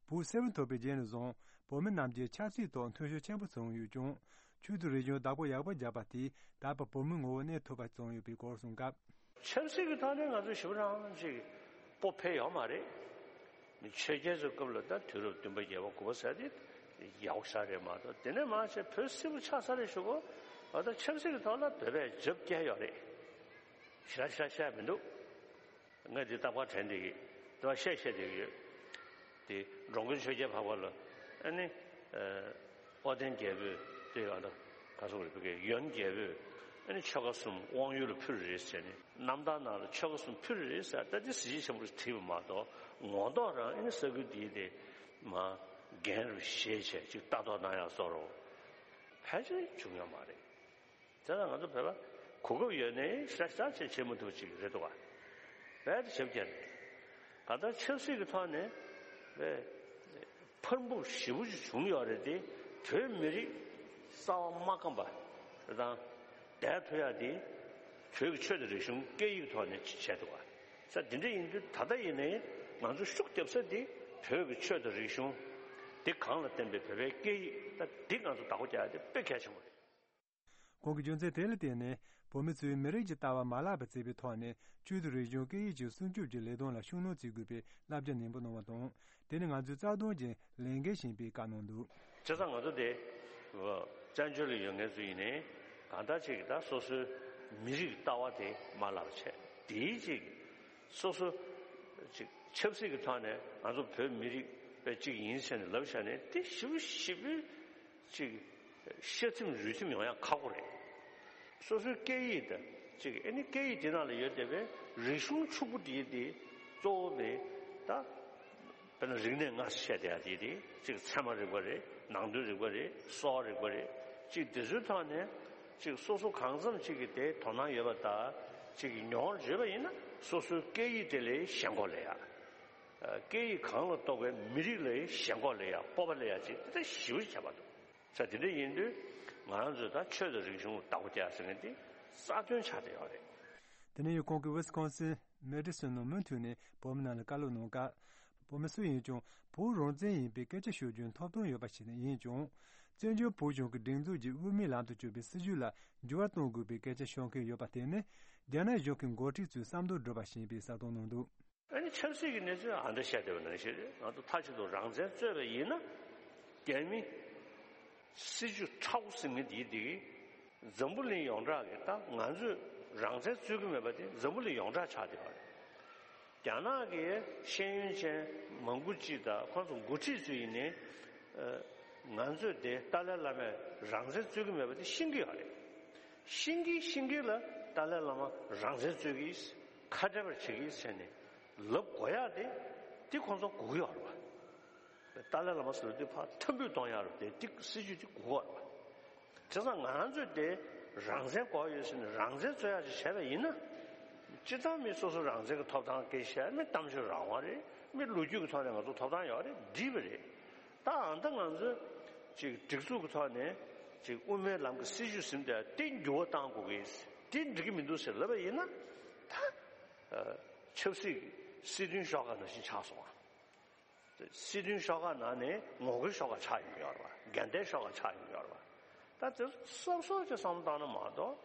བོད་སིལ་བུར་ཐོར་བའི་རྗེས་ནས་བཟུང་བོད་མི་རྣམས་ཀྱིས་ཆབ་སྲིད་ཐོག་མཐུན་ཕྱོགས་ཆེན་པོ་བཟུང་ཡོད་ཀྱང་ཆོས་དང་རིག་གཞུང་བདག་པོ་ཡག་པོ་བརྒྱབ་པ་དེས་ད་བར་བོད་མིའི་ངོ་བོ་གནས་ཐུབ་པ་བཟུང་ཡོད་པའི་སྐོར་གསུངས་སྐབས། ཆབ་སྲིད་ཀྱི་ཐོག་ནས་ང་ཚོ་ཞེ་པོ་རང་ཅིག་སྤོབས་འཕེལ་ཡོད་མ་རེད། ཆོས་རྒྱལ་ཚོའི་སྐབས་ལ་ད་དུས་རབས་བདུན་པ་བརྒྱད་པ་དགུ་པ་ཟེར་དེ་ཡག་པོ་ཞེ་དྲག་རེད་མ་གཏོགས་དེ་ནས་མར་བྱས་བོད་སིལ་བུར་ཆགས་ཚར་རེད་ཞུ་གོ་ཨ་ད་ཆབ་སྲིད་ཀྱི་ཐོག་ལ་བོད་པས་རྒྱབ་བསྐྱལ་ཡོད་རེད། ཞེ་དྲག་ཞེ་དྲག་བཤད་མི་འདུག་ང་འདི་རྟག་པར་དྲན་བསྡད་ཀྱི་རེད་པ། བཤད་བཤད་བསྡད་ཀྱི་ཡོད། དེ་འགྲོ་མགོན་ཆོས་རྒྱལ་འཕགས་པ་ལ་ཨ་ནི་ཨ་དཔལ་ལྡན་རྒྱལ་པོས་དེ་ཡང་ད་ག་སོག་རེད་བོད་ཀྱི་ཡོན་རྒྱལ་པོས་ཨ་ནི་ཆོལ་ཁ་གསུམ་དབང་ཡུལ་ལ་ཕུལ་རེད་ཟེར་ནས་རྣམ་ཐར་ནང་ལ་ཆོལ་ཁ་གསུམ་ཕུལ་རེད་ཟེར་ད་དེ་གཟི་བརྗིད་ཆེན་པོ་ཞིག་བྲིས་པ་མ་གཏོགས་ངོ་ཐོག་རང་ཨ་ནི་ས་ཁུལ་དེའི་དེ་མ་རྒན་རུ་ཞེས་བྱས་ཅིག་ལྟ་རྟོག་གནང་ཡག་བཟོ་རོགས་ཕལ་ཆེར་བྱུང་ཡོད་མ་རེད། དེ་ལ་ང་ཚོ་བོད་པ་གོ་སྐབས་ཡོད་ནའི་ཤ་ཤ་ཆེ་བྱེད་མི་ཐུབ་ཅིག་རེད་འདུག་བ། རྦད་དེ་ཞབས་བཀྱག་ནས། གང་ལྟར་ཆབ་སྲིད་ཀྱི་ཐོག་ནས་བས་འཕར་འབུབ་ཞེ་པོ་ཅིག་བྱུང་ཡོད་རེད་དེ་བོད་མི་རིགས་རྩ་བ་མ་སྐམ་པ་དང་བསྡད་ཐུབ་ཡག་དེ་བོད་ཀྱི་ཆོས་དང་རིག་གཞུང་སྐད་ཡིག་ཐོག་ནས་བྱས་འདུག་བ། ས་དེ་འདྲ་ཡིན་དུས་ད་ལྟ་ཡིན་ནའི་ང་ཚོ་ཤུགས་རྒྱབ་ས་དེ་བོད་ཀྱི་ཆོས་དང་རིག་གཞུང་དེ་གང་ལ་བརྟེན་པའི་བོད་པའི་སྐད་ཡིག་ད་འདི་ང་ཚོ་བདག་པོ་རྒྱག་ཡག་དེ་དཔེ་གལ་ཆེན་པོ་རེད། ཁོང་གིས་རྒྱུ་མཚན་དེ་ལ་བརྟེན་ནས་བོད་མི་ཚོས་མི་རིགས་ཀྱི་ལྟ་བ་མ་བརླག་པར་བརྩི་བའི་ཐོག་ནས་ཆོས་དང་རིག་གཞུང་སྐད་ཡིག་ཅིག་སྲུང་སྐྱོབ་ཀྱི་ལས་དོན་ལ་ཤུགས་སྣོན་བྱེད་དགོས་པའི་བསླབ་བྱ་ནན་པོ་གནང་བ་དང་། དེ་ནི་ང་ཚོའི་རྩ་དོན་གྱི་ལས་འགན་ཡིན་པའི་བཀའ་གནང་འདུག་བྱས་ཙང་ང་ཚོ་དེ་བཙན་བྱོལ་ལ་ཡོད་མཁན་ཚོ་ཡིན་ནའི་གང་ལྟར་ཅིག་ད་སོ་སོའི་མི་རིགས་ལྟ་བ་དེ་མ་བརླག་པ་བྱས་དེའི་ཅིག་སོ་སོ་ཅིག་ཆབ་སྲིད་ཀྱི་ཐོག་ནས་ང་ཚོ་བོད་མི་རིགས་པའི་ཅིག་ཡིན་ཟེར་ནས་ལབ་བཞག་ནས་དེ་ཞིབ་ཞིབ་ཅིག་ཤ་ཚིམ་རུས་ཚིམ་ཡོང་ཡག་ཁག་པོ་རེད། སོ་སོའི་སྐད་ཡིག་དང་གཅིག་ཨ་ནི་སྐད་ཡིག་དེ་ནང་ལ་ཡོད་བསྡད་པའི་རིག་གཞུང་ཕྱུག་པོ་དེ་དེ་གཙོ་བོ་དེ་ད་དཔེར་ན་རིག་གནས་སྔ་ཕྱི་བཤད་བསྡད་ཡག་དེ་དེ་གཅིག་ཚད་མ་རིག་པ་རེད། ནང་དོན་རིག་པ་རེད། གསོ་བ་རིག་པ་རེད། གཅིག་དེ་ཚོའི་ཐོག་ནས་གཅིག་སོ་སོ་གང་འཚམ་གཅིག་གི་དེ་དོ་སྣང་ཡོད་པ་དང་གཅིག་མྱོང་བ་ཡོད་པ་ཡིན་ན་སོ་སོའི་སྐད་ཡིག་དེ་ལ་ཞེན་ཁོག་སླེབས་ཡག་སྐད་ཡིག་གང་ལ་གཏོགས་པའི་མི་རིགས་ལ་ཞེན་ཁོག་སླེབས་ཡག་སྤོབས་པ་སླེབས་ཡག་ཅིག་དེ་འདྲ་ཞེ་པོ་ཅིག་ཁྱད་པར་འདུག་ས་དེ་འདྲ་ཡིན་དུས་ང་རང་ཚོས་ད་ཆོས་དང་རིག་གཞུང་བདག་པོ་རྒྱག་ཟེར་མཁན་དེ་རྩ་དོན་ཆགས་བསྡད་ཡོད་རེད། དེ་ནས་ཡང་ཁོང་གིས་ཝི་སི་ཀོན་སིན་མེ་ཌི་སོན་ནང་མུ་མཐུད་ནས་བོད་མི་རྣམས་ལ་བཀའ་སློབ་གནང་སྐབས། བོད་མི་སུ་ཡིན་ཀྱང་བོད་རང་བཙན་ཡིན་པའི་སྐད་ཆ་ཤོད་རྒྱུའི་ཐོབ་ཐང་ཡོད་པ་ཞིག་ཡིན་ཀྱང་། བཙན་བྱོལ་བོད་གཞུང་གི་སྒྲིག་འཛུགས་ཀྱིས་དབུ་མའི་ལམ་དུ་བསྐྱོད་པའི་སྲིད་བྱུས་ལ་འགྱུར་བ་གཏོང་དགོས་པའི་སྐད་ཆ་ཤོད་མཁན་ཡོད་པ་དེ་ནི་རྒྱ་ནག་གཞུང་གི་འགོ་ཁྲིད་ཚོའི་བསམ་བློ་སྒྲུབ་པ་ཞིག་ཡིན་པའི་གསལ་སྟོན་གནང་འདུག་ཨ་ནི་ཆབ་སྲིད་ཀྱི་གནས་ཚུལ་ཨ་འདྲ་བཤད་བསྡད་པ་ནང་བཞིན་རེད། ང་ཚོ་མཐའ་གཅིག་ཏུ་རང་བཙན་རྩོད་པ་ཡིན་ན་རྒྱ་མི་སྲིད་བྱུས་ཁྲ་བོ་ཟེར་མཁན་དེའི་དེ་གི་འཛམ་བུ་གླིང་ཡོངས་གྲགས་ཀྱི་ད་ང་ཚོས་རང་བཙན་རྩོད་ཀྱི་མེད་པ་དེ་འཛམ་བུ་གླིང་ཡོངས་གྲགས་ཆགས་བསྡད་པ་རེད། རྒྱ་ནག་གི་ཤེས་ཡོན་ཅན་མང་པོ་ཅིག་དང་ཁོང་ཚོ་འགོ་ཁྲིད་ཚོ་ཡིན་ནའི་ང་ཚོས་དེ་ཏཱ་ལའི་བླ་མས་རང་བཙན་རྩོད་ཀྱི་མེད་པ་དེ་ཤེས་ཀྱི་ཡོད་རེད། ཤེས་ཀྱིན་ཤེས་ཀྱིན་ལ་ཏཱ་ལའི་བླ་མ་རང་བཙན་རྩོད་ཀྱིས་ཁ་བྲལ་བར་བྱེད་ཀྱིས་ཟེར་ནས་ལབ་དགོས་ཡག་དེ་དེ་ཁོང་ཚོ་དགོས་ཀྱི་ཡོད་རེད་པ། ཏཱ་ལའི་བླ་མ་ཟེར་བ་དེ་ཕར་ཐབས་འབུད་གཏོང་ཡག་རེད་དེ་དེ་སྲིད་བྱུས་དེ་དགོས་ཀྱི་ཡོད་རེད་པ། བྱས་ཙང་ང་རང་ཚོས་དེ་རང་བཙན་དགོས་ཡོད་ཟེར་ནས་རང་བཙན་རྩོད་ཡག་ཅིག་བྱས་པ་ཡིན་ན། སྤྱིར་བཏང་མི་སོ་སོ་རང་བཙན་གྱི་ཐོབ་ཐང་སྐད་ཆ་བཤད་མི་གཏམ་བརྗོད་རང་དབང་རེད། མི་ལོ་རྒྱུས་ཀྱི་ཐོག་ནས་ང་ཚོ་ཐོབ་ཐང་ཡོད་རེད་འགྲིག་པ་རེད། ད་ཨ་ད་ང་ཚོས་ཅིག་སྒྲིག་འཛུགས་ཀྱི་ཐོག་ནས་ཅིག་དབུ་མའི་ལམ་གྱི་སྲིད་བྱུས་ཟིན་ཏེ་དེ་འགྱུར་བ་གཏང་དགོས་ཀྱི་དེ་འགྲིག་གི་མི་འདུག་ཟེར་ལབ་པ་ཡིན་ན་ད་ཆབ་སྲིད་ཀྱི་སྲིད་དོན་ཤོག་ཁག་ནང་བཞིན་ཆགས་སོང་བ། སྲིད་དོན་ཤོག་ཁག་ནང་ནས་ངོ་རྒོལ་ཤོག་ཁག་ཆགས་ཡོང་གི་ཡོད་རེད་བ། འགལ་ཟླའི་ཤོག་ཁག་ཆགས་ཡོང་གི་ཡོད་རེད་བ། ད་དེ་སོ་སོ་ཅིག་བསམ་བློ་བཏང་ན་མ་གཏོགས་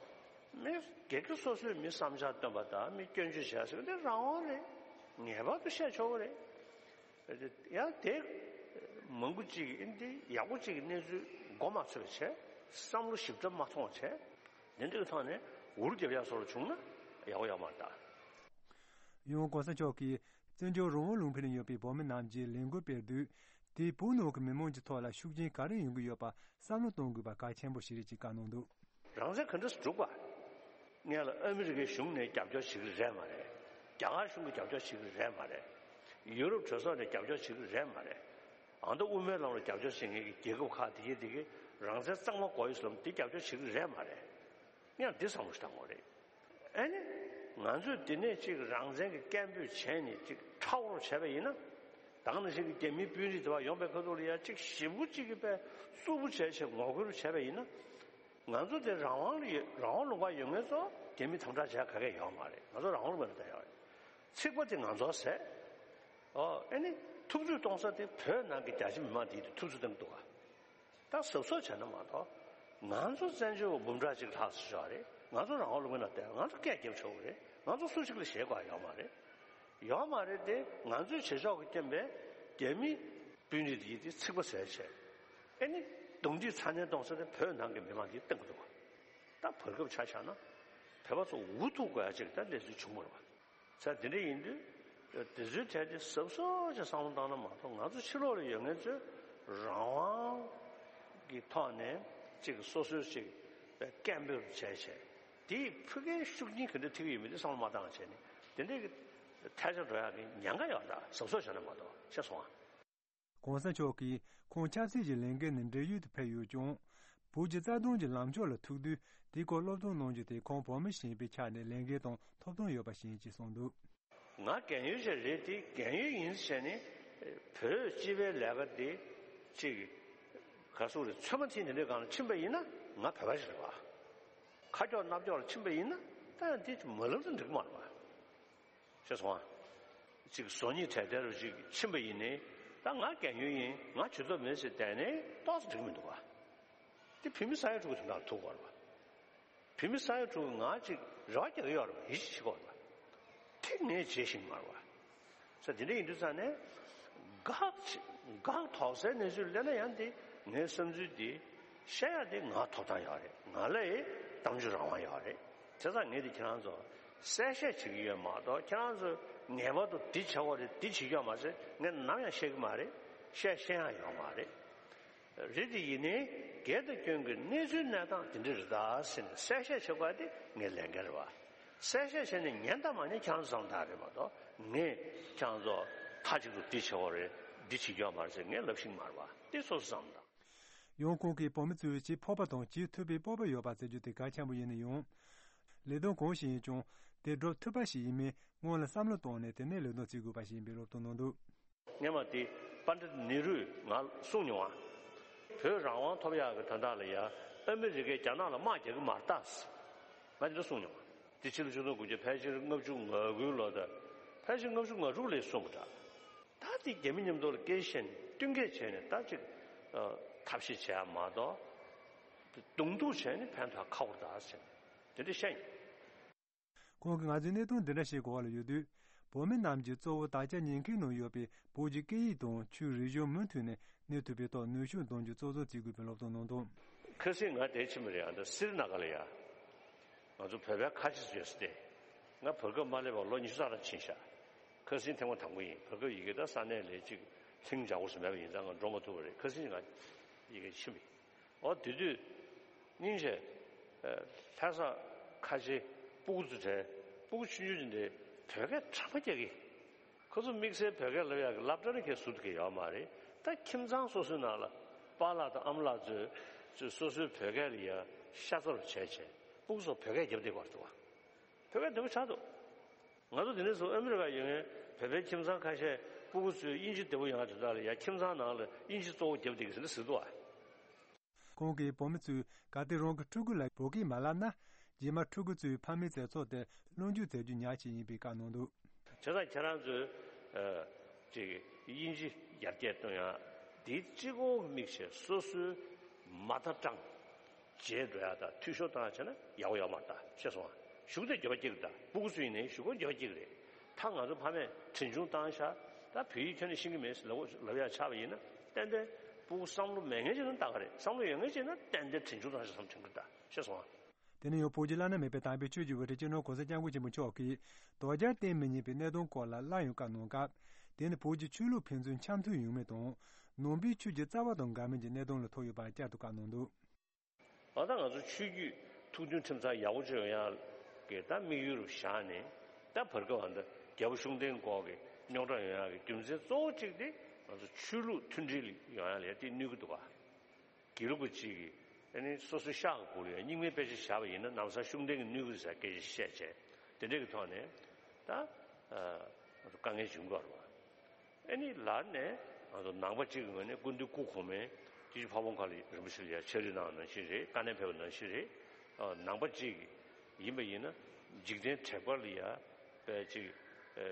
མི་སྒེར་གྱི་སོ་སོས་མི་བསམ་འཆར་བཏོན་པ་དང་མི་སྐྱོན་བརྗོད་བྱས་ཟེར་བ་དེ་རང་དབང་རེད། ངེས་པར་དུ་བཤད་ཆོག་གི་རེད། ཡང་དེ་མང་པོ་ཅིག་གིས་འདི་ཡག་པོ་ཅིག་གི་གནས་ཚུལ་མགོ་མ་ཚོས་པ་བྱས། བསམ་བློ་ཞིབ་ཕྲ་མ་ཐོངས་བྱས། དེ་འདྲའི་ཐོག་ནས་འུར་རྒྱབ་ཡག་སོགས་བྱུང་ན་ཡག་པོ་ཡོད་མ་རེད་ད། ཡང་གོང་ས་མཆོག་གིས་བཙན་བྱོལ་རང་དབང་ལུང་པ་ནས་ཡོད་པའི་བོད་མི་རྣམས་ཀྱིས་ལས་འགུལ་སྤེལ་དུས། དེས་བོད་ནང་གི་མི་མང་གི་ཐོག་ལ་ཤུགས་རྐྱེན་ག་རེ་ཡོང་གི་ཡོད་པ་བསམ་བློ་གཏོང་དགོས་པ་གལ་ཆེན་པོ་ཞིག་རེད་ཅེས་བཀའ་གནང་འདུག། རང་བཙན་ག་འདྲ་སེ་སྒྲུབ་པ། སྔོན་ལ་ཨ་མི་རི་ཀའི་གཞུང་ནས་རྒྱབ་སྐྱོར་བྱེད་ཀྱི་རེད་མ་རེད། རྒྱ་གར་གཞུང་གིས་རྒྱབ་སྐྱོར་བྱེད་ཀྱི་རེད་མ་རེད། ཡུ་རོབ་གྲོས་ཚོགས་ནས་རྒྱབ་སྐྱོར་བྱེད་ཀྱི་རེད་མ་རེད། ཨ་མདོ་དབུ་མའི་ལམ་ལ་རྒྱབ་སྐྱོར་བྱེད་མཁན་གྱི་རྒྱལ་ཁབ་ཁག་དེ་གས་དེ་གས་རང་བཙན་གཙང་མ་དགོས་ཡོད་ཟེར་ལམ་དེ་རྒྱབ་སྐྱོར་བྱེད་ཀྱི་རེད་མ་རེད། ཡང་འདི་བསམ་བློ་ཞིག་བཏང་དགོས་རེད། ཨ་ནི། ང་ཚོས་འདི་ནས་ཅིག་རང་བཙན་གྱི་སྐད་འབོད་བྱས་ནས་ཅིག་ཁྲ་བོར་བྱས་པ་ཡིན་ན། ད་ག་ནང་བཞིན་གྱི་རྒྱ་མིའི་དཔོན་རིགས་དེ་བ་ཡོང་པའི་ཁ་ཐུག་ལ་ཡ་ཅིག་ཞིབ་པོ་ཅིག་གི་པའི་རྩུབ་པོ་བྱས་བྱས་ངོ་རྒོལ་བྱས་པ་ཡིན་ན། ང་ཚོ་དེ་རང་དབང་ལ་ཡོད་རང་དབང་ལུང་པ་ཡོད་མཁན་ཚོ་རྒྱ་མི་དམ་དྲག་བྱས་ག་གས་ཡོད་མ་རེད། ང་ཚོ་རང་དབང་ལུང་པ་ལ་བསྡད་ཡོད་རེད། ཚིག་པ་དེ་ང་ཚོ་ཟེར། ཨོ་ཨ་ནི་ཐུབ་ཚོད་གཏོང་ས་དེ་བོད་ནང་གི་རྒྱ་ཆེ་མི་མང་དེ་ཐུབ་ཚོད་གཏོང་གི་འདུག་ག། ད་གཟབ་གཟབ་བྱས་ན་མ་གཏོགས། ང་ཚོ་བཙན་བྱོལ་བ་འབུམ་ཕྲག་གཅིག་ལྷག་ཙམ་ཡོད་རེད། ང་ཚོ་རང་དབང་ལུང་པའི་ནང་བསྡད། ང་ཚོ་སྐད་རྒྱབ་ཆོག་གི་རེད། ང་ཚོ་སུ་གཅིག་ལ་ཞེད་དགོས་ཡོད་མ་རེད། ཡོད་མ་རེད་དེ། ང་ཚོའི་བྱེད་ཕྱོགས་ཀྱི་རྐྱེན་པས་རྒྱ་མི་དཔོན་རིགས་དེ་ཡིས་དེ་ཚིག་པ་ཟེར་བྱས། ཨེ་ནི། རྡུང་རྡེག་ཚ་ནན་གཏོང་ས་དེ་བོད་ནང་གི་མི་མང་གིས་གཏོང་གི་འདུག་ག། ད་བར་སྐབས་ཆ་བཞག་ན། བོད་པ་ཚོ་འུ་ཐུག་དགོས་ཡ་ཅིག་ད་གནས་ཚུལ་བྱུང་མ་རེད་པ། ས་དེ་འདྲ་ཡིན་དུས། དེ་ཚོའི་གྲས་དེ་གཟབ་གཟབ་ཅིག་བསམ་བློ་བཏང་ན་མ་གཏོགས། ང་ཚོ་ཕྱི་ལོགས་ལ་ཡོད་མཁན་ཚོས་རང་དབང་གི་ཐོག་ནས་ཅིག་སོ་སོའི་ཅིག་སྐད་འབོད་བྱས་བྱས། དེས་ཕ་གིའི་ཤུགས་རྐྱེན་ག་འདྲ་ཐེབས་ཀྱི་ཡོད་མེད་དེ་བསམ་བློ་མ་བཏང་བྱས་ནས། དེ་འདྲའི་གི་ཐལ་ཆ་འགྲོ་ཡག་གི་ཉེན་ཁ་ཡོད། ད་གཟབ་གཟབ་བྱས་ན་མ་གཏོགས། ཤེས་སོང་ཨ། གོང་ས་མཆོག་གིས་ཁོང་ཆབ་སྲིད་ཀྱི་ལས་འགན་ནས་བགྲེས་ཡོལ་དུ་ཕེབས་ཡོད་ཀྱང་། བོད་ཀྱི་རྩ་དོན་གྱི་ལངས་ཕྱོགས་ལ་ཐུག་དུས། དེའི་སྐོར་སློབ་སྟོན་གནང་རྒྱུ་དེ་ཁོང་བོད་མི་ཞིག་ཡིན་པའི་ཆ་ནས་ལས་འགན་དང་ཐོབ་ཐང་ཡོད་པ་ཞིག་ཡིན་ཅེས་གསུངས་འདུག། ང་རྒན་ཡོལ་ཞིག་རེད་དེ། རྒན་ཡོལ་ཡིན་ཟེར་ནས་བོད་སྤྱི་པའི་ལས་ཀ་དེ་ཅིག་ག་ཟེར་རེད། ཚོད་མ་ཐིག་འདི་འདྲའི་སྒང་ལ་ཕྱིན་པ་ཡིན་ན། ང་བོད་པ་ཞིག་རེད་པ། ཁ་ཁྱོག་སྣ་ཁྱོག་ལ་ཕྱིན་པ་ཡིན་ན། ད་ཡང་དེ་མ་ལབ་ན་འགྲིག་མ་རེད་པ། ཤེས་སོང་ཨ། ཅིག་བཟོ་ཉིད་དྲན་རྟེན་རུ་ཅིག་ཕྱིན་པ་ཡིན་ནའི། ད་ང་རྒན་ཡོལ་ཡིན། ང་བྱེད་ཐབས་མེད་ཟེར་བསྡད་ནའི་ཏོག་ཙམ་འགྲིག་མི་འདུག་ག། དེ་བོད་མི་ས་ཡ་དྲུག་གི་དོན་དག་ཐུག་དགོས་རེད་པ། བོད་མི་ས་ཡ་དྲུག་གིས་ང་ཅིག་རེ་བ་རྒྱག་གི་ཡོད་རེད་པ། ཡིད་ཆེས་བྱེད་དགོས་རེད་པ། དེ་ངས་བྱེད་ཤེས་ཀྱི་མ་རེད་པ། ས་དེ་འདྲ་ཡིན་དུས་ཙང་ནས། འགག་ཅིག་འགག་དོགས་སའི་གནས་ཚུལ་སླེབས་ན་ཡང་དེ་ངའི་བསམ་ཚུལ་དེ་བཤད་ཡ་དེ་ང་ཐོབ་ཐང་ཡོད་རེད། ང་ལ་ཡི་གཏམ་བརྗོད་རང་དབང་ཡོད་རེད། བྱས་ཙང་ངས་དེ་ཁྱེད་རང་ཚོ་གསལ་བཤད་བྱེད་ཀྱི་ཡོད་མ་གཏོགས། ཁྱེད་རང་ཚོས་ངེས་པར་དུ་འདི་བྱེད་དགོས་རེད། འདི་བྱེད་ཀྱི་ཡོད་མ་ཟེར་ངས་ནམ་ཡང་བཤད་ཀྱི་མ་རེད། བཤད་ཤེས་ཡང་ཡོད་མ་རེད། རེད་དེ། ཡིན་ནའི་སྒེར་དང་སྐྱོན་གྱི་གནས་ཚུལ་གནས་སྟངས་དེ་འདྲ་རེད་ད་ཟེར་ནས་གསལ་བཤད་བྱེད་དགོས་དེ་ངའི་ལས་འགན་རེད་པ། གསལ་བཤད་བྱས་ནས་ཉན་དང་མ་ཉན་ཁྱེད་རང་ཚོ་བསམ་སྟངས་རེད་མ་གཏོགས། ངས་ཁྱེད་རང་ཚོ་མཐའ་གཅིག་ཏུ་འདི་བྱེད་དགོས་རེད། འདི་བྱེད་རྒྱུ་ཡོད་མ་རེད་ཟེར་ངས་ལབ་ཤེས་ཀྱི་མ་རེད་པ། དེ་སོ་སོ་བསམ་དང་། ཡང་ཁོང་གིས་བོད་མི་ཚོས་བྱེད་ཕོད་པ་དང་བྱེད་ཐུབ་པའི་སྤོབས་པ་ཡོད་པ་ཟེར་རྒྱུ་དེ་གལ་ཆེན་པོ་ཡིན་ན་ཡང་། ལས་དོན་གང་ཞིག་ཡིན་ཀྱང་། དེ་སྒྲུབ་ཐུབ་པ་ཞིག་ཡིན་མིན་སྔོན་ལ་བསམ་བློ་བཏང་ནས་དེ་ནས་ལས་དོན་བྱེད་དགོས་པ་ཞིག་ཡིན་པའི་སློབ་སྟོན་གནང་འདུག། སྔོན་མ་དེ་པཎྜི་ཏ་ནེ་རུས་ང་གསུངས་མྱོང་བ། བོད་རང་དབང་ཐོབ་ཡག་གི་དོན་དག་ལ་ཡ་ཨ་མི་རི་ཀས་རྒྱ་ནག་ལ་དམག་རྒྱག་གི་མ་རེད་ད། ང་དེ་འདྲ་གསུངས་མྱོང་བ། དེ་ཕྱི་ལོ་ཆིག་སྟོང་དགུ་བརྒྱ་ཕལ་ཆེར་ལྔ་བཅུ་ང་དགུའི་ལོ། ད་ཕལ་ཆེར་ལྔ་བཅུ་ང་དྲུག་ལ་གསུངས་པ་འདྲ། ད་དེ་རྒྱ་མི་མཉམ་དུ་ལ་སྐད་ཆ་བཤད་ནས་བསྟུན་མཁས་བྱས་ནས་ད་ཅིག་ཐབས་ཤེས་བྱས་ཡ་མ་གཏོགས། གདོང་ཐུག་བྱས་ནས་ཕན་ཐོགས་ཁག་པོ་རེད་ད་ཟེར་ནས་དེ་འདྲ་བཤད་མྱོང་། ཁོང་གིས་ང་ཚོའི་གནད་དོན་འདི་འདྲ་ཞིག་གི་འོག་ལ་ཡོད་དུས། བོད་མི་རྣམས་ཀྱིས་གཙོ་བོ་དར་ཆ་ཉན་མཁན་ནང་ཡོད་པའི་བོད་ཀྱི་སྐད་ཡིག་དང་ཆོས་རིག་གཞུང་མུ་མཐུད་ནས་གནས་ཐུབ་པའི་ཐོག་ནུས་ཤུགས་འདོན་རྒྱུ་གཙོ་བཟོ་བྱེད་དགོས་པའི་སློབ་སྟོན་གནང་འདུག། ཁ་སང་ང་དེར་ཕྱིན་པ་རེད། ཨ་ད་སི་རི་ན་ག་ལ་ཡ། ང་ཚོ་བོད་པའི་ཁ་ཆེ་ཚོ་ཡོད་ས་དེ། ང་བར་སྐབས་མ་སླེབས་པར་ལོ་ཉི་ཤུ་རྩ་ལྷག་ཕྱིན་ཤག། ཁ་སང་ཐེངས་མ་དང་པོ་ཡིན། བར་སྐབས་ཡ་གི་ད་ས་གནས་ལ་ཅིག་ལྷིང་འཇགས་པོ་ཞིག་མེད་པ་ཡིན་ཙང་ང་འགྲོ་མ་ཐུབ་པ་རེད། ཁ་སང་ང་ཡ་གི་ཕྱིན་པ་ཡིན། འོ་དེ་དུས་སྙིང་རྗེ། ཨ་ལྷ་ས་ཁ་ཆེ་སྤུ་གུ་ཚོ་དྲན། སྤུ་གུ་ཆུང་ཆུང་དེ་འདྲའི་བོད་སྐད་གྲགས་པ་རྒྱག་གི། ཁོ་ཚོ་དམིགས་བསལ་བོད་སྐད་ལབ་ཡག་གི་སློབ་གྲྭ་ནས་ཁྱེར་ཟུར་དུ་ཁྱེར་ཡོད་མ་རེད། ད་ཁྱིམ་ཚང་སོ་སོའི་ནང་ལ་པཱ་ལགས་དང་ཨ་མ་ལགས་ཚོས་ཚོས་སོ་སོའི་བོད་སྐད་ལ་ཡ་ཤ་ཚ་རུ་བྱས་བྱས་སྤུ་གུ་ཚོ་བོད་སྐད་རྒྱབ་བསྡད་ཀྱི་ཡོད་རེད་པ། བོད་སྐད་བདེ་པོ་ཆགས་འདུག། ང་ཚོ་འདི་ནས་བཟུང་ཨ་མི་རི་ཀར་ཡོད་མཁན་བོད་པའི་ཁྱིམ་ཚང་ཁ་ཤས་སྤུ་གུ་ཚོས་དབྱིན་ཇི་བདེ་པོ་ཡོང་ཡ་དོན་དག་ལ་ཡ་ཁྱིམ་ཚང་ནང་ལ་དབྱིན་ཇི་གཙོ་བོ་རྒྱབ་བསྡད་ཀྱི་ཟེར་ནས་ཟེར་འདུག་ཨ། ཁོང་གིས་བོད་མི་ཚོས་གལ་ཏེ་རང་གི་ཕྲུ་གུ་ལ་བོད་སྐད་མ་བསླབ་ན། རྗེས་མ་ཕྲུ་གུ་ཚོས་ཕ་མའི་མཛད་ཚོགས་དེར་སློབ་འཇུག་མཛད་རྒྱུ་ཉག་ཅིག་ཡིན་པའི་བཀའ་གནང་འདུག། བྱས་ཙང་ཁྱེད་རང་ཚོས་ཨ་ཅིག་དབྱིན་ཇི་ཡར་རྒྱས་གཏོང་ཡ་འདི་གཅིག་པོ་དམིགས་བྱས་སོ་སོའི་མ་མཐའ་སྐྲངས། རྗེས་འགྲོ་ཡ་དང་འཐུས་ཤོར་བཏང་ཡ་བྱས་ན་ཡག་པོ་ཡོད་མ་རེད་ད། ཤེས་སོང་ཨ། གཞུག་དེ་འགྱོད་པ་སྐྱེ་གི་རེད་ད། སྤུ་གུ་ཚོ་ཡིན་ནའི་གཞུག་གུ་འགྱོད་པ་སྐྱེ་གི་རེད། ད་ང་ཚོ་ཕ་མས་གྲོན་ཆུང་བཏང་ཤག། ད་བོད་ཡིག་ཁྱོན་ནས་ཤེས་ཀྱི་མེད་ཟེར་ལབ་ལབ་ཡ་ཆགས་པ་ཡིན་ན། ཏན་ཏན་སྤུ་གུ་བསམ་བློ་མེད་མཁན་ཅིག་ན་ད་ག་རེད། བསམ་བློ་ཡོད་མཁན་ཅིག་ན་ཏན་ཏན་གྲོན་ཆུང་བཏང་ཤག་བསམ་དྲན་གི་རེད་ད། ཤེས་སོང་ཨ། དེ་ནས་ཡང་བོད་ཀྱི་བླ་ན་མེད་པའི་དམ་པའི་ཆོས་ཀྱི་དབུ་ཁྲིད་སྤྱི་ནོར་གོང་ས་སྐྱབས་མགོན་ཆེན་པོ་མཆོག་གིས་དོལ་རྒྱལ་བསྟེན་མི་ཉན་པའི་གནད་དོན་སྐོར་ལ་སླར་ཡང་བཀའ་གནང་སྐབས། དེ་ནི་བོད་ཀྱི་ཆོས་ལུགས་ཕན་ཚུན་འཆམ་མཐུན་ཡོང་མིན་དང་། ནང་པའི་ཆོས་ཀྱི་རྩ་བ་དང་འགལ་མིན་གྱི་གནད་དོན་ལ་ཐུག་ཡོད་པ་བསྐྱར་དུ་བཀའ་གནང་འདུག། ཨ་ད་ང་ཚོ་ཆོས་བརྒྱུད་ཐུགས་མཐུན་ཁྲིམས་གཙང་ཡག་པོ་ཅིག་ཡོང་ཡག་གི་ད་དམིགས་ཡུལ་རུ་བཞག་ནས། ད་བར་སྐབས་ཨ་ད་རྒྱལ་པོ་ཤུགས་ལྡན་སྐོར་གྱི་རྙོག་དྲ་ཡོང་ཡག་གི་རྒྱུ་མཚན་གཙོ་བོ་གཅིག་དེ་ང་ཚོ་ཆོས་ལུགས་མཐུན་སྒྲིལ་ཡོང་ཡག་ལ་དེ་གནོད་ཀྱི་འདུག་ག། དགེ་ལུགས་པ་གཅིག་གིས་ཨ་ནི་སོ་སོའི་ཤག་གི་སྦུག་ལ་ཡང་རྙིང་མའི་དཔེ་ཆ་བཞག་པ་ཡིན་ན་ལམ་སང་ཤུགས་ལྡན་གྱི་གནོད་ཀྱི་རེད་ཟེར་སྐད་ཆ་བཤད་བྱས། དེ་འདྲ་གི་ཐོག་ནས་ད་ཨ་དཀའ་ངལ་བྱུང་གི་ཡོད་རེད་བ། ཨ་ནི་ལར་ནས་ང་ཚོ་ནང་པ་གཅིག་གི་ངོས་ནས་སྐུ་མདུན་སྐུ་གོང་མས་སྐྱིད་ཆུ་ཕ་བོང་ཁ་ལ་རིན་པོ་ཆེ་ལ་ཡ་ཕྱག་རོགས་གནང་ནང་བཞིན་རེད། དཀའ་གནད་ཕེབས་པ་ནང་བཞིན་རེད། ཨ་ནང་པ་གཅིག་ཡིན་པ་ཡིན་ན་འཇིག་རྟེན་དྲེགས་པ་ལ་ཡ་པའི་ཅིག་ཨ་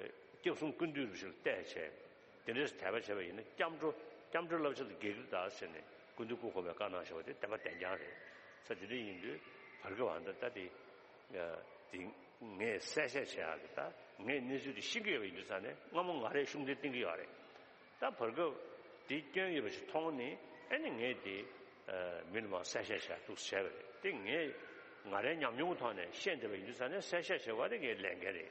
སྐྱབས་གསུམ་ཀུན་འདུས་རིན་པོ་ཆེ་ལ་བལྟས་བྱས། དེ་འདྲས་དད་པ་བྱས་པ་ཡིན་ན་སྐྱབས་འགྲོ་སྐྱབས་འགྲོའི་བསླབ་བྱ་དང་འགལ་གྱི་རེད་ད་ཟེར་ནས་སྐུ་མདུན་སྐུ་གོང་མས་བཀའ་གནང་བཞག་པ་དེ་བདེན་པ་བདེན་རྐྱང་རེད། ས་དེ་འདྲ་ཡིན་དུས་བར་སྐབས་ཨ་ད་ལྟ་དེ་དེ་ངས་གསལ་བཤད་བྱེད་ཡག་གི་ད་ངས་གནས་ཚུལ་དེ་ཤེས་ཀྱི་ཡོད་པ་ཡིན་དུས་ཙང་ནས་སྔ་མོ་ང་རས་ཤུགས་ལྡན་བསྟན་གྱི་ཡོད་རེད། ད་བར་སྐབས་དེ་སྐྱོན་ཡོད་པ་ཞིག་མཐོང་ནས་ཨ་ནི་ངས་དེ་མི་ལ་མར་གསལ་བཤད་བྱ་འདུག་བྱས་པ་རེད། དེ་ངས་ང་རའི་ཉམས་མྱོང་གི་ཐོག་ནས་ཤེས་བསྡད་པ་ཡིན་དུས་ཙང་ནས་གསལ་བཤད་བྱེད་དགོས་དེ་ངའི་ལས་འགན་རེད།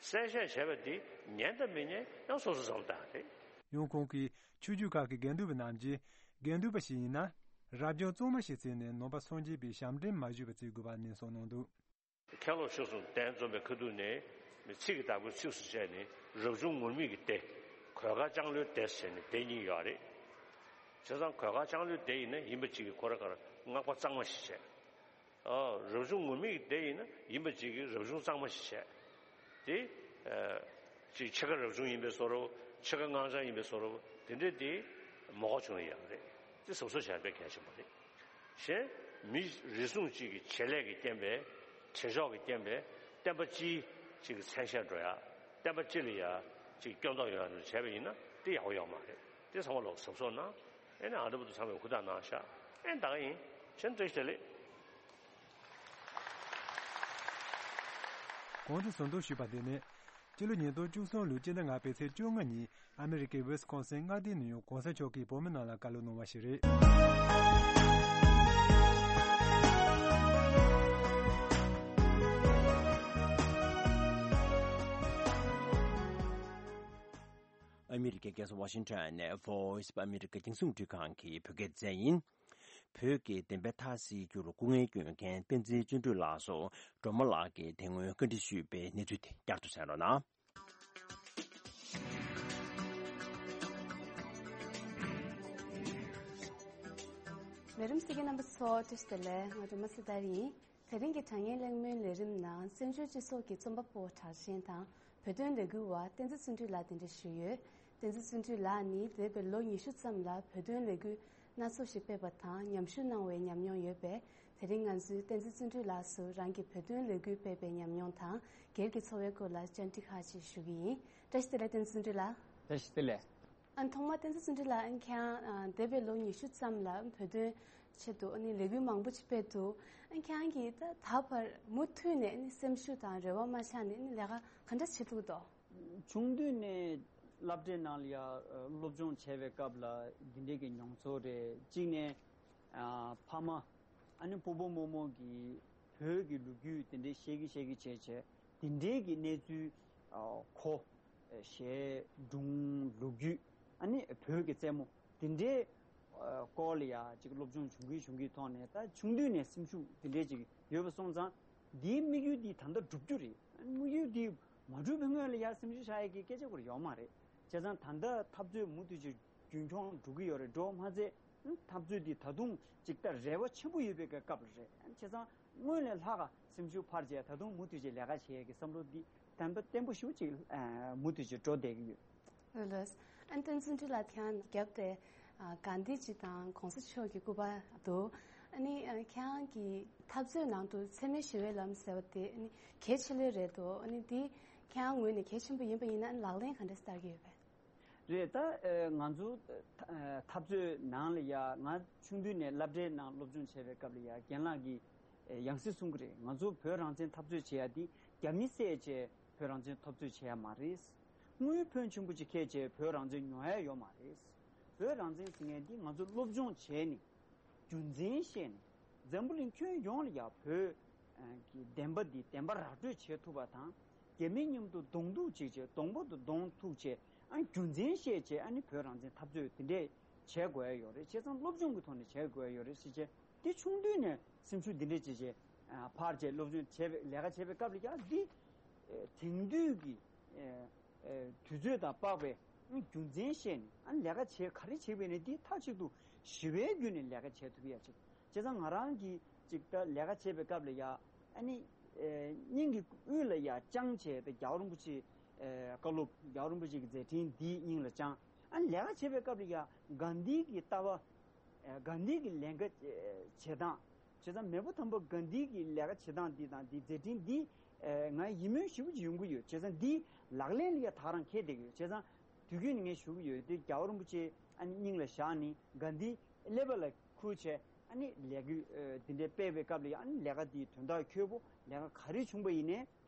གསལ་བཤད་བྱས་པ་དེ་ཉན་དང་མི་ཉན་ཡང་སོ་སོ་བསམ་བཏང་རེད། ཡང་ཁོང་གིས་ཆོས་བརྒྱུད་ཁག་གི་དགེ་འདུན་པ་རྣམས་ཀྱིས་དགེ་འདུན་པ་ཞིག་ཡིན་ན་རབ་བྱུང་གཙང་མ་ཞིག་བརྩིས་ནས་ནང་པ་སངས་རྒྱས་པའི་ཞབས་འདྲེན་མ་ཞུས་པ་བརྩི་དགོས་པ་ནན་གསུངས་གནང་འདུག། མཁན་སློབ་ཆོས་གསུམ་གདན་འཛོམས་པའི་ཁ་ཐུག་ནས་ཚིག་གི་བདག་པོའི་ཚིགས་སུ་བཅད་ནས་རབ་བྱུང་ངུར་སྨྲིག་གི་སྡེ། གོས་དཀར་ལྕང་ལོའི་སྡེ་ཟེར་ནས་སྡེ་གཉིས་ཡོད་རེད། བྱས་ཙང་གོས་དཀར་ལྕང་ལོའི་སྡེ་ཡིན་ན་ཡིན་པ་གཅིག་གིས་ཁོ་རང་གར་སྔགས་པ་གཙང་མ་ཞིག་བྱས། ཨ་རབ་བྱུང་ངུར་སྨྲིག་གི་སྡེ་ཡིན་ན་ཡིན་པ་གཅིག་གིས་རབ་བྱུང་གཙང་མ་ཞིག་བྱས། དེ་ཨ་ཅིག་ཕྱེད་ཀ་རབ་བྱུང་ཡིན་པའི་བཟོ་འདྲ་བོ། ཕྱེད་ཀ་སྔགས་འཆང་ཡིན་པའི་བཟོ་འདྲ་བོ། དེ་འདྲ་དེ་མ་གོ་བྱུང་ན་ཡག་རེད། དེ་གཟབ་གཟབ་བྱ་དཔེ་གལ་ཆེན་པོ་རེད། གཞན་མི་རེ་ཟུང་གཅིག་གི་བྱེད་ལས་ཀྱི་རྐྱེན་པས། བྱེད་ཕྱོགས་ཀྱི་རྐྱེན་པས་བསྟན་པ་སྤྱིའི་གཅིག་གི་མཚན་ཤས་འགྲོ་ཡ། བསྟན་པ་སྤྱི་ལ་ཡ་གཅིག་སྐྱོན་འདོགས་ཡོང་ཡ་བྱས་པ་ཡིན་ན་དེ་ཡག་པོ་ཡོད་མ་རེད། དེ་ཚང་མ་ལོག་གཟབ་གཟབ་གནང་། ཨེ་ནས་ཨ་འདྲ་པོ་དུ་ཚང་མས་ཧུར་ཐག་གནང་ཤག། ཨེ་ད་ག་ཡིན། ཕྱིན་བཀྲ་ཤིས་བདེ་ལེགས། གོང་དུ་ཟུར་འདོན་ཞུས་པ་འདི་ནི་སྤྱི་ལོ་ཉིས་སྟོང་བཅུ་གསུམ་ལོའི་སྤྱི་ཟླ་ལྔ་པའི་ཚེས་བཅོ་ལྔ་ཉིན་ཨ་མི་རི་ཀའི་ཝི་སི་ཀོན་སིན་མངའ་སྡེའི་ནང་ཡང་གོང་ས་མཆོག་གིས་བོད་མི་རྣམས་ལ་བཀའ་སློབ་གནང་བ་ཞིག་རེད། ཨ་མི་རི་ཀའི་རྒྱལ་ས་ཝ་ཤིང་ཊོན་ནས་Voice of America རྒྱང་སྲིང་རླུང་འཕྲིན་ཁང་གི་བོད་སྐད་སྡེ་ཚན་ཡིན། བོད་ཀྱི་བདེན་པའི་མཐའ་གསལ་རྒྱུར་སྐུ་ངལ་བསྐྱོན་མཁན་བསྟན་འཛིན་བརྩོན་འགྲུས་ལགས་སུ་སྒྲོལ་མ་ལགས་ཀྱིས་དེ་སྔོན་བཀའ་འདྲི་ཞུས་པའི་གནས་ཚུལ་དེ་བསྐྱར་དུ་གསན་རོགས་གནང་། ལས་རིམ་གསན་མཁན་རྣམ་པ་ཚོ་བཀྲ་ཤིས་བདེ་ལེགས། ང་སྒྲོལ་མ་སྲི་ཐར་ཡིན། དེ་རིང་གི་དྲ་བརྙན་གླེང་མོལ་ལས་རིམ་ནང་བཙན་བྱོལ་སྤྱི་ཚོགས་ཀྱི་རྩོམ་པ་པོ་གྲགས་ཅན་དང་བོད་དོན་ལས་འགུལ་བ་བསྟན་འཛིན་བརྩོན་འགྲུས་ལགས་གདན་འདྲེན་ཞུས་ཡོད། བསྟན་འཛིན་བརྩོན་འགྲུས་ལགས་ནི་འདས་པའི་ལོ་ཉི་ཤུ་ཙམ་ལ་བོད་དོན་ལས་འགུལ་སྣ་ཚོགས་ཤིག་སྤེལ་བ་དང་ཉམས་ཞིབ་གནང་བའི་ཉམས་མྱོང་ཡོད་པས། དེ་རིང་ང་ཚོས་བསྟན་འཛིན་བརྩོན་འགྲུས་ལགས་སུ་རང་གི་བོད་དོན་ལས་འགུལ་སྤེལ་བའི་ཉམས་མྱོང་དང་སྒེར་གྱི་འཚོ་བའི་སྐོར་ལ་བཅར་འདྲི་ཁག་ཅིག་ཞུ་གི་ཡིན། བཀྲ་ཤིས་བདེ་ལེགས། བསྟན་འཛིན་བརྩོན་འགྲུས་ལགས། བཀྲ་ཤིས་བདེ་ལེགས། ཨ་ཐོག་མར་བསྟན་འཛིན་བརྩོན་འགྲུས་ལགས། ཨ་ཁྱེད་རང་ཨ་འདས་པའི་ལོ་ཉི་ཤུ་ཙམ་ལ་བོད་དོན་ཆེད་དུ་ཨ་ནི་ལས་འགུལ་མང་པོ་ཅིག་སྤེལ་འདུག། ཨ་ཁྱེད་རང་གིས་ད་ད་བར་མུ་མཐུད་ནས་ཨ་ནི་སེམས་ཤུགས་དང་རེ་བ་མ་ཆག་ནས་ཨ་ནི་ལས་ཀ་ག་འདྲ་བྱེད་ཐུབ་འདུག། ཆུང་དུས་ནས་སློབ་གྲྭའི་ནང་ལ་ཡ་སློབ་སྦྱོང་བྱས་པའི་སྐབས་ལ་འདི་འདྲའི་གི་མྱོང་ཚོར་རེད། གཅིག་ནས་ཨ་ཕ་མ་ཨ་ནི་སྤོ་བོ་རྨོ་མོ་གིས་བོད་ཀྱི་ལོ་རྒྱུས་དེ་འདྲའི་བཤད་གི་བཤད་གི་བྱས་བྱས་དེ་འདྲའི་གི་གནས་ཚུལ་ཨ་གོ། ཨ་གཞས་སྒྲུང་ལོ་རྒྱུས་ཨ་ནི་བོད་ཀྱི་རྩེད་མོ་དེ་འདྲའི་ཨ་སྐོར་ལ་ཡ་ཅིག་སློབ་སྦྱོང་བྱུང་གི་བྱུང་གི་ཐོག་ནས་ད་ཆུང་དུས་ནས་སེམས་ཤུགས་དེ་འདྲའི་ཅིག་ཡོད་པ་སོང་ཙང་འདིའི་དམིགས་ཡུལ་འདི་ད་ལྟ་འགྲུབ་རྒྱུ་རེད། དམིགས་ཡུལ་འདི་མ་འགྲུབ་པའི་སྔོན་ལ་ཡ་སེམས་ཤུགས་བཞག་ཡ་གི་སྐད་ཆ་སྐོར་ཡོད་མ་རེད། བྱས་ཙང་ད་ལྟ་འཐབ་རྩོད་མུ་མཐུད་ཅིག་རྒྱུན་འཁྱོངས་འགྲོ་གི་ཡོད་རེད། འགྲོ་མ་ཚད་འཐབ་རྩོད་འདི་ད་དུང་ཅིག་ད་རེ་བ་ཆེན་པོ་ཡོད་པའི་སྐབས་རེད། བྱས་ཙང་སྔོན་ལས་ལྷག་ག་སེམས་ཤུགས་འཕར་བྱས་ད་དུང་མུ་མཐུད་ཅིག་ལས་ཀ་བྱེད་ཡས་ཀྱི་བསམ་བློ་འདི་དམ་པ་བརྟན་པོ་ཞེ་པོ་ཅིག་ཨ་མུ་མཐུད་ཅིག་འགྲོ་བསྡད་ཀྱི་ཡོད། ལགས་ལགས། ཨ་ནི་བསྟན་འཛིན་བརྩོན་འགྲུས་ལགས། ཁྱེད་རང་རྒྱབ་དེ་ཨ་གྷན་དྷི་ཇི་དང་གོང་ས་མཆོག་གི་སྐུ་པར་འདུག། ཨ་ནི་ཨ་ཁྱེད་རང་གི་འཐབ་རྩོད་ནང་དུ་འཚེ་མེད་ཞི་བའི་ལམ་ཟེར་བ་དེ་ཨ་ནི་གལ་ཆེ་ལོས་རེད་འདུག། ཨ་ནི་འདི་ཁྱེད་རང་ངོས་ནས་གལ་ཆེན་པོ་ཡིན་པ་ཡིན་ན་ཨ་ནི་ལག་ལེན་ག་འདྲ་བསྟར་གྱི་ཡོད་པས། རེད། ད་ཨ་ང་ཚོ་ཨ་འཐབ་རྩོད་ནང་ལ་ཡ་ང་ཆུང་དུས་ནས་སློབ་གྲྭའི་ནང་སློབ་སྦྱོང་བྱས་པའི་སྐབས་ལ་ཡ་རྒན་ལགས་ཀྱིས་ཨ་ཡང་སེ་གསུང་གི་རེད། ང་ཚོ་བོད་རང་བཙན་འཐབ་རྩོད་བྱེད་ཡ་འདི་རྒྱ་མི་བསད་བྱས་བོད་རང་བཙན་འཐབ་རྩོད་བྱེད་ཡ་མ་རེད། དངུལ་ཕོན་ཆེན་པོ་ཅིག་ཁྱེར་བྱས་བོད་རང་བཙན་ཉོ་ཡ་ཡོད་མ་རེད། བོད་རང་བཙན་ཟེར་མཁན་འདི་ང་ཚོ་སློབ་སྦྱོང་བྱས་ནས་རྒྱུ་མཚན་ཤེས་ནས་འཛམ་བུ་གླིང་ཁྱོན་ཡོངས་ལ་ཡ་བོད་ཀྱི་བདེན་པ་འདི་བདེན་པ་ར་སྤྲོད་བྱེད་ཐུབ་པ་དང་རྒྱ་མི་མཉམ་དུ་གདོང་ཐུག་བྱེད་བྱས་གདོང་པ་དང་གདོང་ཐུག་བྱས་ཨ་རྒྱུ་མཚན་ཤེས་བྱས་ཨ་ནི་བོད་རང་བཙན་འཐབ་རྩོད་དེ་འདྲས་ བྱེད་དགོས་ཡ་ཡོད་རེད། བྱས་ཙང་སློབ་སྦྱོང་གི་ཐོག་ནས་བྱེད་དགོས་ཡ་ཡོད་རེད་ཟེར་བྱས། དེ་ཆུང་དུས་ནས་སེམས་ཤུགས་འདི་འདྲས་བྱས་བྱས་ཨ་འཕར་བྱས་སློབ་སྦྱོང་བྱས་པའི་ལས་ཀ་བྱས་པའི་སྐབས་ལ་ཡང་འདི་ཨེ་དེང་དུས་ཀྱི་ཨེ་ཨེ་དུས་ཚོད་དང་དཔག་པའི་རྒྱུ་མཚན་བཤད་ནས། ཨ་ནི་ལས་ཀ་བྱས་ག་རེ་བྱས་པ་ཡིན་ནའི་འདི་མཐའ་གཅིག་ཏུ་ཞི་བའི་བརྒྱུད་ནས་ལས་ཀ་བྱེད་ཐུབ་ཡ་ཅིག་བྱས་ཙང་ང་རང་གིས་ཅིག་ད་ལས་ཀ་བྱེད་པའི་སྐབས་ལ་ཡ་ཨ་ནི་ཨེ་སྙིང་གི་དབུས་ལ་ཡ་བཅངས་བྱས་ཏེ་རྒྱལ་བ་རིན་པོ་ཆེ་ཨེ་བཀའ་སློབ། རྒྱལ་བ་རིན་པོ་ཆེ་གི་མཛད་འཕྲིན་འདི་སྙིང་ལ་བཅངས། ཨ་ནི་ལས་ཀ་བྱེད་པའི་སྐབས་ལ་ཡ་གྷན་དྷི་གི་ལྟ་བ། ཨེ་གྷན་དྷི་གི་ལས་ཀ་ཨེ་བྱེད་སྟངས། བྱས་ཙང་མེས་པོ་དམ་པ་གྷན་དྷི་གི་ལས་ཀ་བྱེད་སྟངས་འདི་དང་འདི་མཛད་འཕྲིན་འདི་ཨེ་ང་ཡིད་སྨོན་ཞེ་པོ་ཅིག་ཡོང་གི་ཡོད། བྱས་ཙང་འདི་ལག་ལེན་ལ་ཡ་དག་རང་འཁེལ་བསྡད་ཀྱི་ཡོད། བྱས་ཙང་དུས་རྒྱུན་ནས་ངས་ཞུ་གི་ཡོད་དེ། རྒྱལ་བ་རིན་པོ་ཆེ་ཨ་ནི་སྙིང་ལ་བཞག་ནས་གྷན་དྷི་ཀླད་པ་ལ་ཁུར་བྱས། ཨ་ནི་ལས་འགུལ་ཨེ་འདི་འདྲའི་སྤེལ་བའི་སྐབས་ལ་ཡ་ཨ་ནི་ལས་ཀ་འདི་དོན་དག་འཁྱོལ་པོ། ལས་ཀ་ག་རེ་བྱུང་པ་ཡིན་ནའི་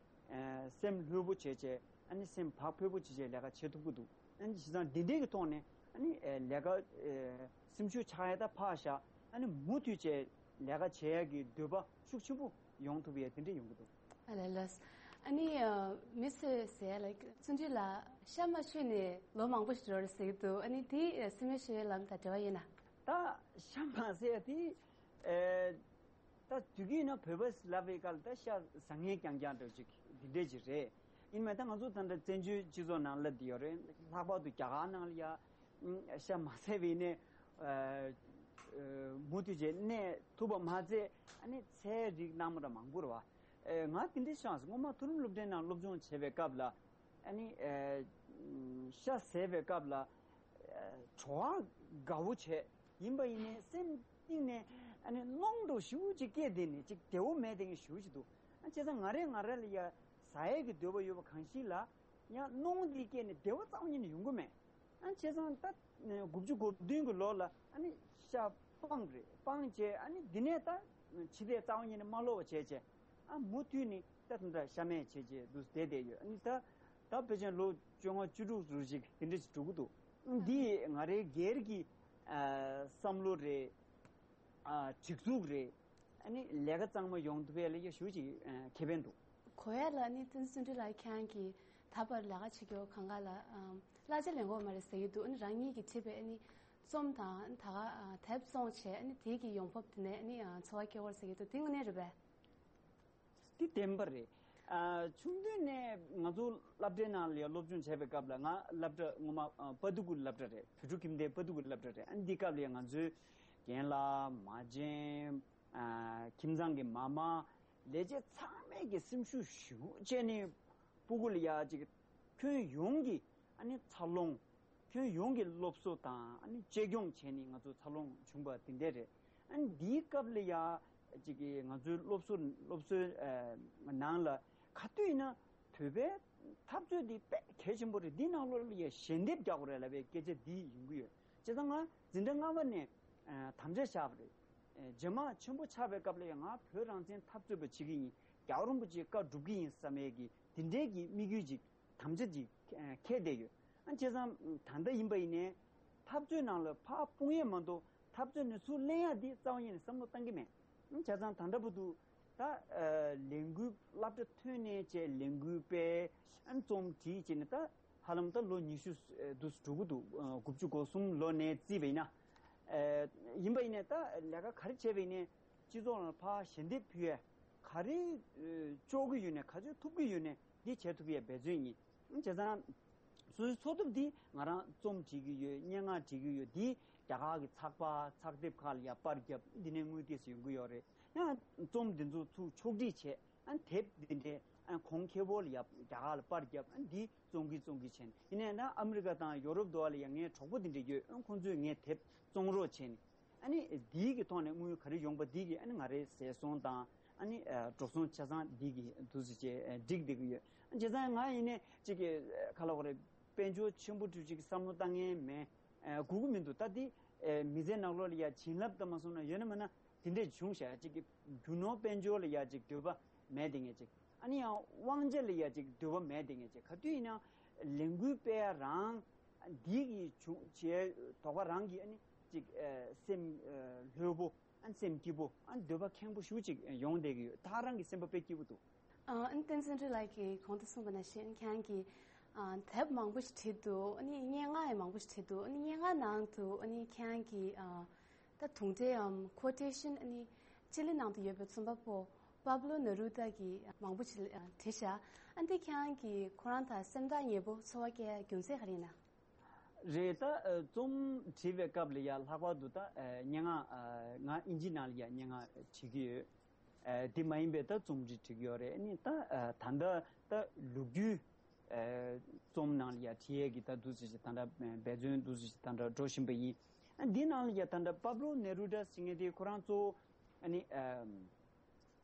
ཨེ་སེམས་ལྷོད་པོ་བྱས་བྱས། ཨ་ནི་སེམས་བག་ཕེབས་པོ་བྱས་བྱས་ལས་ཀ་བྱེད་ཐུབ་ཀྱི་འདུག་ཨ་ནི་བྱས་ཙང་འདི་འདྲའི་གི་ཐོག་ནས་ཨ་ནི་ཨེ་ལས་ཀ་ཨེ་སེམས་ཤུགས་ཆག་ཡ་ད་ཕར་བཞག་ཨ་ནི་མུ་མཐུད་བྱས་ལས་ཀ་བྱེད་ཡ་གི་འདོད་པ་ཤུགས་ཆེན་པོ་ཡོང་ཐུབ་ཡ་དེ་འདྲ་ཡོང་གི་འདུག་ཨ་ལས་ལས། ཨ་ནི་ཨ་མི་ཚོས་ཟེར་ཡ་ལ་བརྩོན་འགྲུས་ལགས་ཤ་མ་མཆོད་ནས་ལོ་མང་པོ་ཞིག་འགྲོ་རེད་ཟེར་གྱི་འདུག་ཨ་ནི་དེ་ཨ་སེམས་ཤུགས་ལམ་དང་འབྲེལ་བ་ཡོད་ན། ད་ཤ་མ་ཟེར་ཡ་དེ་ཨེ། ད་དུས་རྒྱུན་ན་བོད་པ་ལབ་པའི་སྐབས་ལ་ད་ཤ་ཟ་མཁན་རྐྱང་རྐྱང་འདྲ་ཅིག་འདི་འདྲས་ཅིག་རེད། ཡིན་མིན་ད་ང་ཚོ་ད་ལྟ་བཙན་བྱོལ་སྤྱི་ཚོགས་ནང་ལ་འདི་ཡོད་རེད། ལྷག་པར་དུ་རྒྱ་གར་ནང་ལ་ཡ་ཨུམ་ཤ་མ་ཟས་པ་ཡིན་ནའི་ཨ་ཨ་མུ་མཐུད་བྱས་གནས་ཐུབ་པ་མ་ཚད། ཨ་ནི་ཚལ་རིགས་སྣ་མང་འདྲ་མང་པོ་རེད་བ། ཨེ་ང་འདི་འདྲས་ཤག་སྔོན་མ་མཐོ་རིམ་སློབ་གྲྭའི་ནང་སློབ་སྦྱོང་བྱེད་པའི་སྐབས་ལ་ཨ་ནི་ཨེ་ཤ་ཟས་པའི་སྐབས་ལ་ཨེ་བྲོ་བ་དགའ་བོ་བྱས། ཡིན་པ་ཡིན་ནའི་སེམས་གཏིང་ནས་ཨ་ནི་གནོང་འགྲོ་ཞེ་པོ་ཅིག་སྐྱེས་བསྡད་ནས་ཅིག་བདེ་བོ་མེད་བསྡད་མཁན་ཞེ་པོ་ཅིག་འདུག་ཨ་བྱས་ཙང་ང་རས་ང་ར་ལ་ཡ་ཟ་ཡས་ཀྱི་འདོད་པ་ཡོད་པ་གང་ཞིག་ལ་ཡང་གནོང་འདི་སྐྱེས་ནས་བདེ་བ་རྩ་བ་ཉིད་ནས་ཡོང་གི་མེད། ཨ་བྱས་ཙང་ད་དགུ་བཅུ་གོ་བདུན་གྱི་ལོ་ལ་ཨ་ནི་ཤ་སྤངས་རེད། སྤངས་བྱས་ཨ་ནི་འདི་ནས་ད་ཕྱི་བལྟས་རྩ་བ་ཉིད་ནས་མ་ལོག་པ་བྱས་བྱས། ཨ་མུ་མཐུད་ནས་ད་དེ་འདྲ་ཤ་མེད་བྱས་བྱས་འདུག་བསྡད་བསྡད་ཡོད། ཨ་ནི་ད་ད་ཕལ་ཆེར་ལོ་བཅོ་ལྔ་བཅུ་དྲུག་ཙམ་ཞིག་དེ་འདྲ་ཞིག་འགྲོ་གི་འདུག་འདི་ང་རའི་སྒེར་གྱི་ཨ་བསམ་བློ་རེད། ཨ་སྒྲིག་འཛུགས་རེད། ཨ་ནི་ལས་ཀ་གཙང་མ་ཡོང་ཐུབ་ཡས་ལ་ཡ་ཞེ་པོ་ཅིག་ཨ་ཁེ་ཕན་འདུག་གོ་ཡ་ལ་ནི་བསྟན་འཛིན་བརྩོན་འགྲུས་ལགས་ཁྱེད་རང་གིས་ད་བར་ལས་ཀ་བྱེད་རྒྱུ་གང་ག་ལ་ཨམ་གླ་ཆ་ལེན་གྱི་ཡོད་མ་རེད་ཟེར་གྱི་འདུག་ཨ་ནི་རང་ཉིད་ཀྱི་བྱེད་པའི་ཨ་ནི་རྩོམ་དང་ད་ག་ཨ་དེབ་བཙོང་བྱས་ཨ་ནི་དེ་གི་ཡོང་འབབ་དེ་ནས་ཨ་ནི་ཨ་འཚོ་བ་སྐྱེལ་གྱི་ཡོད་རེད་ཟེར་གྱི་འདུག་དེ་དངོས་གནས་རེད་པས། འདི་བདེན་པ་རེད། ཨ་ཆུང་དུས་ནས་ང་ཚོ་སློབ་གྲྭའི་ནང་ལ་ཡང་སློབ་སྦྱོང་བྱས་པའི་སྐབས་ལ། ང་སློབ་གྲྭ་ངོ་མ་ཨ་དཔའ་མཐུ་གུ་སློབ་གྲྭ་རེད། བོད་ཕྲུག་ཁྱིམ་སྡེ་དཔའ་མཐུ་གུ་སློབ་གྲྭ་རེད། ཨ་འདི་སྐབས་ལ་ཡང་ང་ཚོའི་རྒན་ལགས་མ་བྱན། ཨ་ཁྱིམ་ཚང་གི་མ་མ་ལས་བྱེད་ཚང་མས་ཀྱི་སེམས་ཤུགས་ཞེ་པོ་བྱས་ནས་སྤུ་གུ་ལ་ཡ་ཅིག་ཁྱོན་ཡོངས་ཀྱི་ཨ་ནི་འཚར་ལོངས། ཁྱོན་ཡོངས་ཀྱི་སློབ་གསོ་དང་ཨ་ནི་གཅེས་སྐྱོང་བྱས་ནས་ང་ཚོ་འཚར་ལོངས་བྱུང་བ་དེ་འདྲ་རེད། ཨ་ནི་འདིའི་སྐབས་ལ་ཡ་ཅིག་གི་ང་ཚོའི་སློབ་གསོ་སློབ་གསོའི་ཨ་ནང་ལ་ག་དུས་ཡིན་ན་བོད་པའི་འཐབ་རྩོད་འདི་དཔེ་གལ་ཆེན་པོ་རེད། འདི་ནང་ལོགས་ལ་ཡ་ཞལ་འདེབས་རྒྱག་དགོས་རེད་ལབ་པའི་སྐད་ཆ་འདི་ཡོང་གི་ཡོད། བྱས་ཙང་ང་འཛིན་གྲྭ་ལྔ་པ་ནས་ཨ་དམ་བཅའ་བཞག་པ་རེད། ཨ་རྗེས་མ་ཆེན་པོ་ཆགས་པའི་སྐབས་ལ་ཡ་ང་བོད་རང་བཙན་འཐབ་རྩོད་པ་བྱེད་ཀྱི་ཡིན། རྒྱལ་བ་རིན་པོ་ཆེའི་བཀའ་སྒྲུབ་ཀྱི་ཡིན་བསམ་ཡས་ཀྱི་དེ་འདྲའི་གི་དམིགས་ཡུལ་ཅིག་དམ་བཅའ་ཅིག་ཨ་འཁྱེར་བསྡད་ཡོད། ཨ་བྱས་ཙང་ད་ལྟ་ཡིན་པ་ཡིན་ནའི་འཐབ་རྩོད་ནང་ལ་ཕར་སྤུངས་ཡས་མ་གཏོགས་འཐབ་རྩོད་ནས་ཚུར་ལེན་ཡ་འདི་རྩ་བ་ཉིད་ནས་བསམ་བློ་བཏང་གི་མེད། ཨ་བྱས་ཙང་ད་ལྟ་བར་དུ་ད་ཨ་ལས་འགུལ་སློབ་གྲྭ་ཐོན་ནས་བྱས་ལས་འགུལ་སྤེལ། ཨ་རྩོམ་བྲིས་བྱས་ནས་ད་ཧ་ལམ་ད་ལོ་ཉི་ཤུ་ཨ་འདུག་འགྲོ་གི་འདུག་ཨ་དགུ་བཅུ་གོ་གསུམ་ལོ་ནས་བརྩིས་པ་ཡིན་ན། ཨ་ཡིན་པ་ཡིན་ནའི་ད་ལས་ཀ་ག་རེ་བྱས་པ་ཡིན་ནའི་སྤྱི་ཚོགས་ནང་ཕར་ཞལ་འདེབས་ཕུལ་ཡས། ག་རེ་ཨ་ལྕོགས་ཀྱི་ཡོད་ནའི་ག་ཚོད་ཐུབ་ཀྱི་ཡོད་ནའི་འདི་བྱེད་ཐུབ་ཡས་འབད་བརྩོན་ཡིན། བྱས་ཙང་སོ་སོའི་འཚོ་ཐབས་འདི་ང་རང་རྩོམ་བྲིས་ཀྱི་ཡོད། སྙན་ངག་བྲིས་ཀྱི་ཡོད། འདི་རྒྱ་གར་གྱི་ཚགས་པར་ཚགས་དེབ་ཁག་ལ་ཡ་པར་བརྒྱབ། འདི་ནས་དངུལ་ཏོག་ཙམ་ཡོང་གི་ཡོད་རེད། ཡང་རྩོམ་འདི་ཚོ་ཚུར་ཕྱོགས་སྒྲིག་བྱས། ཨ་དེབ་འདི་འདྲའི་ཨ་གོང་ཁེ་པོ་ལ་ཡ་རྒྱ་གར་ལ་པར་བརྒྱབ། ཨ་འདི་བཙོང་གི་བཙོང་གི་བྱས་ནས། ཡིན་ནའི་ན་ཨ་མི་རི་ཀ་དང་ཡོ་རོབ་དུ་བ་ལ་ཡ་ངའི་གྲོགས་པོ་འདི་འདྲ་ཡོད། ཨ་ཁོང་ཚོས་ངའི་དེབ་བཙོང་རོགས་བྱས་ནས། ཨ་ནི་འདིའི་གི་ཐོག་ནས་དངུལ་ག་རེ་ཡོང་པ་འདི་གི་ཨ་ནི་ང་རའི་ཟས་སོང་དང་ཨ་ནི་ཨ་འགྲོ་སོང་ཆ་ཚང་འདི་གི་འདུག་སེ་བྱས་ཨ་སྒྲིག་བསྡད་ཀྱི་ཡོད། ཨ་བྱས་ཙང་ང་ཡིན་ནའི་ཅིག་གི་ཨ་ག་ལབ་དགོས་རེད། དཔལ་འབྱོར་ཆེན་པོ་འདྲ་ཅིག་བསམ་བློ་བཏང་མཁན་མེད། ཨ་དགོས་ཀྱི་མི་འདུག་ད་འདི་ཨ་མི་ཚེ་ནང་ལོགས་ལ་ཡ་བྱིན་རླབས་ལྟ་མ་སོང་ན་ཡོད་ན་མེད་ན། དེ་འདྲས་བྱུང་ཤག་ཅིག་གི་རྒྱུ་ནོར་དཔལ་འབྱོར་ལ་ཡ་ཅིག་འདོད་པ་མེད་དེ་ངས་ཅིག་ཨ་ནི་ཡང་དབང་ཆ་ལ་ཡ་ཅིག་འདོད་པ་མེད་དེ་ངས་ཅིག་ག་དུས་ཡིན་ན་ལས་འགུལ་སྤེལ་ཡ་རང་འདི་གི་བྱུང་བྱས་དོགས་པ་རང་གི་ཨ་ནི་ཅིག་ཨ་སེམས་ཨ་ལྷོད་པོ། ཨ་སེམས་སྐྱིད་པོ། ཨ་འདོད་པ་ཁེངས་པོ་ཞེ་པོ་ཅིག་ཡོང་བསྡད་ཀྱི་ཡོད། ད་རང་གི་སེམས་པ་དཔེ་སྐྱིད་པོ་འདུག་ཨ་ཨ་ནི་བསྟན་འཛིན་སྒྲོལ་ལགས་ཀྱིས་གོང་དུ་གསུངས་པ་ནང་བཞིན་ཁྱེད་རང་གིས་ ཨ། དེབ་མང་པོ་ཞིག་བྲིས་འདུག་ཨ་ནི་སྙན་ངག་ཡང་མང་པོ་ཞིག་བྲིས་འདུག་ཨ་ནི་སྙན་ངག་ནང་དུ་ཨ་ནི་ཁྱེད་རང་གི་ཨ། ད་དུང་སྒྲའམ་ཁོ་ཊེ་ཤན། ཨ་ནི་ཅི་ལི་ནང་དུ་ཡོད་པའི་རྩོམ་པ་པོ་པཱབ་ལོ་ནེ་རུ་ཏཱ་གིས་མང་པོ་ཞིག་ཨ། བྲིས་ཤག་ཨ་འདི་ཁྱེད་རང་གིས་ཁོ་རང་དང་སེམས་ཐག་ཉེ་པོ་ཚོར་བ་སྐྱེ་རྒྱུ་མཚན་ག་རེ་ཡིན་ན། རེད། ད་ཨ། རྩོམ་བྲིས་པའི་སྐབས་ལ་ཡ་ལྷག་པར་དུ་ད་ཨ། སྙན་ངག་ཨ། ང་ཨིན་ཇི་ནང་ལ་ཡ་སྙན་ངག་བྲིས་ཀྱི་ཡོད། ཨ། དེ་མ་ཡིན་པའི་ད་རྩོམ་བྲིས་བྲིས་ཀྱི་ཡོད་རེད། ཨ་ནི་ད་ཨ། ད་ལྟ་ད་ལོ་རྒྱུས་ཨ། རྩོམ་ནང་ལ་ཡ་བྲིས་ཡས་ཀྱི་ད་འདུག་ཟེར་ཞིག་ད་ལྟ་འབད་བརྩོན་འདུག་ཟེར་ཞིག་ད་ལྟ་འགྲོ་བཞིན་པ་ཡིན། ཨ། འདི་ནང་ལ་ཡ་ད་ལྟ་པཱབ་ལོ་ནེ་རུ་ཏཱ་ཟེར་མཁན་དེ་ཁོ་རང་གཙོ་བོ་ཨ་ནི་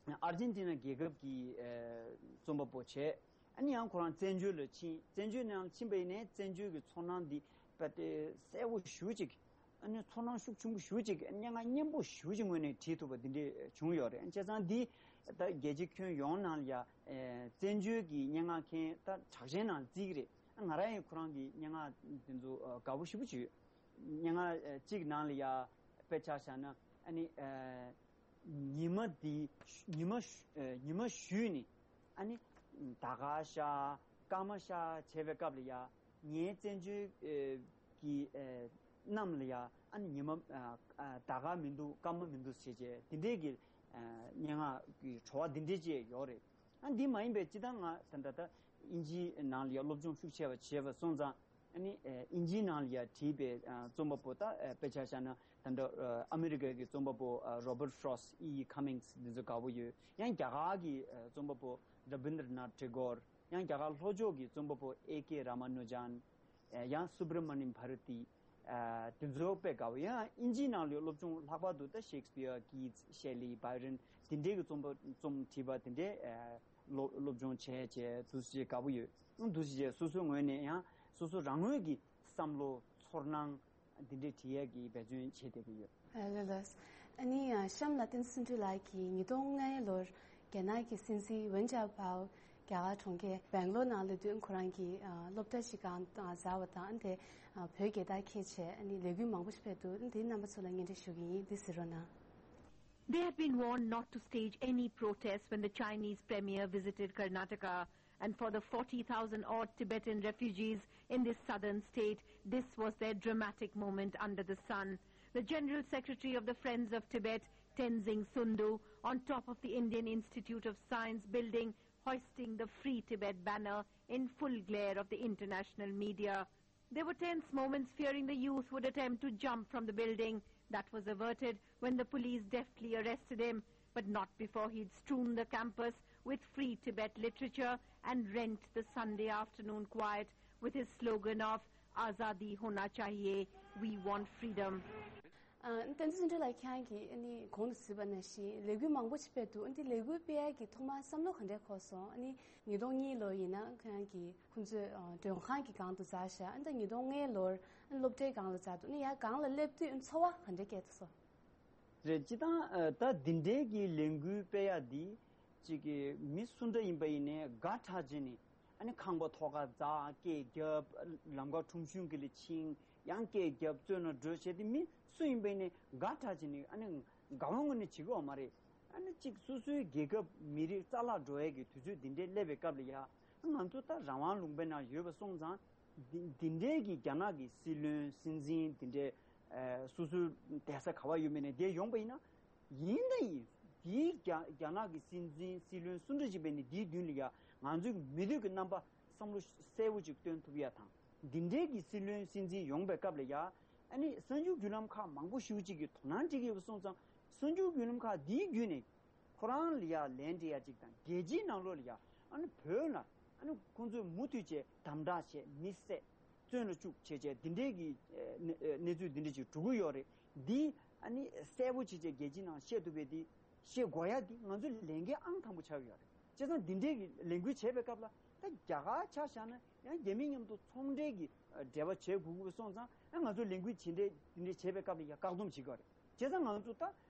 ཨ། ཨར་ཇེན་ཏི་ན་རྒྱལ་ཁབ་ཀྱི་ཨ། རྩོམ་པ་པོ་བྱས། ཨ་ནི་ཡང་ཁོ་རང་བཙན་བྱོལ་ལ་ཕྱིན། བཙན་བྱོལ་ནང་ཕྱིན་པ་ཡིན་ནའི་བཙན་བྱོལ་གྱི་ཚོར་སྣང་འདི་དཔེ་དེ་གསལ་པོ་ཞེ་པོ་ཅིག་ཨ་ནི་ཚོར་སྣང་ཤུགས་ཆེན་པོ་ཞེ་པོ་ཅིག་སྙན་ངག་སྙན་པོ་ཞེ་པོ་ཅིག་ངོས་ནས་བྲིས་ཐུབ་པ་འདི་འདྲས་བྱུང་ཡོད་རེད། བྱས་ཙང་འདི་ད་རྒྱལ་སྤྱི་ཁྱོན་ཡོངས་ནང་ལ་ཡ་ཨ། བཙན་བྱོལ་གྱི་སྙན་ངག་མཁན་ད་གྲགས་ཅན་ནང་བརྩི་གི་རེད། ཨ། ང་རང་ཡང་ཁོ་རང་གི་སྙན་ངག་འདི་ཚོ་ཨ། དགའ་པོ་ཞེ་པོ་ཅིག་སྙན་ངག་ཨ། གཅིག་ནང་ལ་ཡ་དཔེ་ཆ་བཞག་ན་ཨ་ནི་ཨ། ཉི་མ་འདི་ཉི་མ་ཉི་མ་གཞུས་ནས་ཨ་ནི་ཟླ་སྐར་ཤར་སྐར་མ་ཤར་བྱས་པའི་སྐབས་ལ་ཡ་ངའི་བཙན་བྱོལ་གྱི་གནམ་ལ་ཡ་ཨ་ནི་ཉི་མ་ཟླ་སྐར་མི་འདུག་སྐར་མ་མི་འདུག་ཟེར་བྱས་དེ་འདྲས་ཀྱི་སྙན་ངག་གི་བྲོ་བ་འདི་འདྲས་ཅིག་ཡོད་རེད། ཨ་འདི་མ་ཡིན་པའི་སྤྱིར་བཏང་ང་ད་ལྟ་ད་དབྱིན་ཇིའི་ནང་ལ་ཡ་སློབ་སྦྱོང་ཤུགས་ཆེ་བ་བྱས་པ་སོང་ཙང་། ཨ་ནི་ཨ། དབྱིན་ཇིའི་ནང་ལ་ཡ་བྲིས་པའི་ཨ། རྩོམ་པ་པོ་ད་ཨ། དཔེ་ཆ་བཞག་ན་ད་ལྟ་ཨ། ཨ་མི་རི་ཀ་གི་རྩོམ་པ་པོ་ཨ། Robert Frost, E E Cummings འདི་ཚོ་དགའ་པོ་ཡོད། ཡང་རྒྱ་གར་གྱི་ཨ། རྩོམ་པ་པོ་Rabindranath Tagore། ཡང་རྒྱ་གར་ལྷོ་ཕྱོགས་ཀྱི་རྩོམ་པ་པོ་A K Ramanujan། ཨ། ཡང་Subramaniam Bharati། ཨ། དེ་ཚོ་དཔེ་དགའ་པོ། ཡང་དབྱིན་ཇིའི་ནང་ལ་ཡ་སློབ་སྦྱོང་ལྷག་པར་དུ་ད་Shakespeare, Keats, Shelley, Byron འདི་འདྲའི་གི་རྩོམ་པ་རྩོམ་བྲིས་པ་དེ་འདྲའི་ཨ། སློབ་སློབ་སྦྱོང་བྱས་བྱས་འདུག་སེ་དགའ་པོ་ཡོད། འདུག་སེ་བྱས་སོ་སོའི་ངོས་ནས་ཡང་སོ་སོ་རང་ངོས་ཀྱི་བསམ་བློ་ཚོར་སྣང་འདི་འདྲའི་བྲིས་ཡས་ཀྱི་འབད་བརྩོན་བྱེད་བསྡད་ཀྱི་ཡོད། ཨ་ལགས་ལགས། ཨ་ནི་གཤམ་ལ་བསྟན་འཛིན་ཚུལ་ཁྲིམས་ལགས་ཀྱིས་ཉིས་སྟོང་ལྔའི་ལོར་རྒྱ་ནག་གི་སྲིད་འཛིན་ཝུན་ཅཱ་ཕའོ་རྒྱ་གར་གྲོང་ཁྱེར་བེང་ལོར་ནང་སླེབས་དུས་ཁོ་རང་གིས་ཨ། སློབ་གྲྭ་ཞིག་སྒང་ཨ། འཛུལ་བ་དང་། ཨ་ནི་དེ་ཨ། བོད་རྒྱལ་དར་འཁྱེར་བྱས། ཨ་ནི་ལས་འགུལ་མང་པོ་ཞིག་སྤེལ་འདུག་འདི་རྣམ་པ་ཚོ་ལ་སྙན་སྒྲོན་ཞུ་གི་ཡིན། འདི་གཟིགས་རོགས་གནང་། They had been warned not to stage any protests when the Chinese premier visited Karnataka, and for the forty thousand odd Tibetan refugees in this southern state, this was their dramatic moment under the sun. The General Secretary of the Friends of Tibet, Tenzing Sundu, on top of the Indian Institute of Science building, hoisting the Free Tibet banner in full glare of the international media. There were tense moments, fearing the youth would attempt to jump from the building. That was averted when the police deftly arrested him, but not before he'd strewn the campus with Free Tibet literature and rent the Sunday afternoon quiet with his slogan of "Azadi hona chahiye, we want freedom." ཨ། བསྟན་འཛིན་ཚུལ་ཁྲིམས་ལགས། ཁྱེད་རང་གིས་ཨ་ནི་གོང་དུ་གཟིགས་པ་ནང་བཞིན་ལས་འགུལ་མང་པོ་ཞིག་སྤེལ་འདུག་ཨ་ནི་ལས་འགུལ་སྤེལ་ཡག་གི་ཐོག་མར་བསམ་བློ་ག་འདྲས་འཁོར་སོང་། ཨ་ནི་ཉིས་སྟོང་གཉིས་ལོ་ཡིན་ན་ཁྱེད་རང་གིས་ཁོང་ཚོའི་ཨ། མགྲོན་ཁང་གི་སྒང་དུ་འཛུལ་ཤག་ཨ་ནི་ད་ཉིས་སྟོང་ལྔའི་ལོར་ཨ་ནི་སློབ་གྲྭའི་སྒང་ལ་འཛུལ་འདུག་ཨ་ནི་ཡར་སྒང་ལ་སླེབས་དུས་ཚོར་བ་ག་འདྲས་སྐྱེས་སོང་། རེད། སྤྱིར་བཏང་ཨ། ད་འདི་འདྲའི་གི་ལས་འགུལ་སྤེལ་ཡག་འདི་གཅིག་གི་མི་སུ་འདྲ་ཡིན་པ་ཡིན་ནའི་དགའ་དྲགས་བྱས་ནས། ཨ་ནི་ཁང་པ་ཐོག་ཁར་འཛེགས། སྐད་རྒྱབ། ལམ་ཁ་ཁྲོམ་གཞུང་གི་ལ་ཕྱིན། ཡང་སྐད་རྒྱབ། བཙོན་ལ་འགྲོ་བྱས་ཏེ་མི་སུ་ཡིན་པ་ཡིན་ནའི་དགའ་དྲགས་བྱས་ནས། ཨ་ནི་དགའ་བ་ངོས་ནས་བྱེད་ཀྱི་ཡོད་མ་རེད། ཨ་ནི་གཅིག་སོ་སོའི་རྒྱལ་ཁབ་མི་རིགས་རྩ་བརླག་འགྲོ་ཡས་ཀྱི་དུས་ཚོད་འདི་འདྲའི་སླེབས་པའི་སྐབས་ལ་ཡ། ང་ཚོ་ད་རང་དབང་ལུང་པའི་ནང་ཡོད་པ་སོང་ཙང་། འདི་འདི་འདྲའི་གི་རྒྱ་ནག་གི་སྲིད་བློན་སྲིད་འཛིན་འདི་འདྲའི་ཨ། སོ་སོའི་བསྡད་ས་ག་པར་ཡོད་མེད་ནས་བསྡད་ཡོང་པ་ཡིན་ན། ཡིན་ད་ཡིན། དེའི་རྒྱ་རྒྱ་ནག་གི་སྲིད་འཛིན་སྲིད་བློན་སུ་འདྲ་ཅིག་བས་ནི་དེའི་མདུན་ལ་ཡ་ང་ཚོའི་མི་འདོད་ཀྱི་རྣམ་པ་བསམ་བློ་གསལ་པོ་ཅིག་སྟོན་ཐུབ་ཡ་དང་། འདི་འདྲའི་གི་སྲིད་བློན་སྲིད་འཛིན་ཡོང་པའི་སྐབས་ལ་ཡ། ཨ་ནི་གསར་འགྱུར་བརྒྱུད་ལམ་ཁག་མང་པོ་ཞེ་པོ་ཅིག་གིས་དོ་སྣང་སྤྲད་ཀྱི་ཡོད་པ་སོང་ཙང་། གསར་འགྱུར་བརྒྱུད་ལམ་ཁག་འདིའི་བརྒྱུད་ནས་ཁོ་རང་ལ་ཡ་ལན་སྤྲད་ཡ་ཅིག་དང་། རྒྱལ་སྤྱིའི་ནང་ལོགས་ལ་ཡ་ཨ་ནི་བོད་ལ་ཨ་ནི་ཁོང་ཚོས་མུ་མཐུད་བྱས་དམ་དྲག་བྱས། མི་བསད། བཙོན་ལ་བཅུག་བྱས་བྱས་འདི་འདྲའི་གི་ཨ་ནི་ཨ་གནས་ཚུལ་འདི་འདྲ་ཅིག་འགྲོ་གི་ཡོད་རེད། འདི་ཨ་ནི་གསལ་པོ་བྱས་བྱས་རྒྱལ་སྤྱིའི་ནང་བཤད་ཐུབ་པའི་འདི་བཤད་དགོས་ཡ་འདི་ང་ཚོའི་ལས་འགན་ཨང་དང་པོ་ཆགས་ཀྱི་ཡོད་རེད། བྱས་ཙང་འདི་འདྲའི་གི་ལས་འགུལ་བྱས་པའི་སྐབས་ལ་ད་རྒྱ་གར་ཆ་བཞག་ན་ཡང་རྒྱ་མི་མཉམ་དུ་ཚོང་འབྲེལ་གྱི་འབྲེལ་བ་བྱེད་དགོས་ཀྱི་སོང་ཙང་། ཨ་ང་ཚོ་ལས་འགུལ་ཇི་འདྲའི་འདི་འདྲའི་བྱས་པའི་སྐབས་ལ་ཡང་བཀག་སྡོམ་བྱེད་དགོས་རེད། བྱས་ཙང་ང་ཚོ་ད་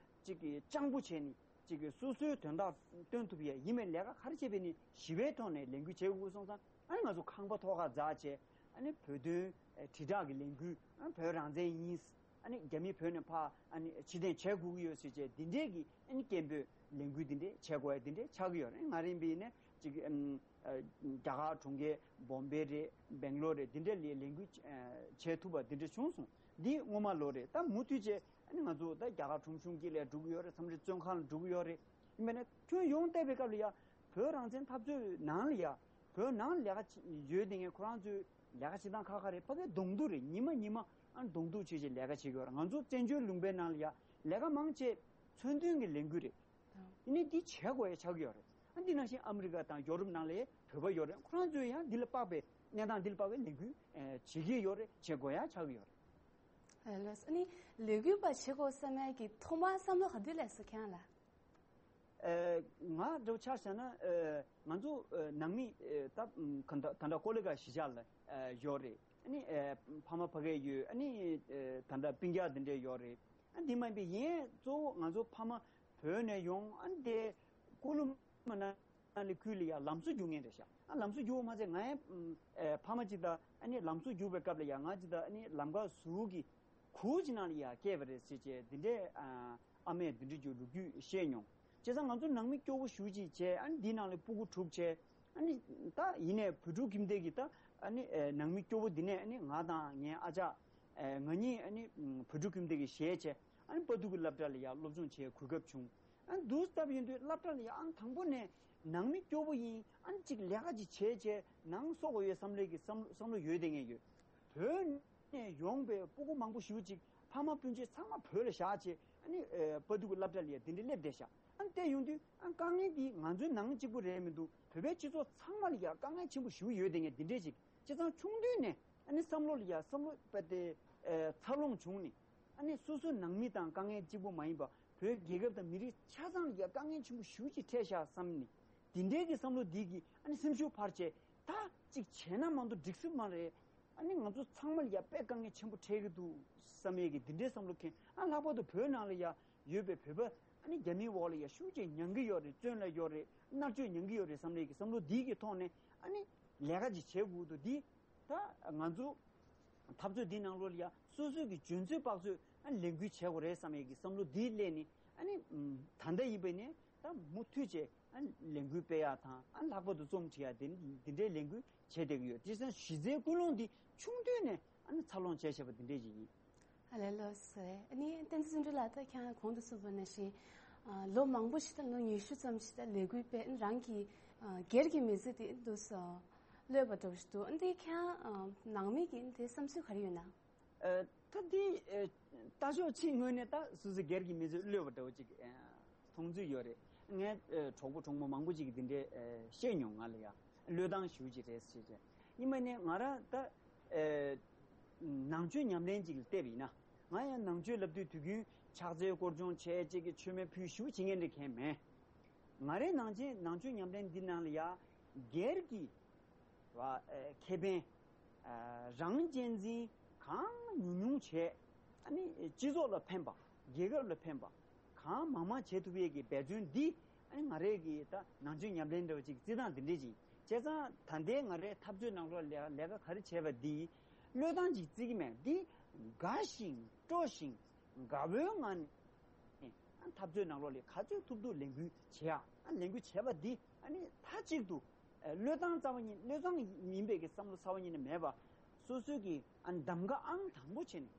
ཅིག་གི་སྤྱང་པོ་བྱས་ནས་ཅིག་གི་སོ་སོའི་དོན་དག་སྟོན་ཐུབ་ཡས་ཡིན་པའི་ལས་ཀ་ག་རེ་བྱས་པས་ནི་ཞི་བའི་ཐོག་ནས་ལས་འགུལ་བྱེད་དགོས་སོང་ཙང་། ཨ་ནི་ང་ཚོ་ཁང་པ་ཐོག་ཁར་འཛེགས་བྱས། ཨ་ནི་བོད་དོན་དྲིལ་བསྒྲགས་ཀྱི་ལས་འགུལ། ཨ་བོད་རང་བཙན་ཡིན། ཨ་ནི་རྒྱ་མི་བོད་ནས་ཕར་ཨ་ནི་ཕྱིར་འཐེན་བྱེད་དགོས་ཀྱི་ཡོད་ཟེར་བྱས་འདི་འདྲའི་གི་ཨ་ནི་སྐད་འབོད་ལས་འགུལ་འདི་འདྲའི་བྱེད་དགོས་ཡ་འདི་འདྲའི་ཆགས་ཀྱི་ཡོད་རེད། ང་རང་ཡིན་པ་ཡིན་ན་ ཅིག་ཨམ་ཨ་རྒྱ་གར་གྲོང་ཁྱེར་བོམ་བེ་རེད། སྦེང་ལོར་རེད། འདི་འདྲ་ལ་ལས་འགུལ་ཨ་བྱེད་ཐུབ་པ་འདི་འདྲ་བྱུང་སོང་། འདི་སྔོན་མ་ལོ་རེད། ད་མུ་མཐུད་བྱས་ཨ་ནི་ང་ཚོ་ད་རྒྱ་གར་ཁྲོམ་གཞུང་དཀྱིལ་ལ་འགྲོ་གི་ཡོད་རེད། མཚམས་རེ་བཙོན་ཁང་ལ་འགྲོ་གི་ཡོད་རེད། ཡིན་པ་ན་ཁྱོན་ཡོངས་བལྟས་པའི་སྐབས་ལ་ཡ་བོད་རང་བཙན་འཐབ་རྩོད་ནང་ལ་ཡ་བོད་ནང་ལས་ཀ་བྱེད་ཡོད་དེ་ངས་ཁོ་རང་ཚོའི་ལས་ཀ་བྱེད་སྟངས་ཁག་ཁག་རེད། ཕ་གིའི་གདོང་ཐུག་རེད། ཉི་མ་ཉི་མ་ཨ་གདོང་ཐུག་བྱེད་བྱེད་ལས་ཀ་བྱེད་ཀྱི་ཡོད་རེད། ང་ཚོ་བཙན་བྱོལ་ལུང་པའི་ནང་ལ་ཡ་ལས་ཀ་མང་ཆེ་མཚོན་དོན་གྱི་ལས་འགུལ་རེད། ཡིན་ནའི་འདི་བྱེད་དགོས་ཡ་ཆགས་ཀྱི་ཡོད་རེད། ཨ་འདི་ནང་བཞིན་ཨ་མི་རི་ཀ་དང་ཡོ་རོབ་ནང་ལ་བོད་པ་ཡོད་རེད། ཁོ་རང་ཚོས་ཡང་འདི་ལ་དཔག་པའི་གནས་སྟངས་འདི་ལ་དཔག་པའི་ལས་འགུལ་ཨེ་བྱེད་ཀྱི་ཡོད་རེད། བྱེད་དགོས་ཡ་ཆགས་ཀྱི་ཡོད་རེད། ཨ་ལགས་སོ། ཨ་ནི་ལས་འགུལ་པ་བྱེད་དགོས་བསམ་ཡ་གི་ཐོག་མར་བསམ་བློ་ག་དུས་སླེབས་སོང་ཁྱེད་རང་ལ། ཨེ་ང་འདྲ་བོ་ཆ་བཞག་ན་ཨེ་ང་ཚོ་ཨེ་ནང་མི་ཨེ་ད་ཨམ་ག་ད་ད་ལྟ་ཀོ་ལི་གྷལ་གཞིས་ཆགས་ལ་ཨེ་ཡོད་རེད། ཨ་ནི་ཨེ་ཕ་མ་ཕ་གིར་ཡོད། ཨ་ནི་ཨེ་ད་ལྟ་སྤུན་ཀྱག་འདི་འདྲས་ཡོད་རེད། ཨ་འདི་མ་ཡིན་པའི་ཡན་གཙོ་བོ་ང་ཚོ་ཕ་མ་བོད་ནས་ཡོང་། ཨ་ནི་དེ་ཀུ་ལུ་མ་ན་ལི་ཁུལ་ལ་ཡ་ལམ་བཟོ་རྒྱུག་མཁན་རེད་ཤག་ཨ་ལམ་བཟོ་རྒྱུག་པ་མ་ཚད་ང་ཡང་ཨེ་ཕ་མ་གཅིག་དང་ཨ་ནི་ལམ་བཟོ་རྒྱུག་པའི་སྐབས་ལ་ཡ་ང་གཅིག་དང་ཨ་ནི་ལམ་ཁ་ཟུར་གྱི་གུར་གྱི་ནང་ལ་ཡ་བསྐྱལ་བ་རེད་ཟེར་བྱས་འདི་འདྲའི་ཨ་ཨ་མས་འདི་འདྲ་ཅིག་ལོ་རྒྱུས་བཤད་མྱོང་། བྱས་ཙང་ང་ཚོ་ནང་མི་སྐྱོ་བོ་ཞེ་པོ་ཅིག་བྱས། ཨ་ནི་འདི་ནང་ལ་སྤུ་གུ་དྲུག་བྱས། ཨ་ནི་ད་ཡིན་ནའི་བོད་ཕྲུག་ཁྱིམ་སྡེ་གི་ད་ཨ་ནི་ཨེ་ནང་མི་སྐྱོ་བོ་འདི་ནས་ཨ་ནི་ང་དང་ངའི་ཨ་ཅག་ཨེ་ང་གཉིས་ཨ་ནི་ཨམ་བོད་ཕྲུག་ཁྱིམ་སྡེ་གི་གཞས་བྱས། ཨ་ནི་དཔའ་ཐུལ་གྱི་སློབ་གྲྭ་ལ་ཡ་སློབ་སྦྱོང་བྱེད་གོ་སྐབས་བྱུང་། ཨ་ནི་འདུག་སྟབས་ཡིན་དུས་སློབ་གྲྭ་ལ་ཡ་ཨང་དང་པོ་ནས་ནང་མི་སྐྱོ་བོ་ཡིན། ཨ་ནི་ཅིག་ལས་ཀ་ཅིག་བྱས་བྱས་ནང་གསོ་དགོས་ཡོད་བསམ་ལས་ཀྱི་བསམ་བསམ་བློ་ཡོད་དེ་ངས་ཡོད། བོད་ནས་ཡོང་པའི་སྤུ་གུ་མང་པོ་ཞེ་པོ་ཅིག་ཕ་མ་སྤུན་མཆེད་ཚང་མ་བོད་ལ་བཞག་བྱས། ཨ་ནི་ཨེ་དཔའ་ཐུལ་གྱི་སློབ་གྲྭ་ལ་ཡ་འདི་འདྲ་སླེབས་བསྡད་ཤག་ཨ་ནི་བལྟས་ཡོང་དུས་ཨ་དཀའ་ངལ་འདི་ང་ཚོའི་ནང་གཅིག་པུ་རེད་མི་འདུག་བོད་པའི་སྤྱི་ཚོགས་ཚང་མ་ལ་ཡ་དཀའ་ངལ་ཆེན་པོ་ཞེ་པོ་ཡོད་དེ་ངས་འདི་འདྲས་ཅིག་བྱས་ཙང་ཆུང་དུས་ནས་ཨ་ནི་བསམ་བློ་ལ་ཡ་བསམ་བློ་དཔེ་དེ་ཨེ་འཚར་ལོངས་བྱུང་ནས། ཨ་ནི་སོ་སོའི་ནང་མི་དང་དཀའ་ངལ་གཅིག་པུ་མ་ཡིན་པ་བོད་རྒྱལ་ཁབ་དང་མི་རིགས་ཆ་ཚང་ལ་ཡ་དཀའ་ངལ་ཆེན་པོ་ཞེ་པོ་ཅིག་འཕྲད་ཤག་བསམ་ནས། འདི་འདྲའི་གི་བསམ་བློ་འདི་གིས་ཨ་ནི་སེམས་ཤུགས་འཕར་བྱས། ད་ཅིག་བྱས་ན་མ་གཏོགས་འགྲིག་ས་མ་རེད། ཨ་ནི་ང་ཚོ་ཚང་མ་ལ་ཡ་དཔེ་དཀའ་ངལ་ཆེན་པོ་འཕྲད་ཀྱི་འདུག་བསམ་ཡས་ཀྱི་འདི་འདྲའི་བསམ་བློ་འཁྱེར། ཨ་ལྷག་པར་དུ་བོད་ནང་ལ་ཡ་ཡོད་པའི་བོད་པ་ཨ་ནི་རྒྱ་མིའི་འོག་ལ་ཡ་ཤུགས་ཆེ་མྱང་གི་ཡོད་རེད། བཙོན་ལ་ཡོད་རེད། མནར་གཅོད་མྱང་གི་ཡོད་རེད་བསམ་ཡས་ཀྱི་བསམ་བློ་འདི་གི་ཐོག་ནས་ཨ་ནི་ལས་ཀ་ཅིག་བྱེད་དགོས་འདུག་འདི་ད་ང་ཚོ་འཐབ་རྩོད་འདི་ནང་ལོགས་ལ་ཡ་སོ་སོའི་གི་འཇོན་ཚོད་དཔག་ཚོད་ཨ་ལས་འགུལ་བྱེད་དགོས་རེད་བསམ་ཡས་ཀྱི་བསམ་བློ་འདི་སླེབས་ནས། ཨ་ནི་ད་ལྟ་ཡིན་པ་ནས་ད་མུ་མཐུད་བྱས་ཨ་ལས་འགུལ་སྤེལ་ཡག་དང་། ཨ་ལྷག་པར་དུ་རྩོམ་འབྲི་ཡག་དེ་འདི་འདྲའི་ལས་འགུལ་བྱེད་བསྡད་ཀྱི་ཡོད། དེ་ཙང་གཞི་རྩའི་ཀུན་སློང་འདི་ཆུང་དུས་ནས་ཨ་ནི་འཚར་ལོངས་བྱས་བྱས་པ་འདི་འདྲས་ཅིག་ཡིན། ཨ་ལས་ལགས་སོ། ཨ་ནི་བསྟན་འཛིན་བརྩོན་འགྲུས་ལགས། ད་ཁྱེད་རང་གོང་དུ་གསུངས་པ་ནང་བཞིན་ཨ་ལོ་མང་པོ་ཞིག་ད་ལོ་ཉི་ཤུ་ཙམ་ཞིག་ད་ལས་འགུལ་སྤེལ། རང་གི་ཨ་སྒེར་གྱི་མི་ཚེ་དེ་འདུག་སེ་གློད་པ་འདྲ་བོ་ཞིག་འདུག་ཨ་འདི་ཁྱེད་རང་ཨ་ནང་མི་གི་དེ་བསམ་ཚུལ་ག་རེ་ཡོད་ན། ཨ་ད་འདི་ཨ་ལྟ་ཕྱོགས་ཕྱི་ངོས་ནས་ད་སོ་སོའི་སྒེར་གྱི་མི་ཚེ་གློད་པ་འདྲ་བོ་ཅིག་ཨ་མཐོང་ཚུལ་ཡོད་རེད། ངའི་ཨ་གྲོགས་པོ་གྲོགས་མོ་མང་པོ་ཅིག་གིས་འདི་འདྲའི་ཨ་བཤད་མྱོང་། ང་ལ་ཡ་གློད་སྟངས་ཞེ་པོ་ཅིག་རེད་ཟེར་བྱས། ཡིན་པ་ནས་ང་རང་ད་ཨ་ནང་ཆོས་ཉམས་ལེན་ཅིག་ལ་བལྟས་པ་ཡིན་ན། ང་ཡང་ནང་ཆོས་བསླབ་དུས་དུས་རྒྱུན་ཕྱག་འཚལ་སྐོར་སྦྱོང་བྱས་བྱས་ཀྱི་མཆོད་མེ་ཕུལ་ཞེ་པོ་བྱེད་མཁན་འདྲ་མཁན་མེད། ང་རའི་ནང་ཆེན་ནང་ཆོས་ཉམས་ལེན་འདི་ནང་ལ་ཡ་སྒེར་གྱི་བ་ཨ་ཁེ་ཕན་ཨ་རང་གཅེས་འཛིན་གང་ཉུང་ཉུང་བྱས། ཨ་ནི་སྤྱི་ཚོགས་ལ་ཕན་པ། རྒྱལ་ཁབ་ལ་ཕན་པ་གང་མང་མང་བྱེད་ཐུབ་ཡས་ཀྱི་འབད་བརྩོན་འདི་ཨ་ནི་ང་རའི་གི་ད་ནང་ཆོས་ཉམས་ལེན་འདྲ་བ་ཅིག་བརྩི་སྟངས་འདི་འདྲས་ཅིག་བྱས་ཙང་ད་ལྟའི་ང་རའི་འཐབ་རྩོད་ནང་ལོགས་ལས་ལས་ཀ་ག་རེ་བྱས་པ་འདི་གློད་སྟངས་ཅིག་བརྩི་གི་མེད། འདི་དགའ་ཞིང་སྤྲོ་ཞིང་དགའ་བོའི་ངང་ནས་འཐབ་རྩོད་ནང་ལོགས་ལས་ག་ཚོད་ཐུབ་ཐུབ་ལས་འགུལ་བྱེད་ཡག་ཨ་ལས་འགུལ་བྱས་པ་འདི་ཨ་ནི་མཐའ་གཅིག་ཏུ་ཨ་བློས་བཏང་རྩ་བ་ཉིད་བློས་བཏང་ཡིན་པའི་གི་བསམ་བློ་རྩ་བ་ཉིད་ནས་མེད་པ། སོ་སོའི་གི་ཨ་གདམ་ག་ཨང་དང་པོ་བྱས་ནས་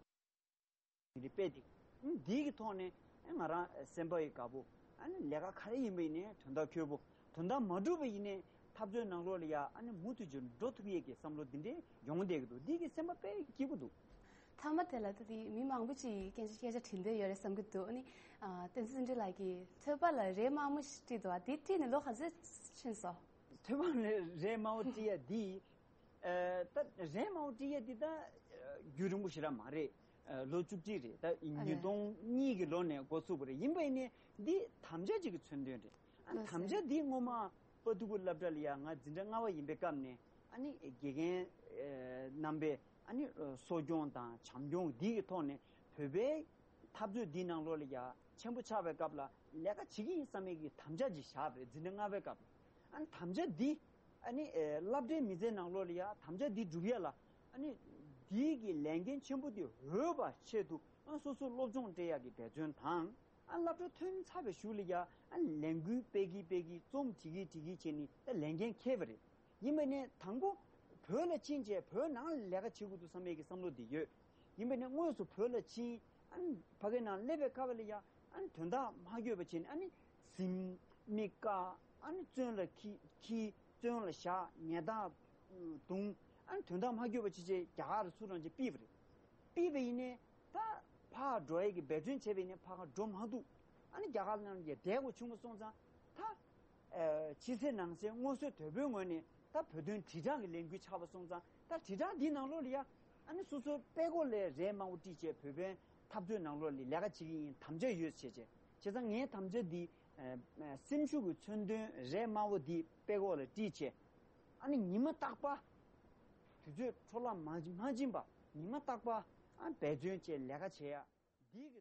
འདི་སྤེལ་ཏེ། ཨ་འདིའི་གི་ཐོག་ནས་ཨ་ང་རང་སེམས་པ་ཡི་དགའ་པོ། ཨ་ནི་ལས་ཀ་ག་རེ་ཡིན་པ་ཡིན་ནའི་དོན་དག་འཁྱོལ་པོ། དོན་དག་མ་འགྲུབ་པ་ཡིན་ནའི་འཐབ་རྩོད་ནང་ལོགས་ལ་ཡ་ཨ་ནི་མུ་མཐུད་ཀྱི་འགྲོ་ཐུབ་ཡས་ཀྱི་བསམ་བློ་འདི་འདྲའི་ཡོང་བསྡད་ཀྱི་འདུག་འདི་གི་སེམས་པ་དཔེ་སྐྱིད་པོ་འདུག་མཐའ་མ་དེ་ལ་ད་དེ་མི་མང་པོ་ཅིག་སྐད་ཆ་སྐད་ཆ་དྲིས་འདོད་ཡོད་རེད་བསམ་གྱི་འདུག་ཨ་ནི་ཨ་བསྟན་འཛིན་བརྩོན་འགྲུས་ལགས་ཀྱིས་ཐོས་པ་ལ་རས་དམར་མོ་ཞིག་བྲིས་འདུག་ཨ་དེ་བྲིས་ནས་ལོ་ག་ཚོད་ཕྱིན་སོང་། ཐོས་པ་ལ་རས་དམར་པོ་བྲིས་ཡ་འདི། ཨ་ད་རས་དམར་པོ་བྲིས་ཡ་འདི་ད་ཨ་རྒྱུན་རིང་པོ་ཞེ་དྲག་མ་རེད། ཨ་ལོ་བཅུ་གཅིག་རེད། ད་ཨ་ཉིས་སྟོང་གཉིས་ཀྱི་ལོ་ནས་འགོ་ཚུགས་པ་རེད། ཡིན་པ་ཡིན་ནའི་འདི་དམ་བཅའ་ཅིག་གི་མཚོན་དོན་རེད། ཨ་ལགས་སོ། དམ་བཅའ་འདི་སྔོན་མ་དཔའ་ཐུལ་གྱི་སློབ་གྲྭ་ལ་ཡ་ང་འཛིན་གྲྭ་ལྔ་པ་ཡིན་པའི་སྐབས་ནས་ཨ་ནི་དགེ་རྒན་ཨ་རྣམ་པས་ཨ་ནི་གསོ་སྐྱོང་དང་བྱམས་སྐྱོང་འདི་གི་ཐོག་ནས་བོད་པའི་འཐབ་རྩོད་འདི་ནང་ལོགས་ལ་ཡ་ཆེན་པོ་ཆགས་པའི་སྐབས་ལ་ལས་ཀ་བྱེད་ཀྱི་ཡིན་བསམ་ཡས་ཀྱི་དམ་བཅའ་ཅིག་བཞག་པ་རེད། འཛིན་གྲྭ་ལྔ་པའི་སྐབས་ལ། ཨ་ནི་དམ་བཅའ་འདི་ཨ་ནི་ཨེ་སློབ་གྲྭའི་མི་ཚེ་ནང་ལོགས་ལ་ཡ་དམ་བཅའ་འདི་སྒྲུབ་ཡ་ལ་ཨ་ནི་འདིའི་གི་ལས་འགན་ཆེན་པོ་འདི་འོས་པ་ཆེད་དུ་ཨ་སོ་སོ་སློབ་སྦྱོང་སྤྲད་ཡག་གི་འབད་བརྩོན་དང་། ཨ་སློབ་གྲྭ་ཐོན་ཚར་བའི་གཞུག་ལ་ཡ་ཨ་ལས་འགུལ་སྤེལ་གི་སྤེལ་གི་རྩོམ་བྲིས་གི་བྲིས་གི་བྱས་ནས་ད་ལས་འགན་འཁྱེར་བ་རེད། ཡིན་པ་ནས་དང་པོ་བོད་ལ་ཕྱིན་བྱས་བོད་ནང་ལ་ལས་ཀ་བྱེད་དགོས་འདུག་བསམ་ཡས་ཀྱི་བསམ་བློ་དེ་ཡོད། ཡིན་པ་ནས་དངོས་སུ་བོད་ལ་ཕྱིན་ཨ་ནི་ཕ་གི་ནང་སླེབས་པའི་སྐབས་ལ་ཡ་ཨ་ནི་དོན་དག་མ་འགྱོད་པ་བྱས་ནས་ཨ་ནི་གཟིམ་མི་དཀའ། ཨ་ནི་བཙོན་ལ་འཁྱེར་འཁྱེར་བཙོན་ལ་བཞག་ཉལ་ཐ་རྡུང་། ཨ་ནི་དོན་དག་མ་འགྱོད་པ་བྱས་བྱས་རྒྱ་གར་ལ་ཚུར་རང་ཅིག་ཕུད་པ་རེད། ཕུད་པ་ཡིན་ནས་ད་ཕར་འགྲོ་ཡས་ཀྱི་འབད་བརྩོན་བྱས་པ་ཡིན་ནས་ཕར་འགྲོ་མ་ཐུབ། ཨ་ནི་རྒྱ་གར་ནང་ལ་ཡ་བསྡད་དགོས་བྱུང་བ་སོང་ཙང་ད། ཕྱི་གསལ་ནང་གསལ་སྔོན་གསོས་དོལ་པོའི་ངོས་ནས་ད་བོད་དོན་དྲིལ་བསྒྲགས་ཀྱི་ལས་འགུལ་ཆགས་པ་སོང་ཙང་ད་དྲིལ་བསྒྲགས་འདི་ནང་ལོགས་ལ་ཡ་ཨ་ནི་སོ་སོའི་དཔྲལ་ཀོག་ལ་རས་དམར་པོ་དཀྲིས་བྱས་བོད་པའི་འཐབ་རྩོད་ནང་ལོགས་ལ་ལས་ཀ་བྱེད་ཀྱི་ཡིན་དམ་བཅའ་ཡོད་བྱས་བྱས། བྱས་ཙང་ངའི་དམ་བཅའ་འདི་སེམས་ཤུགས་ཀྱི་མཚོན་དོན་རས་དམར་པོ་འདི་དཔྲལ་ཀོག་ལ་དཀྲིས་བྱས་ཨ་ནི་ཉི་མ་རྟག་པར་དུས་ཚོད་འཕྲོ་བརླག་མ་མ་སྦྱིན་པ་ཉི་མ་རྟག་པར་ཨ་འབད་བརྩོན་བྱས་ལས་ཀ་བྱེད་ཡ་འདི་གི